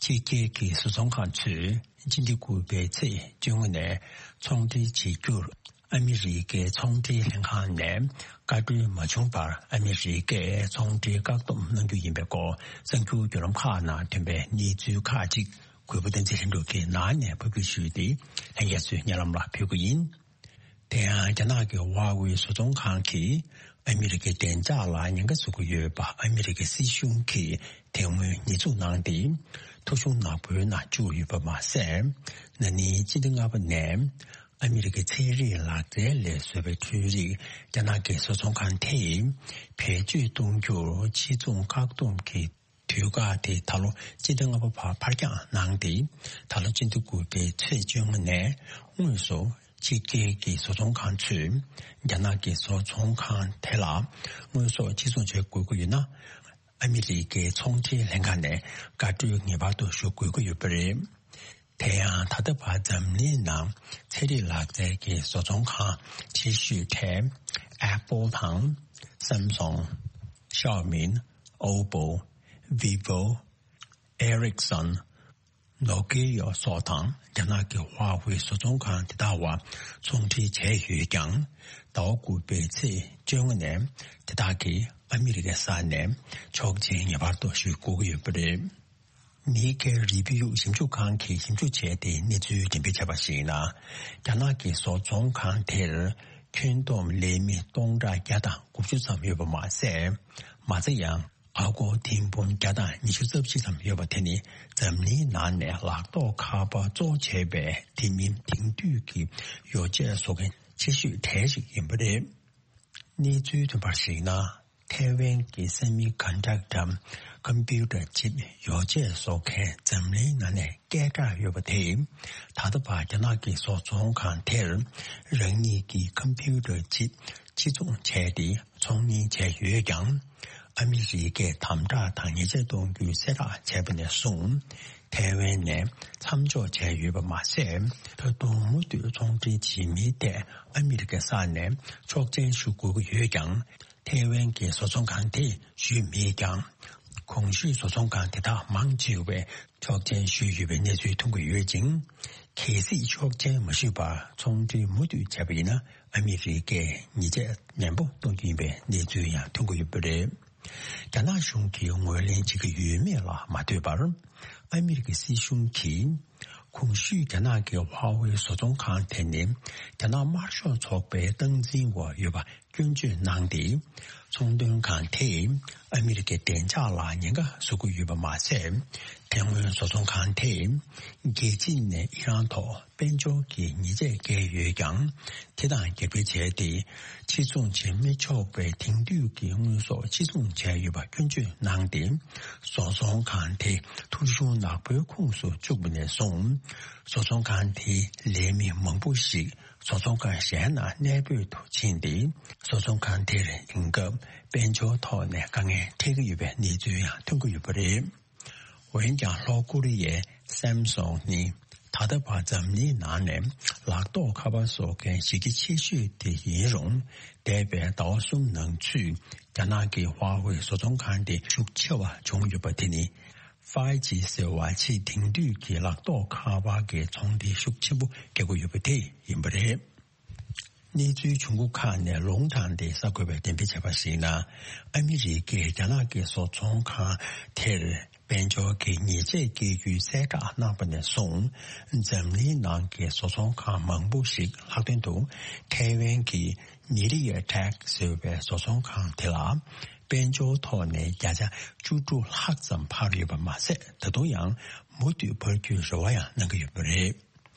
ཕྱི་རྒྱལ་གྱི་བཟོ་ཚོང་ཁང་ཚོས་སྤྱི་ཟླ་དགུ་པའི་ཚེས་བཅོ་ལྔ་ནས་ཚོང་འབྲེལ་བྱེད་རྒྱུར་ཨ་མི་རི་ཀའི་ཚོང་འབྲེལ་ལྷན་ཁང་ནས་བཀའ་འཁྲོལ་མ་བྱུང་བར། ཨ་མི་རི་ཀས་ཚོང་འབྲེལ་བཀག་སྡོམ་གནང་རྒྱུ་ཡིན་པའི་སྐོར་གསར་འགྱུར་བརྒྱུད་ལམ་ཁག་ནང་ཐོན་པའི་གནས་ཚུལ་ཁག་ཅིག་གུས་པ་བསྟན་འཛིན་ལྷུན་གྲུབ་ཀྱིས་ནང་ནས་ཕབ་སྒྱུར་ཞུས་ཏེ། ལྷན་རྒྱས་ཚོའི་སྙན་ལམ་ལ་ཕུལ་གྱི་ཡིན། དེ་ཡང་རྒྱ་ནག་གི་ཧྭ་ཝེ་བཟོ་ཚོང་ཁང་གིས་ཨ་མི་རི་ཀའི་བདེ་འཇགས་ལ་ཉེན་ཁ་བཟོ་གི་ཡོད་པ་ཨ་མི་རི་ཀའི་སྲིད་གཞུང་གིས་དེ་སྔོན་ཉེས་འཛུགས་གནང་སྟེ། ཐོ་གཞུང་ནག་པོའི་ནང་བཅུག་ཡོད་པ་མ་ཟད། ན་ནིང་སྤྱི་ཟླ་ལྔ་པ་ནས་ཨ་མི་རི་ཀའི་ཚན་རིག་ལག་རྩལ་ལས་བཟོས་པའི་འཕྲུལ་རིགས་རྒྱ་ནག་གི་བཟོ་ཚོང་ཁང་དེས་བེད་སྤྱོད་གཏོང་རྒྱུར་ཕྱིར་ཚོང་བཀག་སྡོམ་གྱི་དུས་བཀག་དེ་ད་ལོ་སྤྱི་ཟླ་ལྔ་པ་བར་ཕར་འགྱངས་གནང་སྟེ། ད་ལོ་སྤྱི་ཟླ་དགུ་པའི་ཚེས་བཅོ་ལྔ་ནས་དངོས་སུ་ཕྱི་རྒྱལ་གྱི་བཟོ་ཚོང་ཁང་ཚོས་རྒྱ་ནག་གི་བཟོ་ཚོང་ཁང་དེ་ལ་དངོས་ཟོག་ཕྱིར་ཚོང་བྱེད་དགོས་ཀྱི་ཡོད་ན། ཨ་མི་རི་ཀའི་ཚོང་འབྲེལ་ལྷན་ཁང་ནས་བཀའ་འཁྲོལ་ངེས་པར་དུ་ཞུ་དགོས་ཀྱི་ཡོད་པ་རེད། དེ་ཡང་ད་ལྟ་བར་འཛམ་གླིང་ནང་ཚན་རིག་ལག་རྩལ་གྱི་བཟོ་ཚོང་ཁང་ཆེ་ཤོས་གྲས་Apple་དང་Samsung། Xiaomi། Oppo། Vivo། Ericsson། Nokia་སོགས་དང་རྒྱ་ནག་གི་Huawei་བཟོ་ཚོང་ཁང་དེ་དག་བར་ཚོང་འབྲེལ་བྱས་ཡོད་ཀྱང་། ཟླ་བ་དགུ་པའི་ཚེས་བཅོ་ལྔ་ནས་དེ་དག་གིས་ཨ་མི་རི་ཀའི་ས་ནས་ཆོག་མཆན་ངེས་པར་དུ་ཞུ་དགོས་ཀྱི་ཡོད་པ་རེད། Nikkei Review་ཞིབ་འཇུག་ཁང་གིས་ཞིབ་འཇུག་བྱས་ཏེ་གནས་ཚུལ་འགྲེམས་སྤེལ་བྱས་པར་གཞིགས་ན། རྒྱ་ནག་གི་བཟོ་ཚོང་ཁང་དེར་ཁྱོན་བསྡོམས་ལས་མི་སྟོང་ཕྲག་བརྒྱ་དང་དགུ་བཅུ་ཙམ་ཡོད་པ་མ་ཟད། མ་ཚད་ཡང་། ཨ་སྒོར་ཐེར་འབུམ་བརྒྱ་དང་ཉི་ཤུ་རྩ་བཞི་ཙམ་ཡོད་པ་དེ་ནི་འཛམ་གླིང་ནང་ནས་ལག་ཐོགས་ཁ་པར་གཙོ་བྱས་པའི་དེ་མིན་དེང་དུས་ཀྱི་ཡོ་བྱད་བཟོ་མཁན་ཆེ་ཤོས་གྲས་ཤིག་ཡིན་པ་རེད། གནས་ཚུལ་ཐོན་པར་གཞིགས་ན། ཐའེ་ཝན་གྱི་སེ་མི་ཀོན་ཌག་ཊར་ཀམ་པིའུ་ཊར་ཅིབ་ཡོ་བྱད་བཟོ་མཁན་འཛམ་གླིང་ནང་ནས་སྐད་གྲགས་ཡོད་པ་དེས། ད་ལྟ་བར་རྒྱ་ནག་གི་བཟོ་ཚོང་ཁང་དེར་རང་ཉིད་ཀྱི་ཀམ་པིའུ་ཊར་ཅིབ་ཕྱིར་ཚོང་བྱས་ཏེ་ཚོང་གཉེར་བྱས་ཡོད་ཀྱང་། ཨ་མི་རི་ཀས་དམ་དྲག་དང་ཉེས་ཆད་གཏོང་རྒྱུའི་གསལ་བསྒྲགས་བྱས་པ་ནས་བཟུང་། ཐའེ་ཝན་ནས་མཚམས་འཇོག་བྱས་ཡོད་པ་མ་ཟད། ད་དུང་མུ་མཐུད་ཚོང་འབྲེལ་བྱེད་མིའི་ཐད་ཨ་མི་རི་ཀའི་ས་ནས་ཆོག་མཆན་ཞུ་དགོས་ཀྱི་ཡོད་ཀྱང་། ཐའེ་ཝན་གྱི་བཟོ་ཚོང་ཁང་དེས་ཞུས་མེད་ཀྱང་། གོང་ཞུས་བཟོ་ཚོང་ཁང་དེ་དག་མང་ཆེ་བས་ཆོག་མཆན་ཞུས་ཡོད་པའི་གནས་ཚུལ་ཐོན་གྱི་ཡོད་ཅིང་། གལ་སྲིད་ཆོག་མཆན་མ་ཞུས་པར་ཚོང་འབྲེལ་མུ་མཐུད་བྱས་པ་ཡིན་ན། ཨ་མི་རི་ཀས་ཉེས་ཆད་ནན་པོ་གཏོང་རྒྱུ་ཡིན་པའི་གནས་ཚུལ་ཡང་ཐོན་གྱི་ཡོད་པ་རེད། རྒྱ་ནག་གཞུང་གིས་ངོས་ལེན་བྱེད་ཀྱི་ཡོད་མེད་ལ་མ་ལྟོས་པར། ཨ་མི་རི་ཀའི་སྲིད་གཞུང་གིས་གོང་ཞུས་རྒྱ་ནག་གི་ཧྭ་ཝེ་བཟོ་ཚོང་ཁང་དེ་ནི་རྒྱ་ནག་དམར་ཤོག་ཚོགས་པའི་སྟངས་འཛིན་འོག་ཡོད་པ་སྐྱོན་བརྗོད་གནང་སྟེ། ཚོང་དོན་ཁང་དེས་ཨ་མི་རི་ཀའི་བདེ་འཇགས་ལ་ཉེན་ཁ་བཟོ་གི་ཡོད་པ་མ་ཟད། དེ་སྔོན་བཟོ་ཚོང་ཁང་དེས་རྒྱལ་སྤྱི་ནས་ཨི་རན་ཐོག་དཔལ་འབྱོར་གྱི་ཉེས་ཆད་བཀལ་ཡོད་ཀྱང་། དེ་དང་རྒྱབ་འགལ་བྱས་ཏེ། ཕྱིར་ཚོང་བྱེད་མི་ཆོག་པའི་དེང་དུས་ཀྱི་དངོས་ཟོག་ཕྱིར་ཚོང་བྱས་ཡོད་པ་སྐྱོན་བརྗོད་གནང་སྟེ། བཟོ་ཚོང་ཁང་དེ་ཐོ་གཞུང་ནག་པོའི་ཁོངས་སུ་བཅུག་པ་ནས་བཟུང་། བཟོ་ཚོང་ཁང་དེའི་ལས་མི་མང་པོ་ཞིག་བཟོ་ཚོང་ཁང་གཞན་ནང་གནས་སྤོས་དུ་ཕྱིན་ཏེ། བཟོ་ཚོང་ཁང་དེར་དེང་སྐབས་དཔལ་འབྱོར་ཐོག་ནས་དཀའ་ངལ་འཕྲད་ཀྱི་ཡོད་པའི་གནས་ཚུལ་ཡང་ཐོན་གྱི་ཡོད་པ་རེད། འོན་ཀྱང་། ལྷོ་ཀོ་རི་ཡའི་སེམ་སུང་ནི་ད་ལྟ་བར་འཛམ་གླིང་ནང་ནས་ལག་ཐོགས་ཁ་པར་བཟོ་མཁན་གཞི་རྒྱ་ཆེ་ཤོས་དེ་ཡིན་རུང་། འདས་པའི་ཟླ་བ་གསུམ་ནང་ཚུད་རྒྱ་ནག་གི་ཧྭ་ཝེ་བཟོ་ཚོང་ཁང་དེ་ཤུགས་ཆེ་བ་བྱུང་ཡོད་པ་དེ་ནི། ཧྥའི་ཇི་ཟེར་བ་ཆེས་དེང་དུས་ཀྱི་ལག་ཐོགས་ཁ་པར་གྱི་ཚོང་འབྲེལ་ཤུགས་ཆེན་པོ་བརྒྱབ་ཀྱི་ཡོད་པ་དེ་ཡིན་པ་རེད། གནས་ཚུལ་བྱུང་ཁུངས་ཁག་ནས་ལུང་དྲངས་ཏེ་གསར་འགོད་པས་འགྲེམས་སྤེལ་བྱས་པར་གཞིགས་ན། ཨ་མི་རི་ཀས་རྒྱ་ནག་གི་བཟོ་ཚོང་ཁང་དེར་དཔལ་འབྱོར་གྱི་ཉེས་ཆད་བཀལ་རྒྱུའི་གསལ་བསྒྲགས་གནང་པ་ནས་བཟུང་། འཛམ་གླིང་ནང་གི་བཟོ་ཚོང་ཁང་མང་པོ་ཞིག་ལྷག་དོན་དུ་ཐའེ་ཝན་གྱི་མི་རི་ཡ་ཊེག་ཟེར་བའི་བཟོ་ཚོང་ཁང་དེ་ལ་དཔལ་འབྱོར་ཐོག་ནས་བརྒྱ་ཆ་བཅུ་དྲུག་ལྷག་ཙམ་འཕར་ཡོད་པ་མ་ཟད། ད་དུང་ཡང་མུ་མཐུད་འཕར་རྒྱུའི་རེ་བ་ཡང་གནང་གི་ཡོད་པ་རེད།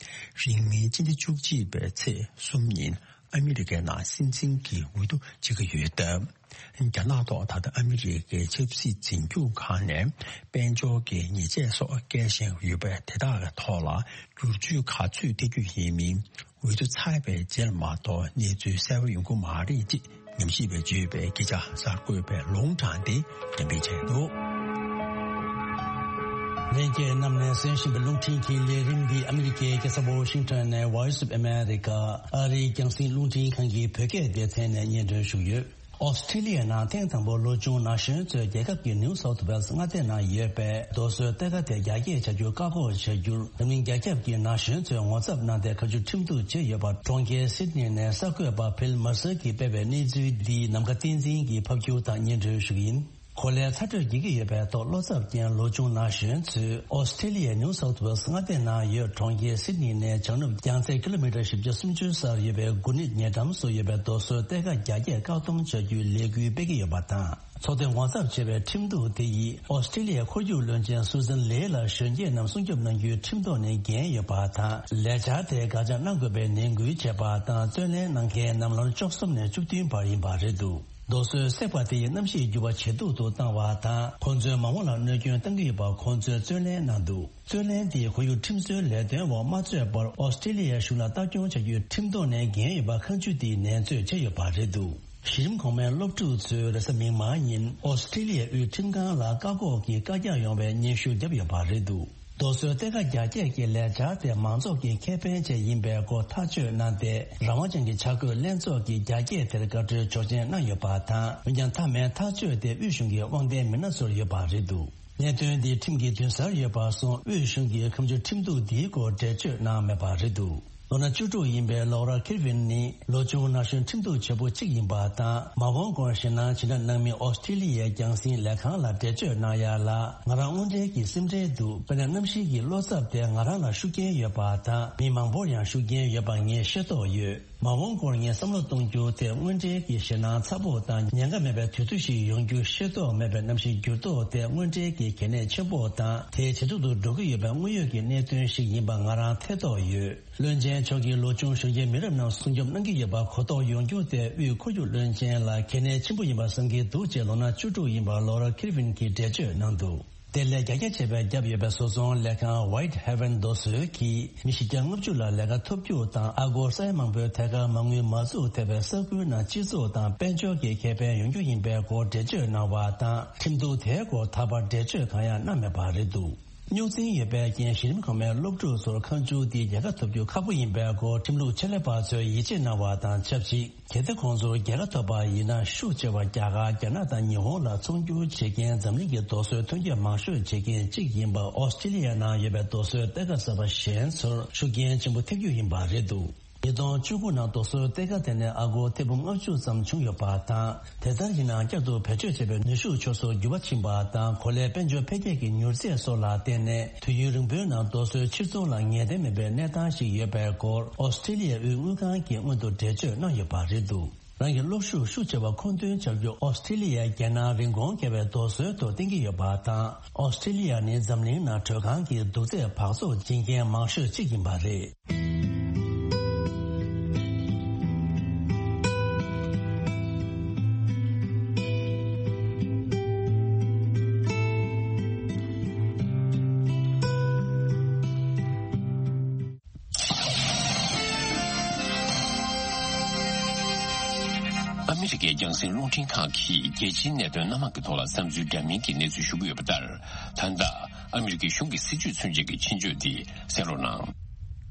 རིང་མིན་སྤྱི་ཟླ་བཅུ་གཅིག་པའི་ཚེས་གསུམ་ཉིན་ཨ་མི་རི་ཀའི་ནང་སྲིད་འཛིན་གྱི་འོས་བསྡུ་བྱེད་ཀྱི་ཡོད་སྟབས། རྒྱ་ནག་ཐོག་ད་ལྟ་ཨ་མི་རི་ཀའི་ཆབ་སྲིད་འཛིན་སྐྱོང་ཁང་ནས་དཔལ་འབྱོར་གྱི་ཉེས་ཆད་སོགས་བཀལ་བཞིན་ཡོད་པའི་དེ་དག་གི་ཐོག་ལ་བསྒྱུར་བཅོས་ག་ཚོད་ཐེབས་རྒྱུ་ཡིན་མིན། འོས་བསྡུ་ཚར་བའི་རྗེས་ལ་མ་གཏོགས་གནས་ཚུལ་གསལ་པོ་ཡོང་གི་མ་རེད་ཅེས་ཉམས་ཞིབ་པས་བརྗོད་པའི་སྐད་ཆ་གསར་འགོད་པས་ལུང་དྲངས་ཏེ་འགྲེམས་སྤེལ་བྱས་འདུག། ལྷན་རྒྱས་རྣམས་ནས་གསན་བཞིན་པའི་རླུང་འཕྲིན་གྱི་ལས་རིམ་འདི་ཨ་མི་རི་ཀའི་རྒྱལ་ས་ཝ་ཤིང་ཊོན་ནས་Voice of America ཨ་རིའི་རྒྱང་སྲིང་རླུང་འཕྲིན་ཁང་གི་བོད་སྐད་སྡེ་ཚན་ནས་སྙན་སྒྲོན་ཞུས་ཡོད། ཨོ་སི་ཁྲི་ལི་ཡའི་ནང་ཐེངས་དང་པོ་ལོ་ཆུང་ན་གཞོན་ཚོས་རྒྱལ་ཁབ་ཀྱི་ནིའུ་སའུཐ་ཝེལ་སི་མངའ་སྡེ་ནང་ཡོད་པའི་རྡོ་སོལ་གཏེར་ཁ་དེ་རྒྱ་སྐྱེད་བྱ་རྒྱུར་བཀག་འགོག་བྱ་རྒྱུར། འཛམ་གླིང་རྒྱ་ཁྱབ་ཀྱི་ན་གཞོན་ཚོས་ངོ་ཚབ་གནང་སྟེ་ཁ་མཆུ་ཁྲིམས་གཏུག་བྱས་ཡོད་པ། གྲོང་ཁྱེར་སིད་ནི་ནས་གསར་འགོད་པ་ཕིལ་མར་སར་གྱིས་སྤེལ་བའི་གནས་ཚུལ་འདི་ནམ་མཁའ་བསྟན་འཛིན་གྱིས་ཕབ་སྒྱུར་དང་སྙན་སྒྲོན་ཞུ་གི་ཡིན། གོ་ལའི་ཚ་དྲོད་རྒྱས་ཀྱི་ཡོད་པའི་ཐོག་བློ་འཚབ་ཅན་ལོ་ཆུང་ན་གཞོན་ཚོས་ཨོ་སི་ཁྲི་ལི་ཡའི་ནིའུ་སའུཐ་ཝེལ་སི་མངའ་སྡེ་ནང་ཡོད་གྲོང་ཁྱེར་སིད་ནི་ནས་བྱང་ནུབ་རྒྱང་ཚད་ཀི་ལོ་མི་ཊར་བཞི་བརྒྱ་སུམ་ཅུ་སར་ཡོད་པའི་དགུ་ནི་ཉེ་འགྲམ་སུ་ཡོད་པའི་རྡོ་སོལ་གཏེར་ཁ་རྒྱ་སྐྱེད་བཀག་སྡོམ་བྱ་རྒྱུའི་ལས་འགུལ་སྤེལ་གྱི་ཡོད་པ་དང་། ཚོགས་འདུས་ངོ་ཚབ་བྱས་པའི་ཁྲིམས་གཏུག་དེ་ཡིས་ཨོ་སི་ཁྲི་ལི་ཡའི་ཁོར་ཡུག་བློན་ཆེན་སུ་ཛན་ལེ་ལ་གཞོན་སྐྱེས་རྣམས་སྲུང་སྐྱོབ་གནང་རྒྱུའི་ཁྲིམས་ཐོག་ནས་འགན་ཡོད་པ་དང་། ལས་འཆར་དེ་དགག་བྱ་གནང་དགོས་པའི་ནན་སྐུལ་བྱས་པ་དང་། རྩོད་ལེན་གནང་མཁན་རྣམས་ལོ་ན་བཅུ་གསུམ་ནས་བཅུ་བདུན་བར་ཡིན་པ་རེད་འདུག་རྡོ་སོལ་བསྲེགས་པ་དེ་ཡིས་གནམ་གཤིས་འགྱུར་བ་ཇེ་སྡུག་ཏུ་བཏང་བ་དང་། ཁོ་ཚོའི་མ་འོངས་ལ་གནོད་སྐྱོན་གཏང་གི་ཡོད་པ་ཁོ་ཚོས་རྩོད་ལེན་གནང་འདུག་རྩོད་ལེན་དེས་ཁོར་ཡུག་ཁྲིམས་སྲོལ་ལས་དོན་འོག་མ་རྩོད་པར་ཨོ་སི་ཁྲི་ལི་ཡའི་གཞུང་ལ་ལྟ་སྐྱོང་བྱ་རྒྱུའི་ཁྲིམས་ཐོག་ནས་འགན་ཡོད་པ་ཁ་མཆུ་དེས་ནན་བརྗོད་བྱས་ཡོད་པ་རེད་འདུག་གཞི་རིམ་གོང་མའི་སློབ་ཕྲུག་ཚོས་རེས་གཟའ་མིག་དམར་ཉིན་ཨོ་སི་ཁྲི་ལི་ཡའི་དབུས་ཁྲིམས་ཁང་ལ་བཀག་འགོག་གི་བཀའ་རྒྱ་ཡོང་བའི་སྙན་ཞུ་བརྒྱབ་ཡོད་པ་རེད་འདུག་རྡོ་སོལ་གཏེར་ཁ་རྒྱ་སྐྱེད་ཀྱི་ལས་འཆར་དེ་མང་ཚོགས་ཀྱི་ཁེ་ཕན་ཆེད་ཡིན་པའི་སྐོར་ཐག་གཅོད་གནང་སྟེ། རང་དབང་ཅན་གྱི་བྱ་རྒོད་ལྷན་ཚོགས་ཀྱིས་རྒྱ་སྐྱེད་དེར་བཀའ་འཁྲོལ་ཆོག་མཆན་གནང་ཡོད་པ་དང་། འོན་ཀྱང་མཐའ་མའི་ཐག་གཅོད་དེ་དབུས་གཞུང་གི་དབང་ལྡན་མི་སྣ་ཚོར་ཡོད་པ་རེད་འདུག་གནད་དོན་འདི་ཁྲིམས་ཀྱི་མདུན་སར་ཡོད་པར་སོང་། དབུས་གཞུང་གིས་ཁ་མཆུ་ཁྲིམས་གཏུག་འདིའི་སྐོར་འགྲེལ་བརྗོད་གནང་མེད་པ་རེད་འདུག་ལོ་ན་བཅུ་དྲུག་ཡིན་པའི་ལོ་ར་ཁེར་ཝིན་ནི་ལོ་ཆུང་ན་གཞོན་ཁྲིམས་གཏུག་བྱེད་པོ་གཅིག་ཡིན་པ་དང་། མ་འོངས་སྐོར་ཞེད་སྣང་ཇི་འདྲ་གནང་མིན་ཨོ་སི་ཁྲི་ལི་ཡའི་རྒྱང་སྲིང་ལས་ཁང་ལ་འགྲེལ་བརྗོད་གནང་ཡ་ལ། ང་རང་དངོས་འབྲེལ་གྱི་སེམས་ཁྲལ་འདུག་དཔེར་ན་གནམ་གཤིས་ཀྱི་བློ་འཚབ་དེ་ང་རང་ལ་ཤུགས་རྐྱེན་ཡོད་པ་དང་། མི་མང་པོར་ཡང་ཤུགས་རྐྱེན་ཡོད་པ་ངས་ཤེས་རྟོགས་ཡོད། མ་འོངས་སྐོར་ངས་བསམ་བློ་གཏོང་རྒྱུ་དེ་དངོས་འབྲེལ་གྱི་ཞེད་སྣང་ཚ་པོ་དང་། ཉེན་ཁ་མེད་པའི་དུས་ཚོད་ཞིག་ཡོང་རྒྱུ་ཤེས་རྟོགས་མེད་པའི་གནམ་གཤིས་འགྱུར་ལྡོག་དེ་དངོས་འབྲེལ་གྱི་གལ་གནད་ཆེན་པོ་དང་། དེའི་ཇེ་སྡུག་ཏུ་འགྲོ་གི་ཡོད་པའི་དངོས་ཡོད་ཀྱི་གནད་དོན་ཞིག་ཡིན་པ་ང་རང་ཐེ་གཏོགས་ཡོད། བློན་ཆེན་མཆོག་གིས་ལོ་ཆུང་གཞོན་སྐྱེས་མི་རབས་རྣམས་སྲུང་སྐྱོབ་གནང་གི་ཡོད་པ་གོ་རྟོགས་ཡོང་རྒྱུ་དེ་དབུས་ཁོར་ཡུག་བློན་ཆེན་ལ་གལ་གནད་ཆེན་པོ་ཡིན་པ་བསམ་གྱི་འདུག་ཅེས་ལོ་ན་བཅུ་དྲུག་ཡིན་པ་ལོ་ར་ཁིར་ཝིན་གྱིས་འགྲེལ་བརྗོད་གནང་འདུག་དེ་ལས་རྒྱ་རྒྱ་ཆེ་བའི་རྒྱབ་ཡོད་པའི་བཟོ་ཚོང་ལས་ཁང་White Heaven རྡོ་སོལ་གྱིས་མི་བཞི་བརྒྱ་ལྔ་བཅུ་ལ་ལས་ཀ་ཐོབ་རྒྱུ་དང་། ཨ་སྒོར་ས་ཡ་མང་པོའི་ཐད་ཀར་མ་དངུལ་མ་འཛུགས་ཐུབ་པའི་ས་ཁུལ་ནང་སྤྱི་ཚོགས་དང་དཔལ་འབྱོར་གྱི་ཁེ་ཕན་ཡོང་རྒྱུ་ཡིན་པའི་སྐོར་འགྲེལ་བརྗོད་གནང་བ་དང་། ཁྲིམས་གཏུག་དེའི་སྐོར་ད་བར་འགྲེལ་བརྗོད་གང་ཡང་གནང་མེད་པ་རེད་འདུག་རྙོག་འཛིང་ཡོད་པའི་རྐྱེན་གཞི་རིམ་གོང་མའི་སློབ་ཕྲུག་ཚོར་ཁ་མཆུ་འདི་རྒྱལ་ཁ་ཐོབ་རྒྱུ་ཁག་པོ་ཡིན་པའི་སྐོར་ཁྲིམས་ལུགས་ཆེད་ལས་པ་ཚོས་ཡིད་ཆེས་གནང་བ་དང་ཆབས་ཅིག་གལ་ཏེ་ཁོང་ཚོར་རྒྱལ་ཁ་ཐོབ་པ་ཡིན་ན། ཤུགས་ཆེ་བ་རྒྱ་གར། རྒྱ་ནག་དང་ཉི་ཧོང་ལ་ཚོང་སྒྱུར་བྱེད་མཁན་འཛམ་གླིང་གི་རྡོ་སོལ་ཐོན་སྐྱེད་མང་ཤོས་བྱེད་མཁན་གཅིག་ཡིན་པ། ཨོ་སི་ཀྲི་ལི་ཡ་ནང་ཡོད་པའི་རྡོ་སོལ་གཏེར་ཁ་གསར་པ་གཞན་ཚོར་ཤུགས་རྐྱེན་ཆེན་པོ་ཐེབས་རྒྱུ་ཡིན་པ་རེད་འདུག་ཉིས་སྟོང་བཅུ་དགུ་ནང་རྡོ་སོལ་གཏེར་ཁ་དེ་ནས་ཨ་སྒོར་ཐེར་འབུམ་ལྔ་བཅུ་ཙམ་བྱུང་ཡོད་པ་དང་། དེ་ལྟར་ཡིན་ནའང་བསྐྱར་དུ་བེད་སྤྱོད་བྱེད་པའི་ནུས་ཤུགས་ཆུད་ཟོས་འགྱུར་བ་ཕྱིན་པ་དང་། གོ་ལའི་དཔལ་འབྱོར་འཕེལ་རྒྱས་ཀྱི་མྱུར་ཚད་སོགས་ལ་བརྟེན་ནས་དུས་ཡུན་རིང་པོའི་ནང་རྡོ་སོལ་ཕྱིར་ཚོང་ལ་ངེས་གཏན་མེད་པའི་གནས་སྟངས་ཤིག་ཡོད་པའི་སྐོར་ཨོ་སི་ཀྲི་ལི་ཡའི་དབུས་དངུལ་ཁང་གིས་སྔོན་དུ་འགྲེལ་བརྗོད་གནང་ཡོད་པ་རེད་འདུག་རང་གི་གློག་ཤུགས་ཤུགས་ཆེ་བ་མཁོ་འདོན་བྱ་རྒྱུ་ཨོ་སི་ཀྲི་ལི་ཡས་རྒྱལ་ནང་རིན་གོང་བརྒལ་བའི་རྡོ་སོལ་དུ་བརྟེན་གྱི་ཡོད་པ་དང་། ཨོ་སི་ཀྲི་ལི་ཡ་ནི་འཛམ་གླིང་ནང་དྲོད་ཁང་གི་དུག་རྫས་འབག་བཙོག་བྱེད་མཁན་མང་ཤོས་གཅིག་ཡིན་པ་རེད། ཨ་མི་རི་ཀའི་རྒྱང་སྲིང་རླུང་འཕྲིན་ཁང་གིས་རྒྱལ་སྤྱིའི་གནད་དོན་སྣ་མང་གི་ཐོག་ལ་བསམ་ཚུལ་འདྲ་མིན་གྱི་གནས་ཚུལ་ཞུ་གི་ཡོད་པ་ལྟར། ད་ལྟ་ཨ་མི་རི་ཀའི་གཞུང་གི་སྲིད་བྱུས་ཚུན་ཆད་ཀྱི་ཆེད་བརྗོད་འདི་གསན་རོགས་གནང་།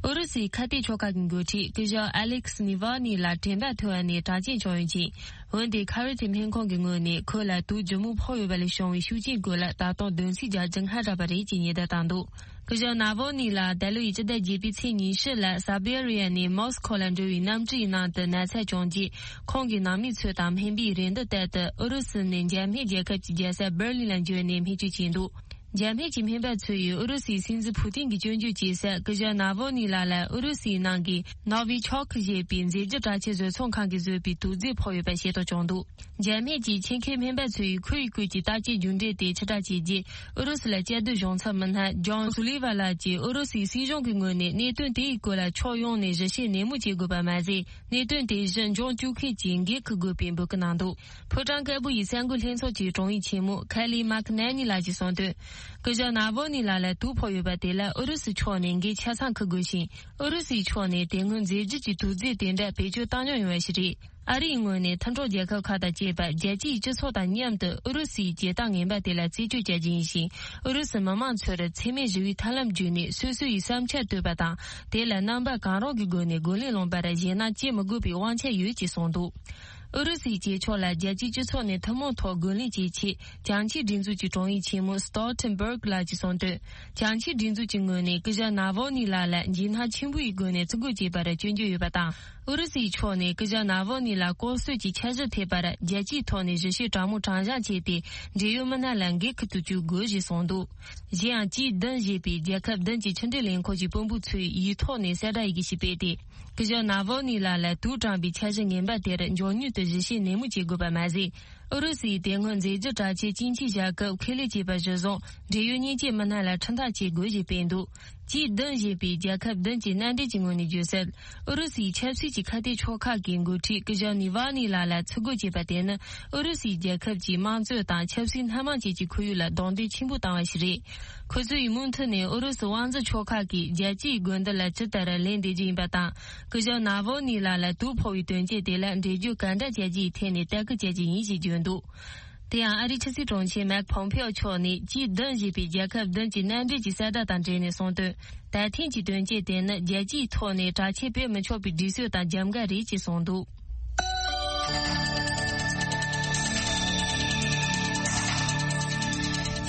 ཨུ་རུ་སུའི་ཁ་གཏད་ཕྱོགས་ཁག་གི་འགོ་ཁྲིད་སྐུ་ཞབས་ཨ་ལེག་སི་ནི་ཝ་ནི་ལ་དྲན་པ་ཐོར་བ་ནས་དྲག་སྐྱེད་བྱུང་ཡོད་ཅིང་། འོན་ཏེ་ཁ་རི་ཐི་སྨན་ཁང་གི་ངོས་ནས་ཁོ་ལ་དུག་ལྗིད་མོ་ཕོག་ཡོད་པ་ལས་བྱུང་བའི་ཤུགས་རྐྱེན་སྐོར་ལ་ད་དུང་བསྡོམས་རྩིས་རྒྱག་རྒྱུ་སྔ་དྲགས་པ་རེད་ཅེས་ཉེན་བརྡ་བཏང་འདུག་སྐུ་ཞབས་ནཱ་ཝོ་ནི་ལ་ད་ལོའི་སྤྱི་ཟླ་བརྒྱད་པའི་ཚེས་ཉི་ཤུ་ལ་སཱ་བྷི་རི་ཡ་ནས་མོ་སི་ཁོ་ལ་འགྲོ་བའི་གནམ་གྲུའི་ནང་དུ་ན་ཚ་བྱུང་རྗེས། ཁོང་གི་ནང་མི་ཚོ་དང་སྨན་པའི་རེ་འདུན་ལྟར་དུ་ཨུ་རུ་སུ་ནས་འཇར་མན་རྒྱལ་ཁབ་ཀྱི་རྒྱལ་ས་སྦེར་ལིན་ལ་འབྱོར་ནས་སྨན་བཅོས་བྱས་འདུག་འཇར་མན་གྱི་སྨན་པ་ཚོ་ཡིས་ཨུ་རུ་སུའི་སྲིད་འཛིན་ཕུ་ཏིན་གྱི་སྐྱོན་བརྗོད་བྱེད་སར། སྐུ་ཞབས་ནཱ་ཝོ་ནི་ལགས་ལ་ཨུ་རུ་སུའི་ནང་གི་ནོ་ཝི་ཆོག་ཞེས་པའི་མཛེས་སྡུག་དྲག་ཆས་བཟོ་ཚོང་ཁང་གིས་བཟོས་པའི་དུག་རྫས་ཕོག་ཡོད་པ་ཤེས་རྟོགས་བྱུང་འདུག་འཇར་མན་གྱི་ཆེད་མཁས་སྨན་པ་ཚོ་ཡིས་ཁོའི་སྐོར་གྱི་བརྟག་དཔྱད་རྒྱུ་འབྲས་དེ་ཕྱིར་བསྒྲགས་བྱས་རྗེས། ཨུ་རུ་སུ་ལ་གཅིག་སྡུད་གཞུང་ཚབ་མི་སྣ་ཇོན་སུ་ལི་ཝ་ལགས་ཀྱིས་ཨུ་རུ་སུའི་སྲིད་གཞུང་གི་ངོས་ནས་གནད་དོན་དེའི་སྐོར་ལ་ཕྱོགས་ཡོངས་ནས་ཞིབ་བཤེར་ནན་མོ་བྱེད་དགོས་པ་མ་ཟད། གནད་དོན་དེ་གཞི་འབྱུང་བཅོས་མཁན་གྱིས་འགན་འཁུར་དགོས་པའི་འབོད་སྐུལ་གནང་འདུག་ཕོ་བྲང་དཀར་པོ་ཡི་གསར་འགོད་ལྷན་ཚོགས་ཀྱི་དྲུང་ཡིག་ཆེན་མོ་ཁ་ལི་མཱ་ཁི་ནན་ནི་ལགས་ཀྱིས་གསུངས་དོན། སྐུ་ཞབས་ནཱ་ཝོ་ནི་ལགས་ལ་དུག་ཕོག་ཡོད་པ་དེ་ལ་ཨུ་རུ་སུའི་ཕྱོགས་ནས་འགན་ཆ་ཚང་འཁུར་དགོས་ཤིང་། ཨུ་རུ་སུའི་ཕྱོགས་ནས་དེ་སྔོན་མཛེས་སྡུག་གི་དུག་རྫས་དེ་འདྲ་བེད་སྤྱོད་བཏང་མྱོང་ཡོད་པ་ཞིག་རེད། ཨ་རིའི་ངོས་ནས་མཐུན་གྲོགས་རྒྱལ་ཁབ་ཁག་དང་བཅས་པ་རྒྱལ་སྤྱིའི་སྤྱི་ཚོགས་དང་མཉམ་དུ་ཨུ་རུ་སུའི་བྱེད་སྟངས་ངན་པ་དེ་ལ་རྩད་གཅོད་བྱ་རྒྱུ་ཡིན་ཞིང་། ཨུ་རུ་སུ་མི་དམངས་ཚོར་འཚེ་མེད་ཞི་བའི་ཐབས་ལམ་བརྒྱུད་ནས་སོ་སོ་ཡི་བསམ་འཆར་བཏོན་པ་དང་། དེ་ལ་རྣམ་པ་གང་རུང་གི་སྒོ་ནས་རྒོལ་ལན་སློང་པར་ཞེད་སྣང་སྐྱེ་མི་དགོས་པའི་དབང་ཆ་ཡོད་ཅེས་གསུངས་འདུག་ཨུ་རུ་སུའི་བྱེད་ཕྱོགས་ལ་རྒྱལ་སྤྱིའི་སྤྱི་ཚོགས་ནས་ཐུན་མོང་ཐོག་རྒོལ་ལན་བྱེད་ཆེད་བྱང་ཆིངས་སྒྲིག་འཛུགས་ཀྱི་དྲུང་ཡིག་ཆེན་མོ་སི་ཏོལ་ཐེན་སྦུར་ག་ལགས་ཀྱིས་གསུངས་དོན། བྱང་ཆིངས་སྒྲིག་འཛུགས་ཀྱི་ངོས་ནས་སྐུ་ཞབས་ནཱ་ཝོ་ནི་ལགས་ལ་འཇིགས་སྣང་ཆེན་པོ་ཡི་སྒོ་ནས་བཙུགས་འགོག་བྱས་པར་སྐྱོན་བརྗོད་ཡོད་པ་དང་། ཨུ་རུ་སུའི་ཕྱོགས་ནས་སྐུ་ཞབས་ནཱ་ཝོ་ནི་ལགས་ལྐོག་གསོད་ཀྱི་འཆར་གཞི་ཐེབས་པར་རྒྱལ་སྤྱིའི་ཐོག་ནས་ཞིབ་བཤེར་དྲང་མོ་དྲང་བཞག་བྱས་ཏེ། འབྲེལ་ཡོད་མི་སྣ་ལ་འགན་འཁུར་དུ་བཅུག་དགོས་ཞེས་གསུངས་འདུག་གཞན་ཡང་ཅི་བདུན་ཞེས་པའི་རྒྱལ་ཁབ་བདུན་གྱི་ཕྱི་འབྲེལ་ལས་ཁུངས་ཀྱི་དཔོན་པོ་ཚོས་ཡིག་ཐོག་ནས་གསལ་བསྒྲགས་ཡི་གེ་ཞིག་སྤེལ་ཏེ། སྐུ་ཞབས་ནཱ་ཝོ་ནི་ལགས་ལ་དུག་དྲངས་པའི་འཆར་གཞི་ངན་པ་དེར་མགྱོགས་མྱུར་དུ་ཞིབ་བཤེར་ནན་མོ་བྱེད་དགོས་པ་མ་ཟད། ཨུ་རུ་སུའི་དེ་སྔོན་མཛེས་སྡུག་དྲག་ཆས་སྐྱིན་ཆའི་བཞག་སྐབས་ཁས་ལེན་བྱས་པ་གཞིར་བཟུང་། འབྲེལ་ཡོད་མཉེན་ཆས་མི་སྣ་ལ་ཁྲིམས་ཐག་བཅད་དགོས་ཞེས་སྤེལ་འདུག་ཅི་བདུན་ཞེས་པའི་རྒྱལ་ཁབ་བདུན་གྱི་མནའ་འབྲེལ་གྱི་ངོས་ནས་བརྗོད་གསལ། ཨུ་རུ་སུའི་ཆབ་སྲིད་ཀྱི་ཁ་གཏད་ཕྱོགས་ཁག་གི་འགོ་ཁྲིད་སྐུ་ཞབས་ནི་ཝ་ནི་ལགས་ལ་ཚུར་རྒོལ་བྱས་པ་དེ་ནི། ཨུ་རུ་སུའི་རྒྱལ་ཁབ་ཀྱི་དམངས་གཙོ་དང་ཆབ་སྲིད་སྣ་མང་ཅན་གྱི་ཁོར་ཡུག་ལ་རྡུང་རྡེག་ཆེན་པོ་བཏང་བ་ཞིག་རེད། ཁོ་ཚོ་ཡིས་མུ་མཐུད་ནས་ཨུ་རུ་སུ་དབང་འཛིན་ཕྱོགས་ཁག་གིས་རྒྱལ་སྤྱིའི་དགོས་འདུན་ལ་ཇི་ལྟར་ལན་འདེབས་རྒྱུ་ཡིན་པ་དང་། སྐུ་ཞབས་ནཱ་ཝོ་ནི་ལགས་ལ་དུག་ཕོག་པའི་དོན་རྐྱེན་དེ་ལ་འགྲེལ་བརྗོད་ག་འདྲ་བྱ་རྒྱུའི་ཐད་ནས་ལྟ་སྐུལ་བྱ་རྒྱུ་ཡིན་ཞེས་བརྗོད་འདུག་དེ་ཡང་ཨ་རིའི་ཕྱི་སྲིད་དྲུང་ཆེ་མེག་ཕོམ་ཕེའོ་མཆོག་ནས་ཅི་བདུན་ཞེས་པའི་རྒྱལ་ཁབ་བདུན་གྱི་མནའ་འབྲེལ་གྱི་གསལ་བསྒྲགས་དང་འབྲེལ་ནས་གསུངས་དོན། ད་ཐེངས་ཀྱི་དོན་རྐྱེན་དེ་ནི་རྒྱལ་སྤྱིའི་ཐོག་ནས་དྲག་ཆས་སྤེལ་མི་ཆོག་པའི་སྒྲིག་སྲོལ་དང་རྒྱབ་འགལ་རེད་ཅེས་གསུངས་འདུག་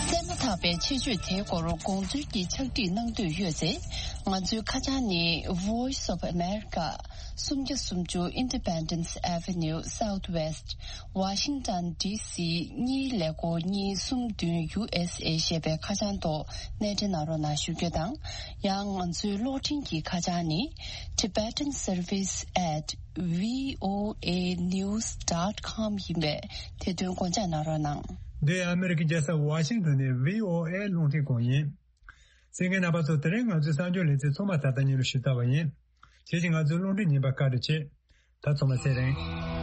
གསན་མ་ཐག་པའི་ཆེད་བརྗོད་དེའི་སྐོར་དགོངས་ཚུལ་གྱི་ཕྱག་བྲིས་གནང་འདོད་ཡོད་ཚེ། ང་ཚོའི་ཁ་བྱང་ནི་Voice of America། སུམ་བརྒྱ་སུམ་ཅུ་Independence Avenue Southwest Washington D C གཉིས་ཀླད་ཀོར་གཉིས་གསུམ་བདུན་U S A ཞེས་པའི་ཁ་བྱང་ཐོག་གནས་འབྲེལ་གནང་རོགས་གནང་ཞུ་རྒྱུ་དང་། ཡང་ང་ཚོའི་གློག་འཕྲིན་གྱི་ཁ་བྱང་ནི། Tibetan Service at V O A news dot com ཡིན་པས། དེ་དོན་དགོངས་འཇགས་གནང་རོགས་གནང་། འདི་ཨ་མེ་རི་ཀའི་རྒྱལ་ས་ཝ་ཤིང་ཏོན་ནས་V O A རླུང་འཕྲིན་ཁང་ཡིན། གསན་མཁན་རྣམ་པ་ཚོ། དེ་རིང་ང་ཚོའི་གསར་འགྱུར་ལེ་ཚན་ཚང་མ་ད་ལྟ་ཉིན་རུ་ཞུ་ཚར་བ་ཡིན། ཁྱེད་ཀྱིས་ང་ཚོའི་རླུང་འཕྲིན་རྙིང་པ་བཀའ་འདྲི་བྱེད། ད་ཚང་མ་ཚེ་རིང་།